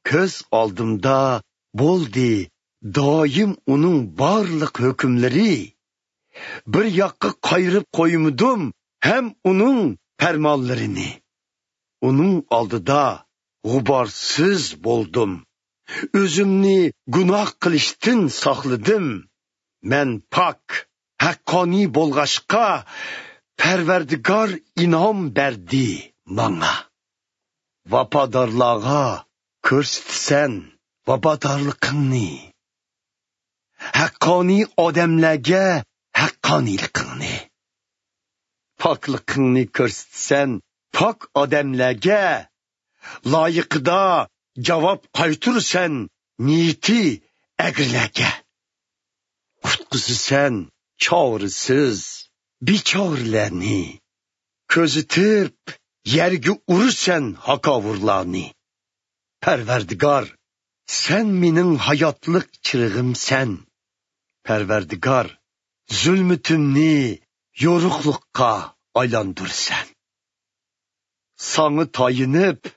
كۆز ئالدىمدا بولدى دائىم ئۇنىڭ بارلىق ھۆكۈملىرى. بىر ياققا قايرىپ قويمىدىم ھەم ئۇنىڭ پەرمانلىرىنى. ئۇنىڭ ئالدىدا غۇبارسىز بولدۇم. ئۆزۈمنى گۇناھ قىلىشتىن ساقلىدىم. مەن پاك، ھەققانىي بولغاچقا، پەرۋەردىگار ئىنئام بەردى ماڭا. ۋاپادارلارغا كۆرسىتىسەن ۋاپادارلىقىڭنى، ھەققانىي ئادەملەرگە ھەققانىيلىقىڭنى. پاكلىقىڭنى كۆرسىتىسەن پاك ئادەملەرگە، لايىقىدا جاۋاب قايتۇرىسەن نىيىتى ئەگرىلەرگە. قۇتقۇزىسەن چارىسىز بىچارىلەرنى، كۆزىتىپ يەرگە ئۇرىسەن ھاكاۋۇرلارنى. پەرۋەردىگار، سەن مېنىڭ ھاياتلىق چىرىغىمسەن. پەرۋەردىگار، زۇلمىتىمنى يورۇقلۇققا ئايلاندۇرىسەن. ساڭا تايىنىپ،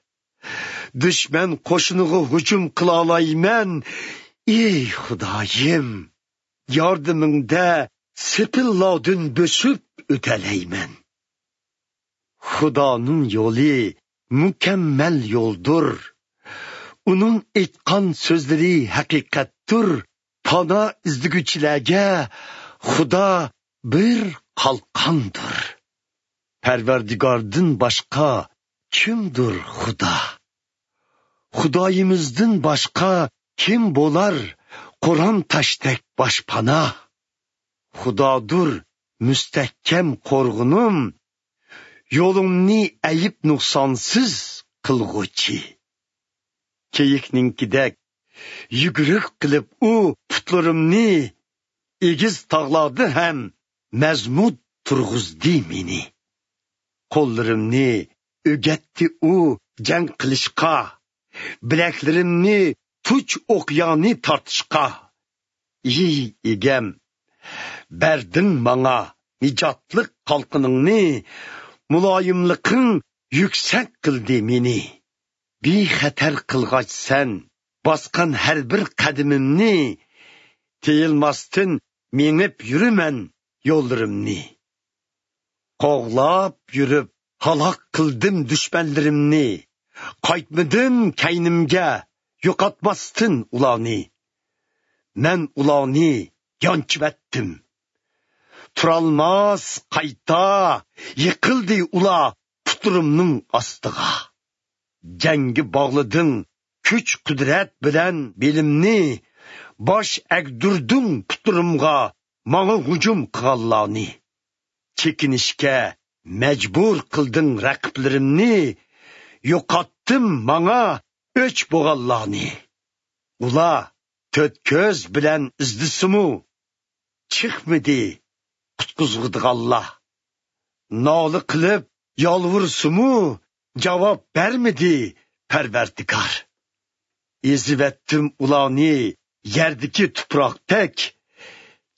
دۈشمەن قوشۇنىغا ھۇجۇم قىلالايمەن. ئېي خۇدايىم، ياردىمىڭدە سېپىللاردىن بۆسۈپ ئۆتەلەيمەن. خۇدانىڭ يولى مۇكەممەل يولدۇر. ئۇنىڭ ئېيتقان سۆزلىرى ھەقىقەتتۇر. پانا ئىزدىگۈچىلەرگە خۇدا بىر قالقاندۇر. پەرۋەردىگاردىن باشقا كىمدۇر خۇدا؟ خۇدايىمىزدىن باشقا كىم بولار قورام تاشتەك باشپانا؟ خۇدادۇر مۇستەھكەم قورغىنىم، يولۇمنى ئەيىب نۇقسانسىز قىلغۇچى. كېيىكنىڭكىدەك يۈگۈرۈك قىلىپ ئۇ پۇتلىرىمنى، ئېگىز تاغلاردا ھەم مەزمۇت تۇرغۇزدى مېنى. قوللىرىمنى ئۆگەتتى ئۇ جەڭ قىلىشقا، بىلەكلىرىمنى تۇچ ئوقيانى تارتىشقا. ئى ئىگەم، بەردىڭ ماڭا نىجاتلىق قالقىنىڭنى، مۇلايىملىقىڭ يۈكسەك قىلدى مېنى. بىخەتەر قىلغاچ سەن باسقان ھەر بىر قەدىمىمنى، تېيىلماستىن مېڭىپ يۈرىمەن يوللىرىمنى. قوغلاپ يۈرۈپ ھالاك قىلدىم دۈشمەنلىرىمنى، قايتمىدىم كەينىمگە يوقاتماستىن ئۇلارنى. مەن ئۇلارنى يانچىۋەتتىم. تۇرالماس قايتا يىقىلدى ئۇلار پۇتلىرىمنىڭ ئاستىغا. جەڭگە باغلىدىڭ كۈچ-قۇدرەت بىلەن بېلىمنى، باش ئەگدۈردۈڭ پۇتلىرىمغا ماڭا ھۇجۇم قىلغانلارنى. چېكىنىشكە مەجبۇر قىلدىڭ رەقىبلىرىمنى، يوقاتتىم ماڭا ئۆچ بولغانلارنى. ئۇلار تۆت كۆز بىلەن ئىزدىسىمۇ، چىقمىدى قۇتقۇزغۇدىغانلار. نالە قىلىپ يالۋۇرسىمۇ، جاۋاب بەرمىدى پەرۋەردىگار. ئېزىۋەتتىم ئۇلارنى يەردىكى تۇپراقتەك،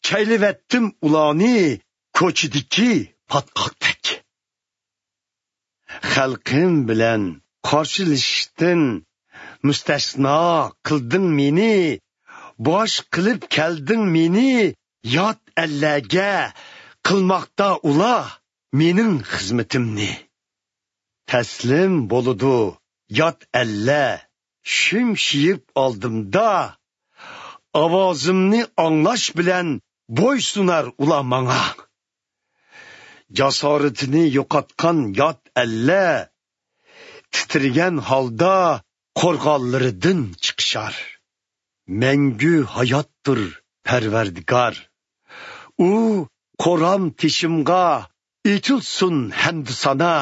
چەيلىۋەتتىم ئۇلارنى كوچىدىكى پاتقاقتەك. خەلقىم بىلەن قارشىلىشىشتىن مۇستەسنا قىلدىڭ مېنى، باش قىلىپ كەلدىڭ مېنى يات ئەللەرگە، قىلماقتا ئۇلار مېنىڭ خىزمىتىمنى. تەسلىم بولىدۇ يات ئەللەر شۈمشىيىپ ئالدىمدا، ئاۋازىمنى ئاڭلاش بىلەن بويسۇنار ئۇلار ماڭا. جاسارىتىنى يوقاتقان يات ئەللەر تىترىگەن ھالدا قورغانلىرىدىن چىقىشار. مەڭگۈ ھاياتتۇر پەرۋەردىگار. ئۇ قورام تېشىمغا ئېيتىلسۇن ھەمدۇ سانا،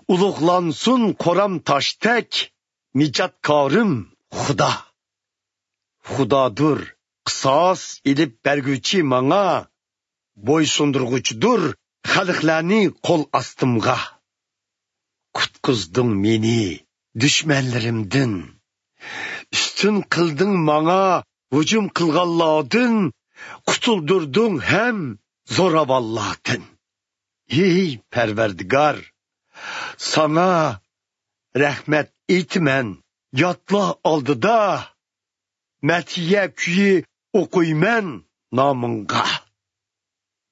ئۇلۇغلانسۇن قورام تاشتەك نىجاتكارىم خۇدا. خۇدادۇر قىساس ئېلىپ بەرگۈچى ماڭا، بويسۇندۇرغۇچىدۇر خەلقلەرنى قول ئاستىمغا. قۇتقۇزدۇڭ مېنى دۈشمەنلىرىمدىن، ئۈستۈن قىلدىڭ ماڭا ھۇجۇم قىلغانلاردىن، قۇتۇلدۇردۇڭ ھەم زوراۋانلاردىن. ھېي پەرۋەردىگار، ساڭا رەھمەت ئېيتىمەن ياتلار ئالدىدا، مەدھىيە كۈيى ئوقۇيمەن نامىڭغا.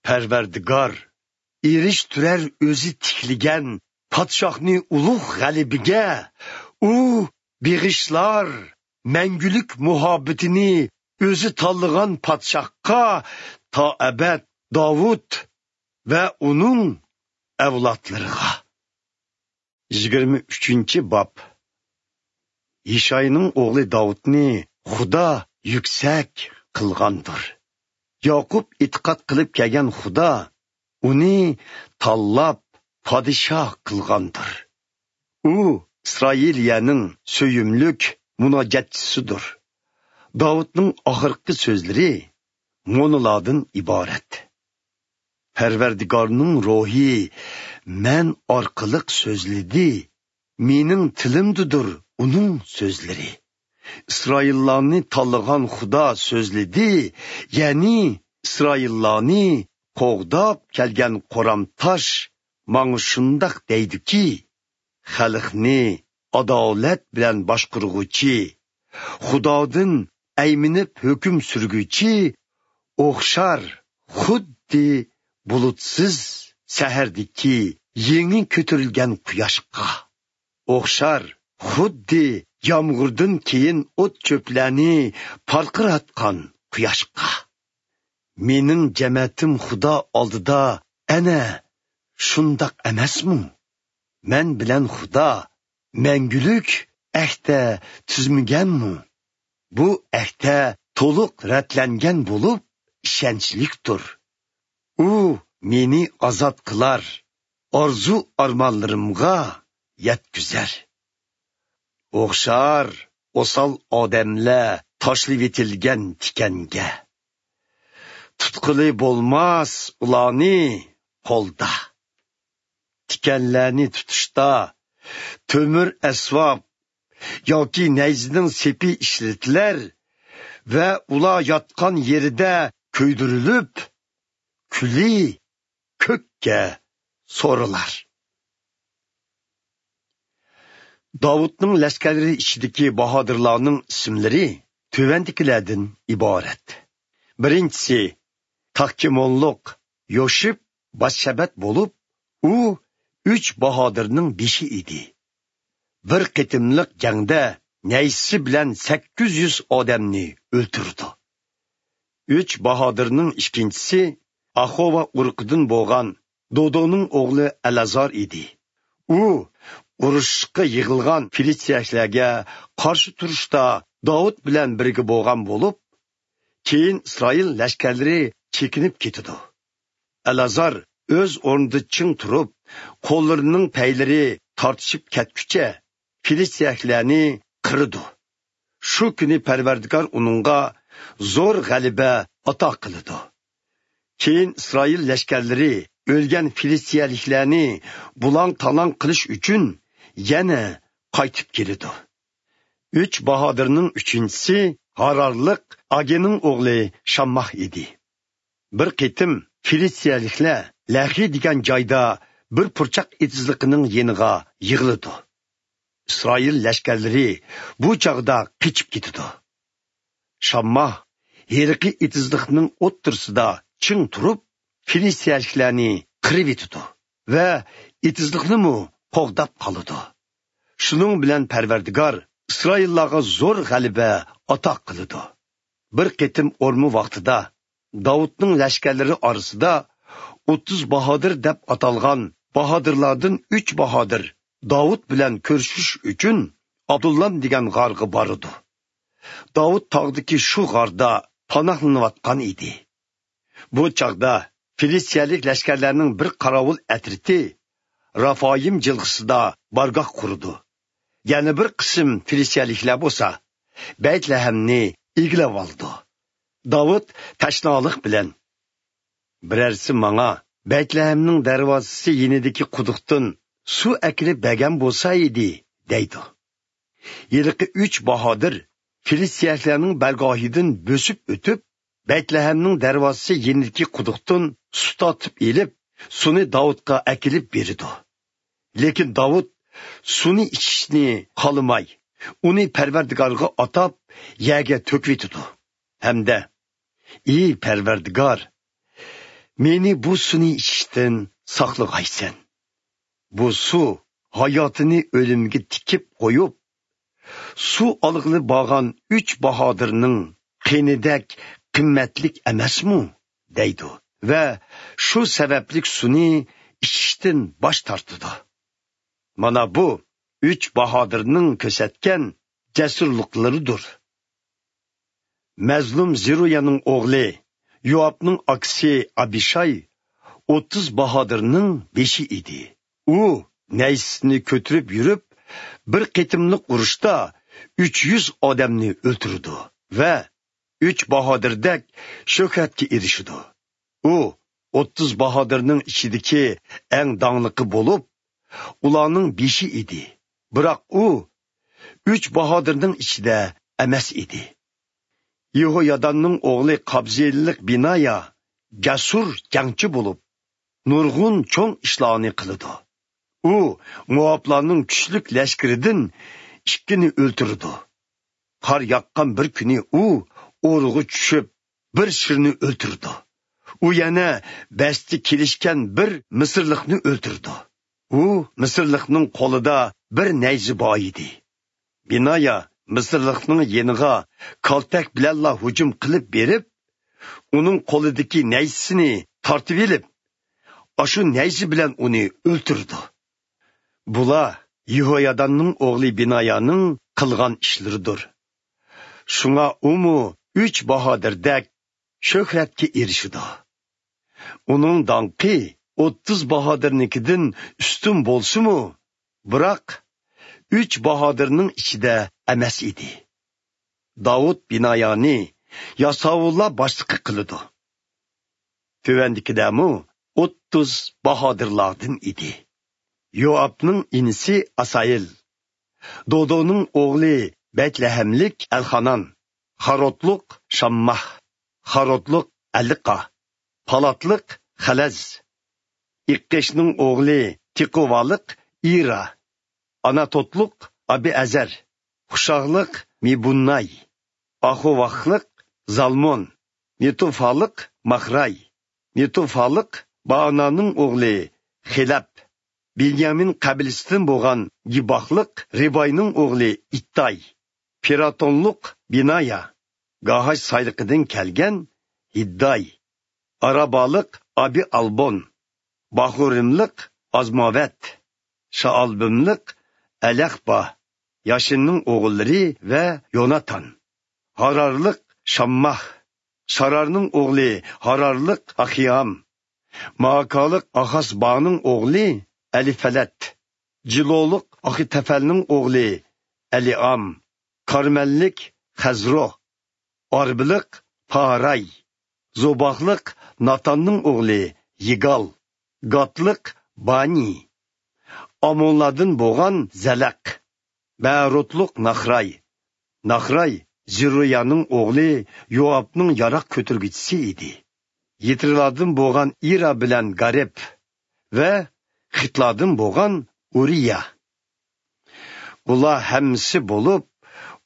پەرۋەردىگار ئېرىشتۈرەر ئۆزى تىكلىگەن پادىشاھنى ئۇلۇغ غەلىبىگە. ئۇ بېغىشلار مەڭگۈلۈك مۇھەببىتىنى ئۆزى تاللىغان پادىشاھقا، تا ئەبەد داۋۇت ۋە ئۇنىڭ ئەۋلادلىرىغا. يىگىرمە ئۈچىنچى باب. يىشاينىڭ ئوغلى داۋۇتنى خۇدا يۈكسەك قىلغاندۇر. ياقۇپ ئېتىقاد قىلىپ كەلگەن خۇدا ئۇنى تاللاپ پادىشاھ قىلغاندۇر. ئۇ ئىسرائىلىيەنىڭ سۆيۈملۈك مۇناجاتچىسىدۇر. داۋۇتنىڭ ئاخىرقى سۆزلىرى مۇنۇلاردىن ئىبارەت. پەرۋەردىگارنىڭ روھى مەن ئارقىلىق سۆزلىدى، مېنىڭ تىلىمدىدۇر ئۇنىڭ سۆزلىرى. ئىسرائىللارنى تاللىغان خۇدا سۆزلىدى، يەنى ئىسرائىللارنى قوغداپ كەلگەن قورام تاش ماڭا شۇنداق دەيدۇكى، خەلقنى ئادالەت بىلەن باشقۇرغۇچى، خۇدادىن ئەيمىنىپ ھۆكۈم سۈرگۈچى ئوخشار خۇددى بۇلۇتسىز سەھەردىكى يېڭى كۆتۈرۈلگەن قۇياشقا، ئوخشار خۇددى يامغۇردىن كېيىن ئوت-چۆپلەرنى پارقىراتقان قۇياشقا. مېنىڭ جەمەتىم خۇدا ئالدىدا ئەنە شۇنداق ئەمەسمۇ؟ مەن بىلەن خۇدا مەڭگۈلۈك ئەھدە تۈزمىگەنمۇ؟ بۇ ئەھدە تولۇق رەتلەنگەن بولۇپ، ئىشەنچلىكتۇر. ئۇ مېنى ئازاد قىلار، ئارزۇ-ئارمانلىرىمغا يەتكۈزەر. ئوخشار ئوسال ئادەملەر تاشلىۋېتىلگەن تىكەنگە. تۇتقىلى بولماس ئۇلارنى قولدا. تىكەنلەرنى تۇتۇشتا تۆمۈر ئەسۋاب ياكى نەيزىنىڭ سېپى ئىشلىتىلەر ۋە ئۇلار ياتقان يېرىدە كۆيدۈرۈلۈپ، كۈلى كۆككە سورۇلار. داۋۇتنىڭ لەشكەرلىرى ئىچىدىكى باھادىرلارنىڭ ئىسىملىرى تۆۋەندىكىلەردىن ئىبارەت. بىرىنچىسى، تاككىمونلۇق يوشىپ باششەبەت بولۇپ، ئۇ ئۈچ باھادىرنىڭ بېشى ئىدى. بىر قېتىملىق جەڭدە نەيزىسى بىلەن سەككىز يۈز ئادەمنى ئۆلتۈرىدۇ. ئۈچ باھادىرنىڭ ئىككىنچىسى ئاخوۋا ئۇرۇقىدىن بولغان دودونىڭ ئوغلى ئەلئازار ئىدى. ئۇ ئۇرۇشقا يىغىلغان فىلىستىيەلەرگە قارشى تۇرۇشتا داۋۇت بىلەن بىرگە بولغان بولۇپ، كېيىن ئىسرائىل لەشكەرلىرى چېكىنىپ كېتىدۇ. ئەلئازار ئۆز ئورنىدا چىڭ تۇرۇپ، قوللىرىنىڭ پەيلىرى تارتىشىپ كەتكۈچە، فىلىستىيەلىكلەرنى قىرىدۇ. شۇ كۈنى پەرۋەردىگار ئۇنىڭغا زور غەلىبە ئاتا قىلىدۇ. كېيىن ئىسرائىل لەشكەرلىرى ئۆلگەن فىلىستىيەلىكلەرنى بۇلاڭ-تالاڭ قىلىش ئۈچۈن يەنە قايتىپ كېلىدۇ. ئۈچ باھادىرنىڭ ئۈچىنچىسى ھارارلىق ئاگېنىڭ ئوغلى شامماھ ئىدى. بىر قېتىم فىلىستىيەلىكلەر لەھرى دېگەن جايدا بىر پۇرچاق ئېتىزلىقىنىڭ يېنىغا يىغىلىدۇ. ئىسرائىل لەشكەرلىرى بۇ چاغدا قېچىپ كېتىدۇ. شامماھ ھېلىقى ئېتىزلىقنىڭ ئوتتۇرىسىدا چىڭ تۇرۇپ، فىلىستىيەلىكلەرنى قىرىۋېتىدۇ ۋە ئېتىزلىقنىمۇ قوغداپ قالىدۇ. شۇنىڭ بىلەن پەرۋەردىگار ئىسرائىللارغا زور غەلىبە ئاتا قىلىدۇ. بىر قېتىم ئورما ۋاقتىدا داۋۇتنىڭ لەشكەرلىرى ئارىسىدا ئوتتۇز باھادىر دەپ ئاتالغان باھادىرلاردىن ئۈچ باھادىر داۋۇت بىلەن كۆرۈشۈش ئۈچۈن ئادۇللام دېگەن غارغا بارىدۇ. داۋۇت تاغدىكى شۇ غاردا پاناھلىنىۋاتقان ئىدى. بۇ چاغدا فىلىستىيەلىك لەشكەرلەرنىڭ بىر قاراۋۇل ئەترىتى رافايىم جىلغىسىدا بارگاھ قۇرىدۇ. يەنە بىر قىسىم فىلىستىيەلىكلەر بولسا بەيتلەھەمنى ئىگىلەۋالىدۇ. داۋۇت تەشنالىق بىلەن، «بىرەرسى ماڭا بەيتلەھەمنىڭ دەرۋازىسى يېنىدىكى قۇدۇقتىن سۇ ئەكىلىپ بەرگەن بولسا ئىدى» دەيدۇ. ھېلىقى ئۈچ باھادىر فىلىستىيەلىكلەرنىڭ بارگاھىدىن بۆسۈپ ئۆتۈپ، بەيتلەھەمنىڭ دەرۋازىسى يېنىدىكى قۇدۇقتىن سۇ تارتىپ ئېلىپ، سۇنى داۋۇتقا ئەكېلىپ بېرىدۇ. لېكىن داۋۇت سۇنى ئىچىشنى خالىماي، ئۇنى پەرۋەردىگارغا ئاتاپ، يەرگە تۆكۈۋېتىدۇ ھەمدە، «ئى پەرۋەردىگار، مېنى بۇ سۇنى ئىچىشتىن ساقلىغايسەن. بۇ سۇ ھاياتىنى ئۆلۈمگە تىكىپ قويۇپ، سۇ ئالغىلى بارغان ئۈچ باھادىرنىڭ قېنىدەك قىممەتلىك ئەمەسمۇ؟» دەيدۇ ۋە شۇ سەۋەبلىك سۇنى ئىچىشتىن باش تارتىدۇ. مانا بۇ ئۈچ باھادىرنىڭ كۆرسەتكەن جەسۇرلۇقلىرىدۇر. مەزلۇم زېرۇيانىڭ ئوغلى يوئابنىڭ ئاكىسى ئابىشاي ئوتتۇز باھادىرنىڭ بېشى ئىدى. ئۇ نەيزىسىنى كۆتۈرۈپ يۈرۈپ، بىر قېتىملىق ئۇرۇشتا ئۈچ يۈز ئادەمنى ئۆلتۈرىدۇ ۋە ئۈچ باھادىردەك شۆھرەتكە ئېرىشىدۇ. ئۇ ئوتتۇز باھادىرنىڭ ئىچىدىكى ئەڭ داڭلىقى بولۇپ، ئۇلارنىڭ بېشى ئىدى. بىراق ئۇ ئۈچ باھادىرنىڭ ئىچىدە ئەمەس ئىدى. يېھوياداننىڭ ئوغلى قابزېللىق بىنايا جەسۇر جەڭچى بولۇپ، نۇرغۇن چوڭ ئىشلارنى قىلىدۇ. ئۇ موئابلارنىڭ كۈچلۈك لەشكىرىدىن ئىككىنى ئۆلتۈرىدۇ. قار ياغقان بىر كۈنى ئۇ ئورىغا چۈشۈپ، بىر شىرنى ئۆلتۈرىدۇ. ئۇ يەنە بەستە كېلىشكەن بىر مىسىرلىقنى ئۆلتۈرىدۇ. ئۇ مىسىرلىقنىڭ قولىدا بىر نەيزە بار ئىدى. بىنايا مىسىرلىقنىڭ يېنىغا كالتەك بىلەنلا ھۇجۇم قىلىپ بېرىپ، ئۇنىڭ قولىدىكى نەيزىسىنى تارتىۋېلىپ، ئاشۇ نەيزە بىلەن ئۇنى ئۆلتۈرىدۇ. بۇلار يېھوياداننىڭ ئوغلى بىنايانىڭ قىلغان ئىشلىرىدۇر. شۇڭا ئۇمۇ ئۈچ باھادىردەك شۆھرەتكە ئېرىشىدۇ. ئۇنىڭ داڭقى ئوتتۇز باھادىرنىڭكىدىن ئۈستۈن بولسىمۇ، بىراق ئۈچ باھادىرنىڭ ئىچىدە ئەمەس ئىدى. داۋۇت بىنايانى ياساۋۇللار باشلىقى قىلىدۇ. تۆۋەندىكىلەرمۇ ئوتتۇز باھادىرلاردىن ئىدى. يوئابنىڭ ئىنىسى ئاسايىل، دودونىڭ ئوغلى بەيتلەھەملىك ئەلخانان، خارودلۇق شامماھ، خارودلۇق ئەلىقا، پالاتلىق خەلەز، ئىققىشنىڭ ئوغلى تېقۇۋالىق ئىرا، ئاناتوتلۇق ئابىئەزەر، خۇشاغلىق مىبۇنناي، ئاخۇۋاخلىق زالمون، نېتوفالىق ماخراي، نېتوفالىق بائانانىڭ ئوغلى خېلەپ، بېنيامىن قەبىلىسىدىن بولغان گىباخلىق رىباينىڭ ئوغلى ئىتتاي، پىراتونلۇق بىنايا، گاھاش سايلىقىدىن كەلگەن ھىدداي، ئارابالىق ئابىئالبون، باخۇرىملىق ئازماۋەت، شائالبىملىق ئەلەخبا، ياشىننىڭ ئوغۇللىرى ۋە يوناتان، ھارارلىق شامماھ، سارارنىڭ ئوغلى ھارارلىق ئاخىئام، مائاكالىق ئاخاسبانىڭ ئوغلى ئەلىپەلەت، جىلولۇق ئاخىتەفەلنىڭ ئوغلى ئەلىئام، كارمەللىك خەزرو، ئاربىلىق پاراي، زوباقلىق ناتاننىڭ ئوغلى يىگال، گاتلىق بانى، ئامونلاردىن بولغان زەلەق، بەروتلۇق ناخراي. ناخراي زېرۇيانىڭ ئوغلى يوئابنىڭ ياراغ كۆتۈرگۈچىسى ئىدى. يىترىلاردىن بولغان ئىرا بىلەن گارېب ۋە خىتلاردىن بولغان ئۇرىيا. بۇلار ھەممىسى بولۇپ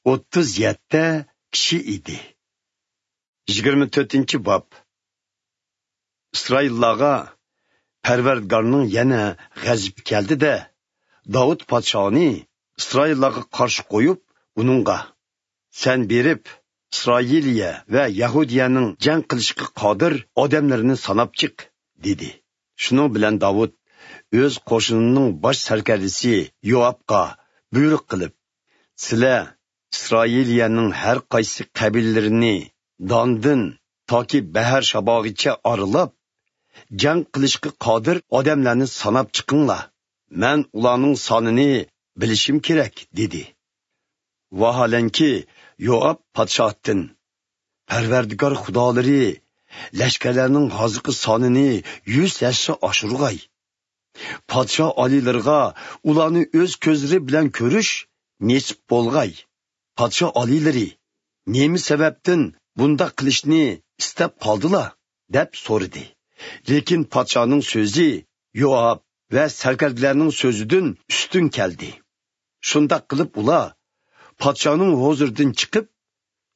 ئوتتۇز يەتتە كىشى ئىدى. يىگىرمە تۆتىنچى باب. ئىسرائىللارغا پەرۋەردىگارنىڭ يەنە غەزىپى كەلدى-دە، داۋۇت پادىشاھنى ئىسرائىللارغا قارشى قويۇپ، ئۇنىڭغا: «سەن بېرىپ، ئىسرائىلىيە ۋە يەھۇدىيەنىڭ جەڭ قىلىشقا قادىر ئادەملىرىنى ساناپ چىق» دېدى. شۇنىڭ بىلەن داۋۇت ئۆز قوشۇنىنىڭ باش سەركەردىسى يوئابقا بۇيرۇق قىلىپ: «سىلەر ئىسرائىلىيەنىڭ ھەر قايسى قەبىلىلىرىنى داندىن تاكى بەھەر شاباغىچە ئارىلاپ، جەڭ قىلىشقا قادىر ئادەملەرنى ساناپ چىقىڭلار. مەن ئۇلارنىڭ سانىنى بىلىشىم كېرەك» دېدى. ۋاھالەنكى، يوئاب پادىشاھتىن: «پەرۋەردىگار خۇدالىرى لەشكەرلەرنىڭ ھازىرقى سانىنى يۈز ھەسسە ئاشۇرغاي. پادىشاھ ئالىيلىرىغا ئۇلارنى ئۆز كۆزلىرى بىلەن كۆرۈش نېسىپ بولغاي. پادىشاھ ئالىيلىرى نېمە سەۋەبتىن بۇنداق قىلىشنى ئىستەپ قالدىلا؟» دەپ سورىدى. لېكىن پادىشاھنىڭ سۆزى يوئاب ۋە سەركەردىلەرنىڭ سۆزىدىن ئۈستۈن كەلدى. شۇنداق قىلىپ ئۇلار پادىشاھنىڭ ھۇزۇرىدىن چىقىپ،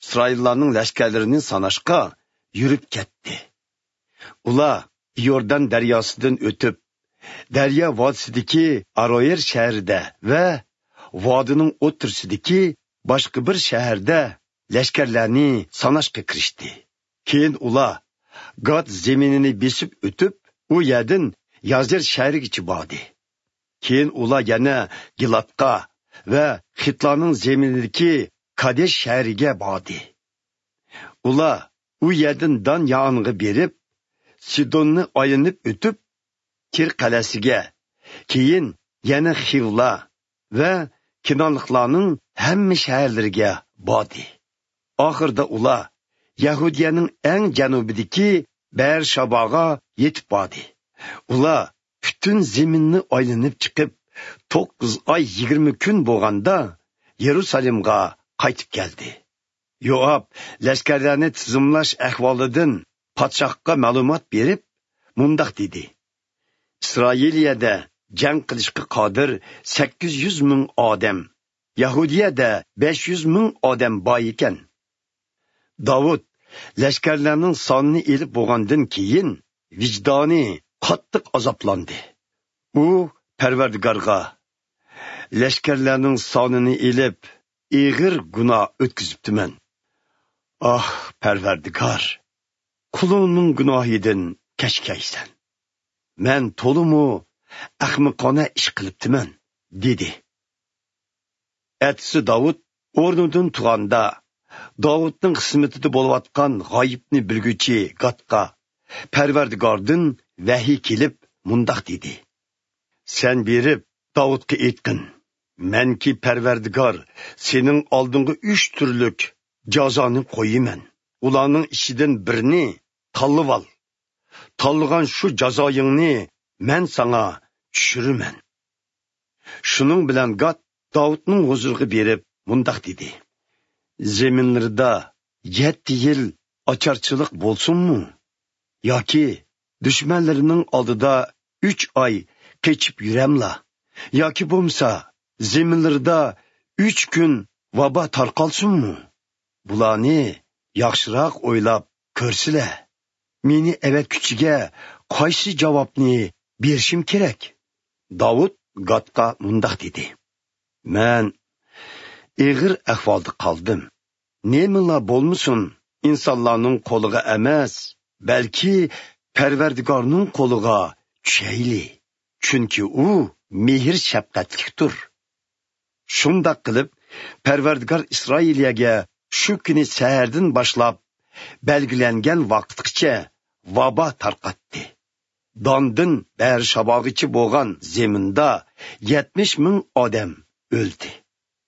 ئىسرائىللارنىڭ لەشكەرلىرىنى ساناشقا يۈرۈپ كەتتى. ئۇلار ئىيوردان دەرياسىدىن ئۆتۈپ، دەريا ۋادىسىدىكى ئاروئېر شەھىرىدە ۋە ۋادىنىڭ ئوتتۇرىسىدىكى باشقا بىر شەھەردە لەشكەرلەرنى ساناشقا كىرىشتى. كېيىن ئۇلار گات زېمىنىنى بېسىپ ئۆتۈپ، ئۇ يەردىن يازېر شەھىرىگىچە باردى. كېيىن ئۇلار يەنە گىلادقا ۋە خىتلارنىڭ زېمىنىدىكى كادېش شەھىرىگە باردى. ئۇلار ئۇ يەردىن دان يانىغا بېرىپ، سىدوننى ئايلىنىپ ئۆتۈپ، تىر قەلئەسىگە، كېيىن يەنە خىۋلا ۋە كىنانلىقلارنىڭ ھەممە شەھەرلىرىگە باردى. ئاخىرىدا ئۇلار يەھۇدىيەنىڭ ئەڭ جەنۇبىدىكى بەئەرشاباغا يېتىپ باردى. ئۇلار پۈتۈن زېمىننى ئايلىنىپ چىقىپ، توققۇز ئاي يىگىرمە كۈن بولغاندا يېرۇسالېمغا قايتىپ كەلدى. يوئاب لەشكەرلەرنى تىزىملاش ئەھۋالىدىن پادىشاھقا مەلۇمات بېرىپ، مۇنداق دېدى: «ئىسرائىلىيەدە جەڭ قىلىشقا قادىر سەككىز يۈز مىڭ ئادەم، يەھۇدىيەدە بەش يۈز مىڭ ئادەم بار ئىكەن.» داۋۇت لەشكەرلەرنىڭ سانىنى ئېلىپ بولغاندىن كېيىن، ۋىجدانى قاتتىق ئازابلاندى. ئۇ پەرۋەردىگارغا: «لەشكەرلەرنىڭ سانىنى ئېلىپ، ئېغىر گۇناھ ئۆتكۈزۈپتىمەن. ئاھ، پەرۋەردىگار، قۇلۇڭنىڭ گۇناھىدىن كەچكەيسەن. مەن تولىمۇ ئەخمىقانە ئىش قىلىپتىمەن» دېدى. ئەتىسى داۋۇت ئورنىدىن تۇرغاندا، داۋۇتنىڭ خىزمىتىدە بولۇۋاتقان غايىبنى بىلگۈچى گاتقا پەرۋەردىگاردىن ۋەھىي كېلىپ مۇنداق دېدى: «سەن بېرىپ داۋۇتقا ئېيتقىن: مەنكى پەرۋەردىگار سېنىڭ ئالدىڭغا ئۈچ تۈرلۈك جازانى قويىمەن. ئۇلارنىڭ ئىچىدىن بىرنى تاللىۋال. تاللىغان شۇ جازايىڭنى مەن ساڭا چۈشۈرىمەن.» شۇنىڭ بىلەن گات داۋۇتنىڭ ھۇزۇرىغا بېرىپ مۇنداق دېدى: «زېمىنلىرىدا يەتتە يىل ئاچارچىلىق بولسۇنمۇ؟ ياكى دۈشمەنلىرىنىڭ ئالدىدا ئۈچ ئاي قېچىپ يۈرەملا؟ ياكى بولمىسا زېمىنلىرىدا ئۈچ كۈن ۋابا تارقالسۇنمۇ؟ بۇلارنى ياخشىراق ئويلاپ كۆرسىلە. مېنى ئەۋەتكۈچىگە قايسى جاۋابنى بېرىشىم كېرەك؟» داۋۇت گاتقا مۇنداق دېدى: «مەن ئېغىر ئەھۋالدا قالدىم. نېمىلا بولمىسۇن، ئىنسانلارنىڭ قولىغا ئەمەس، بەلكى پەرۋەردىگارنىڭ قولىغا چۈشەيلى، چۈنكى ئۇ مېھىر-شەپقەتلىكتۇر. شۇنداق قىلىپ، پەرۋەردىگار ئىسرائىلىيەگە شۇ كۈنى سەھەردىن باشلاپ بەلگىلەنگەن ۋاقىتقىچە ۋابا تارقاتتى. داندىن بەئەرشاباغىچە بولغان زېمىندا يەتمىش مىڭ ئادەم ئۆلدى.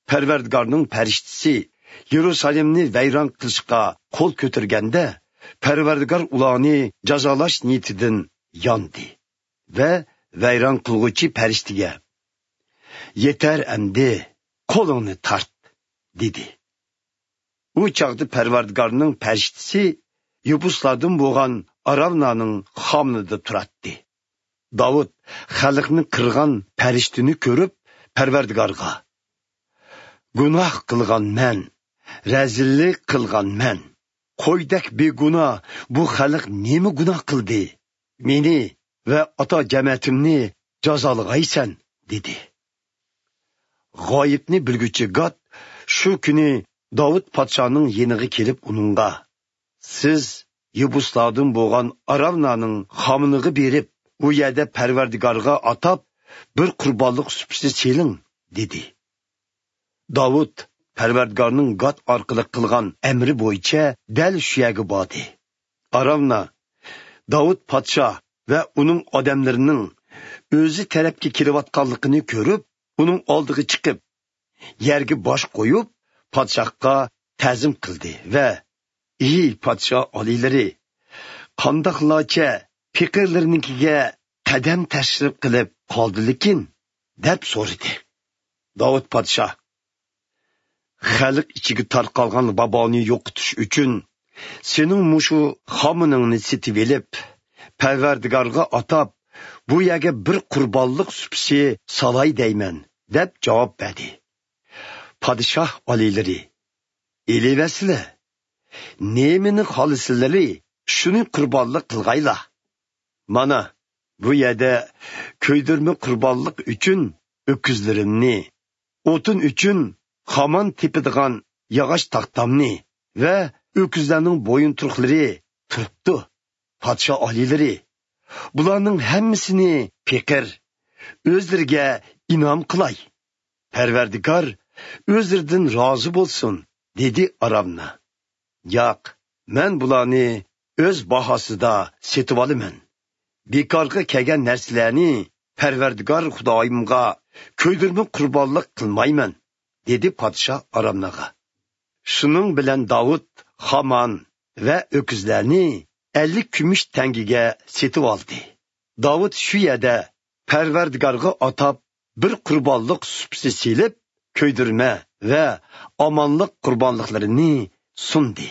پەرۋەردىگارنىڭ پەرىشتىسى يېرۇسالېمنى ۋەيران قىلىشقا قول كۆتۈرگەندە، پەرۋەردىگار ئۇلارنى جازالاش نىيىتىدىن ياندى ۋە ۋەيران قىلغۇچى پەرىشتىگە، «يېتەر ئەمدى، قولۇڭنى تارت» دېدى. ئۇ چاغدا پەرۋەردىگارنىڭ پەرىشتىسى يېبۇسلاردىن بولغان ئاراۋنانىڭ خامىنىدا تۇراتتى. داۋۇت خەلقنى قىرغان پەرىشتىنى كۆرۈپ، پەرۋەردىگارغا، «گۇناھ قىلغان مەن، رەزىللىك قىلغان مەن. قويدەك بىگۇناھ بۇ خەلق نېمە گۇناھ قىلدى؟ مېنى ۋە ئاتا جەمەتىمنى جازالىغايسەن» دېدى. غايىبنى بىلگۈچى گاد شۇ كۈنى داۋۇت پادىشاھنىڭ يېنىغا كېلىپ ئۇنىڭغا، «سىز يېبۇسلاردىن بولغان ئاراۋنانىڭ خامىنىغا بېرىپ، ئۇ يەردە پەرۋەردىگارغا ئاتاپ بىر قۇربانلىق سۇپىسى سېلىڭ» دېدى. داۋۇت پەرۋەردىگارنىڭ گاد ئارقىلىق قىلغان ئەمرى بويىچە دەل شۇ يەرگە باردى. ئاراۋنا داۋۇت پادىشاھ ۋە ئۇنىڭ ئادەملىرىنىڭ ئۆزى تەرەپكە كېلىۋاتقانلىقىنى كۆرۈپ، ئۇنىڭ ئالدىغا چىقىپ، يەرگە باش قويۇپ، پادىشاھقا تەزىم قىلدى ۋە، «ئى پادىشاھ ئالىيلىرى، قانداقلارچە پېقىرلىرىنىڭكىگە قەدەم تەشرىپ قىلىپ قالدىلىكىن؟» دەپ سورىدى. داۋۇت پادىشاھ، «خەلق ئىچىگە تارقالغان ۋابانى يوقىتىش ئۈچۈن سېنىڭ مۇشۇ خامىنىڭنى سېتىۋېلىپ، پەرۋەردىگارغا ئاتاپ، بۇ يەرگە بىر قۇربانلىق سۇپىسى سالاي دەيمەن» دەپ جاۋاب بەردى. پادىشاھ ئالىيلىرى، «ئېلىۋەرسىلە، نېمىنى خالىسىلىرى، شۇنى قۇربانلىق قىلغايلا. مانا، بۇ يەردە كۆيدۈرمە قۇربانلىق ئۈچۈن ئۆكۈزلىرىمنى، ئوتۇن ئۈچۈن خامان تېپىدىغان ياغاچ تاختامنى ۋە ئۆكۈزلەرنىڭ بويۇنتۇرۇقلىرى تۇرۇپتۇ. پادىشاھ ئالىيلىرى، بۇلارنىڭ ھەممىسىنى پېقىر، ئۆزلىرىگە ئىنئام قىلاي. پەرۋەردىگار ئۆزلىرىدىن رازى بولسۇن» دېدى ئارامنا. «ياق، مەن بۇلارنى ئۆز باھاسىدا سېتىۋالىمەن. بىكارغا كەلگەن نەرسىلەرنى پەرۋەردىگار خۇدايىمغا كۆيدۈرمە قۇربانلىق قىلمايمەن» دېدى پادىشاھ ئارامناغا. شۇنىڭ بىلەن داۋۇت خامان ۋە ئۆكۈزلەرنى ئەللىك كۈمۈش تەڭگىگە سېتىۋالدى. داۋۇت شۇ يەردە پەرۋەردىگارغا ئاتاپ بىر قۇربانلىق سۇپىسى سېلىپ، كۆيدۈرمە ۋە ئامانلىق قۇربانلىقلىرىنى سۇندى.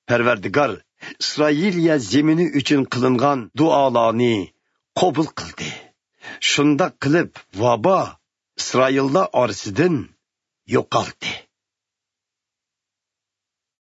پەرۋەردىگار ئىسرائىلىيە زېمىنى ئۈچۈن قىلىنغان دۇئالارنى قوبۇل قىلدى. شۇنداق قىلىپ، ۋابا ئىسرائىللار ئارىسىدىن يوقالدى.